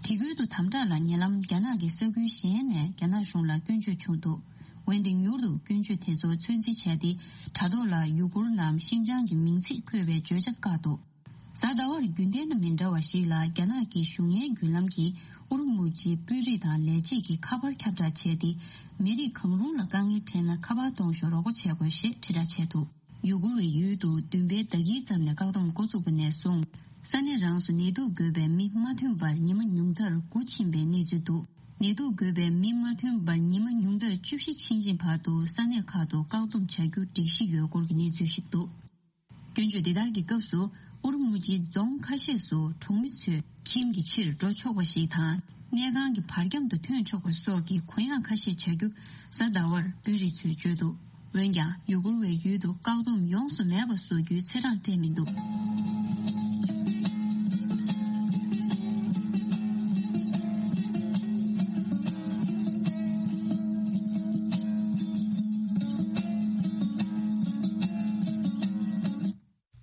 དེ་ཁུལ་དུ་དམ་དྲག་ལ་ཉེ་ལམ་རྒྱ་ནག་གི་ས་ཁུལ་གཞན་ནས་རྒྱ་ནག་གཞུང་ལ་སྐྱོན་བརྗོད་བྱུང་འདུག། འོན་ཏེ་མྱུར་དུ་སྐྱོན་བརྗོད་དེ་ཚོ་ཚོད་འཛིན་བྱས་ཏེ། དྲ་ཐོག་ལ་ཡུ་གུར་ནམ་ཤིན་ཅང་གི་མིང་ཚིག་འཁོད་པའི་བརྗོད་བྱ་བཀག་འདུག། གཟའ་ཟླ་བར་རྒྱུན་ལྡན་དང་མི་འདྲ་བ་ཞིག་ལ་རྒྱ་ནག་གི་གཞུང་གཉེར་བརྒྱུད་ལམ་གྱིས་ཨུ་རུ་མུ་ཇིའི་དཔོན་རིགས་དང་ལས་བྱེད་ཀྱི་ཁ་པར་ཁྱབ་བསྒྲགས་བྱས་ཏེ། མི་རིགས་གང་རུང་ལ་དཀའ་ངལ་འཕྲད་ན་ཁ་པར་གཏོང་ཤོག་རོགས་པ་བྱེད་དགོས་ཞེས་དྲིལ་བསྒྲགས་བྱས་འདུག། ཡུ་གུར་བའི་ཡུལ་དུ་བདུན་པའི་ཟླ་དཀྱིལ་ཙམ་ནས་བཀག་སྡོམ་འགོ་བཙུགས་པ་ནས་བཟུང་། ས་གནས་རང་སུ་ནད་དུག་འགོས་པའི་མི་མ་ཐོན་པར་ཉི་མ་ཉུང་མཐར་དགུ་ཕྱིན་པའི་གནས་ཚུལ་འདུག། ནད་དུག་འགོས་པའི་མི་མ་ཐོན་པར་ཉི་མ་ཉུང་མཐར་བཅུ་བཞི་ཕྱིན་ཅིང་བར་དུ་ས་གནས་ཁག་ཏུ་བཀག་སྡོམ་བྱ་རྒྱུ་སྒྲིག་གཞི་ཡོད་སྐོར་གྱི་གནས་ཚུལ་ཞིག་འདུག། སྐྱོན་བརྗོད་འདི་ལྟར་གྱི་སྐབས་སུ། ཨུ་རུ་མུ་ཇིའི་རྫོང་ཁ་ཤས་སུ་གྲོང་མི་ཚོས་ཁྱིམ་གྱི་ཕྱིར་འགྲོ་ཆོག་པ་ཞིག་དང་། གནས་ཁང་གི་བར་ཁྱམ་དུ་ཐོན་ཆོག་པ་སོགས་ཀྱི་གུ་ཡངས་ཁ་ཤས་བྱ་རྒྱུ་གཟའ་ཟླ་བར་དཔོན་རིགས་ཚོས་བརྗོད་འདུག། འོན་ཀྱང་ཡུ་གུར་བའི་ཡུལ་དུ་བཀག་སྡོམ་ཡོངས་སུ་མེད་པ་བཟོ་རྒྱུའི་ཚེས་གྲངས་སྤྲད་མི་འདུག་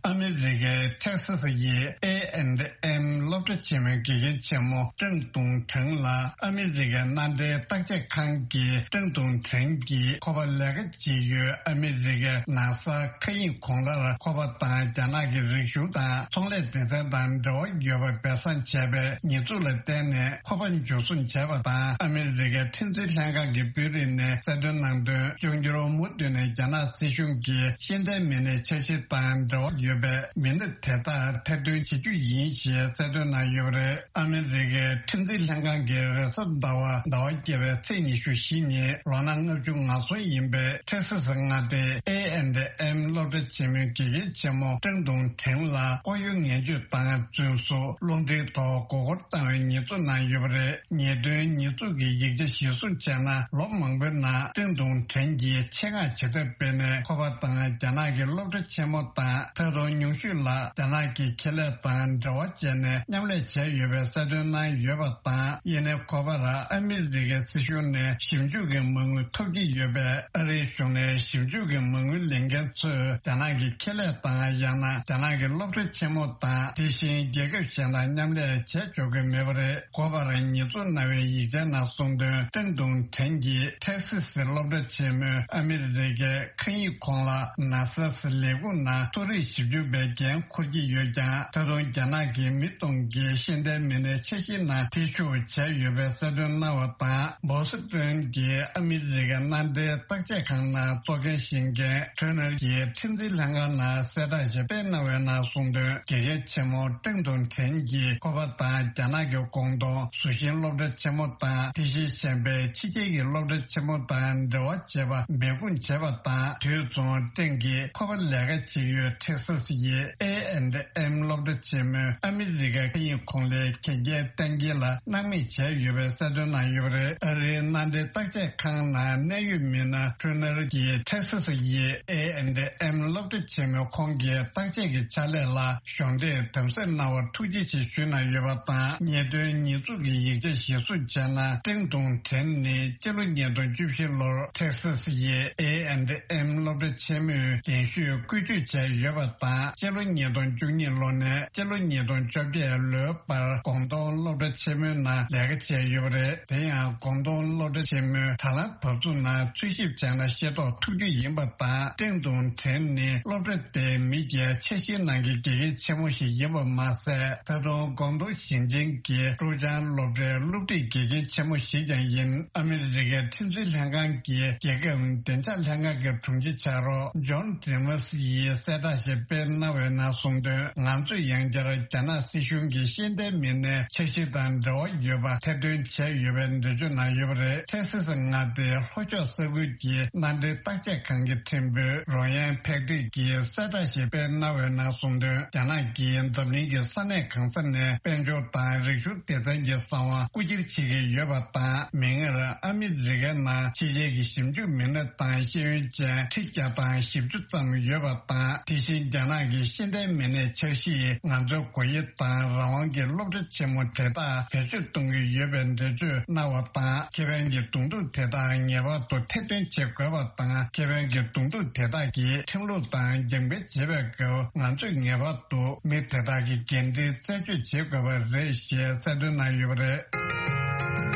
ཨ་མི་རི་ཀའི་ཐེག་སི་སི་ཡི་ཨེ་ཨེན་ཨེམ་སློབ་གྲྭ་ཆེན་མོའི་དགེ་རྒན་ཆེན་མོ་ཀྲང་ཏུང་ཁྲེང་ལ་ཨ་མི་རི་ཀའི་མནའ་འབྲེལ་བརྟག་དཔྱད་ཁང་གིས་ཀྲང་ཏུང་ཁྲེང་གིས་ཁོ་པ་ལས་ཀ་བྱེད་ཡུལ་ཨ་མི་རི་ཀའི་ནཱ་སཱ་མཁའ་དབྱིངས་གོང་ལར་ཁོ་པ་དང་རྒྱ་ནག་གི་རིག་གཞུང་དང་ཚོང་ལས་སྡེ་ཚན་དང་འབྲེལ་བ་ཡོད་པ་སྦས་གསང་བྱས་པའི་ཉེས་འཛུགས་ལ་བརྟེན་ནས་ཁོ་པ་འཇུ་བཟུང་བྱས་པ་དང་། ཨ་མི་རི་ཀའི་ཁྲིམས་འཛིན་ལྷན་ཁང་གི་དཔོན་རིགས་ནས་གསལ་སྟོན་གནང་དོན། འབྱུང་འགྱུར་མུ་མཐུད་ནས་རྒྱ་ནག་སྲིད་གཞུང་གིས་ཤེས་ལྡན་མི་སྣའི་འཆར་གཞི་དང་འབྲེལ་བ་ཡོད་པའི་མི་སྣ་དེ་དག་ཐེར་འདོན་བྱེད་རྒྱུ་ཡིན་ཞེས་གསལ་སྟོན་གནང་ཡོད་པ་རེད། ཨ་མི་རི་ཀའི་ཁྲིམས་འཛིན་ལྷན་ཁང་གིས་རེས་གཟའ་ཟླ་བ་ཟླ་བ་བརྒྱད་པའི་ཚེས་ཉི་ཤུ་བཞི་ཉིན་ལོ་ན་ལྔ་བཅུ་ང་གསུམ་ཡིན་པའི་ཐེག་སི་སི་མངའ་སྡེའི་ཨེ་ཨེན་ཨེམ་སློབ་གྲྭ་ཆེན་མོའི་དགེ་རྒན་ཆེན་མོ་ཀྲང་ཏུང་ཁྲེང་ལ་ལྐོག་གཡོ་ངན་སྤྱོད་བཏང་བ་བཙོན་བཟུང་རླུང་འཕྲིན་ཐོག་མགོ་སྐོར་བཏང་བའི་ཉེས་འཛུགས་གནང་ཡོད་པ་རེད། ཉེས་དོན་ཉེས་འཛུགས་ཀྱི་ཡིག་ཆ་གཞིར་བཟུང་བྱས་ན། ལོ་མང་པོའི་ནང་ཀྲང་ཏུང་ཁྲེང་གིས་ཆེད་མངགས་བྱེད་ཐབས་སྤེལ་ནས་ཁོ་པ་དང་རྒྱ་ནག་གི་སློབ་གྲྭ་ཆེན་མོ་དང་། ད་དུང་ཉུང་ཤོས་ལ་རྒྱ་ནག་གི་ཁེ་ལས་དང་འབྲེལ་བ་བྱས་ནས་མཉམ་ལས་བྱས་ཡོད་པའི་གསལ་སྟོན་གནང་ཡོད་པ་དང་། ཡིན་ནའི་ཁོ་པར་ཨ་མི་རི་ཀའི་སྲིད་གཞུང་ནས་ཞིབ་འཇུག་གི་མ་དངུལ་ཐོབ་ཀྱི་ཡོད་པས། ཨ་རིའི་གཞུང་ནས་ཞིབ་འཇུག་གི་མ་དངུལ་ལེན་མཁན་ཚོས་རྒྱ་ནག་གི་ཁེ་ལས་དང་། ཡང་ན་རྒྱ་ནག་གི་སློབ་གྲྭ་ཆེན་མོ་དང་། དེ་བཞིན་རྒྱལ་ཁབ་གཞན་དང་མཉམ་ལས་བྱས་ཆོག་གི་མེད་པ་རེད། ཁོ་པར་ཉེས་འཛུགས་གནང་བའི་ཡིག་ཆའི་ནང་གསུངས་དོན། ཀྲང་ཏུང་ཁྲེང་གིས་ཐེག་སི་སི་སློབ་གྲྭ་ཆེན་མོའི་ཨ་མི་རི་ཀའི་མཁའ་དབྱིངས་གོང་ལ་ནཱ་སཱ་ལས་ཁུངས་ནང་མཐོ་རིམ་ཞིབ་འཇུག་པའི་འགན་འཁུར་གྱི་ཡོད་ཀྱང་། ད་དུང་རྒྱ་ནག་གི་མི་སྟོང་གི་ཤེས་ལྡན་མི་སྣའི་འཆར་གཞིའི་ནང་ཐེ་ཞུགས་བྱས་ཡོད་པའི་གསལ་སྟོན་གནང་བ་དང་། བོ་སི་ཏོན་གྱི་ཨ་མི་རི་ཀའི་མནའ་འབྲེལ་བརྟག་དཔྱད་ཁང་ནང་གཙོ་འགན་བཞེས་མཁན་ཁྲོན་ནར་གྱིས་ཁྲིམས་འཛིན་ལྷན་ཁང་ནང་གསལ་བསྒྲགས་ཤིག་སྤེལ་གནང་བའི་ནང་གསུངས་དོན། དགེ་རྒན་ཆེན་མོ་ཀྲང་ཏུང་ཁྲེང་གིས་ཁོ་པ་དང་རྒྱ་ནག་གི་ཀོང་ཏུང་ཟུར་ཤིང་སློབ་གྲྭ་ཆེན་མོ་དང་། དེ་བཞིན་གཞན་པའི་ཕྱི་རྒྱལ་གྱི་སློབ་གྲྭ་ཆེན་མོ་དང་འབྲེལ་བ་བྱེད་པ་འབད་འབུངས་བྱས་པ་དང་། དུས་མཚུངས་ཀྲང་གིས་ཁོ་པ་ལས་ཀ་བྱེད་ཡུལ་ཐེག་ས་སི་ཡི་ཨེ་ཨེན་ཨེམ་སློབ་གྲྭ་ཆེན་མོའི་ཨ་མི་རི་ཀའི་མཁའ་དབྱིངས་གོང་ལའི་གན་རྒྱའི་གཏན་འཁེལ་ལ་སྣང་མེད་བྱས་ཡོད་པའི་གསལ་སྟོན་གནང་ཡོད་པ་རེད། ཨ་རིའི་མནའ་འབྲེལ་བརྟག་དཔྱད་ཁང་ནང་གནད་ཡོད་མི་སྣ་ཁྲོན་ནར་གྱིས་ཐེག་ས་སི་ཡི་ཨེ་ཨེན་ཨེམ་སློབ་གྲྭ་ཆེན་མོའི་ཁོང་གི་བརྟག་དཔྱད་ཀྱི་ཕྱག་ལས་ལ་གཞོགས་འདེགས་དམ་ཟབ་གནང་བར་ཐུགས་རྗེ་ཆེ་ཞུས་གནང་ཡོད་པ་དང་། ཉེས་དོན་ཉེས་འཛུགས་ཀྱི་ཡིག་ཆ་གཞིར་བཟུང་བྱས་ན། ཀྲེང་ཏུང་ཁྲེན་ནི་སྤྱི་ལོ་ཉིས་སྟོང་བཅུ་བཞི་ལོར་ཐེག་ས་སི་ཡི་ཨེ་ཨེན་ཨེམ་སློབ་གྲྭ་ཆེན་མོའི་རྒན་ཤོས་བཀོལ་སྤྱོད་བྱས་ཡོད་པ་དང་། སྤྱི་ལོ་ཉིས་སྟོང་བཅུ་གཉིས་ལོ་ནས་སྤྱི་ལོ་ཉིས་སྟོང་བཅོ་བརྒྱད་ལོའི་བར་ཀོང་ཏུང་སློབ་གྲྭ་ཆེན་མོའི་ནང་ལས་ཀ་བྱས་ཡོད་པ་རེད། དེ་ཡང་ཀོང་ཏུང་སློབ་གྲྭ་ཆེན་མོའི་དྲ་ལམ་བབ་ཚུགས་ནང་འཚོལ་ཞིབ་བྱས་ན་ཤེས་རྟོགས་ཐུབ་རྒྱུ་ཡིན་པ་དང་། ཀྲེང་ཏུང་ཁྲེན་ནི་སློབ་གྲྭ་དེའི་མི་སྒེར་འཆར་གཞིའི་ནང་གི་དགེ་རྒན་ཆེན་མོ་ཞིག་ཡིན་པ་མ་ཟད། ད་དུང་ཀོང་ཏུང་ཞིང་ཆེན་གྱི་ཀྲུའུ་ཅང་སློབ་གྲྭའི་སློབ་ཁྲིད་དགེ་རྒན་ཆེན་མོ་ཞིག་ཀྱང་ཡིན། ཨ་མི་རི་ཀའི་ཁྲིམས་འཛིན་ལྷན་ཁང་གི་རྒྱལ་ཁབ་བདེ་འཇགས་ལྷན་ཁང་གི་དྲུང་ཆེ་ཕྱག་རོགས་ཇོན་ཌི་མཱས་ཡིས་གསལ་བསྒྲགས་ཤིག་སྤེལ་གནང་བའི་ནང་གསུངས་དོན། ང་ཚོས་ཡང་བསྐྱར་རྒྱ་ནག་སྲིད་གཞུང་གི་ཤེས་ལྡན་མི་སྣའི་འཆར་གཞི་དང་འབྲེལ་བ་ཡོད་པ་ཐེར་འདོན་བྱས་ཡོད་པའི་འགྲེལ་བརྗོད་གནང་ཡོད་པ་རེད། ཐེག་ས་སི་མངའ་སྡེའི་ལྷོ་ཕྱོགས་ས་ཁུལ་གྱི་མནའ་འབྲེལ་བརྟག་དཔྱད་ཁང་གི་ཁྲིམས་དཔོན་རོ་ཡན་ཕེག་ཏིག་གིས་གསལ་བསྒྲགས་ཤིག་སྤེལ་གནང་བའི་ནང་གསུངས་དོན། རྒྱ་ནག་གིས་འཛམ་གླིང་གི་ས་གནས་གང་ས་ནས་དཔལ་འབྱོར་དང་རིག་གཞུང་སྡེ་ཚན་གྱི་གསང་བ་རྐུ་འཁྱེར་བྱེད་ཀྱི་ཡོད་པ་དང་། མིག་སྔར་ཨ་མི་རི་ཀའི་ནང་ཕྱི་རྒྱལ་གྱི་ཞིབ་འཇུག་མི་སྣ་དང་ཤེས་ཡོན་ཅན་ཁྲི་བརྒྱ་དང་བཞི་བཅུ་ཙམ་ཡོད་པ་དང་། དེ་བཞིན་རྒྱ་ནག་གི་ཤེས་ལྡན་མི་སྣའི་འཆར་གཞི་ཡིས་ང་ཚོའི་སྒོ་དབྱེ་དང་རང་དབང་གི་སློབ་གྲྭ་ཆེན་མོ་དེ་དག་བེད་སྤྱོད་གཏོང་གི་ཡོད་པའི་འགྲེལ་བརྗོད་གནང་བ་དང་། ཁེ་ཕན་གྱི་གདོང་ཐུག་དེ་དག་ངེས་པར་དུ་ཐེར་འདོན་བྱེད་དགོས་པ་དང་། ཁེ་ཕན་གྱི་གདོང་ཐུག་དེ་དག་གི་ཁྲིམས་ལུགས་དང་རྒྱང་འཕེན་བྱེད་པའི་སྐབས། ང་ཚོས་ངེས་པར་དུ་མི་དེ་དག་གི་འགན་འཁྲི་རྩད་གཅོད་བྱེད་དགོས་པ་རེད་ཞེས་གསལ་སྟོན་གནང་ཡོད་པ་རེད།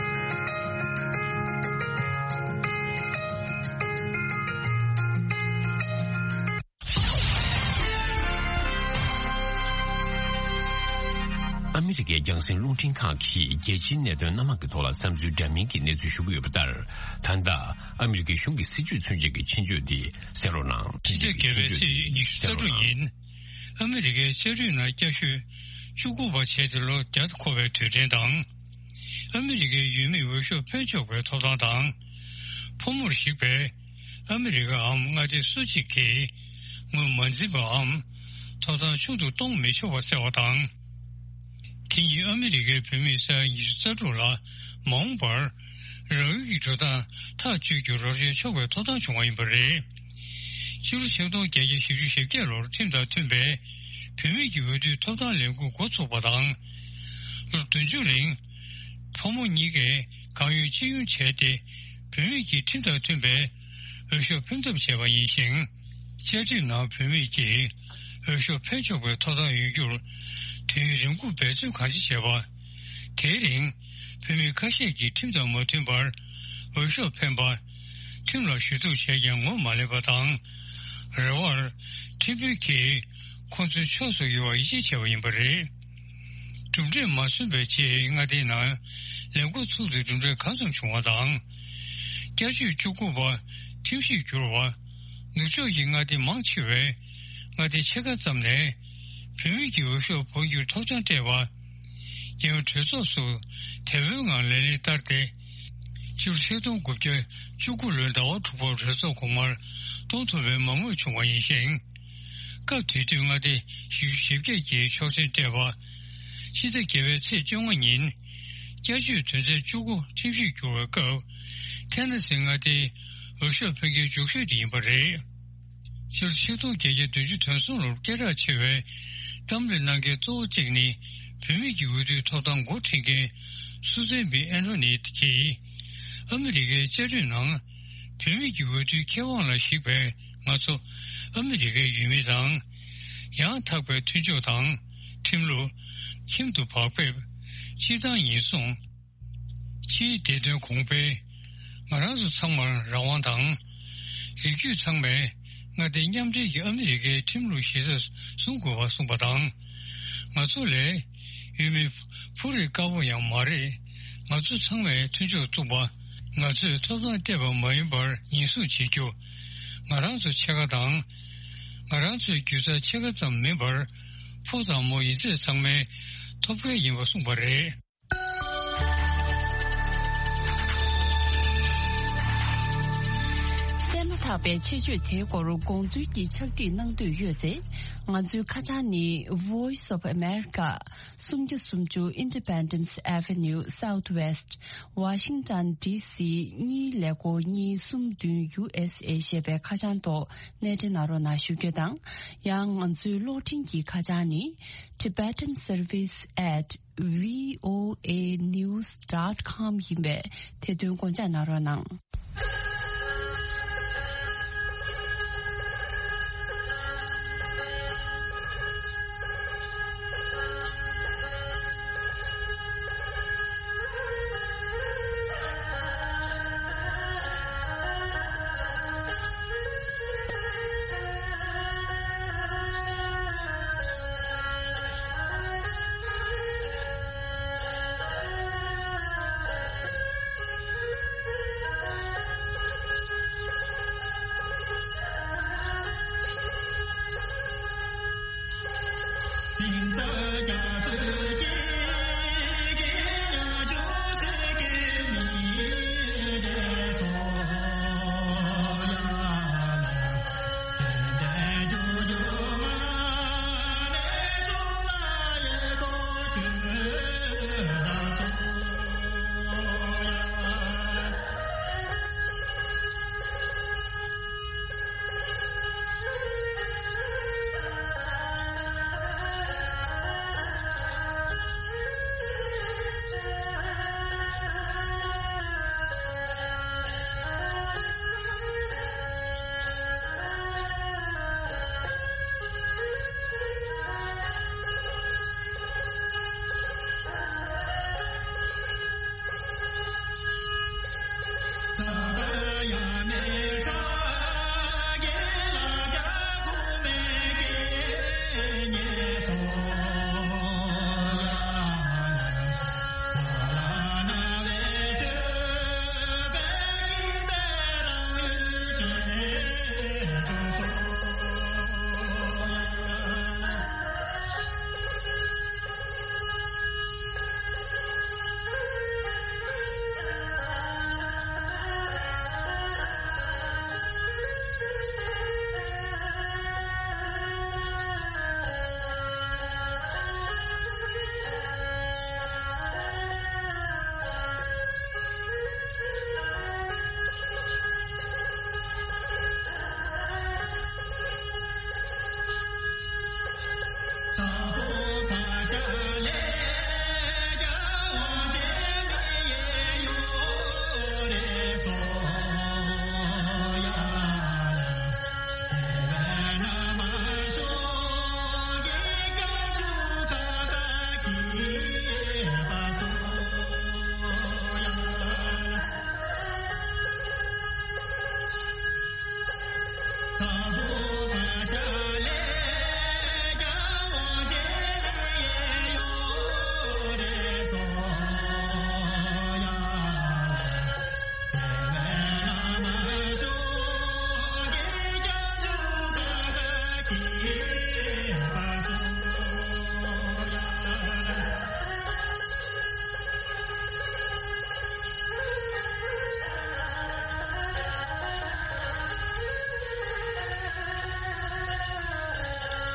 ཨ་མི་རི་ཀའི་རྒྱང་སྲིང་རླུང་འཕྲིན་ཁང་གིས་རྒྱལ་སྤྱིའི་གནད་དོན་སྣ་མང་གི་ཐོག་ལ་བསམ་ཚུལ་འདྲ་མིན་གྱི་གནས་ཚུལ་ཞུ་གི་ཡོད་པ་ལྟར། ད་ལྟ་ཨ་མི་རི་ཀའི་གཞུང་གི་སྲིད་བྱུས་མཚོན་ཆེད་ཀྱི་ཆེད་བརྗོད་འདི་གསན་རོགས་གནང་། ཕྱི་ཚེས་བརྒྱད་པའི་ཚེས་ཉི་ཤུ་རྩ་དྲུག་ཉིན། ཨ་མི་རི་ཀའི་ལྕགས་རིགས་ནང་སྐྱ་ཤོད་བཅུ་དགུ་པ་བྱས་ཏེ་ལོ་བརྒྱ་འཁོར་བའི་དུས་དྲན་དང་། ཨ་མི་རི་ཀའི་ཡུལ་མིའི་འོས་ཤོག་འཕེན་ཆོག་པའི་ཐོབ་ཐང་དང་། ཕོ་མོར་གཞིགས་པའི་ཨ་མི་རི་ཀའམ་མངའ་སྡེ་སུ་གཅིག་གིས་ངོས་མ་འཛིན་པའམ་ཐོབ་ཐང་ཆུང་དུ་གཏོང་མི་ཆོག་པ་གསལ་བ་དང་། དེ་ཉིད་ཨ་མི་རི་ཀའི་བོད་མིས་སྤྱི་ཟླ་ཉི་ཤུ་རྩ་དྲུག་ལ་མ་འོངས་པར་རང་ཡུལ་གྱི་འགྲོ་སྟངས་ཐག་གཅོད་རྒྱུར་རོགས་རམ་ཆོག་པའི་ཐོབ་ཐང་བྱུང་བ་ཡིན་པ་རེད། ཕྱི་ལོ་ཆིག་སྟོང་བརྒྱད་བརྒྱ་བཞི་བཅུ་ཞེ་བརྒྱད་ལོར་ཁྲིམས་དང་མཐུན་པའི་བུད་མེད་ཀྱི་འོས་བསྡུའི་ཐོབ་ཐང་ལས་འགུལ་འགོ་ཚུགས་པ་དང་། ལོ་བདུན་ཅུ་རིང་ཕོ་མོ་གཉིས་ཀས་གང་ཡོད་ཅི་ཡོང་བྱས་ཏེ། བུད་མེད་ཀྱིས་ཁྲིམས་དང་མཐུན་པའི་འོས་ཤོག་འཕེན་ཐབས་བྱས་པ་ཡིན་ཞིང་། བཅའ་ཁྲིམས་ནང་བུད་མེད་ཀྱིས་འོས་ཤོག་འཕེན་ཆོག་པའི་ཐོབ་ཐང་ཡོད་རྒྱུར་དུས་ཡུན་རིང་པོ་འབད་བརྩོན་གང་ཆེ་བྱས་པ། དེའི་རིང་བུད་མེད་ཁ་ཤས་ཀྱིས་ཁྲིམས་དང་མ་མཐུན་པར་འོས་ཤོག་འཕེན་པ། ཁྲིམས་ལ་ཞུ་གཏུག་བྱས་ཀྱང་ངོ་མ་ལེན་པ་དང་། རེ་བར་ཁྲིམས་དཔོན་གྱིས་ཁོང་ཚོའི་ཕྱོགས་སུ་ཡོང་བར་ཡིད་ཆེས་བྱས་པ་ཡིན་པ་རེད། གྲུབ་འབྲས་མ་སོན་པའི་རྗེས་མངའ་སྡེའི་ནང་ལས་འགུལ་ཚུགས་ཏེ་གྲུབ་འབྲས་གང་འཚམ་བྱུང་བ་དང་། བསྐྱར་བཅོས་བཅུ་དགུ་པ་ཁྲིམས་གཞིར་གྱུར་བ། ནུབ་ཕྱོགས་ཀྱི་མངའ་སྡེ་མང་ཆེ་བས་མངའ་སྡེ་ཕྱེད་ཀ་ཙམ་ནས་བུད་མེད་ཀྱི་འོས་ཤོག་འཕོ་འགྱུར་ཐོབ་ཐང་སྤྲད་པ། རྒྱལ་ཡོངས་གྲོས་ཚོགས་སུ་དེ་བོའི་ངང་ལག་ལེན་བསྟར་ཏེ། སྤྱི་ལོ་ཆིག་སྟོང་དགུ་བརྒྱ་བཅུ་དགུ་ལོའི་ཟླ་བ་དྲུག་པར་གྲོས་ཚོགས་གོང་མར་གཏོང་ཐུབ་པའི་མང་མོས་བྱུང་བ་ཡིན་ཞིང་། སྐབས་དེ་དུས་མངའ་སྡེ་བཞི་བཅུ་ཞེ་བརྒྱད་ཀྱིས་ཆོག་མཆན་སྤྲད་པ། ཕྱི་ཟླ་བརྒྱད་པའི་ཚེས་བཅོ་ལྔ་ཉིན། བསྐྱར་བཅོས་དོན་ཚན་བཅུ་དགུ་ཁྲིམས་གཞིར་གྱུར་བའི་སྐབས། ཐེ་ན་སི་མངའ་སྡེའི་འོས་ཤོག་འཕེན་མཁན་མགྱོགས་ཤོས་དེ་ཡིན་པ་རེད། སྤྱི་ལོ་ཆིག་སྟོང་བརྒྱད་བརྒྱ་བདུན་ཅུ་དོན་གསུམ་ལོར་སྐད་གྲགས་ཆེ་བའི་གཏམ་གླེང་གནང་མཁན་གཙོ་བོ་གཅིག་ནི། བུད་མེད་ཀྱི་འོས་བསྡུའི་ཐོབ་ཐང་འགོ་ཁྲིད་མཁན་སུ་ཛན་བི་ཨན་ཐོ་ནི་གྱིས། ཨ་མི་རི་ཀའི་བཅའ་ཁྲིམས་ནང་བུད་མེད་ཀྱི་འོས་བསྡུའི་ཁེ་དབང་ལ་གཞིགས་པའི་ང་ཚོ་ཨ་མི་རི་ཀའི་ཡུལ་མི་དང་། ཡང་དག་པའི་མཐུན་ཕྱོགས་དང་ཁྲིམས་ལུགས། ཁྱིམ་དུ་བག་ཕེབས། སྤྱིར་བཏང་ཉེན་སྲུང་། ཕྱིའི་བདེ་དོན་གོང་འཕེལ། ང་རང་ཚོ་ཚང་མར་རང་དབང་དང་། རིགས་རྒྱུད་ཚང་མས་མངའ་སྡེ་མཉམ་འབྲེལ་གྱི་ཨ་མི་རི་ཀའི་ཁྲིམས་ལུགས་གཞི་རྩར་བཟུང་དགོས་པ་གསུངས་པ་དང་། ང་ཚོ་ལས་ཡུལ་མི་ཕོ་རིགས་དཀར་པོ་ཡང་མ་རེད། ང་ཚོ་ཚང་མས་མཐུན་ཕྱོགས་བཙུགས་པ། ང་ཚོས་ཐོབ་ཐང་སྤྲད་པ་མ་ཡིན་པར་ཉེན་སྲུང་བྱེད་རྒྱུ། ང་རང་ཚོ་ཕྱེད་ཀ་དང་། ང་རང་ཚོའི་རྒྱུ་རྩ་ཕྱེད་ཀ་ཙམ་མིན་པར། ཕོ་དང་མོ་ཡིན་ཚད་ཚང་མའི་ཐོབ་སྐལ་ཡིན་པ་གསུངས་པ་རེད། གསན་མ་ཐག་པའི་ཆེད་བརྗོད་དེའི་སྐོར་དགོངས་ཚུལ་གྱི་ཕྱག་བྲིས་གནང་འདོད་ཡོད་ཚེ། ང་ཚོའི་ཁ་བྱང་ནི། Voice of America། སུམ་བརྒྱ་སུམ་ཅུ་Independence Avenue Southwest། Washington D C གཉིས་ཀླད་ཀོར་གཉིས་གསུམ་བདུན། U S A ཞེས་པའི་ཁ་བྱང་ཐོག་གནས་འབྲེལ་གནང་རོགས་གནང་ཞུ་རྒྱུ་དང་། ཡང་ང་ཚོའི་གློག་འཕྲིན་གྱི་ཁ་བྱང་ནི། Tibetan Service at V O A news dot com ཡིན་པས། དེ་དོན་དགོངས་འཇགས་གནང་རོགས་གནང་།